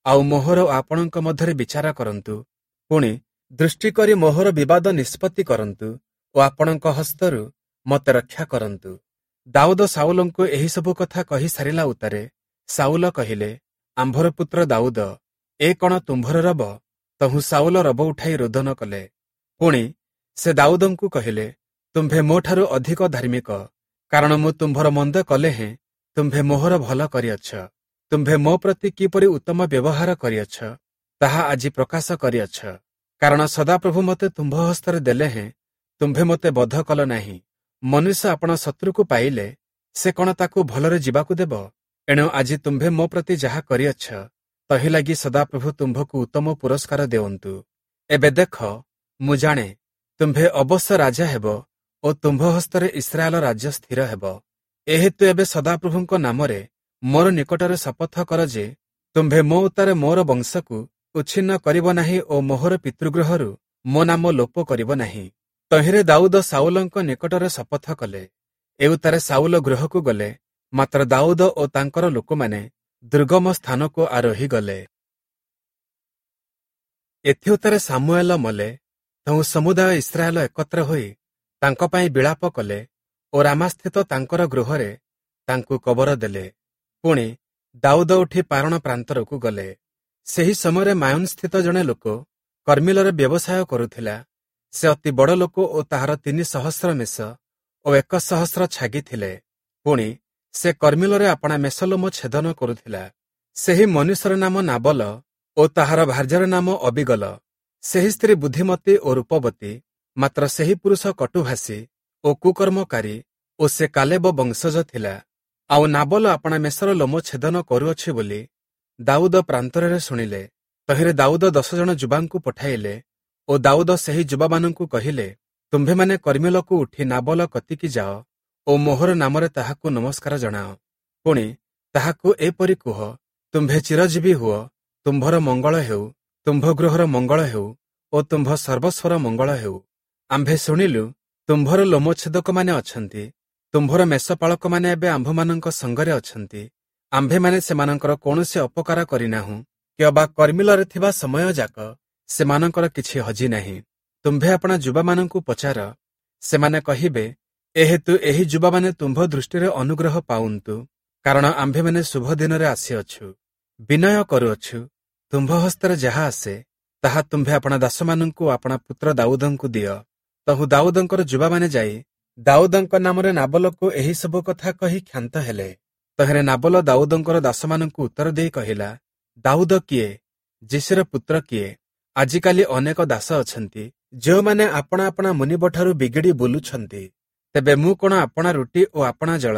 ଆଉ ମୋହର ଓ ଆପଣଙ୍କ ମଧ୍ୟରେ ବିଚାର କରନ୍ତୁ। ପୁଣି ଦୃଷ୍ଟି କରି ମୋହର ବିବାଦ ନିଷ୍ପତ୍ତି କରନ୍ତୁ ଓ ଆପଣଙ୍କ ହସ୍ତରୁ ମୋତେ ରକ୍ଷା କରନ୍ତୁ। ଦାଉଦ ସାଉଲଙ୍କୁ ଏହିସବୁ କଥା କହି ସାରିଲା ଉତ୍ତାରେ ସାଉଲ କହିଲେ, ଆମ୍ଭର ପୁତ୍ର ଦାଉଦ, ଏ କଣ ତୁମ୍ଭର ରବ? ତହୁଁ ସାଉଲ ରବ ଉଠାଇ ରୋଦନ କଲେ। ପୁଣି ସେ ଦାଉଦଙ୍କୁ କହିଲେ, ତୁମ୍ଭେ ମୋଠାରୁ ଅଧିକ ଧାର୍ମିକ, କାରଣ ମୁଁ ତୁମ୍ଭର ମନ୍ଦ କଲେ ହେଁ ତୁମ୍ଭେ ମୋହର ଭଲ କରିଅଛ। ତୁମ୍ଭେ ମୋ ପ୍ରତି କିପରି ଉତ୍ତମ ବ୍ୟବହାର କରିଅଛ, ତାହା ଆଜି ପ୍ରକାଶ କରିଅଛ। କାରଣ ସଦାପ୍ରଭୁ ମୋତେ ତୁମ୍ଭ ହସ୍ତରେ ଦେଲେ ହେଁ ତୁମ୍ଭେ ମୋତେ ବଧ କଲ ନାହିଁ। ମନୁଷ୍ୟ ଆପଣା ଶତ୍ରୁକୁ ପାଇଲେ ସେ କଣ ତାକୁ ଭଲରେ ଯିବାକୁ ଦେବ? ଏଣୁ ଆଜି ତୁମ୍ଭେ ମୋ ପ୍ରତି ଯାହା କରିଅଛ, ତହିଁ ଲାଗି ସଦାପ୍ରଭୁ ତୁମ୍ଭକୁ ଉତ୍ତମ ପୁରସ୍କାର ଦେଉନ୍ତୁ। ଏବେ ଦେଖ, ମୁଁ ଜାଣେ ତୁମ୍ଭେ ଅବଶ୍ୟ ରାଜା ହେବ ଓ ତୁମ୍ଭ ହସ୍ତରେ ଇସ୍ରାଏଲ ରାଜ୍ୟ ସ୍ଥିର ହେବ। ଏହେତୁ ଏବେ ସଦାପ୍ରଭୁଙ୍କ ନାମରେ ମୋର ନିକଟରେ ଶପଥ କର ଯେ ତୁମ୍ଭେ ମୋ ଉତ୍ତାରେ ମୋର ବଂଶକୁ ଉଚ୍ଛିନ୍ନ କରିବ ନାହିଁ ଓ ମୋହର ପିତୃଗୃହରୁ ମୋ ନାମ ଲୋପ କରିବ ନାହିଁ। ତହିଁରେ ଦାଉଦ ସାଉଲଙ୍କ ନିକଟରେ ଶପଥ କଲେ। ଏଉତ୍ତାରେ ସାଉଲ ଗୃହକୁ ଗଲେ, ମାତ୍ର ଦାଉଦ ଓ ତାଙ୍କର ଲୋକମାନେ ଦୁର୍ଗମ ସ୍ଥାନକୁ ଆରୋହି ଗଲେ। ଏଥିଉତ୍ତାରେ ସାମୁଏଲ ମଲେ। ତହୁଁ ସମୁଦାୟ ଇସ୍ରାଏଲ ଏକତ୍ର ହୋଇ ତାଙ୍କ ପାଇଁ ବିଳାପ କଲେ ଓ ରାମାସ୍ଥିତ ତାଙ୍କର ଗୃହରେ ତାଙ୍କୁ କବର ଦେଲେ। ପୁଣି ଦାଉଦ ଉଠି ପାରଣ ପ୍ରାନ୍ତରକୁ ଗଲେ। ସେହି ସମୟରେ ମାୟୋନସ୍ଥିତ ଜଣେ ଲୋକ କର୍ମିଲରେ ବ୍ୟବସାୟ କରୁଥିଲା। ସେ ଅତି ବଡ଼ ଲୋକ ଓ ତାହାର ତିନି ସହସ୍ର ମେଷ ଓ ଏକ ସହସ୍ର ଛାଗି ଥିଲେ। ପୁଣି ସେ କର୍ମିଲରେ ଆପଣା ମେଷଲୋମ ଛେଦନ କରୁଥିଲା। ସେହି ମନୁଷ୍ୟର ନାମ ନାବଲ ଓ ତାହାର ଭାର୍ଯ୍ୟାର ନାମ ଅବିଗଲ। ସେହି ସ୍ତ୍ରୀ ବୁଦ୍ଧିମତୀ ଓ ରୂପବତୀ, ମାତ୍ର ସେହି ପୁରୁଷ କଟୁଭାଷୀ ଓ କୁକର୍ମକାରୀ ଓ ସେ କାଲେବ ବଂଶଜ ଥିଲା। ଆଉ ନାବଲ ଆପଣା ମେଷର ଲୋମ ଛେଦନ କରୁଅଛି ବୋଲି ଦାଉଦ ପ୍ରାନ୍ତରରେ ଶୁଣିଲେ। ତହିଁରେ ଦାଉଦ ଦଶ ଜଣ ଯୁବାଙ୍କୁ ପଠାଇଲେ ଓ ଦାଉଦ ସେହି ଯୁବାମାନଙ୍କୁ କହିଲେ, ତୁମ୍ଭେମାନେ କର୍ମିଲକୁ ଉଠି ନାବଲ କତିକି ଯାଅ ଓ ମୋହର ନାମରେ ତାହାକୁ ନମସ୍କାର ଜଣାଅ। ପୁଣି ତାହାକୁ ଏପରି କୁହ, ତୁମ୍ଭେ ଚିରଜୀବୀ ହୁଅ, ତୁମ୍ଭର ମଙ୍ଗଳ ହେଉ, ତୁମ୍ଭ ଗୃହର ମଙ୍ଗଳ ହେଉ ଓ ତୁମ୍ଭ ସର୍ବସ୍ୱର ମଙ୍ଗଳ ହେଉ। ଆମ୍ଭେ ଶୁଣିଲୁ ତୁମ୍ଭର ଲୋମଛେଦକମାନେ ଅଛନ୍ତି, ତୁମ୍ଭର ମେଷପାଳକମାନେ ଏବେ ଆମ୍ଭମାନଙ୍କ ସଙ୍ଗରେ ଅଛନ୍ତି। ଆମ୍ଭେମାନେ ସେମାନଙ୍କର କୌଣସି ଅପକାର କରିନାହୁଁ, କିଅବା କର୍ମିଲରେ ଥିବା ସମୟ ଯାକ ସେମାନଙ୍କର କିଛି ହଜି ନାହିଁ। ତୁମ୍ଭେ ଆପଣା ଯୁବାମାନଙ୍କୁ ପଚାର, ସେମାନେ କହିବେ, ଏହେତୁ ଏହି ଯୁବାମାନେ ତୁମ୍ଭ ଦୃଷ୍ଟିରେ ଅନୁଗ୍ରହ ପାଉନ୍ତୁ, କାରଣ ଆମ୍ଭେମାନେ ଶୁଭ ଦିନରେ ଆସିଅଛୁ। ବିନୟ କରୁଅଛୁ, ତୁମ୍ଭ ହସ୍ତରେ ଯାହା ଆସେ ତାହା ତୁମ୍ଭେ ଆପଣା ଦାସମାନଙ୍କୁ ଆପଣା ପୁତ୍ର ଦାଉଦଙ୍କୁ ଦିଅ। ତହୁଁ ଦାଉଦଙ୍କର ଯୁବାମାନେ ଯାଇ ଦାଉଦଙ୍କ ନାମରେ ନାବଲକୁ ଏହି ସବୁ କଥା କହି କ୍ଷାନ୍ତ ହେଲେ। ତହିଁରେ ନାବଲ ଦାଉଦଙ୍କର ଦାସମାନଙ୍କୁ ଉତ୍ତର ଦେଇ କହିଲା, ଦାଉଦ କିଏ? ଯିଶିର ପୁତ୍ର କିଏ? ଆଜିକାଲି ଅନେକ ଦାସ ଅଛନ୍ତି, ଯେଉଁମାନେ ଆପଣା ଆପଣା ମୁନିବଠାରୁ ବିଗିଡ଼ି ବୁଲୁଛନ୍ତି। ତେବେ ମୁଁ କ'ଣ ଆପଣା ରୁଟି ଓ ଆପଣା ଜଳ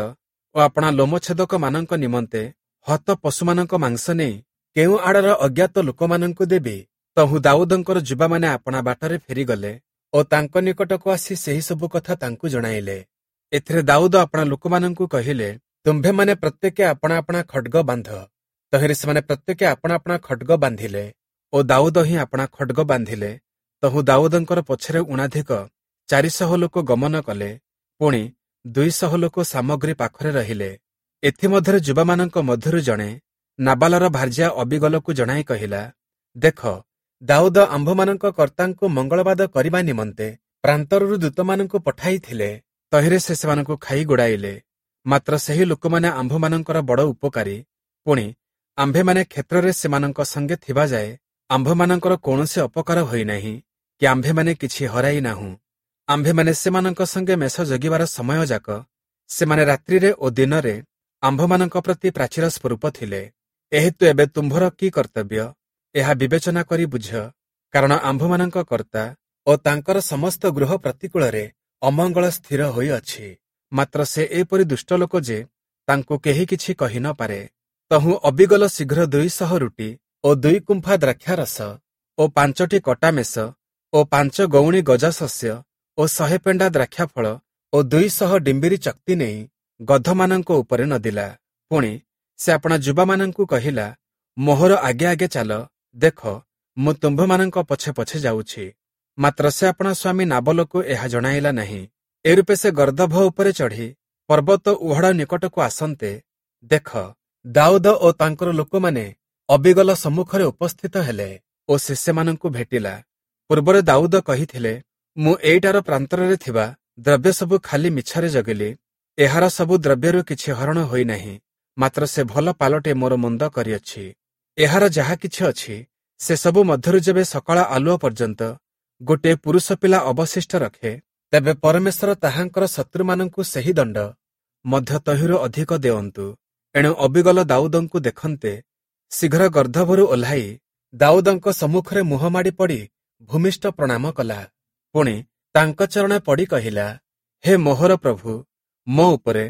ଓ ଆପଣା ଲୋମଛେଦକମାନଙ୍କ ନିମନ୍ତେ ହତ ପଶୁମାନଙ୍କ ମାଂସ ନେଇ କେଉଁ ଆଡ଼ର ଅଜ୍ଞାତ ଲୋକମାନଙ୍କୁ ଦେବି? ତହୁଁ ଦାଉଦଙ୍କର ଯୁବାମାନେ ଆପଣା ବାଟରେ ଫେରିଗଲେ ଓ ତାଙ୍କ ନିକଟକୁ ଆସି ସେହି ସବୁ କଥା ତାଙ୍କୁ ଜଣାଇଲେ। ଏଥିରେ ଦାଉଦ ଆପଣା ଲୋକମାନଙ୍କୁ କହିଲେ, ତୁମ୍ଭେମାନେ ପ୍ରତ୍ୟେକେ ଆପଣା ଆପଣା ଖଡ୍ଗ ବାନ୍ଧ। ତହିଁରେ ସେମାନେ ପ୍ରତ୍ୟେକେ ଆପଣା ଆପଣା ଖଡ୍ଗ ବାନ୍ଧିଲେ ଓ ଦାଉଦ ହିଁ ଆପଣା ଖଡ୍ଗ ବାନ୍ଧିଲେ। ତହୁଁ ଦାଉଦଙ୍କର ପଛରେ ଊଣାଧିକ ଚାରିଶହ ଲୋକ ଗମନ କଲେ, ପୁଣି ଦୁଇଶହ ଲୋକ ସାମଗ୍ରୀ ପାଖରେ ରହିଲେ। ଏଥିମଧ୍ୟରେ ଯୁବାମାନଙ୍କ ମଧ୍ୟରୁ ଜଣେ ନାବାଲର ଭାର୍ଯ୍ୟା ଅବିଗଲକୁ ଜଣାଇ କହିଲା, ଦେଖ, ଦାଉଦ ଆମ୍ଭମାନଙ୍କ କର୍ତ୍ତାଙ୍କୁ ମଙ୍ଗଳବାଦ କରିବା ନିମନ୍ତେ ପ୍ରାନ୍ତରରୁ ଦୂତମାନଙ୍କୁ ପଠାଇଥିଲେ। ତହିଁରେ ସେ ସେମାନଙ୍କୁ ଖାଇ ଗୋଡ଼ାଇଲେ। ମାତ୍ର ସେହି ଲୋକମାନେ ଆମ୍ଭମାନଙ୍କର ବଡ଼ ଉପକାରୀ। ପୁଣି ଆମ୍ଭେମାନେ କ୍ଷେତ୍ରରେ ସେମାନଙ୍କ ସଙ୍ଗେ ଥିବା ଯାଏ ଆମ୍ଭମାନଙ୍କର କୌଣସି ଅପକାର ହୋଇନାହିଁ କି ଆମ୍ଭେମାନେ କିଛି ହରାଇ ନାହୁଁ। ଆମ୍ଭେମାନେ ସେମାନଙ୍କ ସଙ୍ଗେ ମେଷ ଜଗିବାର ସମୟ ଯାକ ସେମାନେ ରାତ୍ରିରେ ଓ ଦିନରେ ଆମ୍ଭମାନଙ୍କ ପ୍ରତି ପ୍ରାଚୀର ସ୍ୱରୂପ ଥିଲେ। ଏହେତୁ ଏବେ ତୁମ୍ଭର କି କର୍ତ୍ତବ୍ୟ, ଏହା ବିବେଚନା କରି ବୁଝ, କାରଣ ଆମ୍ଭମାନଙ୍କ କର୍ତ୍ତା ଓ ତାଙ୍କର ସମସ୍ତ ଗୃହ ପ୍ରତିକୂଳରେ ଅମଙ୍ଗଳ ସ୍ଥିର ହୋଇଅଛି। ମାତ୍ର ସେ ଏପରି ଦୁଷ୍ଟ ଲୋକ ଯେ ତାଙ୍କୁ କେହି କିଛି କହି ନ ପାରେ। ତହୁଁ ଅବିଗଲ ଶୀଘ୍ର ଦୁଇଶହ ରୁଟି ଓ ଦୁଇ କୁମ୍ଫା ଦ୍ରାକ୍ଷାରସ ଓ ପାଞ୍ଚଟି କଟା ମେଷ ଓ ପାଞ୍ଚ ଗଉଣୀ ଗଜାଶସ୍ୟ ଓ ଶହେ ପେଣ୍ଡା ଦ୍ରାକ୍ଷାଫଳ ଓ ଦୁଇଶହ ଡିମ୍ବିରି ଚକ୍ତି ନେଇ ଗଧମାନଙ୍କ ଉପରେ ନଦିଲା। ପୁଣି ସେ ଆପଣା ଯୁବାମାନଙ୍କୁ କହିଲା, ମୋହର ଆଗେ ଆଗେ ଚାଲ, ଦେଖ, ମୁଁ ତୁମ୍ଭମାନଙ୍କ ପଛେ ପଛେ ଯାଉଛି। ମାତ୍ର ସେ ଆପଣା ସ୍ୱାମୀ ନାବଲକୁ ଏହା ଜଣାଇଲା ନାହିଁ। ଏରୂପେ ସେ ଗର୍ଦ୍ଦଭ ଉପରେ ଚଢ଼ି ପର୍ବତ ଉହାଡ଼ ନିକଟକୁ ଆସନ୍ତେ, ଦେଖ, ଦାଉଦ ଓ ତାଙ୍କର ଲୋକମାନେ ଅବିଗଲ ସମ୍ମୁଖରେ ଉପସ୍ଥିତ ହେଲେ ଓ ସେ ସେମାନଙ୍କୁ ଭେଟିଲା। ପୂର୍ବରେ ଦାଉଦ କହିଥିଲେ, ମୁଁ ଏଇଟାର ପ୍ରାନ୍ତରରେ ଥିବା ଦ୍ରବ୍ୟ ସବୁ ଖାଲି ମିଛରେ ଜଗିଲି, ଏହାର ସବୁ ଦ୍ରବ୍ୟରୁ କିଛି ହରଣ ହୋଇନାହିଁ, ମାତ୍ର ସେ ଭଲ ପାଲଟେ ମୋର ମନ୍ଦ କରିଅଛି। ଏହାର ଯାହା କିଛି ଅଛି ସେ ସବୁ ମଧ୍ୟରୁ ଯେବେ ସକାଳ ଆଲୁଅ ପର୍ଯ୍ୟନ୍ତ ଗୋଟିଏ ପୁରୁଷ ପିଲା ଅବଶିଷ୍ଟ ରଖେ, ତେବେ ପରମେଶ୍ୱର ତାହାଙ୍କର ଶତ୍ରୁମାନଙ୍କୁ ସେହି ଦଣ୍ଡ ମଧ୍ୟ ତହିଁରୁ ଅଧିକ ଦେଅନ୍ତୁ। ଏଣୁ ଅବିଗଲ ଦାଉଦଙ୍କୁ ଦେଖନ୍ତେ ଶୀଘ୍ର ଗର୍ଦ୍ଦଭରୁ ଓହ୍ଲାଇ ଦାଉଦଙ୍କ ସମ୍ମୁଖରେ ମୁହଁ ମାଡ଼ି ପଡ଼ି ଭୂମିଷ୍ଠ ପ୍ରଣାମ କଲା। ପୁଣି ତାଙ୍କ ଚରଣେ ପଡ଼ି କହିଲା, ହେ ମୋହର ପ୍ରଭୁ, ମୋ ଉପରେ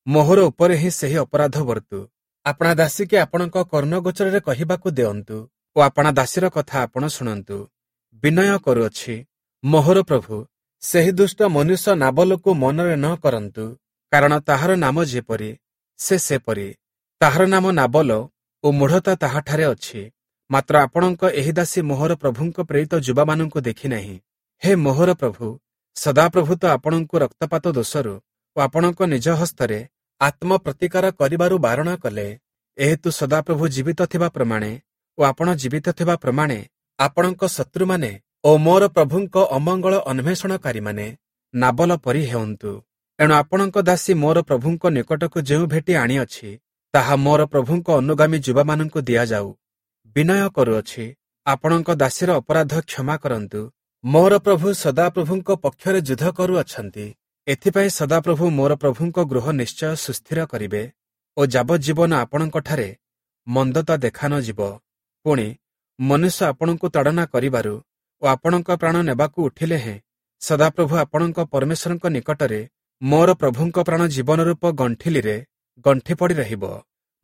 ମୋହର ଉପରେ ହିଁ ସେହି ଅପରାଧ ବର୍ତ୍ତୁ। ଆପଣା ଦାସୀକି ଆପଣଙ୍କ କର୍ଣ୍ଣଗୋଚରରେ କହିବାକୁ ଦେଅନ୍ତୁ ଓ ଆପଣା ଦାସୀର କଥା ଆପଣ ଶୁଣନ୍ତୁ। ବିନୟ କରୁଅଛି, ମୋହର ପ୍ରଭୁ, ସେହି ଦୁଷ୍ଟ ମନୁଷ୍ୟ ନାବଲକୁ ମନରେ ନ କରନ୍ତୁ, କାରଣ ତାହାର ନାମ ଯେପରି ସେ ସେପରି। ତାହାର ନାମ ନାବଲ ଓ ମୂଢ଼ତା ତାହାଠାରେ ଅଛି। ମାତ୍ର ଆପଣଙ୍କ ଏହି ଦାସୀ ମୋହର ପ୍ରଭୁଙ୍କ ପ୍ରେରିତ ଯୁବାମାନଙ୍କୁ ଦେଖିନାହିଁ। ହେ ମୋହର ପ୍ରଭୁ, ସଦାପ୍ରଭୁ ତ ଆପଣଙ୍କୁ ରକ୍ତପାତ ଦୋଷରୁ ଓ ଆପଣଙ୍କ ନିଜ ହସ୍ତରେ ଆତ୍ମପ୍ରତିକାର କରିବାରୁ ବାରଣ କଲେ। ଏହେତୁ ସଦାପ୍ରଭୁ ଜୀବିତ ଥିବା ପ୍ରମାଣେ ଓ ଆପଣ ଜୀବିତ ଥିବା ପ୍ରମାଣେ ଆପଣଙ୍କ ଶତ୍ରୁମାନେ ଓ ମୋର ପ୍ରଭୁଙ୍କ ଅମଙ୍ଗଳ ଅନ୍ୱେଷଣକାରୀମାନେ ନାବଲ ପରି ହେଉନ୍ତୁ। ଏଣୁ ଆପଣଙ୍କ ଦାସୀ ମୋର ପ୍ରଭୁଙ୍କ ନିକଟକୁ ଯେଉଁ ଭେଟି ଆଣିଅଛି, ତାହା ମୋର ପ୍ରଭୁଙ୍କ ଅନୁଗାମୀ ଯୁବାମାନଙ୍କୁ ଦିଆଯାଉ। ବିନୟ କରୁଅଛି, ଆପଣଙ୍କ ଦାସୀର ଅପରାଧ କ୍ଷମା କରନ୍ତୁ, ମୋର ପ୍ରଭୁ ସଦାପ୍ରଭୁଙ୍କ ପକ୍ଷରେ ଯୁଦ୍ଧ କରୁଅଛନ୍ତି। ଏଥିପାଇଁ ସଦାପ୍ରଭୁ ମୋର ପ୍ରଭୁଙ୍କ ଗୃହ ନିଶ୍ଚୟ ସୁସ୍ଥିର କରିବେ ଓ ଯାବଜ୍ଜୀବନ ଆପଣଙ୍କଠାରେ ମନ୍ଦତା ଦେଖା ନ ଯିବ। ପୁଣି ମନୁଷ୍ୟ ଆପଣଙ୍କୁ ତାଡ଼ନା କରିବାରୁ ଓ ଆପଣଙ୍କ ପ୍ରାଣ ନେବାକୁ ଉଠିଲେ ହେଁ ସଦାପ୍ରଭୁ ଆପଣଙ୍କ ପରମେଶ୍ୱରଙ୍କ ନିକଟରେ ମୋର ପ୍ରଭୁଙ୍କ ପ୍ରାଣ ଜୀବନ ରୂପ ଗଣ୍ଠିଲିରେ ଗଣ୍ଠି ପଡ଼ି ରହିବ।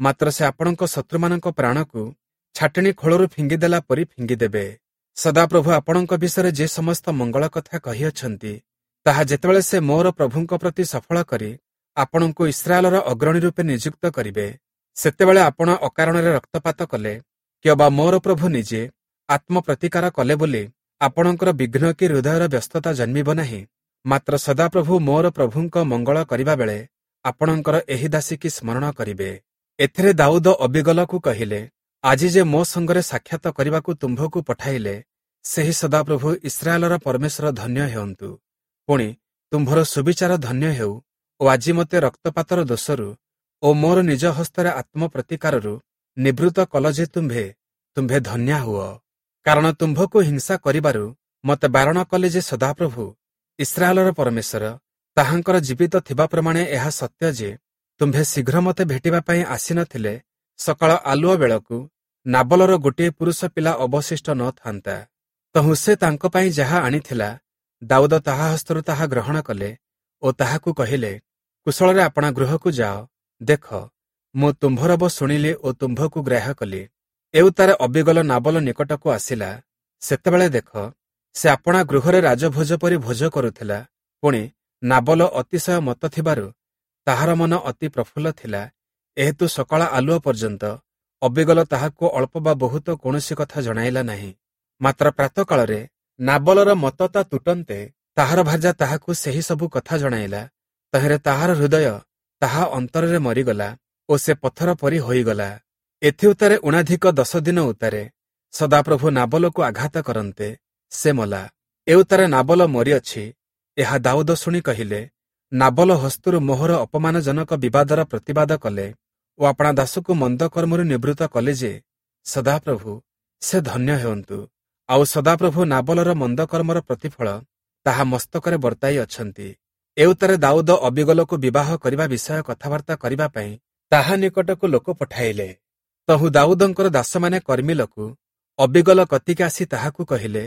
ମାତ୍ର ସେ ଆପଣଙ୍କ ଶତ୍ରୁମାନଙ୍କ ପ୍ରାଣକୁ ଛାଟିଣୀ ଖୋଳରୁ ଫିଙ୍ଗିଦେଲା ପରି ଫିଙ୍ଗିଦେବେ। ସଦାପ୍ରଭୁ ଆପଣଙ୍କ ବିଷୟରେ ଯେ ସମସ୍ତ ମଙ୍ଗଳ କଥା କହିଅଛନ୍ତି, ତାହା ଯେତେବେଳେ ସେ ମୋର ପ୍ରଭୁଙ୍କ ପ୍ରତି ସଫଳ କରି ଆପଣଙ୍କୁ ଇସ୍ରାଏଲର ଅଗ୍ରଣୀ ରୂପେ ନିଯୁକ୍ତ କରିବେ, ସେତେବେଳେ ଆପଣ ଅକାରଣରେ ରକ୍ତପାତ କଲେ କିମ୍ବା ମୋର ପ୍ରଭୁ ନିଜେ ଆତ୍ମପ୍ରତିକାର କଲେ ବୋଲି ଆପଣଙ୍କର ବିଘ୍ନ କି ହୃଦୟର ବ୍ୟସ୍ତତା ଜନ୍ମିବ ନାହିଁ। ମାତ୍ର ସଦାପ୍ରଭୁ ମୋର ପ୍ରଭୁଙ୍କ ମଙ୍ଗଳ କରିବା ବେଳେ ଆପଣଙ୍କର ଏହି ଦାସୀକି ସ୍ମରଣ କରିବେ। ଏଥିରେ ଦାଉଦ ଅବିଗଲକୁ କହିଲେ, ଆଜି ଯେ ମୋ ସଙ୍ଗରେ ସାକ୍ଷାତ କରିବାକୁ ତୁମ୍ଭକୁ ପଠାଇଲେ, ସେହି ସଦାପ୍ରଭୁ ଇସ୍ରାଏଲର ପରମେଶ୍ୱର ଧନ୍ୟ ହେଉନ୍ତୁ। ପୁଣି ତୁମ୍ଭର ସୁବିଚାର ଧନ୍ୟ ହେଉ ଓ ଆଜି ମୋତେ ରକ୍ତପାତର ଦୋଷରୁ ଓ ମୋର ନିଜ ହସ୍ତରେ ଆତ୍ମପ୍ରତିକାରରୁ ନିବୃତ୍ତ କଲ ଯେ ତୁମ୍ଭେ ତୁମ୍ଭେ ଧନ୍ୟା ହୁଅ। କାରଣ ତୁମ୍ଭକୁ ହିଂସା କରିବାରୁ ମୋତେ ବାରଣ କଲେ ଯେ ସଦାପ୍ରଭୁ ଇସ୍ରାଏଲର ପରମେଶ୍ୱର, ତାହାଙ୍କର ଜୀବିତ ଥିବା ପ୍ରମାଣେ ଏହା ସତ୍ୟ ଯେ ତୁମ୍ଭେ ଶୀଘ୍ର ମୋତେ ଭେଟିବା ପାଇଁ ଆସିନଥିଲେ ସକାଳ ଆଲୁଅ ବେଳକୁ ନାବଲର ଗୋଟିଏ ପୁରୁଷ ପିଲା ଅବଶିଷ୍ଟ ନ ଥାନ୍ତା। ତହୁଁ ସେ ତାଙ୍କ ପାଇଁ ଯାହା ଆଣିଥିଲା, ଦାଉଦ ତାହା ହସ୍ତରୁ ତାହା ଗ୍ରହଣ କଲେ ଓ ତାହାକୁ କହିଲେ, କୁଶଳରେ ଆପଣା ଗୃହକୁ ଯାଅ। ଦେଖ, ମୁଁ ତୁମ୍ଭରବ ଶୁଣିଲି ଓ ତୁମ୍ଭକୁ ଗ୍ରାହ୍ୟ କଲି। ଏଉତ୍ତାରେ ଅବିଗଲ ନାବଲ ନିକଟକୁ ଆସିଲା। ସେତେବେଳେ ଦେଖ, ସେ ଆପଣା ଗୃହରେ ରାଜଭୋଜ ପରି ଭୋଜ କରୁଥିଲା। ପୁଣି ନାବଲ ଅତିଶୟ ମତ ଥିବାରୁ ତାହାର ମନ ଅତି ପ୍ରଫୁଲ୍ଲ ଥିଲା। ଏହେତୁ ସକାଳ ଆଲୁଅ ପର୍ଯ୍ୟନ୍ତ ଅବିଗଲ ତାହାକୁ ଅଳ୍ପ ବା ବହୁତ କୌଣସି କଥା ଜଣାଇଲା ନାହିଁ। ମାତ୍ର ପ୍ରାତଃକାଳରେ ନାବଲର ମତତା ତୁଟନ୍ତେ ତାହାର ଭାର୍ଯ୍ୟା ତାହାକୁ ସେହି ସବୁ କଥା ଜଣାଇଲା। ତହିଁରେ ତାହାର ହୃଦୟ ତାହା ଅନ୍ତରରେ ମରିଗଲା ଓ ସେ ପଥର ପରି ହୋଇଗଲା। ଏଥିଉତ୍ତାରେ ଊଣାଧିକ ଦଶ ଦିନ ଉତ୍ତାରେ ସଦାପ୍ରଭୁ ନାବଲକୁ ଆଘାତ କରନ୍ତେ ସେ ମଲା। ଏଉତ୍ତାରେ ନାବଲ ମରିଅଛି, ଏହା ଦାଉଦ ଶୁଣି କହିଲେ, ନାବଲ ହସ୍ତରୁ ମୋହର ଅପମାନଜନକ ବିବାଦର ପ୍ରତିବାଦ କଲେ ଓ ଆପଣା ଦାସକୁ ମନ୍ଦ କର୍ମରୁ ନିବୃତ୍ତ କଲେ ଯେ ସଦାପ୍ରଭୁ ସେ ଧନ୍ୟ ହେଉନ୍ତୁ। ଆଉ ସଦାପ୍ରଭୁ ନାବଲର ମନ୍ଦ କର୍ମର ପ୍ରତିଫଳ ତାହା ମସ୍ତକରେ ବର୍ତ୍ତାଇ ଅଛନ୍ତି। ଏଉତ୍ତାରେ ଦାଉଦ ଅବିଗଲକୁ ବିବାହ କରିବା ବିଷୟ କଥାବାର୍ତ୍ତା କରିବା ପାଇଁ ତାହା ନିକଟକୁ ଲୋକ ପଠାଇଲେ। ତହୁଁ ଦାଉଦଙ୍କର ଦାସମାନେ କର୍ମିଲକୁ ଅବିଗଲ କତିକି ଆସି ତାହାକୁ କହିଲେ,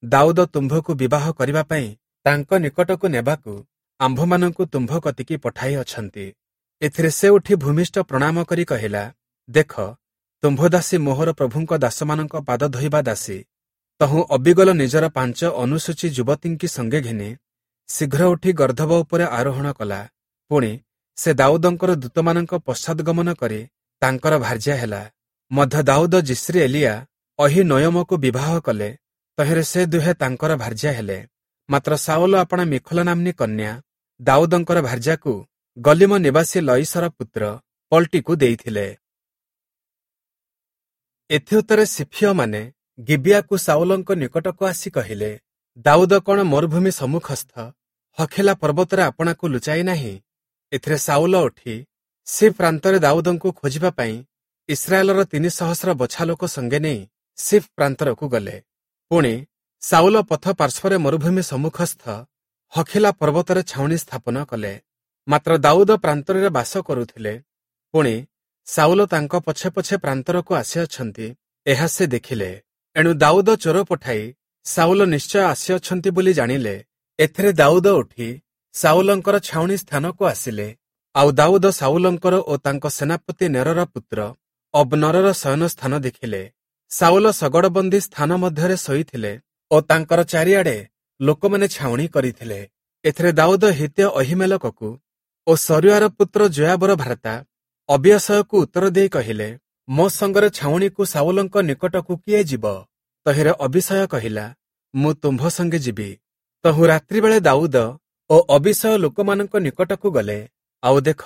ଦାଉଦ ତୁମ୍ଭକୁ ବିବାହ କରିବା ପାଇଁ ତାଙ୍କ ନିକଟକୁ ନେବାକୁ ଆମ୍ଭମାନଙ୍କୁ ତୁମ୍ଭ କତିକି ପଠାଇ ଅଛନ୍ତି। ଏଥିରେ ସେ ଉଠି ଭୂମିଷ୍ଠ ପ୍ରଣାମ କରି କହିଲା, ଦେଖ, ତୁମ୍ଭ ଦାସୀ ମୋହର ପ୍ରଭୁଙ୍କ ଦାସମାନଙ୍କ ପାଦ ଧୋଇବା ଦାସୀ। ତହୁଁ ଅବିଗଲ ନିଜର ପାଞ୍ଚ ଅନୁସୂଚୀ ଯୁବତୀଙ୍କି ସଙ୍ଗେ ଘେନି ଶୀଘ୍ର ଉଠି ଗର୍ଦ୍ଦଭ ଉପରେ ଆରୋହଣ କଲା। ପୁଣି ସେ ଦାଉଦଙ୍କର ଦୂତମାନଙ୍କ ପଶ୍ଚାଦଗମନ କରି ତାଙ୍କର ଭାର୍ଯ୍ୟା ହେଲା। ମଧ୍ୟ ଦାଉଦ ଯିସ୍ରିଏଲୀୟା ଅହୀନୋୟମକୁ ବିବାହ କଲେ। ତହିଁରେ ସେ ଦୁହେଁ ତାଙ୍କର ଭାର୍ଯ୍ୟା ହେଲେ। ମାତ୍ର ଶାଉଲ ଆପଣା ମିଖଲ ନାମ୍ନୀ କନ୍ୟା ଦାଉଦଙ୍କର ଭାର୍ଯ୍ୟାକୁ ଗଲିମ ନିବାସୀ ଲୟିଶର ପୁତ୍ର ପଲ୍ଟିକୁ ଦେଇଥିଲେ। ଏଥିଉତ୍ତାରେ ସିଫୀୟମାନେ ଗିବିଆକୁ ଶାଉଲଙ୍କ ନିକଟକୁ ଆସି କହିଲେ, ଦାଉଦ କଣ ମରୁଭୂମି ସମ୍ମୁଖସ୍ଥ ହଖିଲା ପର୍ବତରେ ଆପଣାକୁ ଲୁଚାଇ ନାହିଁ? ଏଥିରେ ଶାଉଲ ଉଠି ସିଫ୍ ପ୍ରାନ୍ତରେ ଦାଉଦଙ୍କୁ ଖୋଜିବା ପାଇଁ ଇସ୍ରାଏଲର ତିନି ସହସ୍ର ବଛା ଲୋକ ସଙ୍ଗେ ନେଇ ସିଫ୍ ପ୍ରାନ୍ତରକୁ ଗଲେ। ପୁଣି ଶାଉଲ ପଥ ପାର୍ଶ୍ୱରେ ମରୁଭୂମି ସମ୍ମୁଖସ୍ଥ ହଖିଲା ପର୍ବତରେ ଛାଉଣି ସ୍ଥାପନ କଲେ। ମାତ୍ର ଦାଉଦ ପ୍ରାନ୍ତରରେ ବାସ କରୁଥିଲେ। ପୁଣି ଶାଉଲ ତାଙ୍କ ପଛେ ପଛେ ପ୍ରାନ୍ତରକୁ ଆସିଅଛନ୍ତି, ଏହା ସେ ଦେଖିଲେ। ଏଣୁ ଦାଉଦ ଚୋର ପଠାଇ ଶାଉଲ ନିଶ୍ଚୟ ଆସିଅଛନ୍ତି ବୋଲି ଜାଣିଲେ। ଏଥିରେ ଦାଉଦ ଉଠି ଶାଉଲଙ୍କର ଛାଉଣି ସ୍ଥାନକୁ ଆସିଲେ। ଆଉ ଦାଉଦ ଶାଉଲଙ୍କର ଓ ତାଙ୍କ ସେନାପତି ନେରର ପୁତ୍ର ଅବ୍ନରର ଶୟନ ସ୍ଥାନ ଦେଖିଲେ। ଶାଉଲ ଶଗଡ଼ବନ୍ଦୀ ସ୍ଥାନ ମଧ୍ୟରେ ଶୋଇଥିଲେ ଓ ତାଙ୍କର ଚାରିଆଡ଼େ ଲୋକମାନେ ଛାଉଣି କରିଥିଲେ। ଏଥିରେ ଦାଉଦ ହିତ୍ୟ ଅହୀମେଲକକୁ ଓ ସରୁୟାର ପୁତ୍ର ଯୋୟାବର ଭ୍ରାତା ଅବିୟଶୟକୁ ଉତ୍ତର ଦେଇ କହିଲେ, ମୋ ସଙ୍ଗରେ ଛାଉଣିକୁ ଶାଉଲଙ୍କ ନିକଟକୁ କିଏ ଯିବ? ତହିଁରେ ଅବିଶୟ କହିଲା, ମୁଁ ତୁମ୍ଭ ସଙ୍ଗେ ଯିବି। ତହୁଁ ରାତ୍ରିବେଳେ ଦାଉଦ ଓ ଅବିଶୟ ଲୋକମାନଙ୍କ ନିକଟକୁ ଗଲେ। ଆଉ ଦେଖ,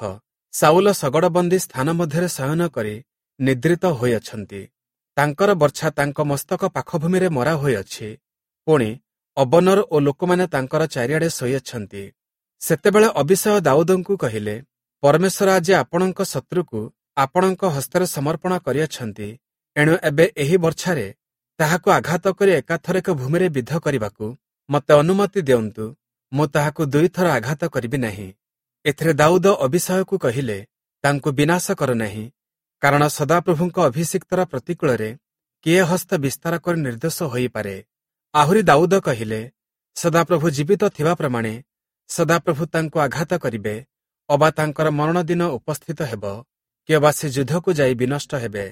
ଶାଉଲ ଶଗଡ଼ବନ୍ଦୀ ସ୍ଥାନ ମଧ୍ୟରେ ଶୟନ କରି ନିଦ୍ରିତ ହୋଇଅଛନ୍ତି। ତାଙ୍କର ବର୍ଚ୍ଛା ତାଙ୍କ ମସ୍ତକ ପାଖଭୂମିରେ ମରା ହୋଇଅଛି। ପୁଣି ଅବନର ଓ ଲୋକମାନେ ତାଙ୍କର ଚାରିଆଡ଼େ ଶୋଇଅଛନ୍ତି। ସେତେବେଳେ ଅବିଶୟ ଦାଉଦଙ୍କୁ କହିଲେ, ପରମେଶ୍ୱର ଆଜି ଆପଣଙ୍କ ଶତ୍ରୁକୁ ଆପଣଙ୍କ ହସ୍ତରେ ସମର୍ପଣ କରିଅଛନ୍ତି। ଏଣୁ ଏବେ ଏହି ବର୍ଚ୍ଛାରେ ତାହାକୁ ଆଘାତ କରି ଏକାଥରକ ଭୂମିରେ ବିଦ୍ଧ କରିବାକୁ ମୋତେ ଅନୁମତି ଦିଅନ୍ତୁ, ମୁଁ ତାହାକୁ ଦୁଇଥର ଆଘାତ କରିବି ନାହିଁ। ଏଥିରେ ଦାଉଦ ଅବିଷୟକୁ କହିଲେ, ତାଙ୍କୁ ବିନାଶ କର ନାହିଁ, କାରଣ ସଦାପ୍ରଭୁଙ୍କ ଅଭିଷିକ୍ତର ପ୍ରତିକୂଳରେ କିଏ ହସ୍ତ ବିସ୍ତାର କରି ନିର୍ଦ୍ଦୋଷ ହୋଇପାରେ? ଆହୁରି ଦାଉଦ କହିଲେ, ସଦାପ୍ରଭୁ ଜୀବିତ ଥିବା ପ୍ରମାଣେ ସଦାପ୍ରଭୁ ତାଙ୍କୁ ଆଘାତ କରିବେ, ଅବା ତାଙ୍କର ମରଣ ଦିନ ଉପସ୍ଥିତ ହେବ, କିଅବା ସେ ଯୁଦ୍ଧକୁ ଯାଇ ବିନଷ୍ଟ ହେବେ।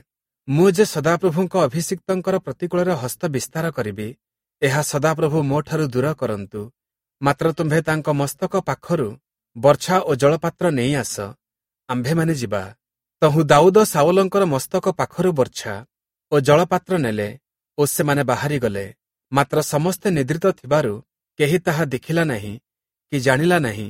ମୁଁ ଯେ ସଦାପ୍ରଭୁଙ୍କ ଅଭିଷିକ୍ତଙ୍କର ପ୍ରତିକୂଳରେ ହସ୍ତ ବିସ୍ତାର କରିବି, ଏହା ସଦାପ୍ରଭୁ ମୋଠାରୁ ଦୂର କରନ୍ତୁ। ମାତ୍ର ତୁମ୍ଭେ ତାଙ୍କ ମସ୍ତକ ପାଖରୁ ବର୍ଚ୍ଛା ଓ ଜଳପାତ୍ର ନେଇ ଆସ, ଆମ୍ଭେମାନେ ଯିବା। ତହୁଁ ଦାଉଦ ସାଉଲଙ୍କର ମସ୍ତକ ପାଖରୁ ବର୍ଚ୍ଛା ଓ ଜଳପାତ୍ର ନେଲେ ଓ ସେମାନେ ବାହାରିଗଲେ। ମାତ୍ର ସମସ୍ତେ ନିଦ୍ରିତ ଥିବାରୁ କେହି ତାହା ଦେଖିଲା ନାହିଁ କି ଜାଣିଲା ନାହିଁ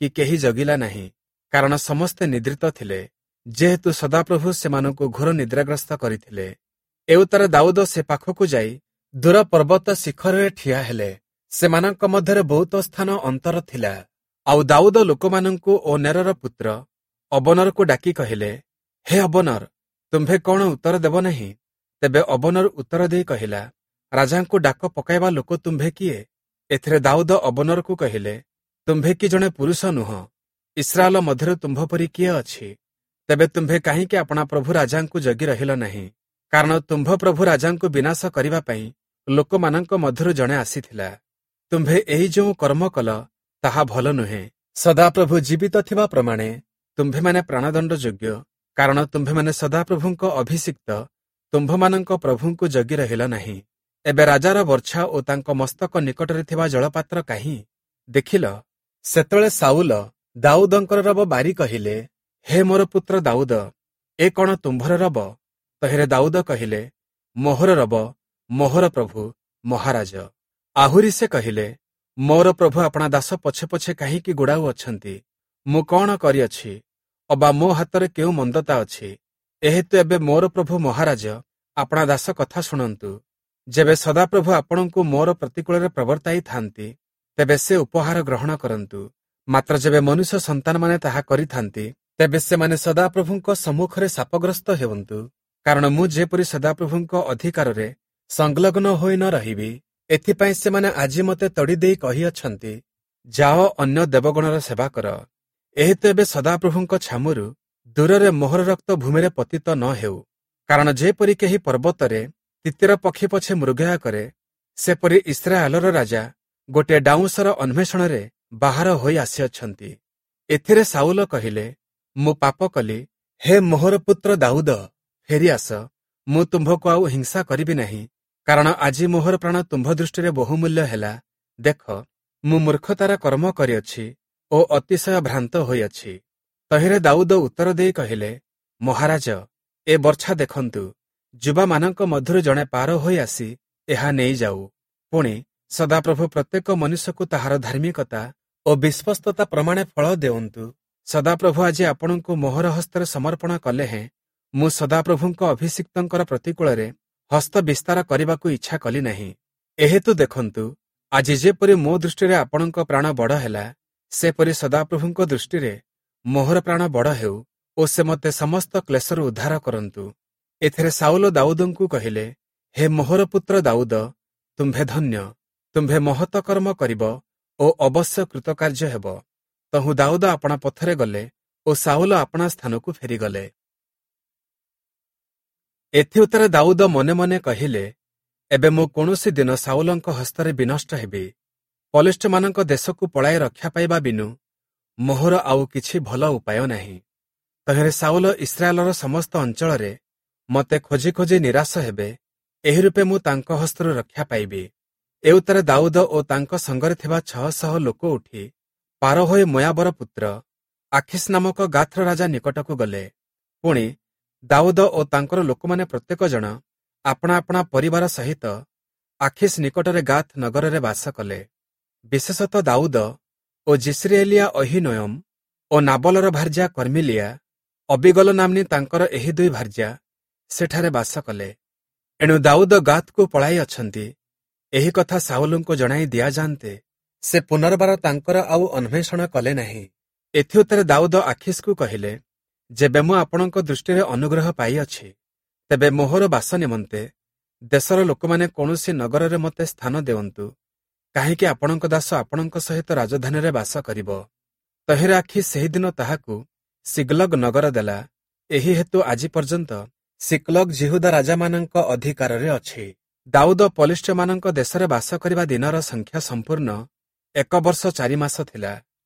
କି କେହି ଜଗିଲା ନାହିଁ, କାରଣ ସମସ୍ତେ ନିଦ୍ରିତ ଥିଲେ, ଯେହେତୁ ସଦାପ୍ରଭୁ ସେମାନଙ୍କୁ ଘୋର ନିଦ୍ରାଗ୍ରସ୍ତ କରିଥିଲେ। ଏଉତ୍ତାରେ ଦାଉଦ ସେ ପାଖକୁ ଯାଇ ଦୂର ପର୍ବତ ଶିଖରରେ ଠିଆ ହେଲେ। ସେମାନଙ୍କ ମଧ୍ୟରେ ବହୁତ ସ୍ଥାନ ଅନ୍ତର ଥିଲା। ଆଉ ଦାଉଦ ଲୋକମାନଙ୍କୁ ଓ ନେରର ପୁତ୍ର ଅବନରକୁ ଡାକି କହିଲେ, ହେ ଅବନର, ତୁମ୍ଭେ କଣ ଉତ୍ତର ଦେବ ନାହିଁ? ତେବେ ଅବନର ଉତ୍ତର ଦେଇ କହିଲା, ରାଜାଙ୍କୁ ଡାକ ପକାଇବା ଲୋକ ତୁମ୍ଭେ କିଏ? ଏଥିରେ ଦାଉଦ ଅବନରକୁ କହିଲେ, ତୁମ୍ଭେ କି ଜଣେ ପୁରୁଷ ନୁହଁ? ଇସ୍ରାଏଲ ମଧ୍ୟରେ ତୁମ୍ଭ ପରି କିଏ ଅଛି? ତେବେ ତୁମ୍ଭେ କାହିଁକି ଆପଣା ପ୍ରଭୁ ରାଜାଙ୍କୁ ଜଗି ରହିଲ ନାହିଁ? କାରଣ ତୁମ୍ଭ ପ୍ରଭୁ ରାଜାଙ୍କୁ ବିନାଶ କରିବା ପାଇଁ ଲୋକମାନଙ୍କ ମଧ୍ୟରୁ ଜଣେ ଆସିଥିଲା। ତୁମ୍ଭେ ଏହି ଯେଉଁ କର୍ମ କଲ, ତାହା ଭଲ ନୁହେଁ। ସଦାପ୍ରଭୁ ଜୀବିତ ଥିବା ପ୍ରମାଣେ ତୁମ୍ଭେମାନେ ପ୍ରାଣଦଣ୍ଡ ଯୋଗ୍ୟ, କାରଣ ତୁମ୍ଭେମାନେ ସଦାପ୍ରଭୁଙ୍କ ଅଭିଷିକ୍ତ ତୁମ୍ଭମାନଙ୍କ ପ୍ରଭୁଙ୍କୁ ଜଗି ରହିଲ ନାହିଁ। ଏବେ ରାଜାର ବର୍ଚ୍ଛା ଓ ତାଙ୍କ ମସ୍ତକ ନିକଟରେ ଥିବା ଜଳପାତ୍ର କାହିଁ? ଦେଖିଲ। ସେତେବେଳେ ସାଉଲ ଦାଉଦଙ୍କର ରବ ବାରି କହିଲେ, ହେ ମୋର ପୁତ୍ର ଦାଉଦ, ଏ କଣ ତୁମ୍ଭର ରବ? ତହିଁରେ ଦାଉଦ କହିଲେ, ମୋହର ରବ, ମୋହର ପ୍ରଭୁ ମହାରାଜ। ଆହୁରି ସେ କହିଲେ, ମୋର ପ୍ରଭୁ ଆପଣା ଦାସ ପଛେ ପଛେ କାହିଁକି ଗୋଡ଼ାଉ ଅଛନ୍ତି? ମୁଁ କଣ କରିଅଛି? ଅବା ମୋ ହାତରେ କେଉଁ ମନ୍ଦତା ଅଛି? ଏହେତୁ ଏବେ ମୋର ପ୍ରଭୁ ମହାରାଜ ଆପଣା ଦାସ କଥା ଶୁଣନ୍ତୁ। ଯେବେ ସଦାପ୍ରଭୁ ଆପଣଙ୍କୁ ମୋର ପ୍ରତିକୂଳରେ ପ୍ରବର୍ତ୍ତାଇଥାନ୍ତି, ତେବେ ସେ ଉପହାର ଗ୍ରହଣ କରନ୍ତୁ। ମାତ୍ର ଯେବେ ମନୁଷ୍ୟ ସନ୍ତାନମାନେ ତାହା କରିଥାନ୍ତି, ତେବେ ସେମାନେ ସଦାପ୍ରଭୁଙ୍କ ସମ୍ମୁଖରେ ଶାପଗ୍ରସ୍ତ ହେଉନ୍ତୁ। କାରଣ ମୁଁ ଯେପରି ସଦାପ୍ରଭୁଙ୍କ ଅଧିକାରରେ ସଂଲଗ୍ନ ହୋଇ ନ ରହିବି, ଏଥିପାଇଁ ସେମାନେ ଆଜି ମୋତେ ତଡ଼ି ଦେଇ କହିଅଛନ୍ତି, ଯାଅ ଅନ୍ୟ ଦେବଗଣର ସେବା କର। ଏହେତୁ ଏବେ ସଦାପ୍ରଭୁଙ୍କ ଛାମୁରୁ ଦୂରରେ ମୋହର ରକ୍ତ ଭୂମିରେ ପତିତ ନ ହେଉ। କାରଣ ଯେପରି କେହି ପର୍ବତରେ ତିତିର ପକ୍ଷୀ ପଛେ ମୃଗୟା କରେ, ସେପରି ଇସ୍ରାଏଲର ରାଜା ଗୋଟିଏ ଡାଉଁଶର ଅନ୍ୱେଷଣରେ ବାହାର ହୋଇ ଆସିଅଛନ୍ତି। ଏଥିରେ ସାଉଲ କହିଲେ, ମୁଁ ପାପ କଲି। ହେ ମୋହର ପୁତ୍ର ଦାଉଦ, ଫେରିଆସ, ମୁଁ ତୁମ୍ଭକୁ ଆଉ ହିଂସା କରିବି ନାହିଁ, କାରଣ ଆଜି ମୋହର ପ୍ରାଣ ତୁମ୍ଭ ଦୃଷ୍ଟିରେ ବହୁମୂଲ୍ୟ ହେଲା। ଦେଖ, ମୁଁ ମୂର୍ଖତାର କର୍ମ କରିଅଛି ଓ ଅତିଶୟ ଭ୍ରାନ୍ତ ହୋଇଅଛି। ତହିଁରେ ଦାଉଦ ଉତ୍ତର ଦେଇ କହିଲେ, ମହାରାଜ, ଏ ବର୍ଚ୍ଛା ଦେଖନ୍ତୁ, ଯୁବାମାନଙ୍କ ମଧ୍ୟରୁ ଜଣେ ପାର ହୋଇ ଆସି ଏହା ନେଇଯାଉ। ପୁଣି ସଦାପ୍ରଭୁ ପ୍ରତ୍ୟେକ ମନୁଷ୍ୟକୁ ତାହାର ଧାର୍ମିକତା ଓ ବିଶ୍ୱସ୍ତତା ପ୍ରମାଣେ ଫଳ ଦେଉନ୍ତୁ। ସଦାପ୍ରଭୁ ଆଜି ଆପଣଙ୍କୁ ମୋହର ହସ୍ତରେ ସମର୍ପଣ କଲେ ହେଁ ମୁଁ ସଦାପ୍ରଭୁଙ୍କ ଅଭିଷିକ୍ତଙ୍କର ପ୍ରତିକୂଳରେ ହସ୍ତ ବିସ୍ତାର କରିବାକୁ ଇଚ୍ଛା କଲି ନାହିଁ। ଏହେତୁ ଦେଖନ୍ତୁ, ଆଜି ଯେପରି ମୋ ଦୃଷ୍ଟିରେ ଆପଣଙ୍କ ପ୍ରାଣ ବଡ଼ ହେଲା, ସେପରି ସଦାପ୍ରଭୁଙ୍କ ଦୃଷ୍ଟିରେ ମୋହର ପ୍ରାଣ ବଡ଼ ହେଉ ଓ ସେ ମୋତେ ସମସ୍ତ କ୍ଲେଶରୁ ଉଦ୍ଧାର କରନ୍ତୁ। ଏଥିରେ ସାଉଲ ଦାଉଦଙ୍କୁ କହିଲେ, ହେ ମୋହର ପୁତ୍ର ଦାଉଦ, ତୁମ୍ଭେ ଧନ୍ୟ, ତୁମ୍ଭେ ମହତ କର୍ମ କରିବ ଓ ଅବଶ୍ୟ କୃତକାର୍ଯ୍ୟ ହେବ। ତହୁଁ ଦାଉଦ ଆପଣା ପଥରେ ଗଲେ ଓ ସାଉଲ ଆପଣା ସ୍ଥାନକୁ ଫେରିଗଲେ। ଏଥିଉତ୍ତାରେ ଦାଉଦ ମନେ ମନେ କହିଲେ, ଏବେ ମୁଁ କୌଣସି ଦିନ ସାଉଲଙ୍କ ହସ୍ତରେ ବିନଷ୍ଟ ହେବି। ପଲେଷ୍ଟମାନଙ୍କ ଦେଶକୁ ପଳାଇ ରକ୍ଷା ପାଇବା ବିନୁ ମୋହର ଆଉ କିଛି ଭଲ ଉପାୟ ନାହିଁ। ତହିଁରେ ସାଉଲ ଇସ୍ରାଏଲର ସମସ୍ତ ଅଞ୍ଚଳରେ ମୋତେ ଖୋଜି ଖୋଜି ନିରାଶ ହେବେ, ଏହି ରୂପେ ମୁଁ ତାଙ୍କ ହସ୍ତରୁ ରକ୍ଷା ପାଇବି। ଏଉତ୍ତାରେ ଦାଉଦ ଓ ତାଙ୍କ ସଙ୍ଗରେ ଥିବା ଛଅ ଶହ ଲୋକ ଉଠି ପାର ହୋଇ ମୋୟାବର ପୁତ୍ର ଆଖିସ୍ ନାମକ ଗାଥର ରାଜା ନିକଟକୁ ଗଲେ। ପୁଣି ଦାଉଦ ଓ ତାଙ୍କର ଲୋକମାନେ ପ୍ରତ୍ୟେକ ଜଣ ଆପଣା ଆପଣା ପରିବାର ସହିତ ଆଖିସ୍ ନିକଟରେ ଗାଥ ନଗରରେ ବାସ କଲେ। ବିଶେଷତଃ ଦାଉଦ ଓ ଯିସ୍ରାଏଲୀୟା ଅହୀନୋୟମ ଓ ନାବଲର ଭାର୍ଯ୍ୟା କର୍ମିଲିଆ ଅବିଗଲ ନାମ୍ନୀ ତାଙ୍କର ଏହି ଦୁଇ ଭାର୍ଯ୍ୟା ସେଠାରେ ବାସ କଲେ। ଏଣୁ ଦାଉଦ ଗାଥକୁ ପଳାଇ ଅଛନ୍ତି, ଏହି କଥା ସାଉଲଙ୍କୁ ଜଣାଇ ଦିଆଯାନ୍ତେ ସେ ପୁନର୍ବାର ତାଙ୍କର ଆଉ ଅନ୍ୱେଷଣ କଲେ ନାହିଁ। ଏଥିଉତ୍ତାରେ ଦାଉଦ ଆଖିସ୍କୁ କହିଲେ, ଯେବେ ମୁଁ ଆପଣଙ୍କ ଦୃଷ୍ଟିରେ ଅନୁଗ୍ରହ ପାଇଅଛି, ତେବେ ମୋହର ବାସ ନିମନ୍ତେ ଦେଶର ଲୋକମାନେ କୌଣସି ନଗରରେ ମୋତେ ସ୍ଥାନ ଦେଉନ୍ତୁ, କାହିଁକି ଆପଣଙ୍କ ଦାସ ଆପଣଙ୍କ ସହିତ ରାଜଧାନୀରେ ବାସ କରିବ? ତହିଁରେ ଆଖୀଶ ସେହିଦିନ ତାହାକୁ ସିଗ୍ଲଗ ନଗର ଦେଲା। ଏହି ହେତୁ ଆଜି ପର୍ଯ୍ୟନ୍ତ ସିକ୍ଲଗ ଯିହୁଦା ରାଜାମାନଙ୍କ ଅଧିକାରରେ ଅଛି। ଦାଉଦ ପଲିଷ୍ଠୀୟମାନଙ୍କ ଦେଶରେ ବାସ କରିବା ଦିନର ସଂଖ୍ୟା ସମ୍ପୂର୍ଣ୍ଣ ଏକ ବର୍ଷ ଚାରି ମାସ ଥିଲା।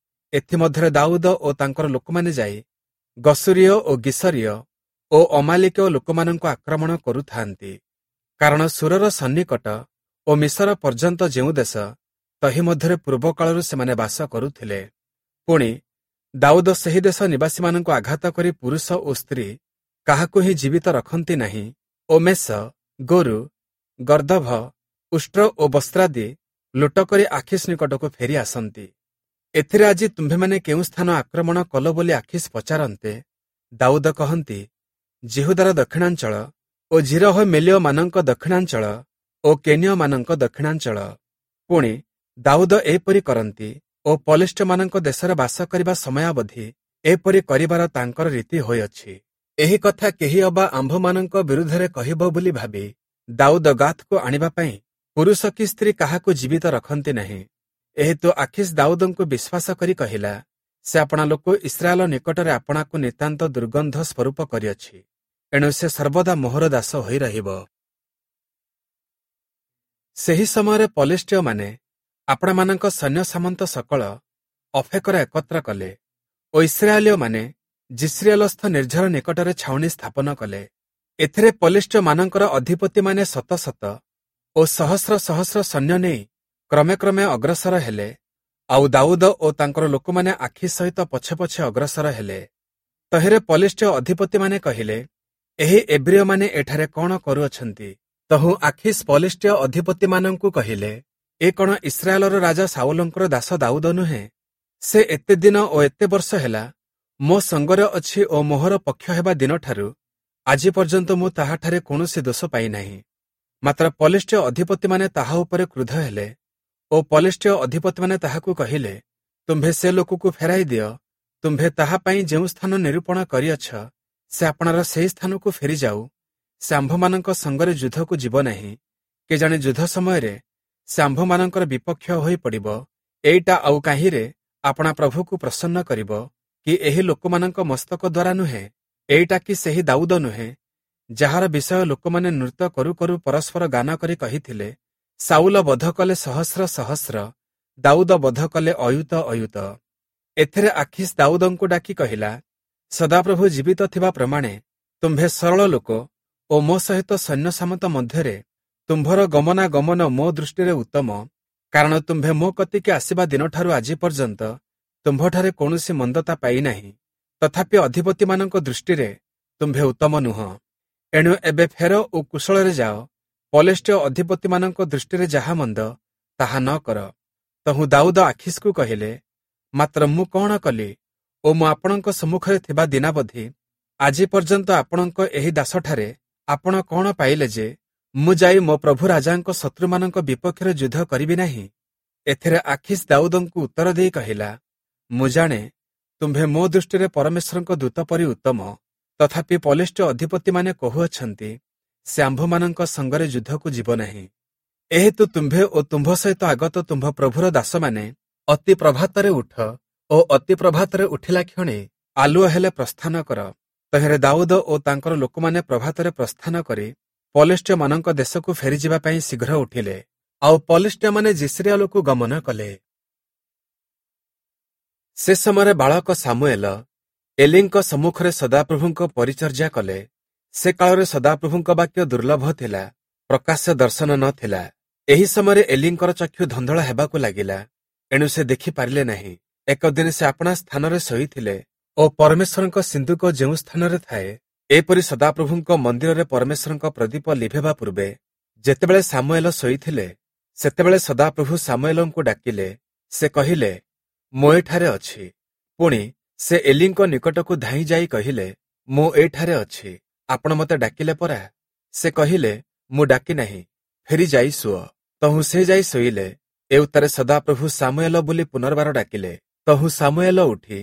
ଏଥିମଧ୍ୟରେ ଦାଉଦ ଓ ତାଙ୍କର ଲୋକମାନେ ଯାଇ ଗଶୂରୀୟ ଓ ଗିଶରୀୟ ଓ ଅମାଲିକୀୟ ଲୋକମାନଙ୍କୁ ଆକ୍ରମଣ କରୁଥାନ୍ତି, କାରଣ ଶୂରର ସନ୍ନିକଟ ଓ ମିଶର ପର୍ଯ୍ୟନ୍ତ ଯେଉଁ ଦେଶ, ତହିଁ ମଧ୍ୟରେ ପୂର୍ବକାଳରୁ ସେମାନେ ବାସ କରୁଥିଲେ। ପୁଣି ଦାଉଦ ସେହି ଦେଶ ନିବାସୀମାନଙ୍କୁ ଆଘାତ କରି ପୁରୁଷ ଓ ସ୍ତ୍ରୀ କାହାକୁ ହିଁ ଜୀବିତ ରଖନ୍ତି ନାହିଁ ଓ ମେଷ, ଗୋରୁ, ଗର୍ଦ୍ଦଭ, ଉଷ୍ଟ୍ର ଓ ବସ୍ତ୍ରାଦି ଲୁଟ କରି ଆଖୀଶ ନିକଟକୁ ଫେରି ଆସନ୍ତି। ଏଥିରେ ଆଜି ତୁମ୍ଭେମାନେ କେଉଁ ସ୍ଥାନ ଆକ୍ରମଣ କଲ ବୋଲି ଆଖୀଶ ପଚାରନ୍ତେ, ଦାଉଦ କହନ୍ତି, ଯିହୁଦାର ଦକ୍ଷିଣାଞ୍ଚଳ ଓ ଯିରହମେଲୀୟମାନଙ୍କ ଦକ୍ଷିଣାଞ୍ଚଳ ଓ କେନୀୟମାନଙ୍କ ଦକ୍ଷିଣାଞ୍ଚଳ। ପୁଣି ଦାଉଦ ଏପରି କରନ୍ତି ଓ ପଲିଷ୍ଠୀୟମାନଙ୍କ ଦେଶରେ ବାସ କରିବା ସମୟାବଧି ଏପରି କରିବାର ତାଙ୍କର ରୀତି ହୋଇଅଛି। ଏହି କଥା କେହି ଅବା ଆମ୍ଭମାନଙ୍କ ବିରୁଦ୍ଧରେ କହିବ ବୋଲି ଭାବି ଦାଉଦ ଗାଥକୁ ଆଣିବା ପାଇଁ ପୁରୁଷ କି ସ୍ତ୍ରୀ କାହାକୁ ଜୀବିତ ରଖନ୍ତି ନାହିଁ। ଏହେତୁ ଆଖୀଶ ଦାଉଦଙ୍କୁ ବିଶ୍ୱାସ କରି କହିଲା, ସେ ଆପଣା ଲୋକ ଇସ୍ରାଏଲ ନିକଟରେ ଆପଣାକୁ ନିତାନ୍ତ ଦୁର୍ଗନ୍ଧ ସ୍ୱରୂପ କରିଅଛି, ଏଣୁ ସେ ସର୍ବଦା ମୋହର ଦାସ ହୋଇ ରହିବ। ସେହି ସମୟରେ ପଲିଷ୍ଠୀୟମାନେ ଆପଣାମାନଙ୍କ ସୈନ୍ୟ ସାମନ୍ତ ସକଳ ଅଫେକରେ ଏକତ୍ର କଲେ ଓ ଇସ୍ରାଏଲୀୟମାନେ ଯିଷ୍ରିଏଲସ୍ଥ ନିର୍ଝର ନିକଟରେ ଛାଉଣି ସ୍ଥାପନ କଲେ। ଏଥିରେ ପଲିଷ୍ଠୀୟମାନଙ୍କର ଅଧିପତିମାନେ ଶତ ଶତ ଓ ସହସ୍ର ସହସ୍ର ସୈନ୍ୟ ନେଇ କ୍ରମେ କ୍ରମେ ଅଗ୍ରସର ହେଲେ, ଆଉ ଦାଉଦ ଓ ତାଙ୍କର ଲୋକମାନେ ଆଖୀଶ ସହିତ ପଛେ ପଛେ ଅଗ୍ରସର ହେଲେ। ତହିଁରେ ପଲିଷ୍ଠୀୟ ଅଧିପତିମାନେ କହିଲେ, ଏହି ଏବ୍ରୀୟମାନେ ଏଠାରେ କଣ କରୁଅଛନ୍ତି? ତହୁଁ ଆଖୀଶ ପଲିଷ୍ଠୀୟ ଅଧିପତିମାନଙ୍କୁ କହିଲେ, ଏ କଣ ଇସ୍ରାଏଲର ରାଜା ଶାଉଲଙ୍କର ଦାସ ଦାଉଦ ନୁହେଁ? ସେ ଏତେ ଦିନ ଓ ଏତେ ବର୍ଷ ହେଲା ମୋ ସଙ୍ଗରେ ଅଛି ଓ ମୋହର ପକ୍ଷ ହେବା ଦିନଠାରୁ ଆଜି ପର୍ଯ୍ୟନ୍ତ ମୁଁ ତାହାଠାରେ କୌଣସି ଦୋଷ ପାଇନାହିଁ। ମାତ୍ର ପଲିଷ୍ଠୀୟ ଅଧିପତିମାନେ ତାହା ଉପରେ କ୍ରୁଦ୍ଧ ହେଲେ ଓ ପଲିଷ୍ଠୀୟ ଅଧିପତିମାନେ ତାହାକୁ କହିଲେ, ତୁମ୍ଭେ ସେ ଲୋକକୁ ଫେରାଇ ଦିଅ, ତୁମ୍ଭେ ତାହା ପାଇଁ ଯେଉଁ ସ୍ଥାନ ନିରୂପଣ କରିଅଛ, ସେ ଆପଣାର ସେହି ସ୍ଥାନକୁ ଫେରିଯାଉ। ସେ ଆମ୍ଭମାନଙ୍କ ସଙ୍ଗରେ ଯୁଦ୍ଧକୁ ଯିବ ନାହିଁ, କେଜାଣି ଯୁଦ୍ଧ ସମୟରେ ସେ ଆମ୍ଭମାନଙ୍କର ବିପକ୍ଷ ହୋଇ ପଡ଼ିବ। ଏଇଟା ଆଉ କାହିଁରେ ଆପଣା ପ୍ରଭୁକୁ ପ୍ରସନ୍ନ କରିବ କି ଏହି ଲୋକମାନଙ୍କ ମସ୍ତକ ଦ୍ୱାରା ନୁହେଁ? ଏଇଟା କି ସେହି ଦାଉଦ ନୁହେଁ, ଯାହାର ବିଷୟ ଲୋକମାନେ ନୃତ୍ୟ କରୁ କରୁ ପରସ୍ପର ଗାନ କରି କହିଥିଲେ, ସାଉଲ ବଧ କଲେ ସହସ୍ର ସହସ୍ର, ଦାଉଦ ବଧ କଲେ ଅୟୁତ ଅୟୁତ। ଏଥିରେ ଆଖୀଶ ଦାଉଦଙ୍କୁ ଡାକି କହିଲା, ସଦାପ୍ରଭୁ ଜୀବିତ ଥିବା ପ୍ରମାଣେ ତୁମ୍ଭେ ସରଳ ଲୋକ ଓ ମୋ ସହିତ ସୈନ୍ୟ ସାମନ୍ତ ମଧ୍ୟରେ ତୁମ୍ଭର ଗମନାଗମନ ମୋ ଦୃଷ୍ଟିରେ ଉତ୍ତମ, କାରଣ ତୁମ୍ଭେ ମୋ କତିକି ଆସିବା ଦିନଠାରୁ ଆଜି ପର୍ଯ୍ୟନ୍ତ ତୁମ୍ଭଠାରେ କୌଣସି ମନ୍ଦତା ପାଇନାହିଁ। ତଥାପି ଅଧିପତିମାନଙ୍କ ଦୃଷ୍ଟିରେ ତୁମ୍ଭେ ଉତ୍ତମ ନୁହଁ। ଏଣୁ ଏବେ ଫେର ଓ କୁଶଳରେ ଯାଅ, ପଲେଷ୍ଠୀୟ ଅଧିପତିମାନଙ୍କ ଦୃଷ୍ଟିରେ ଯାହା ମନ୍ଦ ତାହା ନ କର। ତହୁଁ ଦାଉଦ ଆଖୀଶକୁ କହିଲେ, ମାତ୍ର ମୁଁ କଣ କଲି ଓ ମୁଁ ଆପଣଙ୍କ ସମ୍ମୁଖରେ ଥିବା ଦିନାବଧି ଆଜି ପର୍ଯ୍ୟନ୍ତ ଆପଣଙ୍କ ଏହି ଦାସଠାରେ ଆପଣ କଣ ପାଇଲେ ଯେ ମୁଁ ଯାଇ ମୋ ପ୍ରଭୁ ରାଜାଙ୍କ ଶତ୍ରୁମାନଙ୍କ ବିପକ୍ଷରେ ଯୁଦ୍ଧ କରିବି ନାହିଁ? ଏଥିରେ ଆଖୀଶ ଦାଉଦଙ୍କୁ ଉତ୍ତର ଦେଇ କହିଲା, ମୁଁ ଜାଣେ ତୁମ୍ଭେ ମୋ ଦୃଷ୍ଟିରେ ପରମେଶ୍ୱରଙ୍କ ଦୂତ ପରି ଉତ୍ତମ, ତଥାପି ପଲେଷ୍ଠୀୟ ଅଧିପତିମାନେ କହୁଅଛନ୍ତି, ସେ ଆମ୍ଭମାନଙ୍କ ସଙ୍ଗରେ ଯୁଦ୍ଧକୁ ଯିବ ନାହିଁ। ଏହେତୁ ତୁମ୍ଭେ ଓ ତୁମ୍ଭ ସହିତ ଆଗତ ତୁମ୍ଭ ପ୍ରଭୁର ଦାସମାନେ ଅତି ପ୍ରଭାତରେ ଉଠ ଓ ଅତି ପ୍ରଭାତରେ ଉଠିଲା କ୍ଷଣି ଆଲୁଅ ହେଲେ ପ୍ରସ୍ଥାନ କର। ତହିଁରେ ଦାଉଦ ଓ ତାଙ୍କର ଲୋକମାନେ ପ୍ରଭାତରେ ପ୍ରସ୍ଥାନ କରି ପଲେଷ୍ଠୀୟମାନଙ୍କ ଦେଶକୁ ଫେରିଯିବା ପାଇଁ ଶୀଘ୍ର ଉଠିଲେ, ଆଉ ପଲେଷ୍ଠୀୟମାନେ ଯିଷ୍ରିଏଲକୁ ଗମନ କଲେ। ସେ ସମୟରେ ବାଳକ ସାମୁଏଲ ଏଲିଙ୍କ ସମ୍ମୁଖରେ ସଦାପ୍ରଭୁଙ୍କ ପରିଚର୍ଯା କଲେ। ସେ କାଳରେ ସଦାପ୍ରଭୁଙ୍କ ବାକ୍ୟ ଦୁର୍ଲଭ ଥିଲା, ପ୍ରକାଶ୍ୟ ଦର୍ଶନ ନ ଥିଲା। ଏହି ସମୟରେ ଏଲିଙ୍କର ଚକ୍ଷୁ ଧନ୍ଦଳା ହେବାକୁ ଲାଗିଲା, ଏଣୁ ସେ ଦେଖିପାରିଲେ ନାହିଁ। ଏକ ଦିନ ସେ ଆପଣା ସ୍ଥାନରେ ଶୋଇଥିଲେ ଓ ପରମେଶ୍ୱରଙ୍କ ସିନ୍ଦୁକ ଯେଉଁ ସ୍ଥାନରେ ଥାଏ, ଏପରି ସଦାପ୍ରଭୁଙ୍କ ମନ୍ଦିରରେ ପରମେଶ୍ୱରଙ୍କ ପ୍ରଦୀପ ଲିଭେବା ପୂର୍ବେ ଯେତେବେଳେ ସାମୁଏଲ ଶୋଇଥିଲେ, ସେତେବେଳେ ସଦାପ୍ରଭୁ ସାମୁଏଲଙ୍କୁ ଡାକିଲେ। ସେ କହିଲେ, ମୁଁ ଏଠାରେ ଅଛି। ପୁଣି ସେ ଏଲିଙ୍କ ନିକଟକୁ ଧାଇଁ ଯାଇ କହିଲେ, ମୁଁ ଏଠାରେ ଅଛି, ଆପଣ ମୋତେ ଡାକିଲେ ପରା? ସେ କହିଲେ, ମୁଁ ଡାକି ନାହିଁ, ଫେରି ଯାଇ ଶୁଅ। ତହୁଁ ସେ ଯାଇ ଶୋଇଲେ। ଏଉତ୍ତାରେ ସଦାପ୍ରଭୁ ସାମୁଏଲ ବୋଲି ପୁନର୍ବାର ଡାକିଲେ। ତହୁଁ ସାମୁଏଲ ଉଠି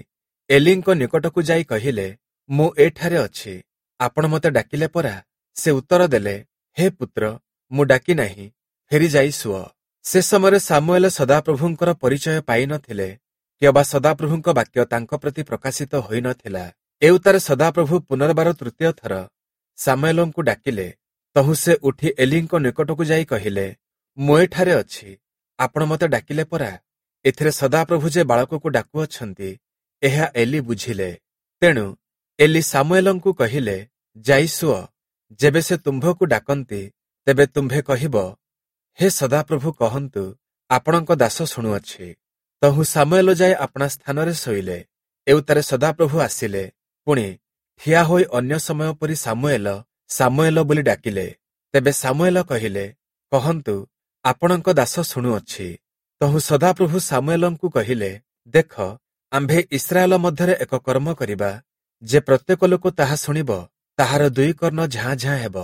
ଏଲିଙ୍କ ନିକଟକୁ ଯାଇ କହିଲେ, ମୁଁ ଏଠାରେ ଅଛି, ଆପଣ ମୋତେ ଡାକିଲେ ପରା? ସେ ଉତ୍ତର ଦେଲେ, ହେ ପୁତ୍ର, ମୁଁ ଡାକି ନାହିଁ, ଫେରି ଯାଇ ଶୁଅ। ସେ ସମୟରେ ସାମୁଏଲ ସଦାପ୍ରଭୁଙ୍କର ପରିଚୟ ପାଇନଥିଲେ କିମ୍ବା ସଦାପ୍ରଭୁଙ୍କ ବାକ୍ୟ ତାଙ୍କ ପ୍ରତି ପ୍ରକାଶିତ ହୋଇନଥିଲା। ଏଉତ୍ତାରେ ସଦାପ୍ରଭୁ ପୁନର୍ବାର ତୃତୀୟ ଥର ସାମୁଏଲଙ୍କୁ ଡାକିଲେ। ତହୁଁ ସେ ଉଠି ଏଲିଙ୍କ ନିକଟକୁ ଯାଇ କହିଲେ, ମୁଁ ଏଠାରେ ଅଛି, ଆପଣ ମୋତେ ଡାକିଲେ ପରା। ଏଥିରେ ସଦାପ୍ରଭୁ ଯେ ବାଳକକୁ ଡାକୁଅଛନ୍ତି, ଏହା ଏଲି ବୁଝିଲେ। ତେଣୁ ଏଲି ସାମୁଏଲଙ୍କୁ କହିଲେ, ଯାଇ ଶୁଅ, ଯେବେ ସେ ତୁମ୍ଭକୁ ଡାକନ୍ତି ତେବେ ତୁମ୍ଭେ କହିବ, ହେ ସଦାପ୍ରଭୁ କହନ୍ତୁ, ଆପଣଙ୍କ ଦାସ ଶୁଣୁଅଛି। ତହୁଁ ସାମୁଏଲ ଯାଇ ଆପଣା ସ୍ଥାନରେ ଶୋଇଲେ। ଏଉତ୍ତାରେ ସଦାପ୍ରଭୁ ଆସିଲେ, ପୁଣି ଠିଆ ହୋଇ ଅନ୍ୟ ସମୟ ପରି ସାମୁଏଲ ସାମୁଏଲ ବୋଲି ଡାକିଲେ। ତେବେ ସାମୁଏଲ କହିଲେ, କହନ୍ତୁ, ଆପଣଙ୍କ ଦାସ ଶୁଣୁଅଛି। ତହୁଁ ସଦାପ୍ରଭୁ ସାମୁଏଲଙ୍କୁ କହିଲେ, ଦେଖ, ଆମ୍ଭେ ଇସ୍ରାଏଲ ମଧ୍ୟରେ ଏକ କର୍ମ କରିବା, ଯେ ପ୍ରତ୍ୟେକ ଲୋକ ତାହା ଶୁଣିବ ତାହାର ଦୁଇ କର୍ଣ୍ଣ ଝାଁ ଝାଁ ହେବ।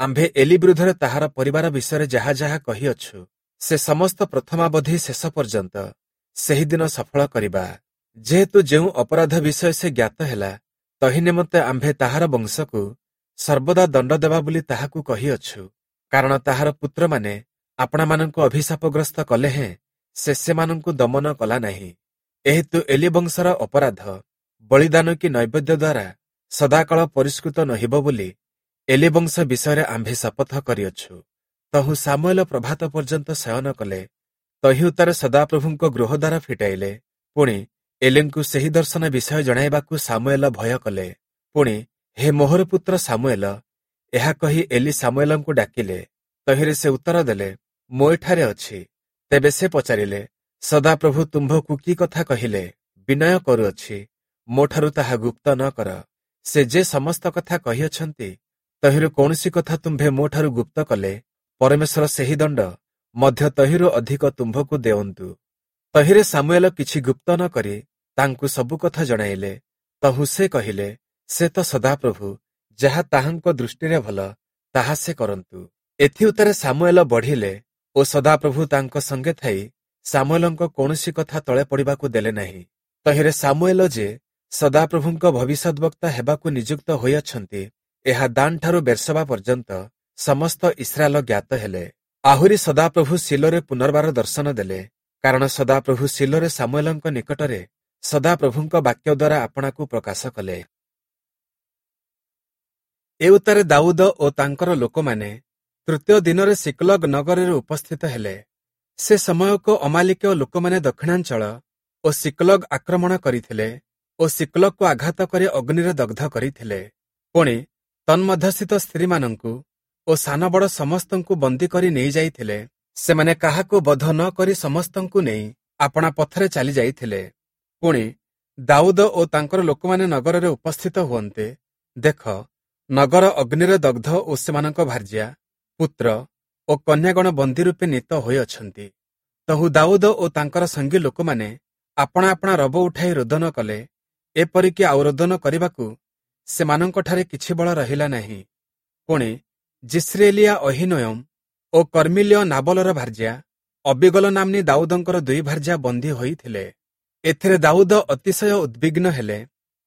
ଆମ୍ଭେ ଏଲି ବିରୁଦ୍ଧରେ ତାହାର ପରିବାର ବିଷୟରେ ଯାହା ଯାହା କହିଅଛୁ, ସେ ସମସ୍ତ ପ୍ରଥମାବଧି ଶେଷ ପର୍ଯ୍ୟନ୍ତ ସେହିଦିନ ସଫଳ କରିବା। ଯେହେତୁ ଯେଉଁ ଅପରାଧ ବିଷୟ ସେ ଜ୍ଞାତ ହେଲା, ତହିଁ ନିମନ୍ତେ ଆମ୍ଭେ ତାହାର ବଂଶକୁ ସର୍ବଦା ଦଣ୍ଡ ଦେବା ବୋଲି ତାହାକୁ କହିଅଛୁ। କାରଣ ତାହାର ପୁତ୍ରମାନେ ଆପଣାମାନଙ୍କୁ ଅଭିଶାପଗ୍ରସ୍ତ କଲେ ହେଁ ସେ ସେମାନଙ୍କୁ ଦମନ କଲା ନାହିଁ। ଏହେତୁ ଏଲି ବଂଶର ଅପରାଧ ବଳିଦାନ କି ନୈବେଦ୍ୟ ଦ୍ୱାରା ସଦାକାଳ ପରିଷ୍କୃତ ନୋହିବ ବୋଲି ଏଲି ବଂଶ ବିଷୟରେ ଆମ୍ଭେ ଶପଥ କରିଅଛୁ। ତହୁଁ ସାମୁଏଲ ପ୍ରଭାତ ପର୍ଯ୍ୟନ୍ତ ଶୟନ କଲେ। ତହିଁ ଉତ୍ତାରେ ସଦାପ୍ରଭୁଙ୍କ ଗୃହଦ୍ୱାର ଫିଟାଇଲେ। ପୁଣି ଏଲିଙ୍କୁ ସେହି ଦର୍ଶନ ବିଷୟ ଜଣାଇବାକୁ ସାମୁଏଲ ଭୟ କଲେ। ପୁଣି ହେ ମୋହର ପୁତ୍ର ସାମୁଏଲ, ଏହା କହି ଏଲି ସାମୁଏଲଙ୍କୁ ଡାକିଲେ। ତହିଁରେ ସେ ଉତ୍ତର ଦେଲେ, ମୁଁ ଏଠାରେ ଅଛି। ତେବେ ସେ ପଚାରିଲେ, ସଦାପ୍ରଭୁ ତୁମ୍ଭକୁ କି କଥା କହିଲେ? ବିନୟ କରୁଅଛି, ମୋଠାରୁ ତାହା ଗୁପ୍ତ ନ କର। ସେ ଯେ ସମସ୍ତ କଥା କହିଅଛନ୍ତି, ତହିଁରୁ କୌଣସି କଥା ତୁମ୍ଭେ ମୋଠାରୁ ଗୁପ୍ତ କଲେ ପରମେଶ୍ୱର ସେହି ଦଣ୍ଡ ମଧ୍ୟ ତହିଁରୁ ଅଧିକ ତୁମ୍ଭକୁ ଦେଉନ୍ତୁ। ତହିଁରେ ସାମୁଏଲ କିଛି ଗୁପ୍ତ ନ କରି ତାଙ୍କୁ ସବୁ କଥା ଜଣାଇଲେ। ତହୁଁ ସେ କହିଲେ, ସେ ତ ସଦାପ୍ରଭୁ, ଯାହା ତାହାଙ୍କ ଦୃଷ୍ଟିରେ ଭଲ ତାହା ସେ କରନ୍ତୁ। ଏଥିଉତ୍ତାରେ ସାମୁଏଲ ବଢ଼ିଲେ ଓ ସଦାପ୍ରଭୁ ତାଙ୍କ ସଙ୍ଗେ ଥାଇ ସାମୁଏଲଙ୍କ କୌଣସି କଥା ତଳେ ପଡ଼ିବାକୁ ଦେଲେ ନାହିଁ। ତହିଁରେ ସାମୁଏଲ ଯେ ସଦାପ୍ରଭୁଙ୍କ ଭବିଷ୍ୟଦ୍‌ବକ୍ତା ହେବାକୁ ନିଯୁକ୍ତ ହୋଇଅଛନ୍ତି, ଏହା ଦାନଠାରୁ ବେର୍ସବା ପର୍ଯ୍ୟନ୍ତ ସମସ୍ତ ଇସ୍ରାଏଲ ଜ୍ଞାତ ହେଲେ। ଆହୁରି ସଦାପ୍ରଭୁ ଶିଲୋରେ ପୁନର୍ବାର ଦର୍ଶନ ଦେଲେ, କାରଣ ସଦାପ୍ରଭୁ ଶିଲୋରେ ସାମୁଏଲଙ୍କ ନିକଟରେ ସଦାପ୍ରଭୁଙ୍କ ବାକ୍ୟ ଦ୍ୱାରା ଆପଣାକୁ ପ୍ରକାଶ କଲେ। ଏଉତ୍ତାରେ ଦାଉଦ ଓ ତାଙ୍କର ଲୋକମାନେ ତୃତୀୟ ଦିନରେ ସିକଲଗ ନଗରରେ ଉପସ୍ଥିତ ହେଲେ। ସେ ସମୟକୁ ଅମାଲିକୀୟ ଲୋକମାନେ ଦକ୍ଷିଣାଞ୍ଚଳ ଓ ସିକଲଗ ଆକ୍ରମଣ କରିଥିଲେ ଓ ସିକଲଗକୁ ଆଘାତ କରି ଅଗ୍ନିରେ ଦଗ୍ଧ କରିଥିଲେ। ପୁଣି ତନ୍ମଧ୍ୟସ୍ଥିତ ସ୍ତ୍ରୀମାନଙ୍କୁ ଓ ସାନ ବଡ଼ ସମସ୍ତଙ୍କୁ ବନ୍ଦୀ କରି ନେଇଯାଇଥିଲେ। ସେମାନେ କାହାକୁ ବଧ ନ କରି ସମସ୍ତଙ୍କୁ ନେଇ ଆପଣା ପଥରେ ଚାଲି ଯାଇଥିଲେ। ପୁଣି ଦାଉଦ ଓ ତାଙ୍କର ଲୋକମାନେ ନଗରରେ ଉପସ୍ଥିତ ହୁଅନ୍ତେ, ଦେଖ, ନଗର ଅଗ୍ନିରେ ଦଗ୍ଧ ଓ ସେମାନଙ୍କ ଭାର୍ଯ୍ୟା, ପୁତ୍ର ଓ କନ୍ୟାଗଣ ବନ୍ଦୀ ରୂପେ ନୀତ ହୋଇଅଛନ୍ତି। ତହୁଁ ଦାଉଦ ଓ ତାଙ୍କର ସଙ୍ଗୀ ଲୋକମାନେ ଆପଣା ଆପଣା ରବ ଉଠାଇ ରୋଦନ କଲେ, ଏପରିକି ଆଉ ରୋଦନ କରିବାକୁ ସେମାନଙ୍କଠାରେ କିଛି ବଳ ରହିଲା ନାହିଁ। ପୁଣି ଯିସ୍ରାଏଲୀୟା ଅହୀନୋୟମ ଓ କର୍ମିଲୀୟ ନାବଲର ଭାର୍ଯ୍ୟା ଅବୀଗଲ ନାମ୍ନୀ ଦାଉଦଙ୍କର ଦୁଇ ଭାର୍ଯ୍ୟା ବନ୍ଦୀ ହୋଇଥିଲେ। ଏଥିରେ ଦାଉଦ ଅତିଶୟ ଉଦ୍ବିଗ୍ନ ହେଲେ,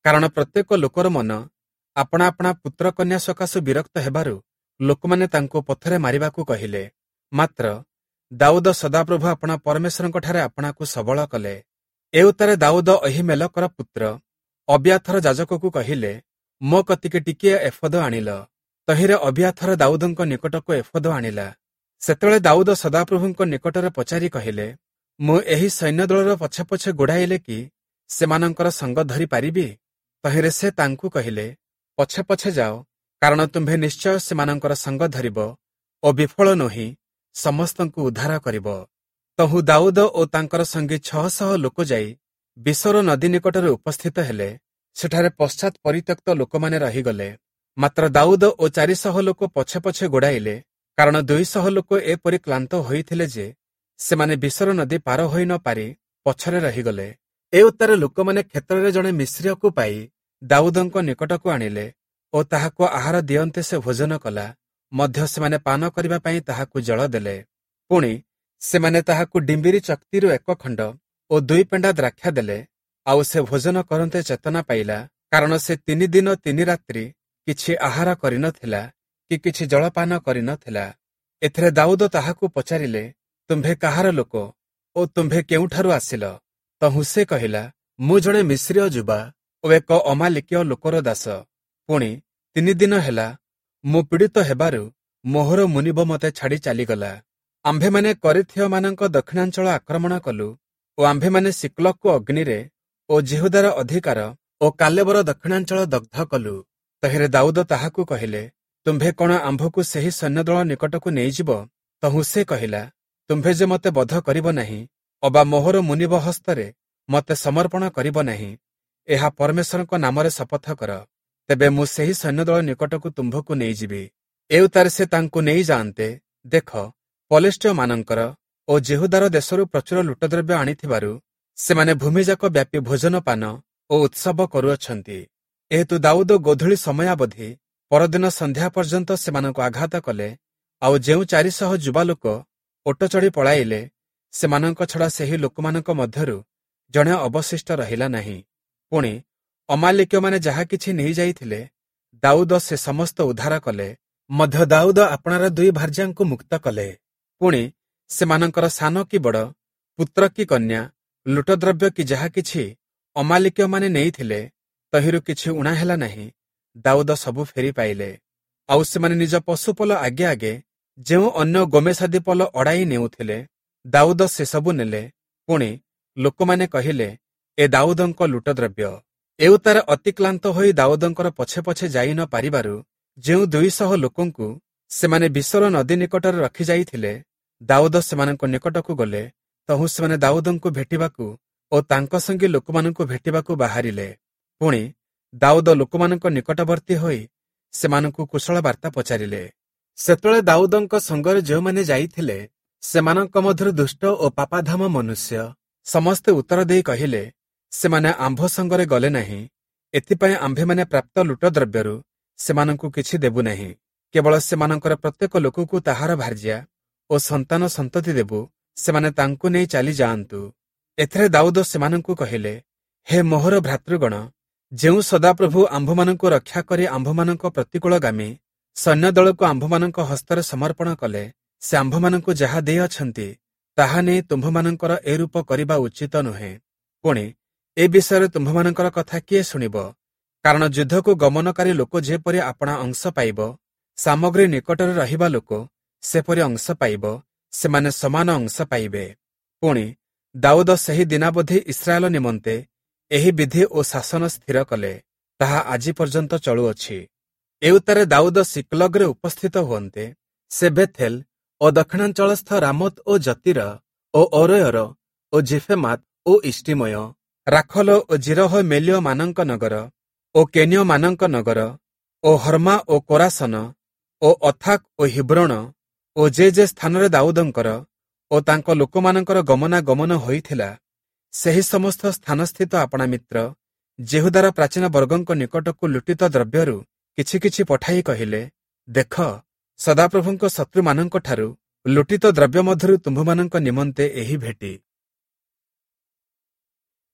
କାରଣ ପ୍ରତ୍ୟେକ ଲୋକର ମନ ଆପଣା ଆପଣା ପୁତ୍ର କନ୍ୟା ସକାଶୁ ବିରକ୍ତ ହେବାରୁ ଲୋକମାନେ ତାଙ୍କୁ ପଥରେ ମାରିବାକୁ କହିଲେ। ମାତ୍ର ଦାଉଦ ସଦାପ୍ରଭୁ ଆପଣା ପରମେଶ୍ୱରଙ୍କଠାରେ ଆପଣାକୁ ସବଳ କଲେ। ଏଉତ୍ତାରେ ଦାଉଦ ଅହୀମେଲକର ପୁତ୍ର ଅବିୟାଥର ଯାଜକକୁ କହିଲେ, ମୋ କତିକି ଟିକିଏ ଏଫୋଦ ଆଣିଲ। ତହିଁରେ ଅବିୟାଥର ଦାଉଦଙ୍କ ନିକଟକୁ ଏଫୋଦ ଆଣିଲା। ସେତେବେଳେ ଦାଉଦ ସଦାପ୍ରଭୁଙ୍କ ନିକଟରେ ପଚାରି କହିଲେ, ମୁଁ ଏହି ସୈନ୍ୟଦଳର ପଛେ ପଛେ ଗୋଡ଼ାଇଲେ କି ସେମାନଙ୍କର ସଙ୍ଗ ଧରି ପାରିବି? ତହିଁରେ ସେ ତାଙ୍କୁ କହିଲେ, ପଛେ ପଛେ ଯାଅ, କାରଣ ତୁମ୍ଭେ ନିଶ୍ଚୟ ସେମାନଙ୍କର ସଙ୍ଗ ଧରିବ ଓ ବିଫଳ ନୋହି ସମସ୍ତଙ୍କୁ ଉଦ୍ଧାର କରିବ। ତହୁଁ ଦାଉଦ ଓ ତାଙ୍କର ସଙ୍ଗୀ ଛଅ ଶହ ଲୋକ ଯାଇ ବିସୋର ନଦୀ ନିକଟରେ ଉପସ୍ଥିତ ହେଲେ। ସେଠାରେ ପଶ୍ଚାତ୍ ପରିତ୍ୟକ୍ତ ଲୋକମାନେ ରହିଗଲେ। ମାତ୍ର ଦାଉଦ ଓ ଚାରିଶହ ଲୋକ ପଛେ ପଛେ ଗୋଡ଼ାଇଲେ, କାରଣ ଦୁଇଶହ ଲୋକ ଏପରି କ୍ଳାନ୍ତ ହୋଇଥିଲେ ଯେ ସେମାନେ ବିସୋର ନଦୀ ପାର ହୋଇ ନ ପାରି ପଛରେ ରହିଗଲେ। ଏ ଉତ୍ତାରେ ଲୋକମାନେ କ୍ଷେତ୍ରରେ ଜଣେ ମିସ୍ରୀୟକୁ ପାଇ ଦାଉଦଙ୍କ ନିକଟକୁ ଆଣିଲେ ଓ ତାହାକୁ ଆହାର ଦିଅନ୍ତେ ସେ ଭୋଜନ କଲା। ମଧ୍ୟ ସେମାନେ ପାନ କରିବା ପାଇଁ ତାହାକୁ ଜଳ ଦେଲେ। ପୁଣି ସେମାନେ ତାହାକୁ ଡିମ୍ବିରି ଚକ୍ତିରୁ ଏକ ଖଣ୍ଡ ଓ ଦୁଇ ପେଣ୍ଡା ଦ୍ରାକ୍ଷା ଦେଲେ। ଆଉ ସେ ଭୋଜନ କରନ୍ତେ ଚେତନା ପାଇଲା, କାରଣ ସେ ତିନି ଦିନ ତିନି ରାତ୍ରି କିଛି ଆହାର କରିନଥିଲା କି କିଛି ଜଳପାନ କରିନଥିଲା। ଏଥିରେ ଦାଉଦ ତାହାକୁ ପଚାରିଲେ, ତୁମ୍ଭେ କାହାର ଲୋକ ଓ ତୁମ୍ଭେ କେଉଁଠାରୁ ଆସିଲ? ତହୁଁ ସେ କହିଲା, ମୁଁ ଜଣେ ମିସ୍ରୀୟ ଯୁବା ଓ ଏକ ଅମାଲିକୀୟ ଲୋକର ଦାସ। ପୁଣି ତିନି ଦିନ ହେଲା ମୁଁ ପୀଡ଼ିତ ହେବାରୁ ମୋହର ମୁନିବ ମୋତେ ଛାଡ଼ି ଚାଲିଗଲା। ଆମ୍ଭେମାନେ କରିଥୀୟମାନଙ୍କ ଦକ୍ଷିଣାଞ୍ଚଳ ଆକ୍ରମଣ କଲୁ ଓ ଆମ୍ଭେମାନେ ସିକ୍ଲଗକୁ ଅଗ୍ନିରେ ଓ ଯିହୁଦାର ଅଧିକାର ଓ କାଲେବର ଦକ୍ଷିଣାଞ୍ଚଳ ଦଗ୍ଧ କଲୁ। ତହିଁରେ ଦାଉଦ ତାହାକୁ କହିଲେ, ତୁମ୍ଭେ କଣ ଆମ୍ଭକୁ ସେହି ସୈନ୍ୟଦଳ ନିକଟକୁ ନେଇଯିବ? ତହୁଁ ସେ କହିଲା, ତୁମ୍ଭେ ଯେ ମୋତେ ବଧ କରିବ ନାହିଁ ଅବା ମୋହର ମୁନିବ ହସ୍ତରେ ମୋତେ ସମର୍ପଣ କରିବ ନାହିଁ, ଏହା ପରମେଶ୍ୱରଙ୍କ ନାମରେ ଶପଥ କର, ତେବେ ମୁଁ ସେହି ସୈନ୍ୟଦଳ ନିକଟକୁ ତୁମ୍ଭକୁ ନେଇଯିବି। ଏଉତ୍ତାରେ ସେ ତାଙ୍କୁ ନେଇଯାଆନ୍ତେ, ଦେଖ, ପଲେଷ୍ଟୀୟମାନଙ୍କର ଓ ଯିହୁଦାର ଦେଶରୁ ପ୍ରଚୁର ଲୁଟଦ୍ରବ୍ୟ ଆଣିଥିବାରୁ ସେମାନେ ଭୂମିଯାକ ବ୍ୟାପୀ ଭୋଜନ ପାନ ଓ ଉତ୍ସବ କରୁଅଛନ୍ତି। ଏହେତୁ ଦାଉଦ ଗୋଧୂଳି ସମୟାବଧି ପରଦିନ ସନ୍ଧ୍ୟା ପର୍ଯ୍ୟନ୍ତ ସେମାନଙ୍କୁ ଆଘାତ କଲେ। ଆଉ ଯେଉଁ ଚାରିଶହ ଯୁବା ଲୋକ ଓଟ ଚଢ଼ି ପଳାଇଲେ, ସେମାନଙ୍କ ଛଡ଼ା ସେହି ଲୋକମାନଙ୍କ ମଧ୍ୟରୁ ଜଣେ ଅବଶିଷ୍ଟ ରହିଲା ନାହିଁ। ପୁଣି ଅମାଲିକୀୟମାନେ ଯାହା କିଛି ନେଇଯାଇଥିଲେ, ଦାଉଦ ସେ ସମସ୍ତ ଉଦ୍ଧାର କଲେ। ମଧ୍ୟ ଦାଉଦ ଆପଣାର ଦୁଇ ଭାର୍ଯ୍ୟାଙ୍କୁ ମୁକ୍ତ କଲେ। ପୁଣି ସେମାନଙ୍କର ସାନ କି ବଡ଼, ପୁତ୍ର କି କନ୍ୟା, ଲୁଟଦ୍ରବ୍ୟ କି ଯାହା କିଛି ଅମାଲିକୀୟମାନେ ନେଇଥିଲେ, ତହିଁରୁ କିଛି ଊଣା ହେଲା ନାହିଁ, ଦାଉଦ ସବୁ ଫେରି ପାଇଲେ। ଆଉ ସେମାନେ ନିଜ ପଶୁପଲ ଆଗେ ଆଗେ ଯେଉଁ ଅନ୍ୟ ଗୋମେଶାଦି ପଲ ଅଡ଼ାଇ ନେଉଥିଲେ, ଦାଉଦ ସେସବୁ ନେଲେ। ପୁଣି ଲୋକମାନେ କହିଲେ, ଏ ଦାଉଦଙ୍କ ଲୁଟଦ୍ରବ୍ୟ। ଏଉତ୍ତାରେ ଅତିକ୍ଳାନ୍ତ ହୋଇ ଦାଉଦଙ୍କର ପଛେ ପଛେ ଯାଇ ନ ପାରିବାରୁ ଯେଉଁ ଦୁଇଶହ ଲୋକଙ୍କୁ ସେମାନେ ବିସର ନଦୀ ନିକଟରେ ରଖିଯାଇଥିଲେ, ଦାଉଦ ସେମାନଙ୍କ ନିକଟକୁ ଗଲେ। ତହୁଁ ସେମାନେ ଦାଉଦଙ୍କୁ ଭେଟିବାକୁ ଓ ତାଙ୍କ ସଙ୍ଗେ ଲୋକମାନଙ୍କୁ ଭେଟିବାକୁ ବାହାରିଲେ। ପୁଣି ଦାଉଦ ଲୋକମାନଙ୍କ ନିକଟବର୍ତ୍ତୀ ହୋଇ ସେମାନଙ୍କୁ କୁଶଳ ବାର୍ତ୍ତା ପଚାରିଲେ। ସେତେବେଳେ ଦାଉଦଙ୍କ ସଙ୍ଗରେ ଯେଉଁମାନେ ଯାଇଥିଲେ, ସେମାନଙ୍କ ମଧ୍ୟରୁ ଦୁଷ୍ଟ ଓ ପାପାଧାମ ମନୁଷ୍ୟ ସମସ୍ତେ ଉତ୍ତର ଦେଇ କହିଲେ, ସେମାନେ ଆମ୍ଭ ସଙ୍ଗରେ ଗଲେ ନାହିଁ, ଏଥିପାଇଁ ଆମ୍ଭେମାନେ ପ୍ରାପ୍ତ ଲୁଟଦ୍ରବ୍ୟରୁ ସେମାନଙ୍କୁ କିଛି ଦେବୁ ନାହିଁ। କେବଳ ସେମାନଙ୍କର ପ୍ରତ୍ୟେକ ଲୋକକୁ ତାହାର ଭାର୍ଯ୍ୟା ଓ ସନ୍ତାନ ସନ୍ତତି ଦେବୁ, ସେମାନେ ତାଙ୍କୁ ନେଇ ଚାଲିଯାଆନ୍ତୁ। ଏଥିରେ ଦାଉଦ ସେମାନଙ୍କୁ କହିଲେ, ହେ ମୋହର ଭ୍ରାତୃଗଣ, ଯେଉଁ ସଦାପ୍ରଭୁ ଆମ୍ଭମାନଙ୍କୁ ରକ୍ଷା କରି ଆମ୍ଭମାନଙ୍କ ପ୍ରତିକୂଳଗାମୀ ସୈନ୍ୟଦଳକୁ ଆମ୍ଭମାନଙ୍କ ହସ୍ତରେ ସମର୍ପଣ କଲେ, ସେ ଆମ୍ଭମାନଙ୍କୁ ଯାହା ଦେଇଅଛନ୍ତି ତାହା ନେଇ ତୁମ୍ଭମାନଙ୍କର ଏ ରୂପ କରିବା ଉଚିତ ନୁହେଁ। ପୁଣି ଏ ବିଷୟରେ ତୁମ୍ଭମାନଙ୍କର କଥା କିଏ ଶୁଣିବ? କାରଣ ଯୁଦ୍ଧକୁ ଗମନକାରୀ ଲୋକ ଯେପରି ଆପଣା ଅଂଶ ପାଇବ, ସାମଗ୍ରୀ ନିକଟରେ ରହିବା ଲୋକ ସେପରି ଅଂଶ ପାଇବ, ସେମାନେ ସମାନ ଅଂଶ ପାଇବେ। ପୁଣି ଦାଉଦ ସେହି ଦିନାବଧି ଇସ୍ରାଏଲ ନିମନ୍ତେ ଏହି ବିଧି ଓ ଶାସନ ସ୍ଥିର କଲେ, ତାହା ଆଜି ପର୍ଯ୍ୟନ୍ତ ଚଳୁଅଛି। ଏଉତ୍ତାରେ ଦାଉଦ ସିକ୍ଲଗରେ ଉପସ୍ଥିତ ହୁଅନ୍ତେ, ସେ ବେଥେଲ ଓ ଦକ୍ଷିଣାଞ୍ଚଳସ୍ଥ ରାମୋତ ଓ ଜତୀର ଓ ଅରୋୟର ଓ ଜିଫେମାତ ଓ ଇଷ୍ଟିମୟ, ରାଖଲ ଓ ଜିରହ ମେଲିୟମାନଙ୍କ ନଗର ଓ କେନୀୟମାନଙ୍କ ନଗର ଓ ହର୍ମା ଓ କୋରାସନ ଓ ଅଥାକ ଓ ହିବ୍ରୋଣ ଓ ଯେ ଯେ ସ୍ଥାନରେ ଦାଉଦଙ୍କର ଓ ତାଙ୍କ ଲୋକମାନଙ୍କର ଗମନାଗମନ ହୋଇଥିଲା, ସେହି ସମସ୍ତ ସ୍ଥାନସ୍ଥିତ ଆପଣା ମିତ୍ର ଯିହୁଦାର ପ୍ରାଚୀନ ବର୍ଗଙ୍କ ନିକଟକୁ ଲୁଟିତ ଦ୍ରବ୍ୟରୁ କିଛି କିଛି ପଠାଇ କହିଲେ, ଦେଖ, ସଦାପ୍ରଭୁଙ୍କ ଶତ୍ରୁମାନଙ୍କଠାରୁ ଲୁଟିତ ଦ୍ରବ୍ୟ ମଧ୍ୟରୁ ତୁମ୍ଭମାନଙ୍କ ନିମନ୍ତେ ଏହି ଭେଟି।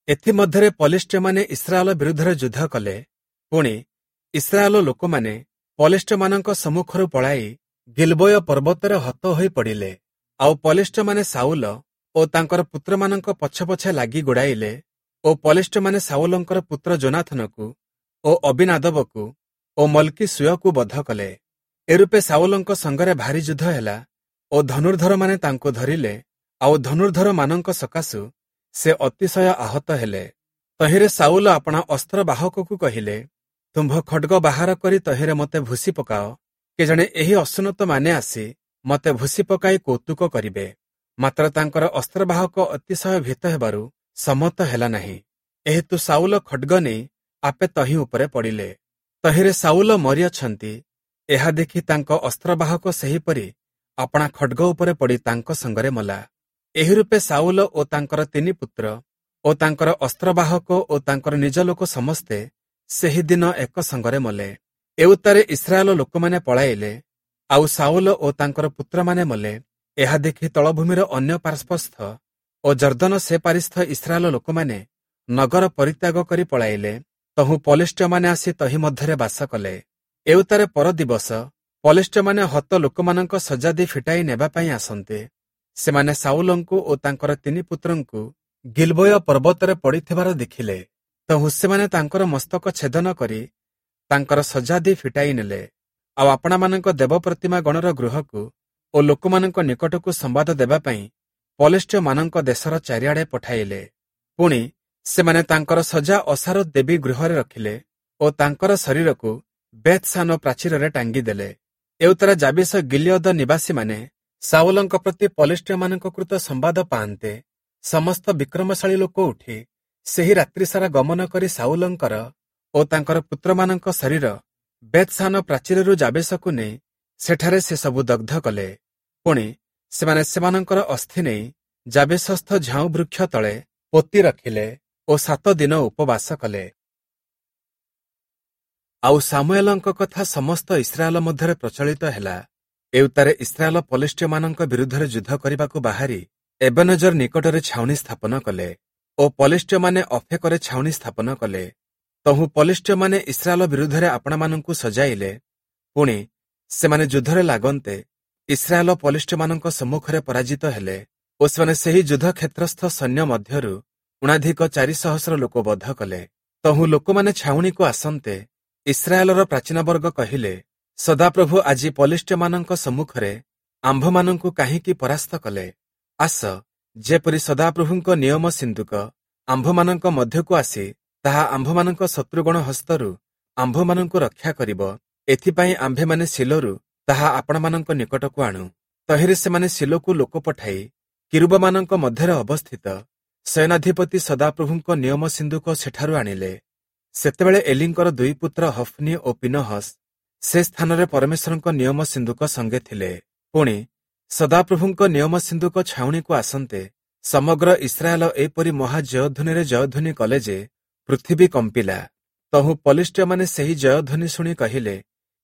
ଏଥିମଧ୍ୟରେ ପଲେଷ୍ଟୀୟମାନେ ଇସ୍ରାଏଲ ବିରୁଦ୍ଧରେ ଯୁଦ୍ଧ କଲେ। ପୁଣି ଇସ୍ରାଏଲ ଲୋକମାନେ ପଲେଷ୍ଟୀୟମାନଙ୍କ ସମ୍ମୁଖରୁ ପଳାଇ ଗିଲବୋୟ ପର୍ବତରେ ହତ ହୋଇ ପଡ଼ିଲେ। ଆଉ ପଲେଷ୍ଟୀୟମାନେ ଶାଉଲ ଓ ତାଙ୍କର ପୁତ୍ରମାନଙ୍କ ପଛେ ପଛେ ଲାଗି ଗୋଡ଼ାଇଲେ ଓ ପଲେଷ୍ଟୀୟମାନେ ଶାଉଲଙ୍କର ପୁତ୍ର ଯୋନାଥନକୁ ଓ ଅବିନାଦବକୁ ଓ ମଲ୍କୀଶୂୟକୁ ବଧ କଲେ। ଏରୂପେ ଶାଉଲଙ୍କ ସଙ୍ଗରେ ଭାରୀ ଯୁଦ୍ଧ ହେଲା ଓ ଧନୁର୍ଦ୍ଧରମାନେ ତାଙ୍କୁ ଧରିଲେ, ଆଉ ଧନୁର୍ଦ୍ଧରମାନଙ୍କ ସକାଶୁ ସେ ଅତିଶୟ ଆହତ ହେଲେ। ତହିଁରେ ଶାଉଲ ଆପଣା ଅସ୍ତ୍ରବାହକକୁ କହିଲେ, ତୁମ୍ଭ ଖଡ୍ଗ ବାହାର କରି ତହିଁରେ ମୋତେ ଭୁସି ପକାଅ, କେଜାଣେ ଏହି ଅସୁନ୍ନତମାନେ ଆସି ମୋତେ ଭୁସି ପକାଇ କୌତୁକ କରିବେ। ମାତ୍ର ତାଙ୍କର ଅସ୍ତ୍ରବାହକ ଅତିଶୟ ଭୀତ ହେବାରୁ ସମ୍ମତ ହେଲା ନାହିଁ। ଏହେତୁ ଶାଉଲ ଖଡ୍ଗ ନେଇ ଆପେ ତହିଁ ଉପରେ ପଡ଼ିଲେ। ତହିଁରେ ଶାଉଲ ମରିଅଛନ୍ତି, ଏହା ଦେଖି ତାଙ୍କ ଅସ୍ତ୍ରବାହକ ସେହିପରି ଆପଣା ଖଡ୍ଗ ଉପରେ ପଡ଼ି ତାଙ୍କ ସଙ୍ଗରେ ମଲା। ଏହି ରୂପେ ଶାଉଲ ଓ ତାଙ୍କର ତିନି ପୁତ୍ର ଓ ତାଙ୍କର ଅସ୍ତ୍ରବାହକ ଓ ତାଙ୍କର ନିଜ ଲୋକ ସମସ୍ତେ ସେହି ଦିନ ଏକ ସଙ୍ଗରେ ମଲେ। ଏଉତ୍ତାରେ ଇସ୍ରାଏଲ ଲୋକମାନେ ପଳାଇଲେ, ଆଉ ଶାଉଲ ଓ ତାଙ୍କର ପୁତ୍ରମାନେ ମଲେ। ଏହା ଦେଖି ତଳଭୂମିର ଅନ୍ୟ ପାର୍ଶ୍ୱସ୍ଥ ଓ ଯର୍ଦ୍ଦନ ସେ ପାରିସ୍ଥ ଇସ୍ରାଏଲ ଲୋକମାନେ ନଗର ପରିତ୍ୟାଗ କରି ପଳାଇଲେ। ତହୁଁ ପଲେଷ୍ଟୀୟମାନେ ଆସି ତହିଁ ମଧ୍ୟରେ ବାସ କଲେ। ଏଉତ୍ତାରେ ପରଦିବସ ପଲେଷ୍ଟୀୟମାନେ ହତ ଲୋକମାନଙ୍କ ଶଯ୍ୟାଦି ଫିଟାଇ ନେବା ପାଇଁ ଆସନ୍ତେ, ସେମାନେ ସାଉଲଙ୍କୁ ଓ ତାଙ୍କର ତିନି ପୁତ୍ରଙ୍କୁ ଗିଲବୋୟ ପର୍ବତରେ ପଡ଼ିଥିବାର ଦେଖିଲେ। ତହୁଁ ସେମାନେ ତାଙ୍କର ମସ୍ତକ ଛେଦନ କରି ତାଙ୍କର ସଜାଦି ଫିଟାଇ ନେଲେ। ଆଉ ଆପଣାମାନଙ୍କ ଦେବ ପ୍ରତିମା ଗଣର ଗୃହକୁ ଓ ଲୋକମାନଙ୍କ ନିକଟକୁ ସମ୍ବାଦ ଦେବା ପାଇଁ ପଲେଷ୍ଟୀୟମାନଙ୍କ ଦେଶର ଚାରିଆଡ଼େ ପଠାଇଲେ। ପୁଣି ସେମାନେ ତାଙ୍କର ସଜା ଅଶାରୋତ ଦେବୀ ଗୃହରେ ରଖିଲେ ଓ ତାଙ୍କର ଶରୀରକୁ ବେଥସାନ ପ୍ରାଚୀରରେ ଟାଙ୍ଗିଦେଲେ। ଏଉତ୍ତାରେ ଯାବିଶ ଗିଲିୟଦ ନିବାସୀମାନେ ସାଉଲଙ୍କ ପ୍ରତି ପଲେଷ୍ଟୀୟମାନଙ୍କ କୃତ ସମ୍ବାଦ ପାଆନ୍ତେ ସମସ୍ତ ବିକ୍ରମଶାଳୀ ଲୋକ ଉଠି ସେହି ରାତ୍ରିସାରା ଗମନ କରି ସାଉଲଙ୍କର ଓ ତାଙ୍କର ପୁତ୍ରମାନଙ୍କ ଶରୀର ବେଥସାନ ପ୍ରାଚୀରରୁ ଯାବେଶକୁ ନେଇ ସେଠାରେ ସେ ସବୁ ଦଗ୍ଧ କଲେ। ପୁଣି ସେମାନେ ସେମାନଙ୍କର ଅସ୍ଥି ନେଇ ଯାବେଶସ୍ଥ ଝାଉଁ ବୃକ୍ଷ ତଳେ ପୋତି ରଖିଲେ ଓ ସାତ ଦିନ ଉପବାସ କଲେ। ଆଉ ସାମୁଏଲଙ୍କ କଥା ସମସ୍ତ ଇସ୍ରାଏଲ ମଧ୍ୟରେ ପ୍ରଚଳିତ ହେଲା। ଏଉତ୍ତାରେ ଇସ୍ରାଏଲ ପଲେଷ୍ଟୀୟମାନଙ୍କ ବିରୁଦ୍ଧରେ ଯୁଦ୍ଧ କରିବାକୁ ବାହାରି ଏବେନଜର ନିକଟରେ ଛାଉଣି ସ୍ଥାପନ କଲେ ଓ ପଲେଷ୍ଟୀୟମାନେ ଅଫେକରେ ଛାଉଣି ସ୍ଥାପନ କଲେ। ତହୁଁ ପଲେଷ୍ଟୀୟମାନେ ଇସ୍ରାଏଲ ବିରୁଦ୍ଧରେ ଆପଣାମାନଙ୍କୁ ସଜାଇଲେ। ପୁଣି ସେମାନେ ଯୁଦ୍ଧରେ ଲାଗନ୍ତେ ଇସ୍ରାଏଲ ପଲେଷ୍ଟୀୟମାନଙ୍କ ସମ୍ମୁଖରେ ପରାଜିତ ହେଲେ ଓ ସେମାନେ ସେହି ଯୁଦ୍ଧ କ୍ଷେତ୍ରସ୍ଥ ସୈନ୍ୟ ମଧ୍ୟରୁ ଊଣାଧିକ ଚାରି ସହସ୍ର ଲୋକ ବଧ କଲେ। ତହୁଁ ଲୋକମାନେ ଛାଉଣିକୁ ଆସନ୍ତେ ଇସ୍ରାଏଲର ପ୍ରାଚୀନବର୍ଗ କହିଲେ, ସଦାପ୍ରଭୁ ଆଜି ପଲେଷ୍ଟୀୟମାନଙ୍କ ସମ୍ମୁଖରେ ଆମ୍ଭମାନଙ୍କୁ କାହିଁକି ପରାସ୍ତ କଲେ? ଆସ, ଯେପରି ସଦାପ୍ରଭୁଙ୍କ ନିୟମ ସିନ୍ଦୁକ ଆମ୍ଭମାନଙ୍କ ମଧ୍ୟକୁ ଆସି ତାହା ଆମ୍ଭମାନଙ୍କ ଶତ୍ରୁଗଣ ହସ୍ତରୁ ଆମ୍ଭମାନଙ୍କୁ ରକ୍ଷା କରିବ, ଏଥିପାଇଁ ଆମ୍ଭେମାନେ ଶିଲୋରୁ ତାହା ଆପଣମାନଙ୍କ ନିକଟକୁ ଆଣୁ। ତହିଁରେ ସେମାନେ ଶିଲୋକୁ ଲୋକ ପଠାଇ କିରୁବମାନଙ୍କ ମଧ୍ୟରେ ଅବସ୍ଥିତ ସେନାଧିପତି ସଦାପ୍ରଭୁଙ୍କ ନିୟମ ସିନ୍ଦୁକ ସେଠାରୁ ଆଣିଲେ। ସେତେବେଳେ ଏଲିଙ୍କର ଦୁଇ ପୁତ୍ର ହଫ୍ନି ଓ ପିନହସ୍ ସେ ସ୍ଥାନରେ ପରମେଶ୍ୱରଙ୍କ ନିୟମ ସିନ୍ଦୁକ ସଙ୍ଗେ ଥିଲେ। ପୁଣି ସଦାପ୍ରଭୁଙ୍କ ନିୟମ ସିନ୍ଦୁକ ଛାଉଣିକୁ ଆସନ୍ତେ ସମଗ୍ର ଇସ୍ରାଏଲ ଏପରି ମହା ଜୟଧ୍ୱନିରେ ଜୟଧ୍ୱନି କଲେ ଯେ ପୃଥିବୀ କମ୍ପିଲା। ତହୁଁ ପଲିଷ୍ଟୀୟମାନେ ସେହି ଜୟଧ୍ୱନି ଶୁଣି କହିଲେ,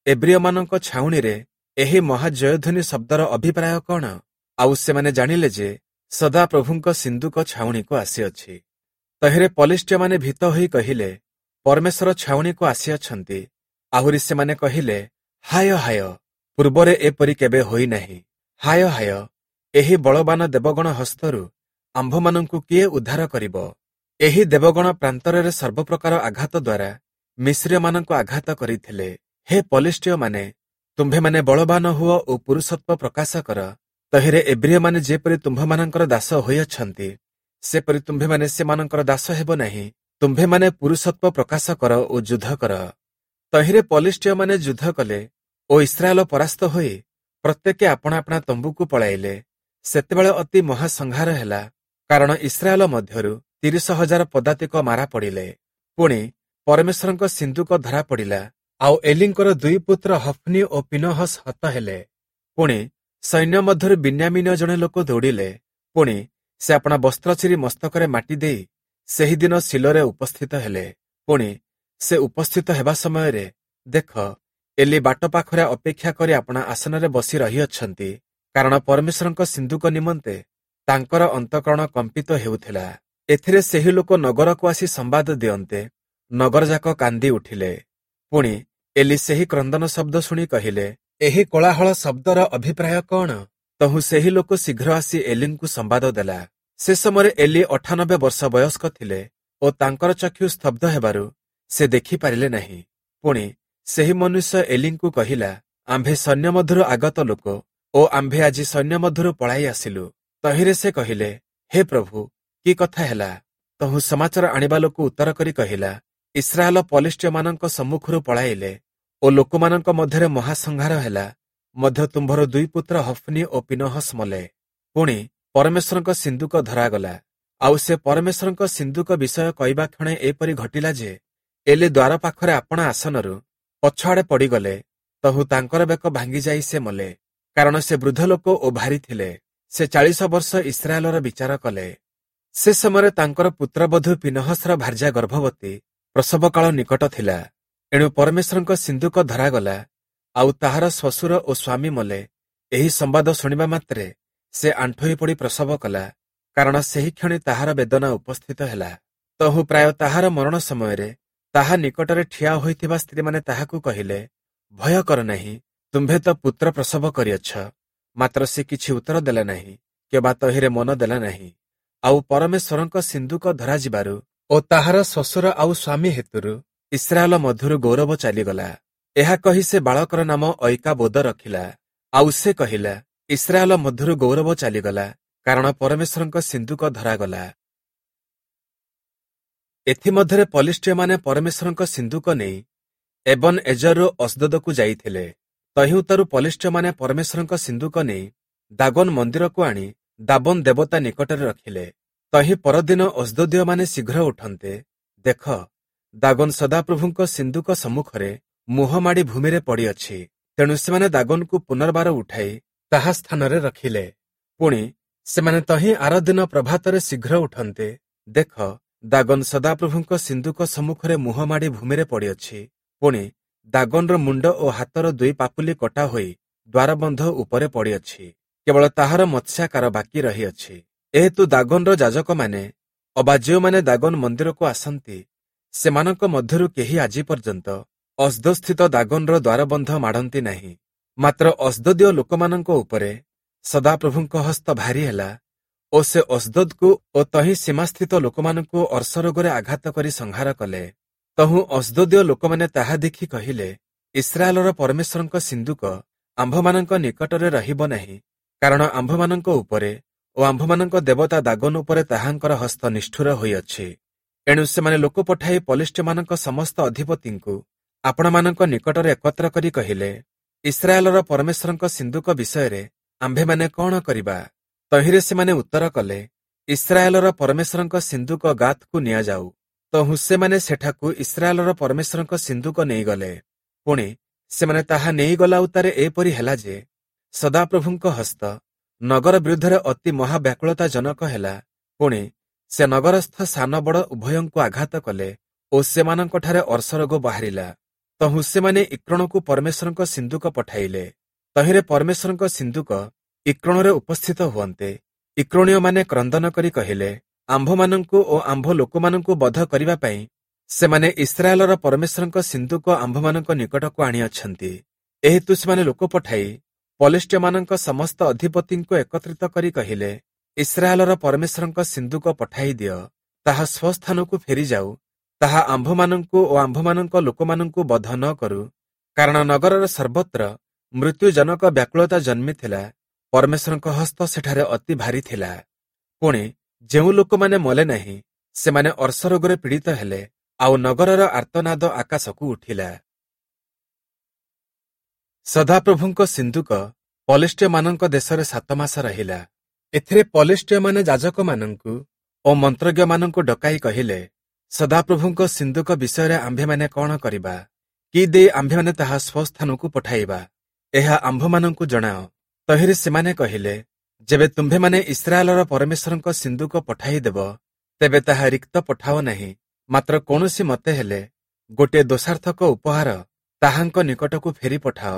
ଏବ୍ରିୟମାନଙ୍କ ଛାଉଣିରେ ଏହି ମହା ଜୟଧ୍ୱନି ଶବ୍ଦର ଅଭିପ୍ରାୟ କଣ? ଆଉ ସେମାନେ ଜାଣିଲେ ଯେ ସଦାପ୍ରଭୁଙ୍କ ସିନ୍ଦୁକ ଛାଉଣିକୁ ଆସିଅଛି। ତହିଁରେ ପଲିଷ୍ଟୀୟମାନେ ଭୀତ ହୋଇ କହିଲେ, ପରମେଶ୍ୱର ଛାଉଣିକୁ ଆସିଅଛନ୍ତି। ଆହୁରି ସେମାନେ କହିଲେ, ହାୟ ହାୟ, ପୂର୍ବରେ ଏପରି କେବେ ହୋଇନାହିଁ। ହାୟ ହାୟ, ଏହି ବଳବାନ ଦେବଗଣ ହସ୍ତରୁ ଆମ୍ଭମାନଙ୍କୁ କିଏ ଉଦ୍ଧାର କରିବ? ଏହି ଦେବଗଣ ପ୍ରାନ୍ତରରେ ସର୍ବପ୍ରକାର ଆଘାତ ଦ୍ୱାରା ମିଶ୍ରୀୟମାନଙ୍କୁ ଆଘାତ କରିଥିଲେ। ହେ ପଲିଷ୍ଟୀୟମାନେ, ତୁମ୍ଭେମାନେ ବଳବାନ ହୁଅ ଓ ପୁରୁଷତ୍ୱ ପ୍ରକାଶ କର। ତହିଁରେ ଏବ୍ରିୟମାନେ ଯେପରି ତୁମ୍ଭମାନଙ୍କର ଦାସ ହୋଇଅଛନ୍ତି, ସେପରି ତୁମ୍ଭେମାନେ ସେମାନଙ୍କର ଦାସ ହେବ ନାହିଁ। ତୁମ୍ଭେମାନେ ପୁରୁଷତ୍ୱ ପ୍ରକାଶ କର ଓ ଯୁଦ୍ଧ କର। ତହିଁରେ ପଲିଷ୍ଟୀୟମାନେ ଯୁଦ୍ଧ କଲେ ଓ ଇସ୍ରାଏଲ ପରାସ୍ତ ହୋଇ ପ୍ରତ୍ୟେକେ ଆପଣା ଆପଣା ତମ୍ବୁକୁ ପଳାଇଲେ। ସେତେବେଳେ ଅତି ମହାସଂହାର ହେଲା, କାରଣ ଇସ୍ରାଏଲ ମଧ୍ୟରୁ ତିରିଶ ହଜାର ପଦାତିକ ମାରା ପଡ଼ିଲେ। ପୁଣି ପରମେଶ୍ୱରଙ୍କ ସିନ୍ଦୁକ ଧରା ପଡ଼ିଲା, ଆଉ ଏଲିଙ୍କର ଦୁଇ ପୁତ୍ର ହଫ୍ନି ଓ ପିନହସ୍ ହତ ହେଲେ। ପୁଣି ସୈନ୍ୟ ମଧ୍ୟରୁ ବିନ୍ୟାମୀନୀୟ ଜଣେ ଲୋକ ଦୌଡ଼ିଲେ। ପୁଣି ସେ ଆପଣା ବସ୍ତ୍ର ଚିରି ମସ୍ତକରେ ମାଟି ଦେଇ ସେହିଦିନ ଶିଲୋରେ ଉପସ୍ଥିତ ହେଲେ। ପୁଣି ସେ ଉପସ୍ଥିତ ହେବା ସମୟରେ ଦେଖ, ଏଲି ବାଟ ପାଖରେ ଅପେକ୍ଷା କରି ଆପଣା ଆସନରେ ବସି ରହିଅଛନ୍ତି, କାରଣ ପରମେଶ୍ୱରଙ୍କ ସିନ୍ଦୁକ ନିମନ୍ତେ ତାଙ୍କର ଅନ୍ତଃକରଣ କମ୍ପିତ ହେଉଥିଲା। ଏଥିରେ ସେହି ଲୋକ ନଗରକୁ ଆସି ସମ୍ବାଦ ଦିଅନ୍ତେ ନଗରଯାକ କାନ୍ଦି ଉଠିଲେ। ପୁଣି ଏଲି ସେହି କ୍ରନ୍ଦନ ଶବ୍ଦ ଶୁଣି କହିଲେ, ଏହି କୋଳାହଳ ଶବ୍ଦର ଅଭିପ୍ରାୟ କଣ? ତହୁଁ ସେହି ଲୋକ ଶୀଘ୍ର ଆସି ଏଲିଙ୍କୁ ସମ୍ବାଦ ଦେଲା। ସେ ସମୟରେ ଏଲି ଅଠାନବେ ବର୍ଷ ବୟସ୍କ ଥିଲେ ଓ ତାଙ୍କର ଚକ୍ଷୁ ସ୍ତବ୍ଧ ହେବାରୁ ସେ ଦେଖିପାରିଲେ ନାହିଁ। ପୁଣି ସେହି ମନୁଷ୍ୟ ଏଲିଙ୍କୁ କହିଲା, ଆମ୍ଭେ ସୈନ୍ୟ ମଧ୍ୟରୁ ଆଗତ ଲୋକ ଓ ଆମ୍ଭେ ଆଜି ସୈନ୍ୟ ମଧ୍ୟରୁ ପଳାଇ ଆସିଲୁ। ତହିଁରେ ସେ କହିଲେ, ହେ ପ୍ରଭୁ, କି କଥା ହେଲା? ତହୁଁ ସମାଚାର ଆଣିବା ଲୋକ ଉତ୍ତର କରି କହିଲା, ଇସ୍ରାଏଲ ପଲିଷ୍ଟୀୟମାନଙ୍କ ସମ୍ମୁଖରୁ ପଳାଇଲେ ଓ ଲୋକମାନଙ୍କ ମଧ୍ୟରେ ମହାସଂହାର ହେଲା। ମଧ୍ୟ ତୁମ୍ଭର ଦୁଇ ପୁତ୍ର ହଫ୍ନି ଓ ପିନହସ୍ ମଲେ। ପୁଣି ପରମେଶ୍ୱରଙ୍କ ସିନ୍ଦୁକ ଧରାଗଲା। ଆଉ ସେ ପରମେଶ୍ୱରଙ୍କ ସିନ୍ଦୁକ ବିଷୟ କହିବା କ୍ଷଣେ ଏପରି ଘଟିଲା ଯେ ଏଲି ଦ୍ୱାର ପାଖରେ ଆପଣା ଆସନରୁ ପଛଆଡ଼େ ପଡ଼ିଗଲେ। ତହୁଁ ତାଙ୍କର ବେକ ଭାଙ୍ଗିଯାଇ ସେ ମଲେ, କାରଣ ସେ ବୃଦ୍ଧ ଲୋକ ଓ ଭାରୀ ଥିଲେ। ସେ ଚାଳିଶ ବର୍ଷ ଇସ୍ରାଏଲର ବିଚାର କଲେ। ସେ ସମୟରେ ତାଙ୍କର ପୁତ୍ରବଧୂ ପିନହସର ଭାର୍ଯ୍ୟା ଗର୍ଭବତୀ, ପ୍ରସବକାଳ ନିକଟ ଥିଲା। ଏଣୁ ପରମେଶ୍ୱରଙ୍କ ସିନ୍ଦୁକ ଧରାଗଲା, ଆଉ ତାହାର ଶ୍ୱଶୁର ଓ ସ୍ୱାମୀ ମଲେ। ଏହି ସମ୍ବାଦ ଶୁଣିବା ମାତ୍ରେ ସେ ଆଣ୍ଠୋଇ ପଡ଼ି ପ୍ରସବ କଲା, କାରଣ ସେହି କ୍ଷଣି ତାହାର ବେଦନା ଉପସ୍ଥିତ ହେଲା। ତହୁଁ ପ୍ରାୟ ତାହାର ମରଣ ସମୟରେ ତାହା ନିକଟରେ ଠିଆ ହୋଇଥିବା ସ୍ତ୍ରୀମାନେ ତାହାକୁ କହିଲେ, ଭୟ କର ନାହିଁ, ତୁମ୍ଭେ ତ ପୁତ୍ର ପ୍ରସବ କରିଅଛ। ମାତ୍ର ସେ କିଛି ଉତ୍ତର ଦେଲେ ନାହିଁ, କିମ୍ବା ତହିଁରେ ମନ ଦେଲା ନାହିଁ। ଆଉ ପରମେଶ୍ୱରଙ୍କ ସିନ୍ଦୁକ ଧରାଯିବାରୁ ଓ ତାହାର ଶ୍ୱଶୁର ଆଉ ସ୍ୱାମୀ ହେତୁରୁ ଇସ୍ରାଏଲ ମଧ୍ୟରୁ ଗୌରବ ଚାଲିଗଲା। ଏହା କହି ସେ ବାଳକର ନାମ ଐକାବୋଦ ରଖିଲା। ଆଉ ସେ କହିଲା, ଇସ୍ରାଏଲ ମଧ୍ୟରୁ ଗୌରବ ଚାଲିଗଲା, କାରଣ ପରମେଶ୍ୱରଙ୍କ ସିନ୍ଦୁକ ଧରାଗଲା। ଏଥିମଧ୍ୟରେ ପଲିଷ୍ଟୀୟମାନେ ପରମେଶ୍ୱରଙ୍କ ସିନ୍ଦୁକ ନେଇ ଏବନ ଏଜରରୁ ଅସ୍ଦୋଦକୁ ଯାଇଥିଲେ। ତହିଁଉତ୍ତାରୁ ପଲିଷ୍ଟୀୟମାନେ ପରମେଶ୍ୱରଙ୍କ ସିନ୍ଦୁକ ନେଇ ଦାଗୋନ ମନ୍ଦିରକୁ ଆଣି ଦାବନ ଦେବତା ନିକଟରେ ରଖିଲେ। ତହିଁ ପରଦିନ ଅସ୍ଦୋଦୀୟମାନେ ଶୀଘ୍ର ଉଠନ୍ତେ, ଦେଖ, ଦାଗୋନ ସଦାପ୍ରଭୁଙ୍କ ସିନ୍ଦୁକ ସମ୍ମୁଖରେ ମୁହଁ ମାଡ଼ି ଭୂମିରେ ପଡ଼ିଅଛି। ତେଣୁ ସେମାନେ ଦାଗୋନକୁ ପୁନର୍ବାର ଉଠାଇ ତାହା ସ୍ଥାନରେ ରଖିଲେ। ପୁଣି ସେମାନେ ତହିଁ ଆର ଦିନ ପ୍ରଭାତରେ ଶୀଘ୍ର ଉଠନ୍ତେ, ଦେଖ, ଦାଗୋନ ସଦାପ୍ରଭୁଙ୍କ ସିନ୍ଦୁକ ସମ୍ମୁଖରେ ମୁହଁ ମାଡ଼ି ଭୂମିରେ ପଡ଼ିଅଛି। ପୁଣି ଦାଗୋନର ମୁଣ୍ଡ ଓ ହାତର ଦୁଇ ପାପୁଲି କଟା ହୋଇ ଦ୍ୱାରବନ୍ଧ ଉପରେ ପଡ଼ିଅଛି, କେବଳ ତାହାର ମତ୍ସ୍ୟାକାର ବାକି ରହିଅଛି। ଏହେତୁ ଦାଗୋନର ଯାଜକମାନେ ଅବା ଯେଉଁମାନେ ଦାଗୋନ ମନ୍ଦିରକୁ ଆସନ୍ତି, ସେମାନଙ୍କ ମଧ୍ୟରୁ କେହି ଆଜି ପର୍ଯ୍ୟନ୍ତ ଅସ୍ଦୋଦସ୍ଥିତ ଦାଗୋନର ଦ୍ୱାରବନ୍ଧ ମାଡ଼ନ୍ତି ନାହିଁ। ମାତ୍ର ଅସ୍ଦୋଦୀୟ ଲୋକମାନଙ୍କ ଉପରେ ସଦାପ୍ରଭୁଙ୍କ ହସ୍ତ ଭାରି ହେଲା ଓ ସେ ଅସ୍ଦୋଦକୁ ଓ ତହିଁ ସୀମାସ୍ଥିତ ଲୋକମାନଙ୍କୁ ଅର୍ଶରୋଗରେ ଆଘାତ କରି ସଂହାର କଲେ। ତହୁଁ ଅସ୍ଦୋଦୀୟ ଲୋକମାନେ ତାହା ଦେଖି କହିଲେ, ଇସ୍ରାଏଲର ପରମେଶ୍ୱରଙ୍କ ସିନ୍ଦୁକ ଆମ୍ଭମାନଙ୍କ ନିକଟରେ ରହିବ ନାହିଁ, କାରଣ ଆମ୍ଭମାନଙ୍କ ଉପରେ ଓ ଆମ୍ଭମାନଙ୍କ ଦେବତା ଦାଗୋନ ଉପରେ ତାହାଙ୍କର ହସ୍ତ ନିଷ୍ଠୁର ହୋଇଅଛି। ଏଣୁ ସେମାନେ ଲୋକ ପଠାଇ ପଲିଷ୍ଟୀୟମାନଙ୍କ ସମସ୍ତ ଅଧିପତିଙ୍କୁ ଆପଣମାନଙ୍କ ନିକଟରେ ଏକତ୍ର କରି କହିଲେ, ଇସ୍ରାଏଲର ପରମେଶ୍ୱରଙ୍କ ସିନ୍ଦୁକ ବିଷୟରେ ଆମ୍ଭେମାନେ କଣ କରିବା? ତହିଁରେ ସେମାନେ ଉତ୍ତର କଲେ, ଇସ୍ରାଏଲର ପରମେଶ୍ୱରଙ୍କ ସିନ୍ଦୁକ ଗାତକୁ ନିଆଯାଉ। ତହୁଁ ସେମାନେ ସେଠାକୁ ଇସ୍ରାଏଲର ପରମେଶ୍ୱରଙ୍କ ସିନ୍ଦୁକ ନେଇଗଲେ। ପୁଣି ସେମାନେ ତାହା ନେଇଗଲା ଉତ୍ତାରେ ଏପରି ହେଲା ଯେ ସଦାପ୍ରଭୁଙ୍କ ହସ୍ତ ନଗର ବିରୁଦ୍ଧରେ ଅତି ମହାବ୍ୟାକୁଳତା ଜନକ ହେଲା। ପୁଣି ସେ ନଗରସ୍ଥ ସାନ ବଡ଼ ଉଭୟଙ୍କୁ ଆଘାତ କଲେ ଓ ସେମାନଙ୍କଠାରେ ଅର୍ଶରୋଗ ବାହାରିଲା। ତହୁଁ ସେମାନେ ଇକ୍ରୋଣକୁ ପରମେଶ୍ୱରଙ୍କ ସିନ୍ଦୁକ ପଠାଇଲେ। ତହିଁରେ ପରମେଶ୍ୱରଙ୍କ ସିନ୍ଦୁକ ଇକ୍ରୋଣରେ ଉପସ୍ଥିତ ହୁଅନ୍ତେ, ଇକ୍ରୋଣୀୟମାନେ କ୍ରନ୍ଦନ କରି କହିଲେ, ଆମ୍ଭମାନଙ୍କୁ ଓ ଆମ୍ଭ ଲୋକମାନଙ୍କୁ ବଧ କରିବା ପାଇଁ ସେମାନେ ଇସ୍ରାଏଲର ପରମେଶ୍ୱରଙ୍କ ସିନ୍ଦୁକ ଆମ୍ଭମାନଙ୍କ ନିକଟକୁ ଆଣିଅଛନ୍ତି। ଏହେତୁ ସେମାନେ ଲୋକ ପଠାଇ ପଲିଷ୍ଟୀୟମାନଙ୍କ ସମସ୍ତ ଅଧିପତିଙ୍କୁ ଏକତ୍ରିତ କରି କହିଲେ, ଇସ୍ରାଏଲର ପରମେଶ୍ୱରଙ୍କ ସିନ୍ଦୁକ ପଠାଇ ଦିଅ, ତାହା ସ୍ୱସ୍ଥାନକୁ ଫେରିଯାଉ, ତାହା ଆମ୍ଭମାନଙ୍କୁ ଓ ଆମ୍ଭମାନଙ୍କ ଲୋକମାନଙ୍କୁ ବଧ ନ କରୁ। କାରଣ ନଗରର ସର୍ବତ୍ର ମୃତ୍ୟୁଜନକ ବ୍ୟାକୁଳତା ଜନ୍ମିଥିଲା, ପରମେଶ୍ୱରଙ୍କ ହସ୍ତ ସେଠାରେ ଅତି ଭାରି ଥିଲା। ପୁଣି ଯେଉଁ ଲୋକମାନେ ମଲେ ନାହିଁ, ସେମାନେ ଅର୍ଶରୋଗରେ ପୀଡ଼ିତ ହେଲେ, ଆଉ ନଗରର ଆର୍ତ୍ତନାଦ ଆକାଶକୁ ଉଠିଲା। ସଦାପ୍ରଭୁଙ୍କ ସିନ୍ଦୁକ ପଲିଷ୍ଟୀୟମାନଙ୍କ ଦେଶରେ ସାତ ମାସ ରହିଲା। ଏଥିରେ ପଲିଷ୍ଟୀୟମାନେ ଯାଜକମାନଙ୍କୁ ଓ ମନ୍ତ୍ରଜ୍ଞମାନଙ୍କୁ ଡକାଇ କହିଲେ, ସଦାପ୍ରଭୁଙ୍କ ସିନ୍ଦୁକ ବିଷୟରେ ଆମ୍ଭେମାନେ କଣ କରିବା? କି ଦେଇ ଆମ୍ଭେମାନେ ତାହା ସ୍ୱସ୍ଥାନକୁ ପଠାଇବା? ଏହା ଆମ୍ଭମାନଙ୍କୁ ଜଣାଅ। ତହିଁରେ ସେମାନେ କହିଲେ, ଯେବେ ତୁମ୍ଭେମାନେ ଇସ୍ରାଏଲର ପରମେଶ୍ୱରଙ୍କ ସିନ୍ଦୁକ ପଠାଇଦେବ, ତେବେ ତାହା ରିକ୍ତ ପଠାଅ ନାହିଁ, ମାତ୍ର କୌଣସି ମତେ ହେଲେ ଗୋଟିଏ ଦୋଷାର୍ଥକ ଉପହାର ତାହାଙ୍କ ନିକଟକୁ ଫେରି ପଠାଅ।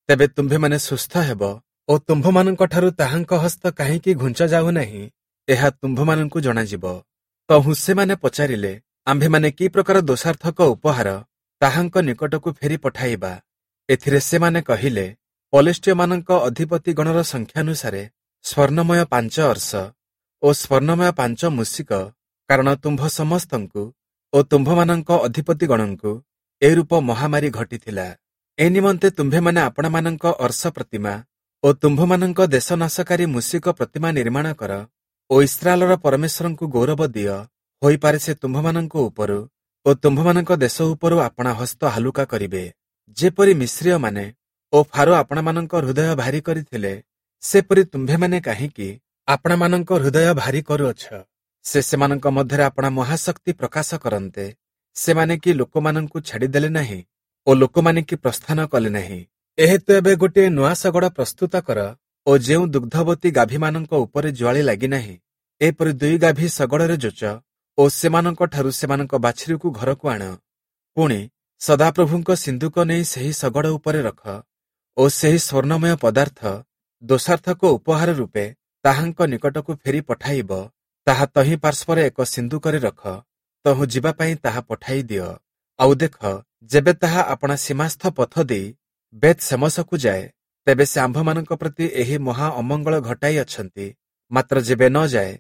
ତେବେ ତୁମ୍ଭେମାନେ ସୁସ୍ଥ ହେବ ଓ ତୁମ୍ଭମାନଙ୍କଠାରୁ ତାହାଙ୍କ ହସ୍ତ କାହିଁକି ଘୁଞ୍ଚା ଯାଉନାହିଁ, ଏହା ତୁମ୍ଭମାନଙ୍କୁ ଜଣାଯିବ। ତହୁଁ ସେମାନେ ପଚାରିଲେ, ଆମ୍ଭେମାନେ କି ପ୍ରକାର ଦୋଷାର୍ଥକ ଉପହାର ତାହାଙ୍କ ନିକଟକୁ ଫେରି ପଠାଇବା? ଏଥିରେ ସେମାନେ କହିଲେ, ପଲିଷ୍ଟୀୟମାନଙ୍କ ଅଧିପତିଗଣର ସଂଖ୍ୟାନୁସାରେ ସ୍ୱର୍ଣ୍ଣମୟ ପାଞ୍ଚ ଅର୍ଶ ଓ ସ୍ୱର୍ଣ୍ଣମୟ ପାଞ୍ଚ ମୂଷିକ, କାରଣ ତୁମ୍ଭ ସମସ୍ତଙ୍କୁ ଓ ତୁମ୍ଭମାନଙ୍କ ଅଧିପତିଗଣଙ୍କୁ ଏରୂପ ମହାମାରୀ ଘଟିଥିଲା। ଏ ନିମନ୍ତେ ତୁମ୍ଭେମାନେ ଆପଣମାନଙ୍କ ଅର୍ଶ ପ୍ରତିମା ଓ ତୁମ୍ଭମାନଙ୍କ ଦେଶନାଶକାରୀ ମୂଷିକ ପ୍ରତିମା ନିର୍ମାଣ କର ଓ ଇସ୍ରାଏଲର ପରମେଶ୍ୱରଙ୍କୁ ଗୌରବ ଦିଅ। ହୋଇପାରେ ସେ ତୁମ୍ଭମାନଙ୍କ ଉପରୁ ଓ ତୁମ୍ଭମାନଙ୍କ ଦେଶ ଉପରୁ ଆପଣା ହସ୍ତ ହାଲୁକା କରିବେ। ଯେପରି ମିସ୍ରୀୟମାନେ ଓ ଫାରୋ ଆପଣମାନଙ୍କ ହୃଦୟ ଭାରି କରିଥିଲେ, ସେପରି ତୁମ୍ଭେମାନେ କାହିଁକି ଆପଣମାନଙ୍କ ହୃଦୟ ଭାରି କରୁଅଛ? ସେ ସେମାନଙ୍କ ମଧ୍ୟରେ ଆପଣା ମହାଶକ୍ତି ପ୍ରକାଶ କରନ୍ତେ, ସେମାନେ କି ଲୋକମାନଙ୍କୁ ଛାଡ଼ିଦେଲେ ନାହିଁ ଓ ଲୋକମାନେ କି ପ୍ରସ୍ଥାନ କଲେ ନାହିଁ? ଏହେତୁ ଏବେ ଗୋଟିଏ ନୂଆ ଶଗଡ଼ ପ୍ରସ୍ତୁତ କର ଓ ଯେଉଁ ଦୁଗ୍ଧବତୀ ଗାଭୀମାନଙ୍କ ଉପରେ ଜୁଆଳି ଲାଗିନାହିଁ, ଏପରି ଦୁଇ ଗାଭୀ ଶଗଡ଼ରେ ଯୋଚ ଓ ସେମାନଙ୍କଠାରୁ ସେମାନଙ୍କ ବାଛୁରୀକୁ ଘରକୁ ଆଣ। ପୁଣି ସଦାପ୍ରଭୁଙ୍କ ସିନ୍ଦୁକ ନେଇ ସେହି ଶଗଡ଼ ଉପରେ ରଖ ଓ ସେହି ସ୍ୱର୍ଣ୍ଣମୟ ପଦାର୍ଥ ଦୋଷାର୍ଥକ ଉପହାର ରୂପେ ତାହାଙ୍କ ନିକଟକୁ ଫେରି ପଠାଇବ, ତାହା ତହିଁ ପାର୍ଶ୍ୱରେ ଏକ ସିନ୍ଦୁକରେ ରଖ, ତହୁଁ ଯିବା ପାଇଁ ତାହା ପଠାଇ ଦିଅ। ଆଉ ଦେଖ, ଯେବେ ତାହା ଆପଣା ସୀମାସ୍ଥ ପଥ ଦେଇ ବେତ୍ ଶେମଶକୁ ଯାଏ, ତେବେ ସେ ଆମ୍ଭମାନଙ୍କ ପ୍ରତି ଏହି ମହା ଅମଙ୍ଗଳ ଘଟାଇ ଅଛନ୍ତି। ମାତ୍ର ଯେବେ ନ ଯାଏ,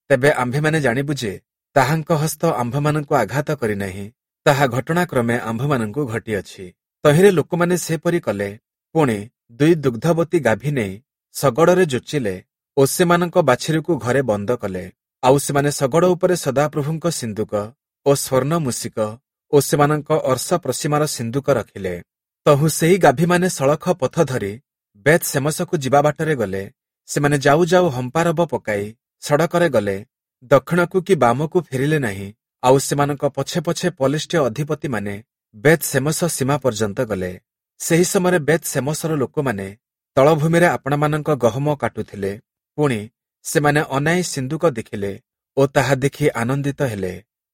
ତେବେ ଆମ୍ଭେମାନେ ଜାଣିବୁ ଯେ ତାହାଙ୍କ ହସ୍ତ ଆମ୍ଭମାନଙ୍କୁ ଆଘାତ କରିନାହିଁ, ତାହା ଘଟଣାକ୍ରମେ ଆମ୍ଭମାନଙ୍କୁ ଘଟିଅଛି। ତହିଁରେ ଲୋକମାନେ ସେପରି କଲେ। ପୁଣି ଦୁଇ ଦୁଗ୍ଧବତୀ ଗାଭୀ ନେଇ ଶଗଡ଼ରେ ଯୋଚିଲେ ଓ ସେମାନଙ୍କ ବାଛୁରୀକୁ ଘରେ ବନ୍ଦ କଲେ। ଆଉ ସେମାନେ ଶଗଡ଼ ଉପରେ ସଦାପ୍ରଭୁଙ୍କ ସିନ୍ଦୁକ ଓ ସ୍ୱର୍ଣ୍ଣ ମୂଷିକ ଓ ସେମାନଙ୍କ ଅର୍ଶ ପ୍ରସୀମାର ସିନ୍ଦୁକ ରଖିଲେ। ତହୁଁ ସେହି ଗାଭୀମାନେ ସଳଖ ପଥ ଧରି ବେଥ୍ ସେମସକୁ ଯିବା ବାଟରେ ଗଲେ। ସେମାନେ ଯାଉ ଯାଉ ହମ୍ପାରବ ପକାଇ ସଡ଼କରେ ଗଲେ, ଦକ୍ଷିଣକୁ କି ବାମକୁ ଫେରିଲେ ନାହିଁ। ଆଉ ସେମାନଙ୍କ ପଛେ ପଛେ ପଲେଷ୍ଟୀୟ ଅଧିପତିମାନେ ବେଥ୍ ସେମସ ସୀମା ପର୍ଯ୍ୟନ୍ତ ଗଲେ। ସେହି ସମୟରେ ବେଥ୍ ସେମସର ଲୋକମାନେ ତଳଭୂମିରେ ଆପଣାମାନଙ୍କ ଗହମ କାଟୁଥିଲେ। ପୁଣି ସେମାନେ ଅନାଇ ସିନ୍ଦୁକ ଦେଖିଲେ ଓ ତାହା ଦେଖି ଆନନ୍ଦିତ ହେଲେ।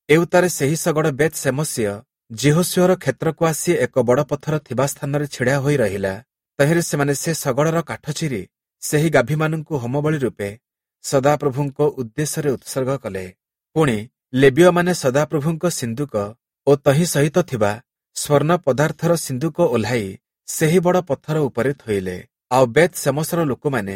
ଏଉତ୍ତାରେ ସେହି ଶଗଡ଼ ବେଥ୍ ସେମସୀୟ ଯିହୋଶୂୟର କ୍ଷେତ୍ରକୁ ଆସି ଏକ ବଡ଼ ପଥର ଥିବା ସ୍ଥାନରେ ଛିଡ଼ା ହୋଇ ରହିଲା। ତହିଁରେ ସେମାନେ ସେ ଶଗଡ଼ର କାଠ ଚିରି ସେହି ଗାଭୀମାନଙ୍କୁ ହୋମବଳି ରୂପେ ସଦାପ୍ରଭୁଙ୍କ ଉଦ୍ଦେଶ୍ୟରେ ଉତ୍ସର୍ଗ କଲେ। ପୁଣି ଲେବୀୟମାନେ ସଦାପ୍ରଭୁଙ୍କ ସିନ୍ଦୁକ ଓ ତହିଁ ସହିତ ଥିବା ସ୍ୱର୍ଣ୍ଣ ପଦାର୍ଥର ସିନ୍ଦୁକ ଓହ୍ଲାଇ ସେହି ବଡ଼ ପଥର ଉପରେ ଥୋଇଲେ। ଆଉ ବେଥ୍ ସେମସର ଲୋକମାନେ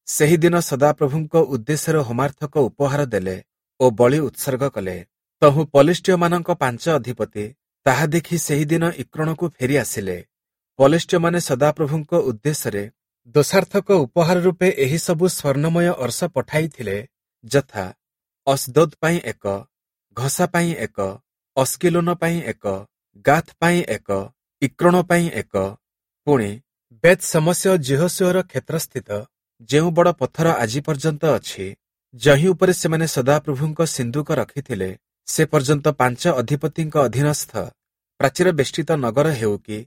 ସେହିଦିନ ସଦାପ୍ରଭୁଙ୍କ ଉଦ୍ଦେଶ୍ୟରେ ହୋମାର୍ଥକ ଉପହାର ଦେଲେ ଓ ବଳି ଉତ୍ସର୍ଗ କଲେ। ତହୁଁ ପଲେଷ୍ଟୀୟମାନଙ୍କ ପାଞ୍ଚ ଅଧିପତି ତାହା ଦେଖି ସେହିଦିନ ଇକ୍ରୋଣକୁ ଫେରି ଆସିଲେ। ପଲେଷ୍ଟୀୟମାନେ ସଦାପ୍ରଭୁଙ୍କ ଉଦ୍ଦେଶ୍ୟରେ ଦୋଷାର୍ଥକ ଉପହାର ରୂପେ ଏହି ସବୁ ସ୍ୱର୍ଣ୍ଣମୟ ଅର୍ଶ ପଠାଇଥିଲେ, ଯଥା ଅସ୍ଦୋଦ୍ ପାଇଁ ଏକ, ଘସା ପାଇଁ ଏକ, ଅସ୍କିଲୋନ ପାଇଁ ଏକ, ଗାଥ୍ ପାଇଁ ଏକ, ଇକ୍ରୋଣ ପାଇଁ ଏକ। ପୁଣି ବେଥ୍ ସମସୀୟ ଯିହୋଶୂୟର କ୍ଷେତ୍ରସ୍ଥିତ ଯେଉଁ ବଡ଼ ପଥର ଆଜି ପର୍ଯ୍ୟନ୍ତ ଅଛି, ଯହିଁ ଉପରେ ସେମାନେ ସଦାପ୍ରଭୁଙ୍କ ସିନ୍ଦୁକ ରଖିଥିଲେ, ସେ ପର୍ଯ୍ୟନ୍ତ ପାଞ୍ଚ ଅଧିପତିଙ୍କ ଅଧୀନସ୍ଥ ପ୍ରାଚୀର ବେଷ୍ଟିତ ନଗର ହେଉ କି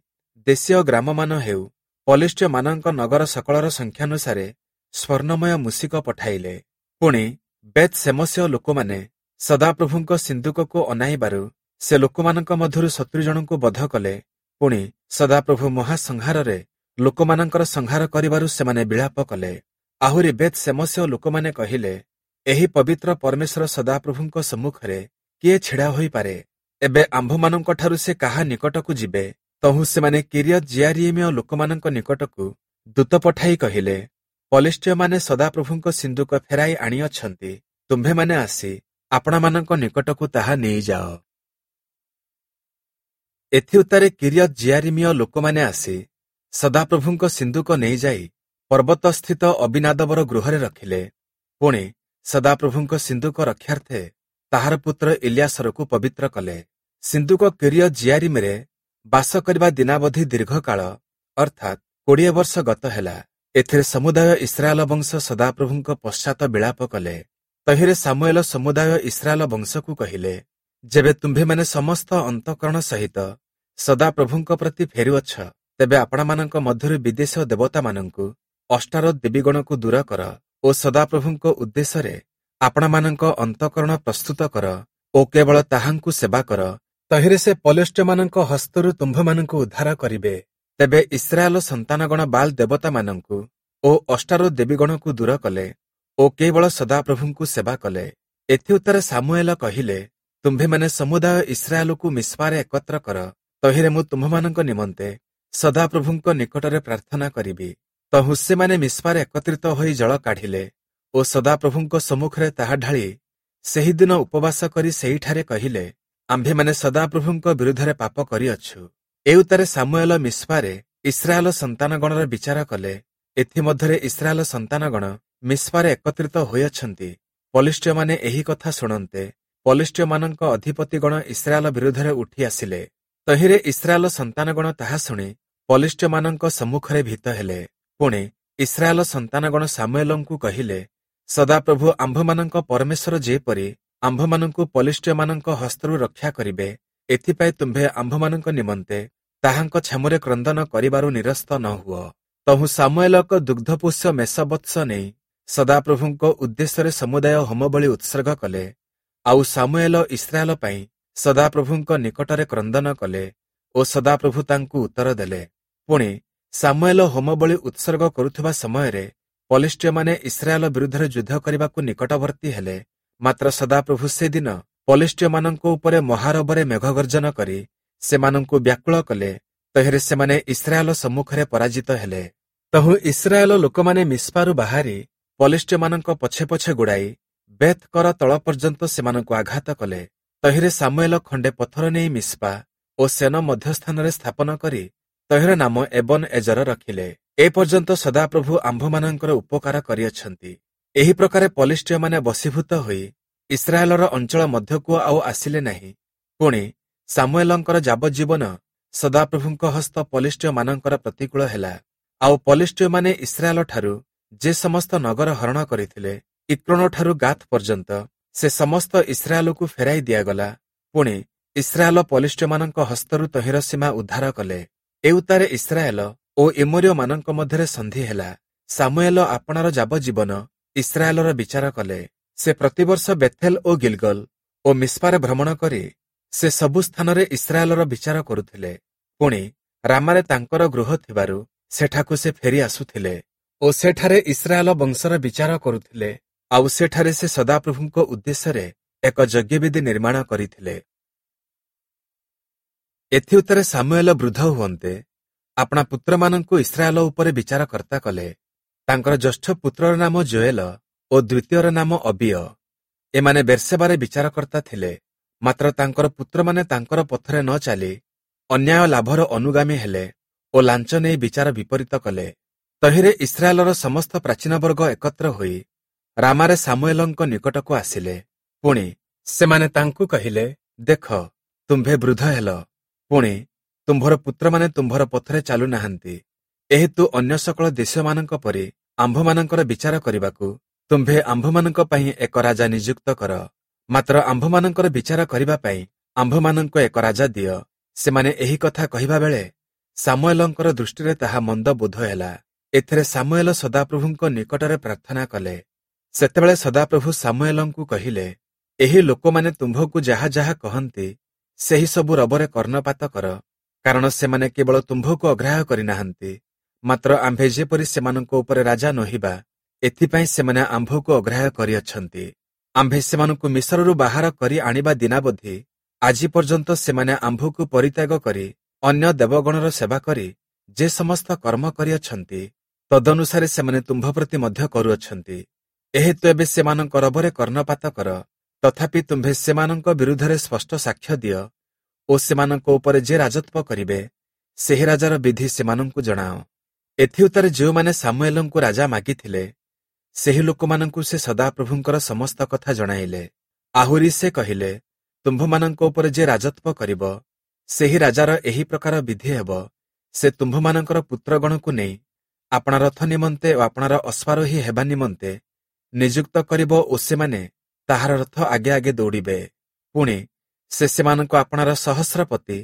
ଦେଶୀୟ ଗ୍ରାମମାନ ହେଉ, ପଲେଷ୍ଟୀୟମାନଙ୍କ ନଗର ସକଳର ସଂଖ୍ୟାନୁସାରେ ସ୍ୱର୍ଣ୍ଣମୟ ମୂଷିକ ପଠାଇଲେ। ପୁଣି ବେଥ୍ ସେମସୀୟ ଲୋକମାନେ ସଦାପ୍ରଭୁଙ୍କ ସିନ୍ଦୁକକୁ ଅନାଇବାରୁ ସେ ଲୋକମାନଙ୍କ ମଧ୍ୟରୁ ସତୁରି ଜଣଙ୍କୁ ବଧ କଲେ। ପୁଣି ସଦାପ୍ରଭୁ ମହାସଂହାରରେ ଲୋକମାନଙ୍କର ସଂହାର କରିବାରୁ ସେମାନେ ବିଳାପ କଲେ। ଆହୁରି ବେଥ୍ ସେମସୀୟ ଲୋକମାନେ କହିଲେ, ଏହି ପବିତ୍ର ପରମେଶ୍ୱର ସଦାପ୍ରଭୁଙ୍କ ସମ୍ମୁଖରେ କିଏ ଛିଡ଼ା ହୋଇପାରେ? ଏବେ ଆମ୍ଭମାନଙ୍କଠାରୁ ସେ କାହା ନିକଟକୁ ଯିବେ? ତହୁଁ ସେମାନେ କିରିୟତ୍ ଯିୟାରୀମୀୟ ଲୋକମାନଙ୍କ ନିକଟକୁ ଦୂତ ପଠାଇ କହିଲେ, ପଲେଷ୍ଟୀୟମାନେ ସଦାପ୍ରଭୁଙ୍କ ସିନ୍ଦୁକ ଫେରାଇ ଆଣିଅଛନ୍ତି, ତୁମ୍ଭେମାନେ ଆସି ଆପଣାମାନଙ୍କ ନିକଟକୁ ତାହା ନେଇଯାଅ। ଏଥିଉତ୍ତାରେ କିରିୟତ୍ ଯିୟାରୀମୀୟ ଲୋକମାନେ ଆସି ସଦାପ୍ରଭୁଙ୍କ ସିନ୍ଦୁକ ନେଇଯାଇ ପର୍ବତସ୍ଥିତ ଅବିନାଦବର ଗୃହରେ ରଖିଲେ। ପୁଣି ସଦାପ୍ରଭୁଙ୍କ ସିନ୍ଦୁକ ରକ୍ଷାର୍ଥେ ତାହାର ପୁତ୍ର ଇଲିୟାସରକୁ ପବିତ୍ର କଲେ। ସିନ୍ଦୁକ କିରିୟତ୍ ଯିୟାରୀମରେ ବାସ କରିବା ଦିନାବଧି ଦୀର୍ଘକାଳ, ଅର୍ଥାତ୍ କୋଡ଼ିଏ ବର୍ଷ ଗତ ହେଲା। ଏଥିରେ ସମୁଦାୟ ଇସ୍ରାଏଲ ବଂଶ ସଦାପ୍ରଭୁଙ୍କ ପଶ୍ଚାତ ବିଳାପ କଲେ। ତହିଁରେ ସାମୁଏଲ ସମୁଦାୟ ଇସ୍ରାଏଲ ବଂଶକୁ କହିଲେ, ଯେବେ ତୁମ୍ଭେମାନେ ସମସ୍ତ ଅନ୍ତଃକରଣ ସହିତ ସଦାପ୍ରଭୁଙ୍କ ପ୍ରତି ଫେରୁଅଛ, ତେବେ ଆପଣମାନଙ୍କ ମଧ୍ୟରୁ ବିଦେଶୀୟ ଦେବତାମାନଙ୍କୁ, ଅଷ୍ଟାରୋତ ଦେବୀଗଣକୁ ଦୂର କର ଓ ସଦାପ୍ରଭୁଙ୍କ ଉଦ୍ଦେଶ୍ୟରେ ଆପଣମାନଙ୍କ ଅନ୍ତଃକରଣ ପ୍ରସ୍ତୁତ କର ଓ କେବଳ ତାହାଙ୍କୁ ସେବା କର। ତହିଁରେ ସେ ପଲେଷ୍ଟୀୟମାନଙ୍କ ହସ୍ତରୁ ତୁମ୍ଭମାନଙ୍କୁ ଉଦ୍ଧାର କରିବେ। ତେବେ ଇସ୍ରାଏଲ ସନ୍ତାନଗଣ ବାଲ୍ ଦେବତାମାନଙ୍କୁ ଓ ଅଷ୍ଟାରୋତ ଦେବୀଗଣକୁ ଦୂର କଲେ ଓ କେବଳ ସଦାପ୍ରଭୁଙ୍କୁ ସେବା କଲେ। ଏଥିଉତ୍ତାରେ ସାମୁଏଲ କହିଲେ, ତୁମ୍ଭେମାନେ ସମୁଦାୟ ଇସ୍ରାଏଲକୁ ମିସ୍ପାରେ ଏକତ୍ର କର, ତହିଁରେ ମୁଁ ତୁମ୍ଭମାନଙ୍କ ନିମନ୍ତେ ସଦାପ୍ରଭୁଙ୍କ ନିକଟରେ ପ୍ରାର୍ଥନା କରିବି। ତହୁଁ ସେମାନେ ମିସ୍ପାରେ ଏକତ୍ରିତ ହୋଇ ଜଳ କାଢ଼ିଲେ ଓ ସଦାପ୍ରଭୁଙ୍କ ସମ୍ମୁଖରେ ତାହା ଢାଳି ସେହିଦିନ ଉପବାସ କରି ସେହିଠାରେ କହିଲେ, ଆମ୍ଭେମାନେ ସଦାପ୍ରଭୁଙ୍କ ବିରୁଦ୍ଧରେ ପାପ କରିଅଛୁ। ଏଉତ୍ତାରେ ସାମୁଏଲ ମିସ୍ପାରେ ଇସ୍ରାଏଲ ସନ୍ତାନଗଣର ବିଚାର କଲେ। ଏଥିମଧ୍ୟରେ ଇସ୍ରାଏଲ ସନ୍ତାନଗଣ ମିସ୍ପାରେ ଏକତ୍ରିତ ହୋଇଅଛନ୍ତି। ପଲେଷ୍ଟୀୟମାନେ ଏହି କଥା ଶୁଣନ୍ତେ ପଲେଷ୍ଟୀୟମାନଙ୍କ ଅଧିପତିଗଣ ଇସ୍ରାଏଲ ବିରୁଦ୍ଧରେ ଉଠି ଆସିଲେ। ତହିଁରେ ଇସ୍ରାଏଲ ସନ୍ତାନଗଣ ତାହା ଶୁଣି ପଲେଷ୍ଟୀୟମାନଙ୍କ ସମ୍ମୁଖରେ ଭୀତ ହେଲେ। ପୁଣି ଇସ୍ରାଏଲ ସନ୍ତାନଗଣ ସାମୁଏଲଙ୍କୁ କହିଲେ, ସଦାପ୍ରଭୁ ଆମ୍ଭମାନଙ୍କ ପରମେଶ୍ୱର ଯେପରି ଆମ୍ଭମାନଙ୍କୁ ପଲେଷ୍ଟୀୟମାନଙ୍କ ହସ୍ତରୁ ରକ୍ଷା କରିବେ, ଏଥିପାଇଁ ତୁମ୍ଭେ ଆମ୍ଭମାନଙ୍କ ନିମନ୍ତେ ତାହାଙ୍କ ଛାମୁରେ କ୍ରନ୍ଦନ କରିବାରୁ ନିରସ୍ତ ନ ହୁଅ। ତହୁଁ ସାମୁଏଲ ଏକ ଦୁଗ୍ଧପୋଷ୍ୟ ମେଷବତ୍ସ ନେଇ ସଦାପ୍ରଭୁଙ୍କ ଉଦ୍ଦେଶ୍ୟରେ ସମୁଦାୟ ହୋମବଳି ଉତ୍ସର୍ଗ କଲେ। ଆଉ ସାମୁଏଲ ଇସ୍ରାଏଲ ପାଇଁ ସଦାପ୍ରଭୁଙ୍କ ନିକଟରେ କ୍ରନ୍ଦନ କଲେ ଓ ସଦାପ୍ରଭୁ ତାଙ୍କୁ ଉତ୍ତର ଦେଲେ। ପୁଣି ସାମୁଏଲ ହୋମବଳି ଉତ୍ସର୍ଗ କରୁଥିବା ସମୟରେ ପଲେଷ୍ଟୀୟମାନେ ଇସ୍ରାଏଲ ବିରୁଦ୍ଧରେ ଯୁଦ୍ଧ କରିବାକୁ ନିକଟବର୍ତ୍ତୀ ହେଲେ। ମାତ୍ର ସଦାପ୍ରଭୁ ସେଦିନ ପଲେଷ୍ଟୀୟମାନଙ୍କ ଉପରେ ମହାରବରେ ମେଘଗର୍ଜନ କରି ସେମାନଙ୍କୁ ବ୍ୟାକୁଳ କଲେ। ତହିଁରେ ସେମାନେ ଇସ୍ରାଏଲ ସମ୍ମୁଖରେ ପରାଜିତ ହେଲେ। ତହୁଁ ଇସ୍ରାଏଲ ଲୋକମାନେ ମିସ୍ପାରୁ ବାହାରି ପଲିଷ୍ଟୀୟମାନଙ୍କ ପଛେ ପଛେ ଗୋଡ଼ାଇ ବେଥ୍ କର ତଳ ପର୍ଯ୍ୟନ୍ତ ସେମାନଙ୍କୁ ଆଘାତ କଲେ। ତହିଁରେ ସାମୁଏଲ ଖଣ୍ଡେ ପଥର ନେଇ ମିସ୍ପା ଓ ସେନ ମଧ୍ୟସ୍ଥାନରେ ସ୍ଥାପନ କରି ତହିଁର ନାମ ଏବନ ଏଜର ରଖିଲେ। ଏ ପର୍ଯ୍ୟନ୍ତ ସଦାପ୍ରଭୁ ଆମ୍ଭମାନଙ୍କର ଉପକାର କରିଅଛନ୍ତି। ଏହି ପ୍ରକାରେ ପଲିଷ୍ଟୀୟମାନେ ବଶୀଭୂତ ହୋଇ ଇସ୍ରାଏଲର ଅଞ୍ଚଳ ମଧ୍ୟକୁ ଆଉ ଆସିଲେ ନାହିଁ। ପୁଣି ସାମୁଏଲଙ୍କର ଯାବଜ୍ଜୀବନ ସଦାପ୍ରଭୁଙ୍କ ହସ୍ତ ପଲିଷ୍ଟୀୟମାନଙ୍କର ପ୍ରତିକୂଳ ହେଲା। ଆଉ ପଲିଷ୍ଟୀୟମାନେ ଇସ୍ରାଏଲଠାରୁ ଯେ ସମସ୍ତ ନଗର ହରଣ କରିଥିଲେ, ଇକ୍ରୋଣଠାରୁ ଗାଥ୍ ପର୍ଯ୍ୟନ୍ତ, ସେ ସମସ୍ତ ଇସ୍ରାଏଲକୁ ଫେରାଇ ଦିଆଗଲା। ପୁଣି ଇସ୍ରାଏଲ ପଲିଷ୍ଟୀୟମାନଙ୍କ ହସ୍ତରୁ ତହିଁର ସୀମା ଉଦ୍ଧାର କଲେ। ଏଉତ୍ତାରେ ଇସ୍ରାଏଲ ଓ ଏମୋରୀୟମାନଙ୍କ ମଧ୍ୟରେ ସନ୍ଧି ହେଲା। ସାମୁଏଲ ଆପଣାର ଯାବଜ୍ଜୀବନ ଇସ୍ରାଏଲର ବିଚାର କଲେ। ସେ ପ୍ରତିବର୍ଷ ବେଥେଲ ଓ ଗିଲଗଲ ଓ ମିସ୍ପାରେ ଭ୍ରମଣ କରି ସେ ସବୁ ସ୍ଥାନରେ ଇସ୍ରାଏଲର ବିଚାର କରୁଥିଲେ। ପୁଣି ରାମାରେ ତାଙ୍କର ଗୃହ ଥିବାରୁ ସେଠାକୁ ସେ ଫେରି ଆସୁଥିଲେ ଓ ସେଠାରେ ଇସ୍ରାଏଲ ବଂଶର ବିଚାର କରୁଥିଲେ। ଆଉ ସେଠାରେ ସେ ସଦାପ୍ରଭୁଙ୍କ ଉଦ୍ଦେଶ୍ୟରେ ଏକ ଯଜ୍ଞବେଦୀ ନିର୍ମାଣ କରିଥିଲେ। ଏଥିଉତ୍ତାରେ ସାମୁଏଲ ବୃଦ୍ଧ ହୁଅନ୍ତେ ଆପଣା ପୁତ୍ରମାନଙ୍କୁ ଇସ୍ରାଏଲ ଉପରେ ବିଚାରକର୍ତ୍ତା କଲେ। ତାଙ୍କର ଜ୍ୟେଷ୍ଠ ପୁତ୍ରର ନାମ ଯୋଏଲ ଓ ଦ୍ୱିତୀୟର ନାମ ଅବିୟ। ଏମାନେ ବେର୍ସେବାରେ ବିଚାରକର୍ତ୍ତା ଥିଲେ। ମାତ୍ର ତାଙ୍କର ପୁତ୍ରମାନେ ତାଙ୍କର ପଥରେ ନ ଚାଲି ଅନ୍ୟାୟ ଲାଭର ଅନୁଗାମୀ ହେଲେ ଓ ଲାଞ୍ଚ ନେଇ ବିଚାର ବିପରୀତ କଲେ। ତହିଁରେ ଇସ୍ରାଏଲର ସମସ୍ତ ପ୍ରାଚୀନବର୍ଗ ଏକତ୍ର ହୋଇ ରାମାରେ ସାମୁଏଲଙ୍କ ନିକଟକୁ ଆସିଲେ। ପୁଣି ସେମାନେ ତାଙ୍କୁ କହିଲେ, ଦେଖ, ତୁମ୍ଭେ ବୃଦ୍ଧ ହେଲ, ପୁଣି ତୁମ୍ଭର ପୁତ୍ରମାନେ ତୁମ୍ଭର ପଥରେ ଚାଲୁନାହାନ୍ତି। ଏହେତୁ ଅନ୍ୟ ସକଳ ଦେଶୀୟମାନଙ୍କ ପରି ଆମ୍ଭମାନଙ୍କର ବିଚାର କରିବାକୁ ତୁମ୍ଭେ ଆମ୍ଭମାନଙ୍କ ପାଇଁ ଏକ ରାଜା ନିଯୁକ୍ତ କର। ମାତ୍ର ଆମ୍ଭମାନଙ୍କର ବିଚାର କରିବା ପାଇଁ ଆମ୍ଭମାନଙ୍କୁ ଏକ ରାଜା ଦିଅ। ସେମାନେ ଏହି କଥା କହିବା ବେଳେ ସାମୁଏଲଙ୍କର ଦୃଷ୍ଟିରେ ତାହା ମନ୍ଦ ବୋଧ ହେଲା। ଏଥିରେ ସାମୁଏଲ ସଦାପ୍ରଭୁଙ୍କ ନିକଟରେ ପ୍ରାର୍ଥନା କଲେ। ସେତେବେଳେ ସଦାପ୍ରଭୁ ସାମୁଏଲଙ୍କୁ କହିଲେ, ଏହି ଲୋକମାନେ ତୁମ୍ଭକୁ ଯାହା ଯାହା କହନ୍ତି ସେହି ସବୁ ରବରେ କର୍ଣ୍ଣପାତ କର, କାରଣ ସେମାନେ କେବଳ ତୁମ୍ଭକୁ ଅଗ୍ରାହ୍ୟ କରିନାହାନ୍ତି, ମାତ୍ର ଆମ୍ଭେ ଯେପରି ସେମାନଙ୍କ ଉପରେ ରାଜା ନୋହିବା ଏଥିପାଇଁ ସେମାନେ ଆମ୍ଭକୁ ଅଗ୍ରାହ୍ୟ କରିଅଛନ୍ତି। ଆମ୍ଭେ ସେମାନଙ୍କୁ ମିଶରରୁ ବାହାର କରି ଆଣିବା ଦିନାବଧି ଆଜି ପର୍ଯ୍ୟନ୍ତ ସେମାନେ ଆମ୍ଭକୁ ପରିତ୍ୟାଗ କରି ଅନ୍ୟ ଦେବଗଣର ସେବା କରି ଯେ ସମସ୍ତ କର୍ମ କରିଅଛନ୍ତି ତଦନୁସାରେ ସେମାନେ ତୁମ୍ଭ ପ୍ରତି ମଧ୍ୟ କରୁଅଛନ୍ତି। ଏହେତୁ ଏବେ ସେମାନଙ୍କ ରବରେ କର୍ଣ୍ଣପାତ କର। ତଥାପି ତୁମ୍ଭେ ସେମାନଙ୍କ ବିରୁଦ୍ଧରେ ସ୍ପଷ୍ଟ ସାକ୍ଷ୍ୟ ଦିଅ ଓ ସେମାନଙ୍କ ଉପରେ ଯେ ରାଜତ୍ୱ କରିବେ ସେହି ରାଜାର ବିଧି ସେମାନଙ୍କୁ ଜଣାଅ। ଏଥିଉତ୍ତାରେ ଯେଉଁମାନେ ସାମୁଏଲଙ୍କୁ ରାଜା ମାଗିଥିଲେ ସେହି ଲୋକମାନଙ୍କୁ ସେ ସଦାପ୍ରଭୁଙ୍କର ସମସ୍ତ କଥା ଜଣାଇଲେ। ଆହୁରି ସେ କହିଲେ, ତୁମ୍ଭମାନଙ୍କ ଉପରେ ଯେ ରାଜତ୍ୱ କରିବ ସେହି ରାଜାର ଏହି ପ୍ରକାର ବିଧି ହେବ। ସେ ତୁମ୍ଭମାନଙ୍କର ପୁତ୍ରଗଣକୁ ନେଇ ଆପଣା ରଥ ନିମନ୍ତେ ଓ ଆପଣାର ଅଶ୍ୱାରୋହୀ ହେବା ନିମନ୍ତେ ନିଯୁକ୍ତ କରିବ ଓ ସେମାନେ ତାହାର ରଥ ଆଗେ ଆଗେ ଦୌଡ଼ିବେ। ପୁଣି ସେ ସେମାନଙ୍କୁ ଆପଣାର ସହସ୍ରପତି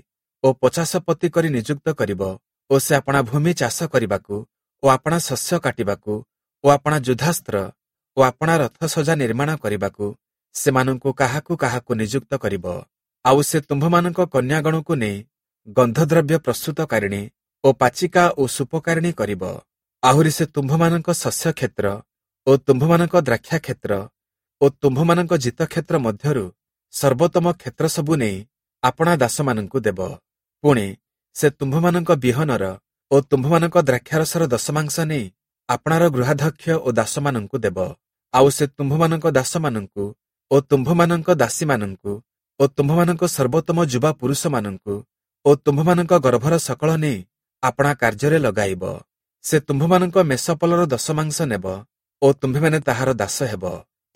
ଓ ପଚାଶପତି କରି ନିଯୁକ୍ତ କରିବ ଓ ସେ ଆପଣା ଭୂମି ଚାଷ କରିବାକୁ ଓ ଆପଣା ଶସ୍ୟ କାଟିବାକୁ ଓ ଆପଣା ଯୁଦ୍ଧାସ୍ତ୍ର ଓ ଆପଣା ରଥ ସଜା ନିର୍ମାଣ କରିବାକୁ ସେମାନଙ୍କୁ କାହାକୁ କାହାକୁ ନିଯୁକ୍ତ କରିବ। ଆଉ ସେ ତୁମ୍ଭମାନଙ୍କ କନ୍ୟାଗଣକୁ ନେଇ ଗନ୍ଧଦ୍ରବ୍ୟ ପ୍ରସ୍ତୁତକାରିଣୀ ଓ ପାଚିକା ଓ ସୁପକାରିଣୀ କରିବ। ଆହୁରି ସେ ତୁମ୍ଭମାନଙ୍କ ଶସ୍ୟ କ୍ଷେତ୍ର ଓ ତୁମ୍ଭମାନଙ୍କ ଦ୍ରାକ୍ଷା କ୍ଷେତ୍ର ଓ ତୁମ୍ଭମାନଙ୍କ ଜିତକ୍ଷେତ୍ର ମଧ୍ୟରୁ ସର୍ବୋତ୍ତମ କ୍ଷେତ୍ର ସବୁ ନେଇ ଆପଣା ଦାସମାନଙ୍କୁ ଦେବ। ପୁଣି ସେ ତୁମ୍ଭମାନଙ୍କ ବିହନର ଓ ତୁମ୍ଭମାନଙ୍କ ଦ୍ରାକ୍ଷାରସର ଦଶମାଂଶ ନେଇ ଆପଣାର ଗୃହାଧ୍ୟକ୍ଷ ଓ ଦାସମାନଙ୍କୁ ଦେବ। ଆଉ ସେ ତୁମ୍ଭମାନଙ୍କ ଦାସମାନଙ୍କୁ ଓ ତୁମ୍ଭମାନଙ୍କ ଦାସୀମାନଙ୍କୁ ଓ ତୁମ୍ଭମାନଙ୍କ ସର୍ବୋତ୍ତମ ଯୁବା ପୁରୁଷମାନଙ୍କୁ ଓ ତୁମ୍ଭମାନଙ୍କ ଗର୍ଭର ସକଳ ନେଇ ଆପଣା କାର୍ଯ୍ୟରେ ଲଗାଇବ। ସେ ତୁମ୍ଭମାନଙ୍କ ମେଷପଲର ଦଶମାଂଶ ନେବ ଓ ତୁମ୍ଭେମାନେ ତାହାର ଦାସ ହେବ।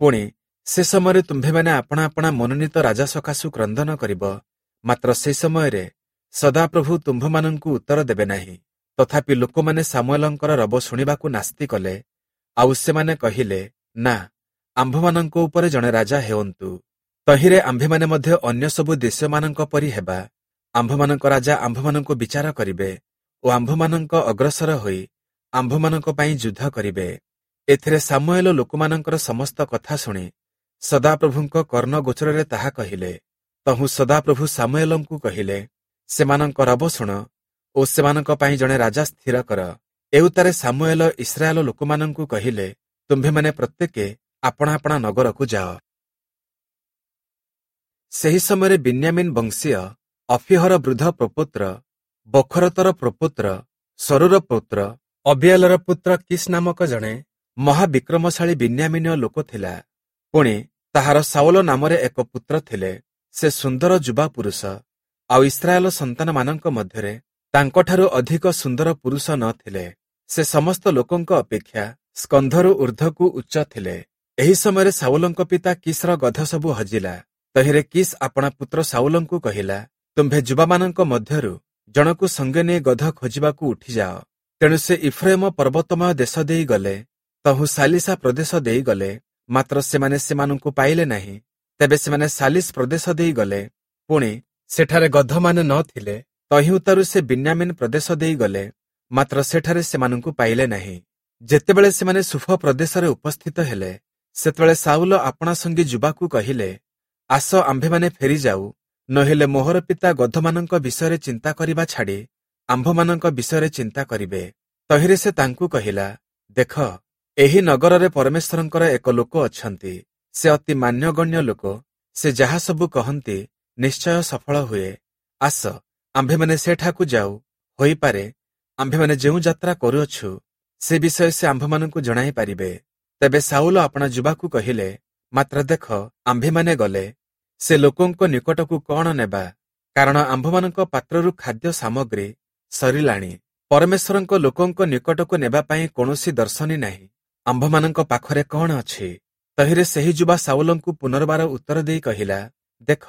ପୁଣି ସେ ସମୟରେ ତୁମ୍ଭେମାନେ ଆପଣା ଆପଣା ମନୋନୀତ ରାଜା ସକାଶୁ କ୍ରନ୍ଦନ କରିବ, ମାତ୍ର ସେ ସମୟରେ ସଦାପ୍ରଭୁ ତୁମ୍ଭମାନଙ୍କୁ ଉତ୍ତର ଦେବେ ନାହିଁ। ତଥାପି ଲୋକମାନେ ସାମୁଏଲଙ୍କର ରବ ଶୁଣିବାକୁ ନାସ୍ତି କଲେ। ଆଉ ସେମାନେ କହିଲେ, ନା, ଆମ୍ଭମାନଙ୍କ ଉପରେ ଜଣେ ରାଜା ହେଉନ୍ତୁ। ତହିଁରେ ଆମ୍ଭେମାନେ ମଧ୍ୟ ଅନ୍ୟ ସବୁ ଦେଶୀୟମାନଙ୍କ ପରି ହେବା। ଆମ୍ଭମାନଙ୍କ ରାଜା ଆମ୍ଭମାନଙ୍କୁ ବିଚାର କରିବେ ଓ ଆମ୍ଭମାନଙ୍କ ଅଗ୍ରସର ହୋଇ ଆମ୍ଭମାନଙ୍କ ପାଇଁ ଯୁଦ୍ଧ କରିବେ। ଏଥିରେ ସାମୁଏଲ ଲୋକମାନଙ୍କର ସମସ୍ତ କଥା ଶୁଣି ସଦାପ୍ରଭୁଙ୍କ କର୍ଣ୍ଣଗୋଚରରେ ତାହା କହିଲେ। ତହୁଁ ସଦାପ୍ରଭୁ ସାମୁଏଲଙ୍କୁ କହିଲେ, ସେମାନଙ୍କ ରବ ଶୁଣ ଓ ସେମାନଙ୍କ ପାଇଁ ଜଣେ ରାଜା ସ୍ଥିର କର। ଏଉତ୍ତାରେ ସାମୁଏଲ ଇସ୍ରାଏଲ ଲୋକମାନଙ୍କୁ କହିଲେ, ତୁମ୍ଭେମାନେ ପ୍ରତ୍ୟେକେ ଆପଣା ଆପଣା ନଗରକୁ ଯାଅ। ସେହି ସମୟରେ ବିନ୍ୟାମିନ ବଂଶୀୟ ଅଫିହର ବୃଦ୍ଧ ପ୍ରପୌତ୍ର ବଖରତର ପ୍ରପୌତ୍ର ସରୁର ପୌତ୍ର ଅବିଏଲର ପୁତ୍ର କିସ୍ ନାମକ ଜଣେ ମହାବିକ୍ରମଶାଳୀ ବିନ୍ୟାମୀନୀୟ ଲୋକ ଥିଲା। ପୁଣି ତାହାର ସାଉଲ ନାମରେ ଏକ ପୁତ୍ର ଥିଲେ। ସେ ସୁନ୍ଦର ଯୁବା ପୁରୁଷ, ଆଉ ଇସ୍ରାଏଲ ସନ୍ତାନମାନଙ୍କ ମଧ୍ୟରେ ତାଙ୍କଠାରୁ ଅଧିକ ସୁନ୍ଦର ପୁରୁଷ ନ ଥିଲେ। ସେ ସମସ୍ତ ଲୋକଙ୍କ ଅପେକ୍ଷା ସ୍କନ୍ଧରୁ ଊର୍ଦ୍ଧ୍ୱକୁ ଉଚ୍ଚ ଥିଲେ। ଏହି ସମୟରେ ସାଉଲଙ୍କ ପିତା କିସ୍‌ର ଗଧ ସବୁ ହଜିଲା। ତହିଁରେ କିସ୍ ଆପଣା ପୁତ୍ର ସାଉଲଙ୍କୁ କହିଲା, ତୁମ୍ଭେ ଯୁବାମାନଙ୍କ ମଧ୍ୟରୁ ଜଣକୁ ସଙ୍ଗେ ନେଇ ଗଧ ଖୋଜିବାକୁ ଉଠିଯାଅ। ତେଣୁ ସେ ଇଫ୍ରାଇମ ପର୍ବତମୟ ଦେଶ ଦେଇ ଗଲେ, ତହୁଁ ସାଲିସା ପ୍ରଦେଶ ଦେଇ ଗଲେ, ମାତ୍ର ସେମାନେ ସେମାନଙ୍କୁ ପାଇଲେ ନାହିଁ। ତେବେ ସେମାନେ ସାଲିସ ପ୍ରଦେଶ ଦେଇ ଗଲେ, ପୁଣି ସେଠାରେ ଗଧମାନେ ନ ଥିଲେ। ତହିଁ ଉତ୍ତାରୁ ସେ ବିନ୍ୟାମିନ ପ୍ରଦେଶ ଦେଇ ଗଲେ, ମାତ୍ର ସେଠାରେ ସେମାନଙ୍କୁ ପାଇଲେ ନାହିଁ। ଯେତେବେଳେ ସେମାନେ ସୁଫ ପ୍ରଦେଶରେ ଉପସ୍ଥିତ ହେଲେ, ସେତେବେଳେ ସାଉଲ ଆପଣା ସଙ୍ଗୀ ଯୁବାକୁ କହିଲେ, ଆସ ଆମ୍ଭେମାନେ ଫେରିଯାଉ, ନହେଲେ ମୋହର ପିତା ଗଧମାନଙ୍କ ବିଷୟରେ ଚିନ୍ତା କରିବା ଛାଡ଼ି ଆମ୍ଭମାନଙ୍କ ବିଷୟରେ ଚିନ୍ତା କରିବେ। ତହିଁରେ ସେ ତାଙ୍କୁ କହିଲା, ଦେଖ, ଏହି ନଗରରେ ପରମେଶ୍ୱରଙ୍କର ଏକ ଲୋକ ଅଛନ୍ତି। ସେ ଅତି ମାନ୍ୟଗଣ୍ୟ ଲୋକ। ସେ ଯାହା ସବୁ କହନ୍ତି ନିଶ୍ଚୟ ସଫଳ ହୁଏ। ଆସ, ଆମ୍ଭେମାନେ ସେଠାକୁ ଯାଉ। ହୋଇପାରେ ଆମ୍ଭେମାନେ ଯେଉଁ ଯାତ୍ରା କରୁଅଛୁ ସେ ବିଷୟ ସେ ଆମ୍ଭମାନଙ୍କୁ ଜଣାଇ ପାରିବେ। ତେବେ ସାଉଲ ଆପଣା ଯୁବାକୁ କହିଲେ, ମାତ୍ର ଦେଖ, ଆମ୍ଭେମାନେ ଗଲେ ସେ ଲୋକଙ୍କ ନିକଟକୁ କଣ ନେବା? କାରଣ ଆମ୍ଭମାନଙ୍କ ପାତ୍ରରୁ ଖାଦ୍ୟ ସାମଗ୍ରୀ ସରିଲାଣି। ପରମେଶ୍ୱରଙ୍କ ଲୋକଙ୍କ ନିକଟକୁ ନେବା ପାଇଁ କୌଣସି ଦର୍ଶନୀ ନାହିଁ। ଆମ୍ଭମାନଙ୍କ ପାଖରେ କଣ ଅଛି? ତହିଁରେ ସେହି ଯୁବା ସାଉଲଙ୍କୁ ପୁନର୍ବାର ଉତ୍ତର ଦେଇ କହିଲା, ଦେଖ,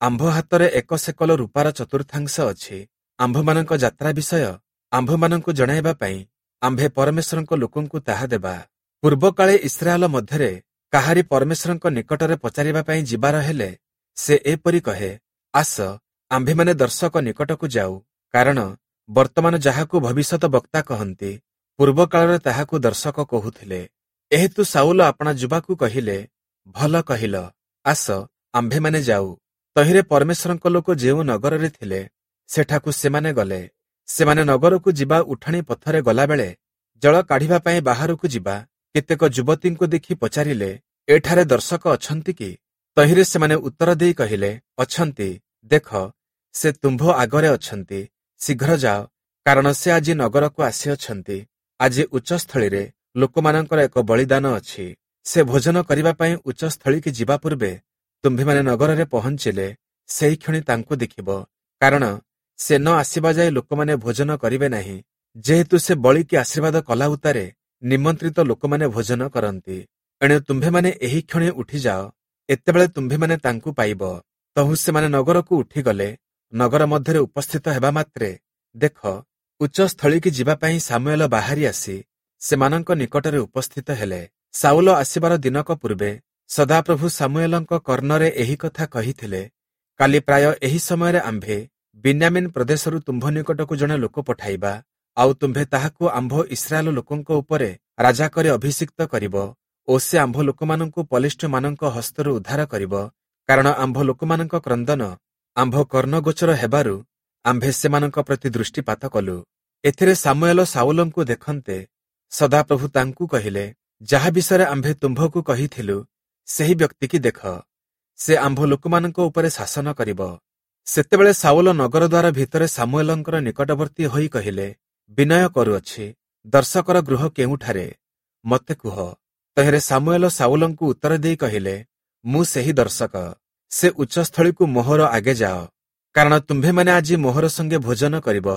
ଆମ୍ଭ ହାତରେ ଏକ ସେକଲ ରୂପାର ଚତୁର୍ଥାଂଶ ଅଛି। ଆମ୍ଭମାନଙ୍କ ଯାତ୍ରା ବିଷୟ ଆମ୍ଭମାନଙ୍କୁ ଜଣାଇବା ପାଇଁ ଆମ୍ଭେ ପରମେଶ୍ୱରଙ୍କ ଲୋକଙ୍କୁ ତାହା ଦେବା। ପୂର୍ବକାଳେ ଇସ୍ରାଏଲ ମଧ୍ୟରେ କାହାରି ପରମେଶ୍ୱରଙ୍କ ନିକଟରେ ପଚାରିବା ପାଇଁ ଯିବାର ହେଲେ ସେ ଏପରି କହେ, ଆସ, ଆମ୍ଭେମାନେ ଦର୍ଶକ ନିକଟକୁ ଯାଉ। କାରଣ ବର୍ତ୍ତମାନ ଯାହାକୁ ଭବିଷ୍ୟତ ବକ୍ତା କହନ୍ତି, ପୂର୍ବକାଳରେ ତାହାକୁ ଦର୍ଶକ କହୁଥିଲେ। ଏହେତୁ ସାଉଲ ଆପଣା ଯୁବାକୁ କହିଲେ, ଭଲ କହିଲ, ଆସ, ଆମ୍ଭେମାନେ ଯାଉ। ତହିଁରେ ପରମେଶ୍ୱରଙ୍କ ଲୋକ ଯେଉଁ ନଗରରେ ଥିଲେ ସେଠାକୁ ସେମାନେ ଗଲେ। ସେମାନେ ନଗରକୁ ଯିବା ଉଠାଣି ପଥରେ ଗଲାବେଳେ ଜଳ କାଢ଼ିବା ପାଇଁ ବାହାରକୁ ଯିବା କେତେକ ଯୁବତୀଙ୍କୁ ଦେଖି ପଚାରିଲେ, ଏଠାରେ ଦର୍ଶକ ଅଛନ୍ତି କି? ତହିଁରେ ସେମାନେ ଉତ୍ତର ଦେଇ କହିଲେ, ଅଛନ୍ତି, ଦେଖ, ସେ ତୁମ୍ଭ ଆଗରେ ଅଛନ୍ତି। ଶୀଘ୍ର ଯାଅ, କାରଣ ସେ ଆଜି ନଗରକୁ ଆସିଅଛନ୍ତି। ଆଜି ଉଚ୍ଚସ୍ଥଳୀରେ ଲୋକମାନଙ୍କର ଏକ ବଳିଦାନ ଅଛି। ସେ ଭୋଜନ କରିବା ପାଇଁ ଉଚ୍ଚସ୍ଥଳୀକି ଯିବା ପୂର୍ବେ ତୁମ୍ଭେମାନେ ନଗରରେ ପହଞ୍ଚିଲେ ସେହିକ୍ଷଣି ତାଙ୍କୁ ଦେଖିବ, କାରଣ ସେ ନ ଆସିବା ଯାଏ ଲୋକମାନେ ଭୋଜନ କରିବେ ନାହିଁ। ଯେହେତୁ ସେ ବଳିକି ଆଶୀର୍ବାଦ କଲା ଉତ୍ତାରେ ନିମନ୍ତ୍ରିତ ଲୋକମାନେ ଭୋଜନ କରନ୍ତି। ଏଣୁ ତୁମ୍ଭେମାନେ ଏହି କ୍ଷଣି ଉଠିଯାଅ, ଏତେବେଳେ ତୁମ୍ଭେମାନେ ତାଙ୍କୁ ପାଇବ। ତହୁଁ ସେମାନେ ନଗରକୁ ଉଠିଗଲେ। ନଗର ମଧ୍ୟରେ ଉପସ୍ଥିତ ହେବା ମାତ୍ରେ ଦେଖ, ଉଚ୍ଚସ୍ଥଳୀକି ଯିବା ପାଇଁ ସାମୁଏଲ ବାହାରି ଆସି ସେମାନଙ୍କ ନିକଟରେ ଉପସ୍ଥିତ ହେଲେ। ସାଉଲ ଆସିବାର ଦିନକ ପୂର୍ବେ ସଦାପ୍ରଭୁ ସାମୁଏଲଙ୍କ କର୍ଣ୍ଣରେ ଏହି କଥା କହିଥିଲେ, କାଲି ପ୍ରାୟ ଏହି ସମୟରେ ଆମ୍ଭେ ବିନ୍ୟାମିନ ପ୍ରଦେଶରୁ ତୁମ୍ଭ ନିକଟକୁ ଜଣେ ଲୋକ ପଠାଇବା, ଆଉ ତୁମ୍ଭେ ତାହାକୁ ଆମ୍ଭ ଇସ୍ରାଏଲ ଲୋକଙ୍କ ଉପରେ ରାଜା କରି ଅଭିଷିକ୍ତ କରିବ ଓ ସେ ଆମ୍ଭ ଲୋକମାନଙ୍କୁ ପଲିଷ୍ଠମାନଙ୍କ ହସ୍ତରୁ ଉଦ୍ଧାର କରିବ। କାରଣ ଆମ୍ଭ ଲୋକମାନଙ୍କ କ୍ରନ୍ଦନ ଆମ୍ଭ କର୍ଣ୍ଣଗୋଚର ହେବାରୁ ଆମ୍ଭେ ସେମାନଙ୍କ ପ୍ରତି ଦୃଷ୍ଟିପାତ କଲୁ। ଏଥିରେ ସାମୁଏଲ ସାଉଲଙ୍କୁ ଦେଖନ୍ତେ ସଦାପ୍ରଭୁ ତାଙ୍କୁ କହିଲେ, ଯାହା ବିଷୟରେ ଆମ୍ଭେ ତୁମ୍ଭକୁ କହିଥିଲୁ ସେହି ବ୍ୟକ୍ତିକି ଦେଖ, ସେ ଆମ୍ଭ ଲୋକମାନଙ୍କ ଉପରେ ଶାସନ କରିବ। ସେତେବେଳେ ସାଉଲ ନଗର ଦ୍ୱାର ଭିତରେ ସାମୁଏଲଙ୍କର ନିକଟବର୍ତ୍ତୀ ହୋଇ କହିଲେ, ବିନୟ କରୁଅଛି, ଦର୍ଶକର ଗୃହ କେଉଁଠାରେ? ମୋତେ କୁହ। ତହିଁରେ ସାମୁଏଲ ସାଉଲଙ୍କୁ ଉତ୍ତର ଦେଇ କହିଲେ, ମୁଁ ସେହି ଦର୍ଶକ। ସେ ଉଚ୍ଚସ୍ଥଳୀକୁ ମୋହର ଆଗେ ଯାଅ, କାରଣ ତୁମ୍ଭେମାନେ ଆଜି ମୋହର ସଙ୍ଗେ ଭୋଜନ କରିବ,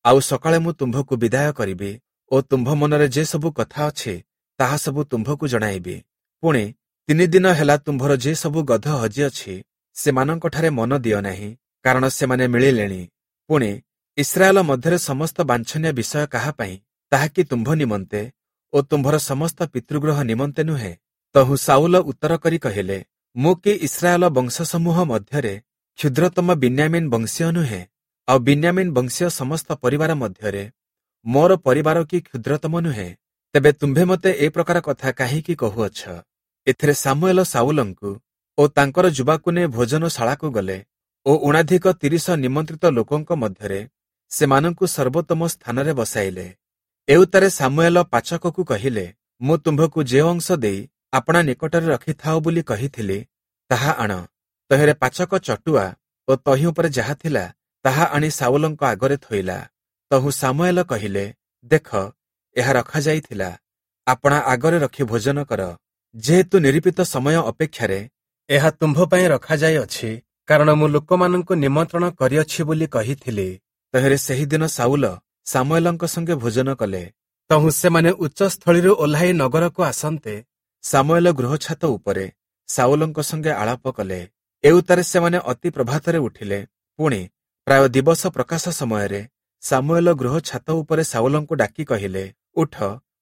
ଆଉ ସକାଳେ ମୁଁ ତୁମ୍ଭକୁ ବିଦାୟ କରିବି ଓ ତୁମ୍ଭ ମନରେ ଯେ ସବୁ କଥା ଅଛି ତାହା ସବୁ ତୁମ୍ଭକୁ ଜଣାଇବି। ପୁଣି ତିନି ଦିନ ହେଲା ତୁମ୍ଭର ଯେ ସବୁ ଗଧ ହଜିଅଛି ସେମାନଙ୍କଠାରେ ମନ ଦିଅ ନାହିଁ, କାରଣ ସେମାନେ ମିଳିଲେଣି। ପୁଣି ଇସ୍ରାଏଲ ମଧ୍ୟରେ ସମସ୍ତ ବାଞ୍ଛନୀୟ ବିଷୟ କାହା ପାଇଁ? ତାହା କି ତୁମ୍ଭ ନିମନ୍ତେ ଓ ତୁମ୍ଭର ସମସ୍ତ ପିତୃଗୃହ ନିମନ୍ତେ ନୁହେଁ? ତହୁଁ ସାଉଲ ଉତ୍ତର କରି କହିଲେ, ମୁଁ କି ଇସ୍ରାଏଲ ବଂଶସମୂହ ମଧ୍ୟରେ କ୍ଷୁଦ୍ରତମ ବିନ୍ୟାମିନ ବଂଶୀୟ ନୁହେଁ? ଆଉ ବିନ୍ୟାମିନ ବଂଶୀୟ ସମସ୍ତ ପରିବାର ମଧ୍ୟରେ ମୋର ପରିବାର କି କ୍ଷୁଦ୍ରତମ ନୁହେଁ? ତେବେ ତୁମ୍ଭେ ମୋତେ ଏ ପ୍ରକାର କଥା କାହିଁକି କହୁଅଛ? ଏଥିରେ ସାମୁଏଲ ସାଉଲଙ୍କୁ ଓ ତାଙ୍କର ଯୁବାକୁ ନେଇ ଭୋଜନଶାଳାକୁ ଗଲେ ଓ ଊଣାଧିକ ତିରିଶ ନିମନ୍ତ୍ରିତ ଲୋକଙ୍କ ମଧ୍ୟରେ ସେମାନଙ୍କୁ ସର୍ବୋତ୍ତମ ସ୍ଥାନରେ ବସାଇଲେ। ଏଉତ୍ତାରେ ସାମୁଏଲ ପାଚକକୁ କହିଲେ, ମୁଁ ତୁମ୍ଭକୁ ଯେଉଁ ଅଂଶ ଦେଇ ଆପଣା ନିକଟରେ ରଖିଥାଅ ବୋଲି କହିଥିଲି ତାହା ଆଣ। ତହିଁରେ ପାଚକ ଚଟୁଆ ଓ ତହିଁ ଉପରେ ଯାହା ଥିଲା ତାହା ଆଣି ସାଉଲଙ୍କ ଆଗରେ ଥୋଇଲା। ତହୁଁ ସାମୁଏଲ କହିଲେ, ଦେଖ, ଏହା ରଖାଯାଇଥିଲା, ଆପଣା ଆଗରେ ରଖି ଭୋଜନ କର, ଯେହେତୁ ନିରୂପିତ ସମୟ ଅପେକ୍ଷାରେ ଏହା ତୁମ୍ଭ ପାଇଁ ରଖାଯାଇଅଛି, କାରଣ ମୁଁ ଲୋକମାନଙ୍କୁ ନିମନ୍ତ୍ରଣ କରିଅଛି ବୋଲି କହିଥିଲି। ତହିଁରେ ସେହିଦିନ ଶାଉଲ ସାମୁଏଲଙ୍କ ସଙ୍ଗେ ଭୋଜନ କଲେ। ତହୁଁ ସେମାନେ ଉଚ୍ଚସ୍ଥଳୀରୁ ଓହ୍ଲାଇ ନଗରକୁ ଆସନ୍ତେ, ସାମୁଏଲ ଗୃହଛାତ ଉପରେ ଶାଉଲଙ୍କ ସଙ୍ଗେ ଆଳାପ କଲେ। ଏଉତ୍ତାରେ ସେମାନେ ଅତି ପ୍ରଭାତରେ ଉଠିଲେ। ପୁଣି ପ୍ରାୟ ଦିବସ ପ୍ରକାଶ ସମୟରେ ସାମୁଏଲ ଗୃହ ଛାତ ଉପରେ ଶାଉଲଙ୍କୁ ଡାକି କହିଲେ, ଉଠ,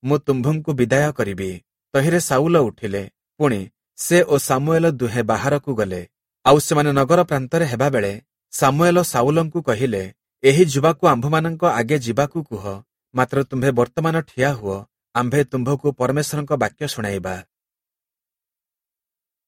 ମୁଁ ତୁମ୍ଭଙ୍କୁ ବିଦାୟ କରିବି। ତହିଁରେ ଶାଉଲ ଉଠିଲେ। ପୁଣି ସେ ଓ ସାମୁଏଲ ଦୁହେଁ ବାହାରକୁ ଗଲେ। ଆଉ ସେମାନେ ନଗର ପ୍ରାନ୍ତରେ ହେବାବେଳେ ସାମୁଏଲ ଶାଉଲଙ୍କୁ କହିଲେ, ଏହି ଯୁବାକୁ ଆମ୍ଭମାନଙ୍କ ଆଗେ ଯିବାକୁ କୁହ, ମାତ୍ର ତୁମ୍ଭେ ବର୍ତ୍ତମାନ ଠିଆ ହୁଅ, ଆମ୍ଭେ ତୁମ୍ଭକୁ ପରମେଶ୍ୱରଙ୍କ ବାକ୍ୟ ଶୁଣାଇବା।